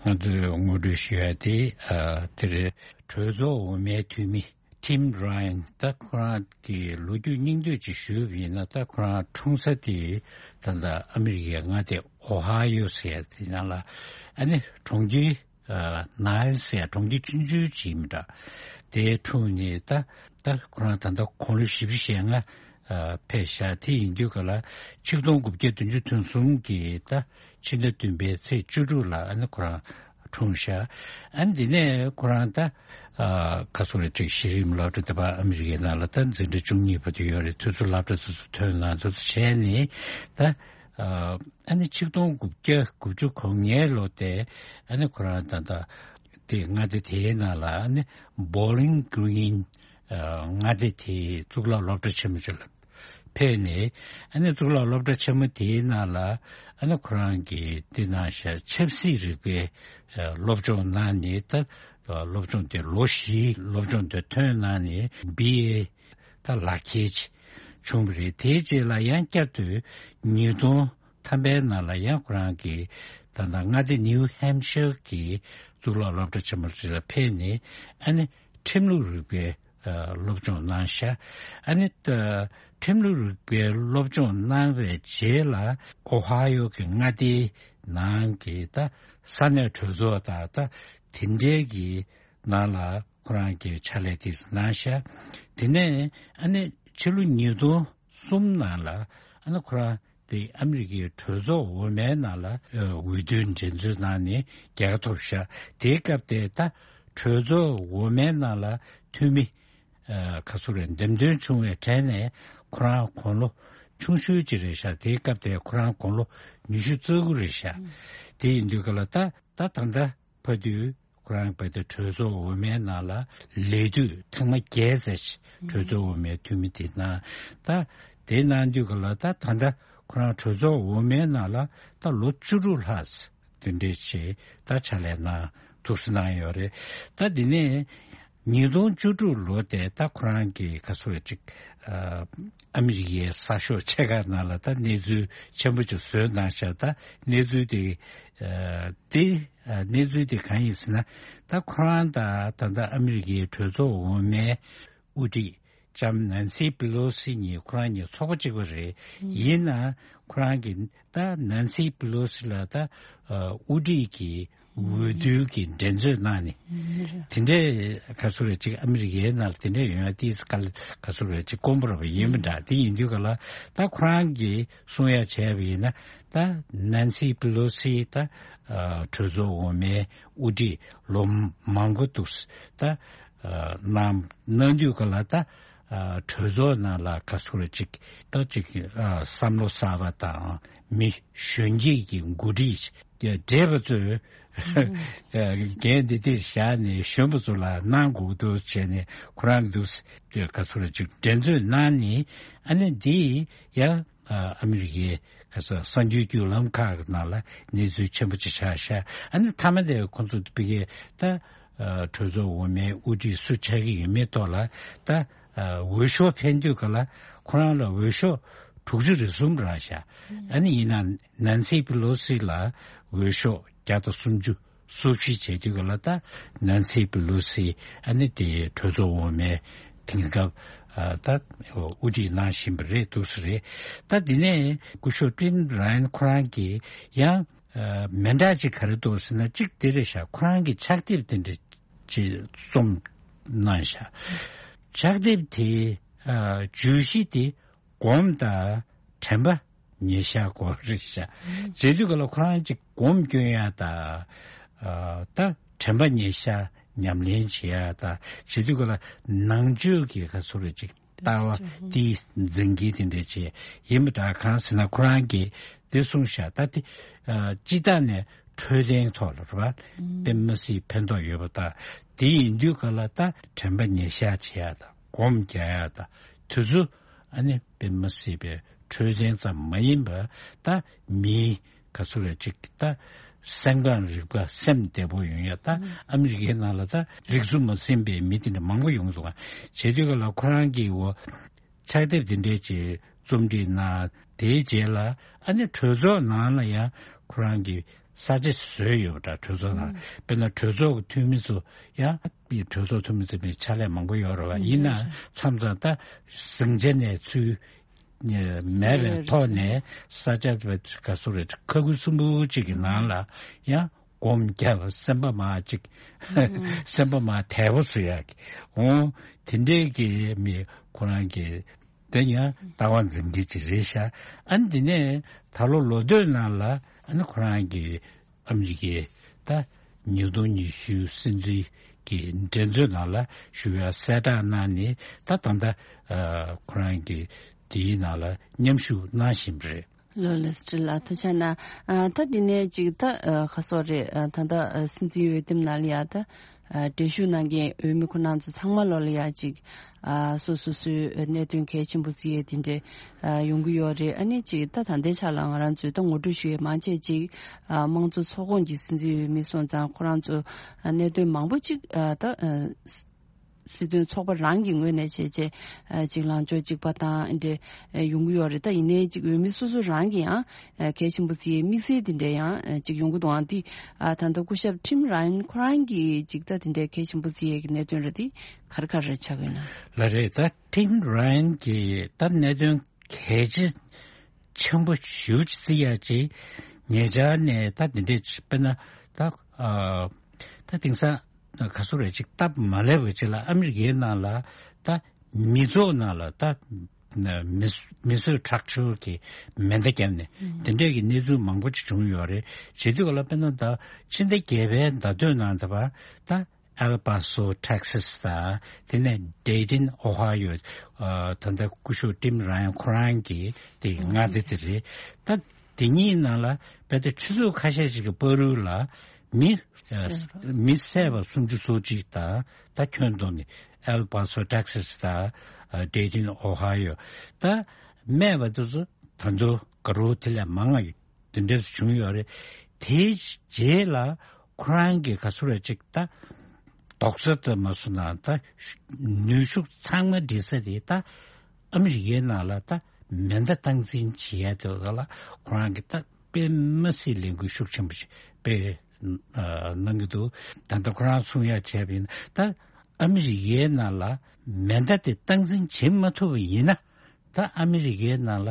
ང་ཚོས་ངོ་སྤྲོད་ཞུ་ཡ་དེ་ཨ་དེ་རེད། གྲོས་ཚོགས་འོག་མའི་འཐུས་མི་ཊིམ་ར་ཡན། ད་ཁོ་རང་གི་ལོ་རྒྱུས་སྙིང་བསྡུས་ཅིག་ཞུས་པ་ཡིན་ན། ད་ཁོ་རང་འཁྲུངས་ས་དེ་ད་ལྟ་ཨ་མི་རི་ཀའི་མངའ་སྡེ་ཨོ་ཧ་ཡོ་ཟེར་ཡ་དེ་ནང་ལ་ཨ་ནི་གྲོང་ཁྱེར་ཨ་ནའི་ཟེར་ཡ་གྲོང་ཁྱེར་ཆུང་ཆུང་ཅིག་ཡིན་པ་འདྲ། དེ་འཁྲུངས་ནས་ད་ད་ཁོ་རང་ད་ལྟ་དགུང་ལོ་བཞི་བཅུ་ཞེ་ལྔ་ཨ་ཕེབས་ཤག་དེ་ཡིན་དུས་ག་ལ་ཆིག་སྟོང་དགུ་བརྒྱ་བདུན་ཅུ་དོན་གསུམ་གྱི་ད་ཕྱི་ཟླ་བདུན་པའི་ཚེས་བཅུ་དྲུག་ལ་ཨ་ནི་ཁོ་རང་འཁྲུངས་ཤག་ཨ་ནི་དེ་ནས་ཁོ་རང་ད་ཨ་ག་སོ་རེ་ཅིག་གཞི་རིམ་སློབ་གྲྭ་དེ་བ་ཨ་མི་རི་ཀའི་ནང་ལ་ད་འཛིན་གྲྭ་བཅུ་གཉིས་བར་དུ་ཡོད་རེད། དུས་ཚོད་སློབ་གྲྭ་དེ་ཚོ་ཐོན་ན་དེ་ཚོ་བྱས་ནས་ད་ཨ་ནི་ཆིག་སྟོང་དགུ་བརྒྱ་དགུ་བཅུ་གོ་ལྔའི་ལོ་དེ་ཨ་ནི་ཁོ་རང་ད་ད་དེ་མངའ་སྡེ་དེའི་ནང་ལ་ཨ་ནི་བོ་ལིང་གི་རིན་མངའ་སྡེ་དེའི་གཙུག་ལག་སློབ་གྲྭ་ཆེན་མོ་ཅིག་ལ་ཕེབས་ནས། ཨ་ནི་གཙུག་ལག་སློབ་གྲྭ་ཆེན་མོ་དེའི་ནང་ལ་ཨ་ནི་ཁོ་རང་གིས་དེ་ནང་བཞིན་ཆབ་སྲིད་རིག་པའི་སློབ་སྦྱོང་གནང་ནས། ད་སློབ་སྦྱོང་དེ་ལོ་བཞིའི་སློབ་སྦྱོང་དེ་ཐོན་གནང་ནས་བི་ཨེ་ད་ལག་ཁྱེར་བྱུང་བ་རེད། དེའི་རྗེས་ལ་ཡང་བསྐྱར་དུ་ཉིས་སྟོང་ཐམ་པའི་ནང་ལ་ཡང་ཁོ་རང་གིས་ད་ལྟ་མངའ་སྡེ་ནིའུ་ཧེམ་ཤར་གྱི་གཙུག་ལག་སློབ་གྲྭ་ཆེན་མོ་ཅིག་ལ་ཕེབས་ནས། ཨ་ནི་ཁྲིམས་ལུགས་རིག་པའི་ཨ་སློབ་སྦྱོང་གནང་ཤག་ཨ་ནི་ད་ཁྲིམས་ལུགས་རིག་པའི་སློབ་སྦྱོང་གནང་བའི་རྗེས་ལ་ཨོ་ཧ་ཡོ་གི་མངའ་སྡེའི་ནང་གི་ད་ས་གནས་གྲོས་ཚོགས་དང་ད་དེ་འདྲའི་གི་ནང་ལ་ཁོ་རང་གིས་ཕྱག་ལས་དེ་གནང་ཤག་དེ་ནས་ཨ་ནི་ཕྱི་ལོ་ཉིས་སྟོང་གསུམ་ནང་ལ་ཨ་ནི་ཁོ་རང་དེ་ཨ་མི་རི་ཀའི་གྲོས་ཚོགས་འོག་མའི་ནང་ལ་ཨ་འོས་བསྡུའི་འགྲན་རྩོད་གནང་ནས་རྒྱལ་ཁ་ཐོབ་ཤག་དེའི་སྐབས་དེ་ད་གྲོས་ཚོགས་འོག་མའི་ནང་ལ་འཐུས་མི་ཨ་ག་ཚོད་རེད། འདེམས་ཐོན་བྱུང་བའི་གྲས་ནས་ཁོ་རང་དགུང་ལོ་ཆུང་ཤོས་ཅིག་རེད་ཤག་དེའི་སྐབས་དེ་ཁོ་རང་དགུང་ལོ་ཉི་ཤུ་རྩ་དགུ་རེད་ཤག་དེ་ཡིན་དུས་ག་ལ་ད་ད་ད་ལྟ་བར་དུ་ཁོ་རང་བར་དུ་གྲོས་ཚོགས་འོག་མའི་ནང་ལ་ལས་དུས་ཐེངས་མ་བརྒྱད་ཙམ་ཞིག་གྲོས་ཚོགས་འོག་མའི་འཐུས་མི་དེ་གནང་། ད་དེ་གནང་དུས་ག་ལ་ད་ད་ལྟ་ཁོ་རང་གྲོས་ཚོགས་འོག་མའི་ནང་ལ་ད་ལོ་བཅུ་དྲུག་ལྷག་དེ་འདྲས་བྱས་ད་ཕྱག་ལས་གནང་འདུག་སེ་གནང་ཡོད་རེད། ད་དེ་ནས་ཉིས་སྟོང་བཅུ་དྲུག་ལོ་དེ་ད་ཁོ་རང་གི་ག་ཚོད་ཅིག་ཨ་ཨ་མི་རི་ཀའི་གསར་ཤོག་ཆེ་ཁག་ནང་ལ་ད་གནས་ཚུལ་ཆེན་པོ་ཅིག་བཟོས་གནང་ཤག་ད་གནས་ཚུལ་དེ་ཨ་དེ་ཨ་གནས་ཚུལ་དེ་གང་ཡིན་ཟེར་ན། ད་ཁོ་རང་དང་ད་ལྟ་ཨ་མི་རི་ཀའི་གྲོས་ཚོགས་འོག་མའི་དབུ་ཁྲིད་ལྕམ་ནན་སི་པི་ལོ་སི་གཉིས་ཁོ་རང་གཉིས་ཚོགས་པ་གཅིག་པ་རེད། ཡིན་ན་ཁོ་རང་གིས་ད་ནན་སི་པི་ལོ་སི་ལ་ད་ཨ་དབུ་ཁྲིད་ཀྱི་འོས་བསྡུ་གི་འགྲན་རྩོད་གནང་ནས། དེ་འདྲའི་ག་ཚོད་རེད་ཅིག་ཨ་མི་རི་ཀའི་ནང་ལ་དེ་འདྲའི་ཡོང་ཡ་ཏིས་ག་ག་ཚོད་རེད་ཅིག་དཀོན་པོ་ར་བ་ཡིན་མི་འདྲ། དེ་ཡིན་དུས་ག་ལ་ད་ཁོ་རང་གིས་གསུང་ཡ་བྱས་པ་ཡིན་ན། ད་ནན་སི་པི་ལོ་སི་ད་ཨ་གྲོས་ཚོགས་འོག་མའི་དབུ་ཁྲིད་ལོ་མང་པོ་འདུག་ད་ཨ་གནང་གནང་དུས་ག་ལ་ད་ཨ་གྲོས་ཚོགས་ནང་ལ་ག་ཚོད་རེད་ཅིག་ད་ཅིག་ཨ་བསམ་བློ་གསར་པ་དང་མི་གཞོན་སྐྱེས་ཀྱི་འགོ་ཁྲིད་བགྲེས་པ་ཚོས་འགན་འདི་འདིར་བཞག་ནས་གཞོན་པ་ཚོ་ལ་གནང་དགོས་འདུག་བྱས་ནས། ཁོ་རང་འདུག་ག་ཚོད་རེད་ཅིག་འགྲན་རྩོད་གནང་ནས། ཨ་ནི་འདི་ཡང་ཨ་མི་རི་ཀའི་ག་ཚོད་གསར་འགྱུར་བརྒྱུད་ལམ་ཁག་གི་ནང་ལ་གནས་ཚུལ་ཆེན་པོ་ཅིག་ཆགས་ཤག་ཨ་ནི་མཐའ་མ་དེ་ཁོང་ཚོ་ཕ་གིའི་ད་གྲོས་ཚོགས་འོག་མའི་དབུ་ཁྲིད་སུ་ཆགས་ཀྱི་ཡོད་མེད་ཐོག་ལ་ད་འོས་ཤོག་འཕེན་དུས་ག་ལ་ཁོ་རང་ལ་འོས་ཤོག་དྲུག་ཅུ་རེ་གསུམ་རག་ཤག་ཨ་ནི་ཡིན་ན་ནན་སི་པི་ལོ་སི་ལ་འོས་ཤོག་བརྒྱ་དང་སུམ་ཅུ། སུ་བཞི་བྱས་དུས་ག་ལ་ད་ནན་སི་པི་ལོ་སི་ཨ་ནི་དེ་གྲོས་ཚོགས་འོག་མའི་དེང་སྐབས་ཨ་ད་དབུ་ཁྲིད་གནང་བཞིན་པ་རེད་འདུག་སེ་རེད། ད་དེ་ནས་སྐུ་ཞབས་ཊིམ་ར་ཡན་ཁོ་རང་གིས་ཡང་ཨ་མི་འདྲ་ཅིག་ག་རེ་འདུག་ཟེར་ན། གཅིག་དེ་རེད་ཤག་ཁོ་རང་གིས་ཕྱག་དེབ་དེ་འདྲ་ཅིག་རྩོམ་གནང་ཤག་ཕྱག་དེབ་དེ་ཨ་བརྗོད་གཞི་དེ་སྒོམ་དང་དྲན་པ་ ཉེས་བཤགས་སྐོར་རེད་ཤག་བྱེད་དུས་ག་ལ་ཁོ་རང་ཅིག་སྒོམ་སྐྱོན་ཡ་ད་ད་དྲན་པ་ཉེས་བཤགས་ཉམས་ལེན་བྱེད་ཡ་ད་བྱེད་དུས་ག་ལ་ནང་ཆོས་ཀྱི་ག་ཚོད་རེ་ཅིག་ལྟ་བ་དེའི་འཛིན་གྱི་དེ་འདྲ་བྱས་ཡིན་པ་འདྲ། གང་ཟེར་ན་ཁོ་རང་གིས་དེ་གསུངས་ཤག་ད་དེ་སྤྱི་བཏང་ནས་འཕྲོད་བསྟེན་ཐོག་ལ་རེད་བ་དཔེ་མི་སྲིད་ཕན་ཐོགས་ཡོད་པ་ད། དེ་ཡིན་དུས་ག་ལ་ད་དྲན་པ་ཉེར་བཞག་བྱེད་ཡ་ད་སྒོམ་རྒྱག་ཡ་ད་དེ་ཚོ་ཨ་ནི་དཔེ་མི་སྲིད་པའི་འཕྲོད་བསྟེན་ཙམ་མ་ཡིན་པ་ད་མིའི་ག་ཚོད་རེ་ཅིག་ད་སེམས་ཁམས་རིག་པ་སེམས་བདེ་པོ་ཡོང་ཡ་ད་ཨ་མི་རི་ཀའི་ནང་ལ་ད་རིག་འཛུགས་མ་ཟིན་པའི་མི་དེ་འདྲ་མང་པོ་ཡོང་འདུག་ག་བྱེད་དུས་ག་ལ་ཁོ་རང་གི་འོ་ཕྱག་དེབ་དེ་འདྲས་ཀྱི་རྩོམ་སྒྲིག་གནང་། དེའི་རྗེས་ལ་ཨ་ནི་གྲོས་ཚོགས་ནང་ལ་ཡང་ཁོ་རང་གི་ས་ཆ་བཟོས་ཡོད་པ་འདྲ། གྲོས་ཚོགས་ནང་དཔེར་ན་གྲོས་ཚོགས་ཀྱི་འཐུས་མི་ཚོ་ཡང་གྲོས་ཚོགས་འཐུས་མི་ཚོ་མི་ཕྱག་ལས་མང་པོ་ཡོད་རེད་བ། ཡིན་ན་མཚམས་མཚམས་ད་ཟིང་ཆ་ནས་ཚུར་མེད་པའི་ཐོག་ནས་ས་ཆ་ག་ཚོད་རེད་ཁ་ཁུ་སུམ་པོ་གཅིག་གི་ནང་ལ་ཡང་སྒོམ་རྒྱབ་སེམས་པ་མ་གཅིག་སེམས་པ་མ་དལ་པོ་བཟོ་ཡག་གི་འོང་། དེ་འདྲའི་གི་མི་ཁོ་རང་གི་དེ་ཡང་ལྟ་བ་འཛིན་གྱི་ཅིག་རེད་ཤག་ཨ་ནི་དེ་ནས་ད་ལོ་ལོ་སྟོད་ནང་ལ་ཨ་ནི་ཁོ་རང་གི་ཨ་མི་རི་ཀའི་ད་ཉིས་སྟོང་ཉི་ཤུ་སྲིད་འཛིན་གྱི་འགྲན་རྩོད་ནང་ལ་ཞུགས་ཡ་གསལ་བསྒྲགས་གནང་ནས་ད་ད་ལྟ་ཁོ་རང་གི་དེའི་ནང་ལ་མཉམ་ཞུགས་གནང་བཞིན་པ་རེད། ལོ་ལེ་སི་ཏྲི་ལ་ཐུགས་རྗེ་གནང་། ཨ་ད་འདི་ནས་ཅིག་ད་ཨ་ཁ་སོག་རེད། ཨ་ད་ད་ཨ་སྲིད་འཛིན་འོས་འདེམས་ནང་ལ་ཡ་ད་ཨ་གྲལ་ཞུགས་གནང་མཁན་འོས་མི་ཁོ་རང་ཚོ་ཚང་མ་ལོ་ལ་ཡ་ཅིག་ཨ་སོ་སོ་སོའི་གནད་དོན་གལ་ཆེན་པོ་བརྩི་ཡས་དེ་འདྲས་ཨ་ཡོང་གི་ཡོད་རེད། ཨ་ནི་ཅིག་ད་ད་ལྟའི་ཆ་ལ་ང་རང་ཚོས་ད་ངོ་སྤྲོད་ཞུ་ཡས་མང་ཆེ་ཅིག་ཨ་དམངས་གཙོ་ཚོགས་ཁོངས་ཀྱི་སྲིད་འཛིན་འོས་མི་སོང་ཙང་ཁོ་རང་ཚོ་ཨ་གནད་དོན་མང་པོ་ཅིག་ཨ་ད་ཨ། སྲིད་དོན་ཚོགས་པ་རང་གི་ངོས་ནས་བྱས་རྗེས་ཅིག་ལངས་ཕྱོགས་གཅིག་པ་དང་འདྲ་ཡོང་གི་ཡོད་རེད། ད་ཡིན་ནའི་ཅིག་འོས་མི་སོ་སོ་རང་གི་ཡང་གལ་ཆེན་པོ་བརྩི་ཡའི་དམིགས་བསལ་དེ་འདྲ་ཡང་ཅིག་ཡོང་གི་འདུག་ཨང་དེ་ད་ལྟ་སྐུ་ཞབས་ཁྲིམ་ར་ཡན་ཁོ་རང་གིས་ཅིག་ད་དེ་འདྲའི་གལ་ཆེན་པོ་བརྩི་ཡའི་གནད་དོན་རེད། དེ་ག་རེ་ག་རེ་ཆགས་ཀྱི་ཡོད་ན། ལགས་རེད། ད་ཁྲིམ་ར་ཡན་གྱི་ད་གནད་དོན་གལ་ཆེ་ཆེན་པོ་ཞེ་པོ་ཅིག་བརྩི་ཡ་ཅིག་ཉེ་ཆར་ནས་ད་དེ་འདྲས་ཅིག་དཔེར་ན་ད་ཨ་ད་དེང་སང་ག་ཚོད་རེད་ཅིག་སྟབས་མ་ལེགས་པ་ཅིག་ལ་ཨ་མི་རི་ཀའི་ནང་ལ་ད་མི་ཚོགས་ནང་ལ་ད་མི་མི་གསོད་ཁྲག་སྦྱོར་གྱི་མེ་མདའ་བརྒྱབ་ནས་དེ་འདྲས་ཀྱི་གནས་ཚུལ་མང་པོ་ཅིག་བྱུང་ཡོད་རེད། བྱེད་དུས་ག་ལ་དཔེར་ན་ད་ཕྱི་ཟླ་བརྒྱད་པའི་ཟླ་སྟོད་ནང་ད་བ་ད། ཨེལ་པ་སོ་ཊེག་སཱས་དང་དེ་ནས་ཌེ་ཏིན་ཨོ་ཧ་ཡོ། ཨ་ད་ལྟ་སྐུ་ཞབས་ཏིམ་ར་ཡན་ཁོ་རང་གི་དེ་མངའ་སྡེ་དེ་རེད། ད་དེ་གཉིས་ནང་ལ་བལ་ཏེ་ཆུ་ཚོད་ཁ་ཤས་ཤིག་གི་བར་དུ་ལ་མི་ཨ་མི་བསད་པ་སུམ་ཅུ་སོ་གཅིག་དང་ད་ཁྱོན་བསྡོམས་ནས་ཨེལ་པ་སོ་ཊེག་སཱས་དང་ཨ་ཌེ་ཏིན་ཨོ་ཧ་ཡོ་ད་སྨས་པ་དེ་ཚོ་ད་དུང་དགའ་རོགས་དེ་ལས་མང་ང་ཡོད། དེ་འདྲ་བྱུང་ཡོད་རེད། དེའི་རྗེས་ལ་ཁོ་རང་གིས་ག་ཚོད་རེད་ཅིག་ད་རྡོག་རྩ་ཙམ་མ་བཟོ་ན་ད་ནུས་ཤུགས་ཚང་མ་སྒྲིལ་ས་དེ་ད་ཨ་མི་རི་ཀའི་ནང་ལ་ད་མེ་མདའ་སྟངས་འཛིན་བྱེད་ཡ་དེ་ལ་ཁོ་རང་གིས་ད་དཔེ་མ་སྲིད་ལས་འགུལ་ཤུགས་ཆེན་པོ་ཞིག་སྤེལ་གནང་གི་འདུག་ད་ལྟ་ཁོ་རང་གསུང་ཡ་བྱས་པ་ཡིན་ན་ད་ཨ་མི་རི་ཀའི་ནང་ལ་མེ་མདའ་དེ་སྟངས་འཛིན་བྱེད་མ་ཐུབ་པ་ཡིན་ན། ད་ཨ་མི་རི་ཀའི་ནང་ལ་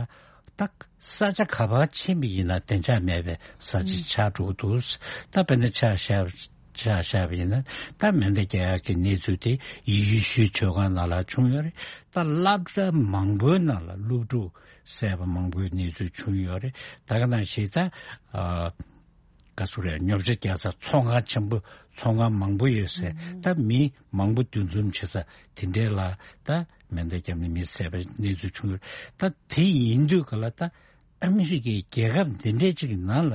ད་ས་ཆ་ག་པར་ཕྱིན་པ་ཡིན་ན་བདེ་འཇགས་མེད་པའི་ས་ཆ་ཆགས་འགྲོ་གི་འདུག་ད་དཔེར་ན་ཆ་བཞག་ཆ་བཞག་པ་ཡིན་ན་ད་མེ་མདའ་རྒྱག་ཡག་གི་གནས་ཚུལ་དེ་ཡེ་ཤུའི་ཆོས་ཁང་ནང་ལ་བྱུང་ཡོད་རེད། ད་སློབ་གྲྭ་མང་པོའི་ནང་ལ་སློབ་ཕྲུག་བསད་པ་མང་པོའི་གནས་ཚུལ་བྱུང་ཡོད་རེད། ད་ག་ནང་བཞིན་ད་ཨ། ག་ཚོད་རེད། ཉོ་ཆ་རྒྱག་ས་ཚོང་ཁང་ཆེན་པོ་ཚོང་ཁང་མང་པོ་ཡོད་ས་ད་མི་མང་པོ་འདུ་འཛོམས་བྱེད་ས་དེ་འདྲས་ལ་ད་མེ་མདའ་བརྒྱབ་ནས་མི་བསད་པའི་གནས་ཚུལ་བྱུང་ཡོད། ད་དེ་ཡིན་དུས་ག་ལ་ད་ཨ་མི་རི་ཀའི་རྒྱལ་ཁབ་འདི་འདྲས་ཅིག་གི་ནང་ལ་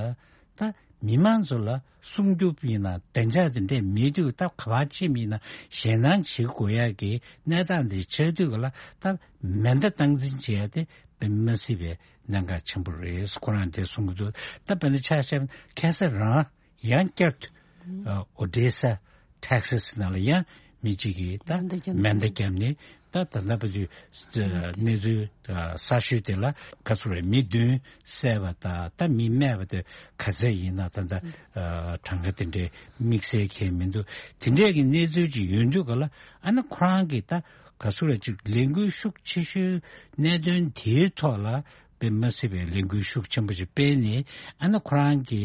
ད་མི་མང་ཚོ་ལ་སྲུང་སྐྱོབ་ཡིན་ན་བདེ་འཇགས་དེ་འདྲས་མེད་དུས་ད་ག་པར་ཕྱིན་ཡིན་ན་ཞེད་སྣང་བྱེད་དགོས་ཡ་གི་གནས་སྟངས་འདི་ཆགས་དུས་ག་ལ་ད་མེ་མདའ་སྟངས་འཛིན་བྱེད་ཡ་དེ་དཔེ་མ་སྲིད་པའི་གནད་འགག་ཆེན་པོ་རེད། ཁོ་རང་དེ་གསུང་གི་འདུག་ད་དཔེར་ན་ཆ་བཞག་ན་ཁ་སང་རང་ཡང་བསྐྱར་དུ་ཨོ་ཌེ་ས་ཊེག་སཱས་ནང་ལ་ཡང་མི་གཅིག་གིས་ད་མེ་མདའ་བརྒྱབ་མེ་མདའ་བརྒྱབ་ནས་ད་ད་ལྟ་བར་དུ་གནས་ཚུལ་གསར་ཤོས་དེ་ལ་ག་ཚོད་རེད། མི་བདུན་བསད་པ་དང་ད་མི་རྨས་པ་དེ་ག་ཚད་ཡིན་ན་ད་ལྟ་གྲངས་ཀ་དེ་འདྲའི་དམིགས་བསལ་གང་ཡང་མི་འདུག་དེ་འདྲས་ཀྱི་གནས་ཚུལ་ཅིག་ཡོད་དུས་ག་ལ་ཨ་ནི་ཁོ་རང་གིས་ད་ག་ཚོད་རེད་ཅིག་ལས་འགུལ་ཤུགས་ཆེ་ཤོས་གནད་དོན་དེའི་ཐོག་ལ་དཔེ་མ་སྲིད་པའི་ལས་འགུལ་ཤུགས་ཆེན་པོ་ཞིག་སྤེལ་ནས་ཨ་ནི་ཁོ་རང་གི་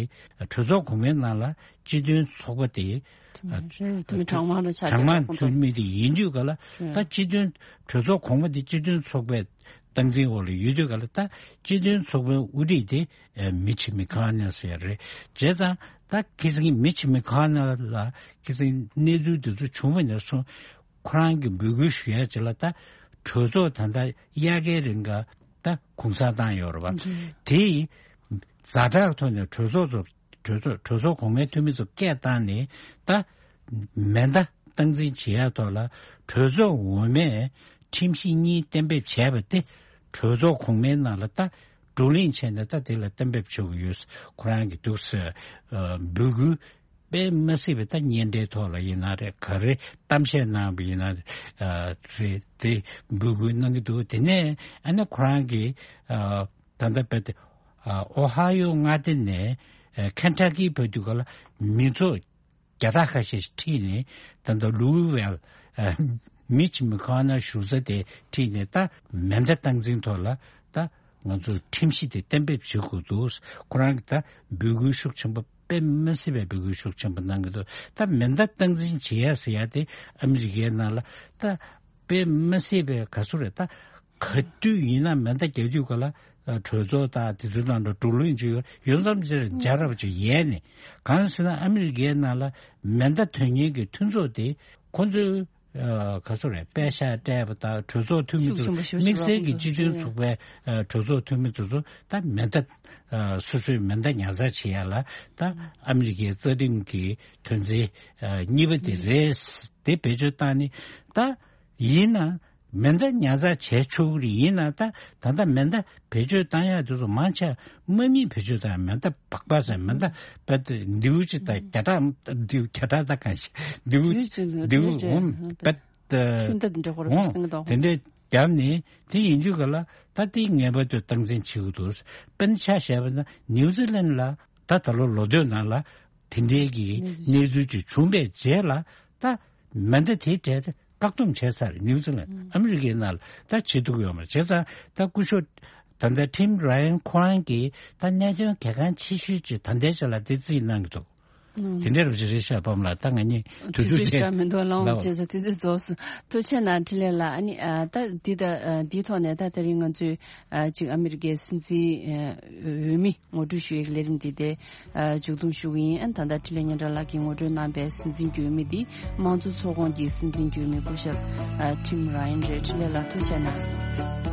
གྲོས་ཚོགས་གོང་མའི་ནང་ལ་སྤྱི་མཐུན་ཚོགས་པ་དེ་དེ་མིན་གྲངས་མང་རུ་ཆགས་གྲངས་མང་ཁོང་ཚོ་ཚུད་མི་དེ་ཡིན་དུས་ག་ལ་ད་སྤྱི་མཐུན་གྲོས་ཚོགས་གོང་མ་དེ་སྤྱི་མཐུན་ཚོགས་པའི་ སྟངས་འཛིན་འོག་ལ་ཡོད་དུས་ག་ལ་ད་སྤྱི་མཐུན་ཚོགས་པའི་དབུ་ཁྲིད་དེ་ཨ་མི་ཆི་མི་ཁ་ནེ་ཟེར་རེད། བྱས་ཙང་ད་ཁི་སང་མི་ཆི་མི་ཁ་ནེ་ལ་ཁི་སང་གནས་ཚུལ་དེ་ཚོ་བྱུང་བ་ནས་བཟུང་ཁོ་རང་གི་འབོད་སྐུལ་ཞུ་ཡ་ཅིག་ལ་ད་གྲོས་ཚོགས་ད་ལྟ་དབྱར་ཁའི་རིང་ག་ད་གུང་སེང་བཏང་ཡོད་རེད་བ། དེ་ཡིས་ཛ་དྲག་ཐོག་ནས་གྲོས་ཚོགས་ཚོ་གྲོས་ཚོགས་གྲོས་ཚོགས་གོང་མའི་འཐུས་མི་ཚོ་སྐད་བཏང་ནས་ད་མེ་མདའ་སྟངས་འཛིན་བྱེད་ཡ་ཐོག་ལ་གྲོས་ཚོགས་འོག་མས་ཁྲིམས་གཞི་གཉིས་གཏན་འབེབས་བྱས་པ་དེ་གྲོས་ཚོགས་གོང་མའི་ནང་ལ་ད་བགྲོ་གླེང་བྱས་ནས་ད་དེ་ལ་གཏན་འབེབས་བྱེད་དགོས་ཡོད། ཁོ་རང་གི་འདུག་ཟེར་འབོད་སྐུལ་དཔེ་མ་སྲིད་པའི་ད་སྙན་སྒྲའི་ཐོག་ལ་ཡིན་ན་རེད། ག་རེ་གཏམ་བཤད་གནང་བ་ཡིན་ན་རེད། དེ་འབོད་སྐུལ་གནང་གི་འདུག་དེ་ནས་ཨ་ནི་ཁོ་རང་གི་ད་ལྟ་བས་ཏེ་ཨོ་ཧ་ཡོ་མངའ་སྡེ་ནས་ཁེན་ཊ་ཀི་བར་དུ་ག་ལ་མི་ཚོགས་བརྒྱ་ཕྲག་ཁ་ཤས་ཤིག་ཁྲིད་ནས་ད་ལྟ་ལུའུ་ཝེལ་མི་ཆི་མི་ཁ་ནེ་བཞུགས་ས་དེ་ཁྲིད་ནས་ད་མེ་མདའ་སྟངས་འཛིན་ཐོག་ལ་ད་ང་ཚོས་ཁྲིམས་གཞི་དེ་གཏན་འབེབས་བྱེད་དགོས་འདུག་ཁོ་རང་གིས་ད་འབོད་སྐུལ་ཤུགས་ཆེན་པོ་དཔེ་མ་སྲིད་པའི་འབོད་སྐུལ་ཤུགས་ཆེན་པོ་གནང་གི་འདུག་ད་མེ་མདའ་སྟངས་འཛིན་བྱེད་ཡ་ཟེར་ཡ་དེ་ཨ་མི་རི་ཀའི་ནང་ལ་ད་དཔེ་མ་སྲིད་པའི་ག་ཚོད་རེད། ད་ག་དུས་ཡིན་ན་མེ་མདའ་རྒྱག་དུས་ག་ལ་གྲོས་ཚོགས་དང་དེ་ཚོའི་ནང་དུ་བགྲོ་གླེང་བྱེད་ཡོད་ཡོད་མཚམས་ཅིག་རྒྱལ་རབས་ཅིག་ཡལ་ནས། གང་ཟེར་ན་ཨ་མི་རི་ཀའི་ནང་ལ་མེ་མདའ་ཐོན་མཁན་གྱི་མཐུན་ཚོགས་དེ་ཁོ་ཚོའི་ག་ཚོད་རེད། པད་ཤག་སྤྲད་པ་དང་གྲོས་ཚོགས་འཐུས་མི་ཚོ་དམིགས་བསལ་གྱི་སྤྱི་མཐུན་ཚོགས་པའི་གྲོས་ཚོགས་འཐུས་མི་ཚོ་ཚོ་ད་མེ་མདའ་སོ་སོའི་མེ་མདའ་ཉར་ཚགས་བྱེད་ཡ་ལ་ད་ཨ་མི་རི་ཀའི་རྩ་ཁྲིམས་ཀྱི་དོན་ཚན་གཉིས་པ་དེ་རེད། དེ་བེད་སྤྱོད་བཏང་ནས་ད་ཡིན་ན་མེ་མདའ་ཉར་ཚགས་བྱས་ཆོག་གི་རེད། ཡིན་ན་ད་ད་ལྟ་མེ་མདའ་བེད་སྤྱོད་བཏང་ཡ་དེ་ཚོ་མང་ཆེ་དམག་མིས་བེད་སྤྱོད་བཏང་ཡ། མེ་མདའ་སྦག་སྦག་ཟེར་མེ་མདའ་པད་མདེའུ་གཅིག་དང་བརྒྱ་ཕྲག་མདེའུ་བརྒྱ་ཕྲག་ད་གང་ཞིག་མདེའུ་མདེའུ་འོང་པད་ཆུ་མདའ་དེ་འདྲ་ཁོ་རང་འོང་སེང་གེ་དང་དེ་འདྲས་བརྒྱབ་ནས་དེ་ཡིན་དུས་ག་ལ་ད་དེ་ངེས་པར་དུ་སྟངས་འཛིན་བྱེད་དགོས་འདུག་དཔེར་ན་ཆ་བཞག་པ་ན་ནིའུ་ཛི་ལན་ལ་ད་ད་ལོ་ལོ་སྟོད་ནང་ལ་དེ་འདྲའི་གི་གནས་ཚུལ་ཅིག་བྱུང་པའི་རྗེས་ལ་ད་མེ་མདའ་དེའི་གྲས་དེ་བཀག་སྡོམ་བྱས་ཚར། ནིའུ་ཛི་ལན་ཨ་མི་རི་ཀའི་ནང་ལ་ད་བྱེད་ཐུབ་ཡོད་མ་རེད། བྱས་ཙང་ད་སྐུ་ཞབས་ད་ལྟ་ཊིམ་ར་ཡན་ཁོ་རང་གིས་ད་གནད་དོན་གལ་འགངས་ཆེ་ཤོས་ཅིག་ད་ལྟའི་ཆ་ལ་དེ་རྩིས་གནང་གི་འདུག་དེ་འདྲ་རུ་ཅི་རེད་ཤག་པམ་ལགས། ད་ང་གཉིས་དུས་དུས་ཚོད་ཚོད་ཅིག་འདྲ་མི་འདུག་ལགས་འོང་། ལགས། བྱས་ཙང་དུས་ཚོད་རྫོགས་སོང་། ཐུགས་རྗེ་གནང་། འཕྲིན་ལས་ལགས། ཨ་ནི་ཨ་ད་འདི་ད་ཨ་འདིའི་ཐོག་ནས་ད་དེ་རིང་ང་ཚོས་ཨ་ཅིག་ཨ་མི་རི་ཀའི་སྲིད་འཛིན་ཨ་འོས་མི་ངོ་སྤྲོད་ཞུ་ཡའི་ལས་རིམ་འདི་དེ་ཨ་མཇུག་བསྡོམས་ཞུ་གི་ཡིན། ཨ་ནི་ད་ལྟ་འཕྲིན་ལས་སྙན་གྲགས་ལགས་ཀྱིས་ངོ་སྤྲོད་གནང་པའི་སྲིད་འཛིན་འོས་མི་འདི་དམངས་གཙོ་ཚོགས་ཁོངས་ཀྱི་སྲིད་འཛིན་འོས་མི་སྐུ་ཞབས་ཨ་ཊིམ་ར་ཡན་རེད། འཕྲིན་ལས་ལགས་ཐུགས་རྗེ་གནང་།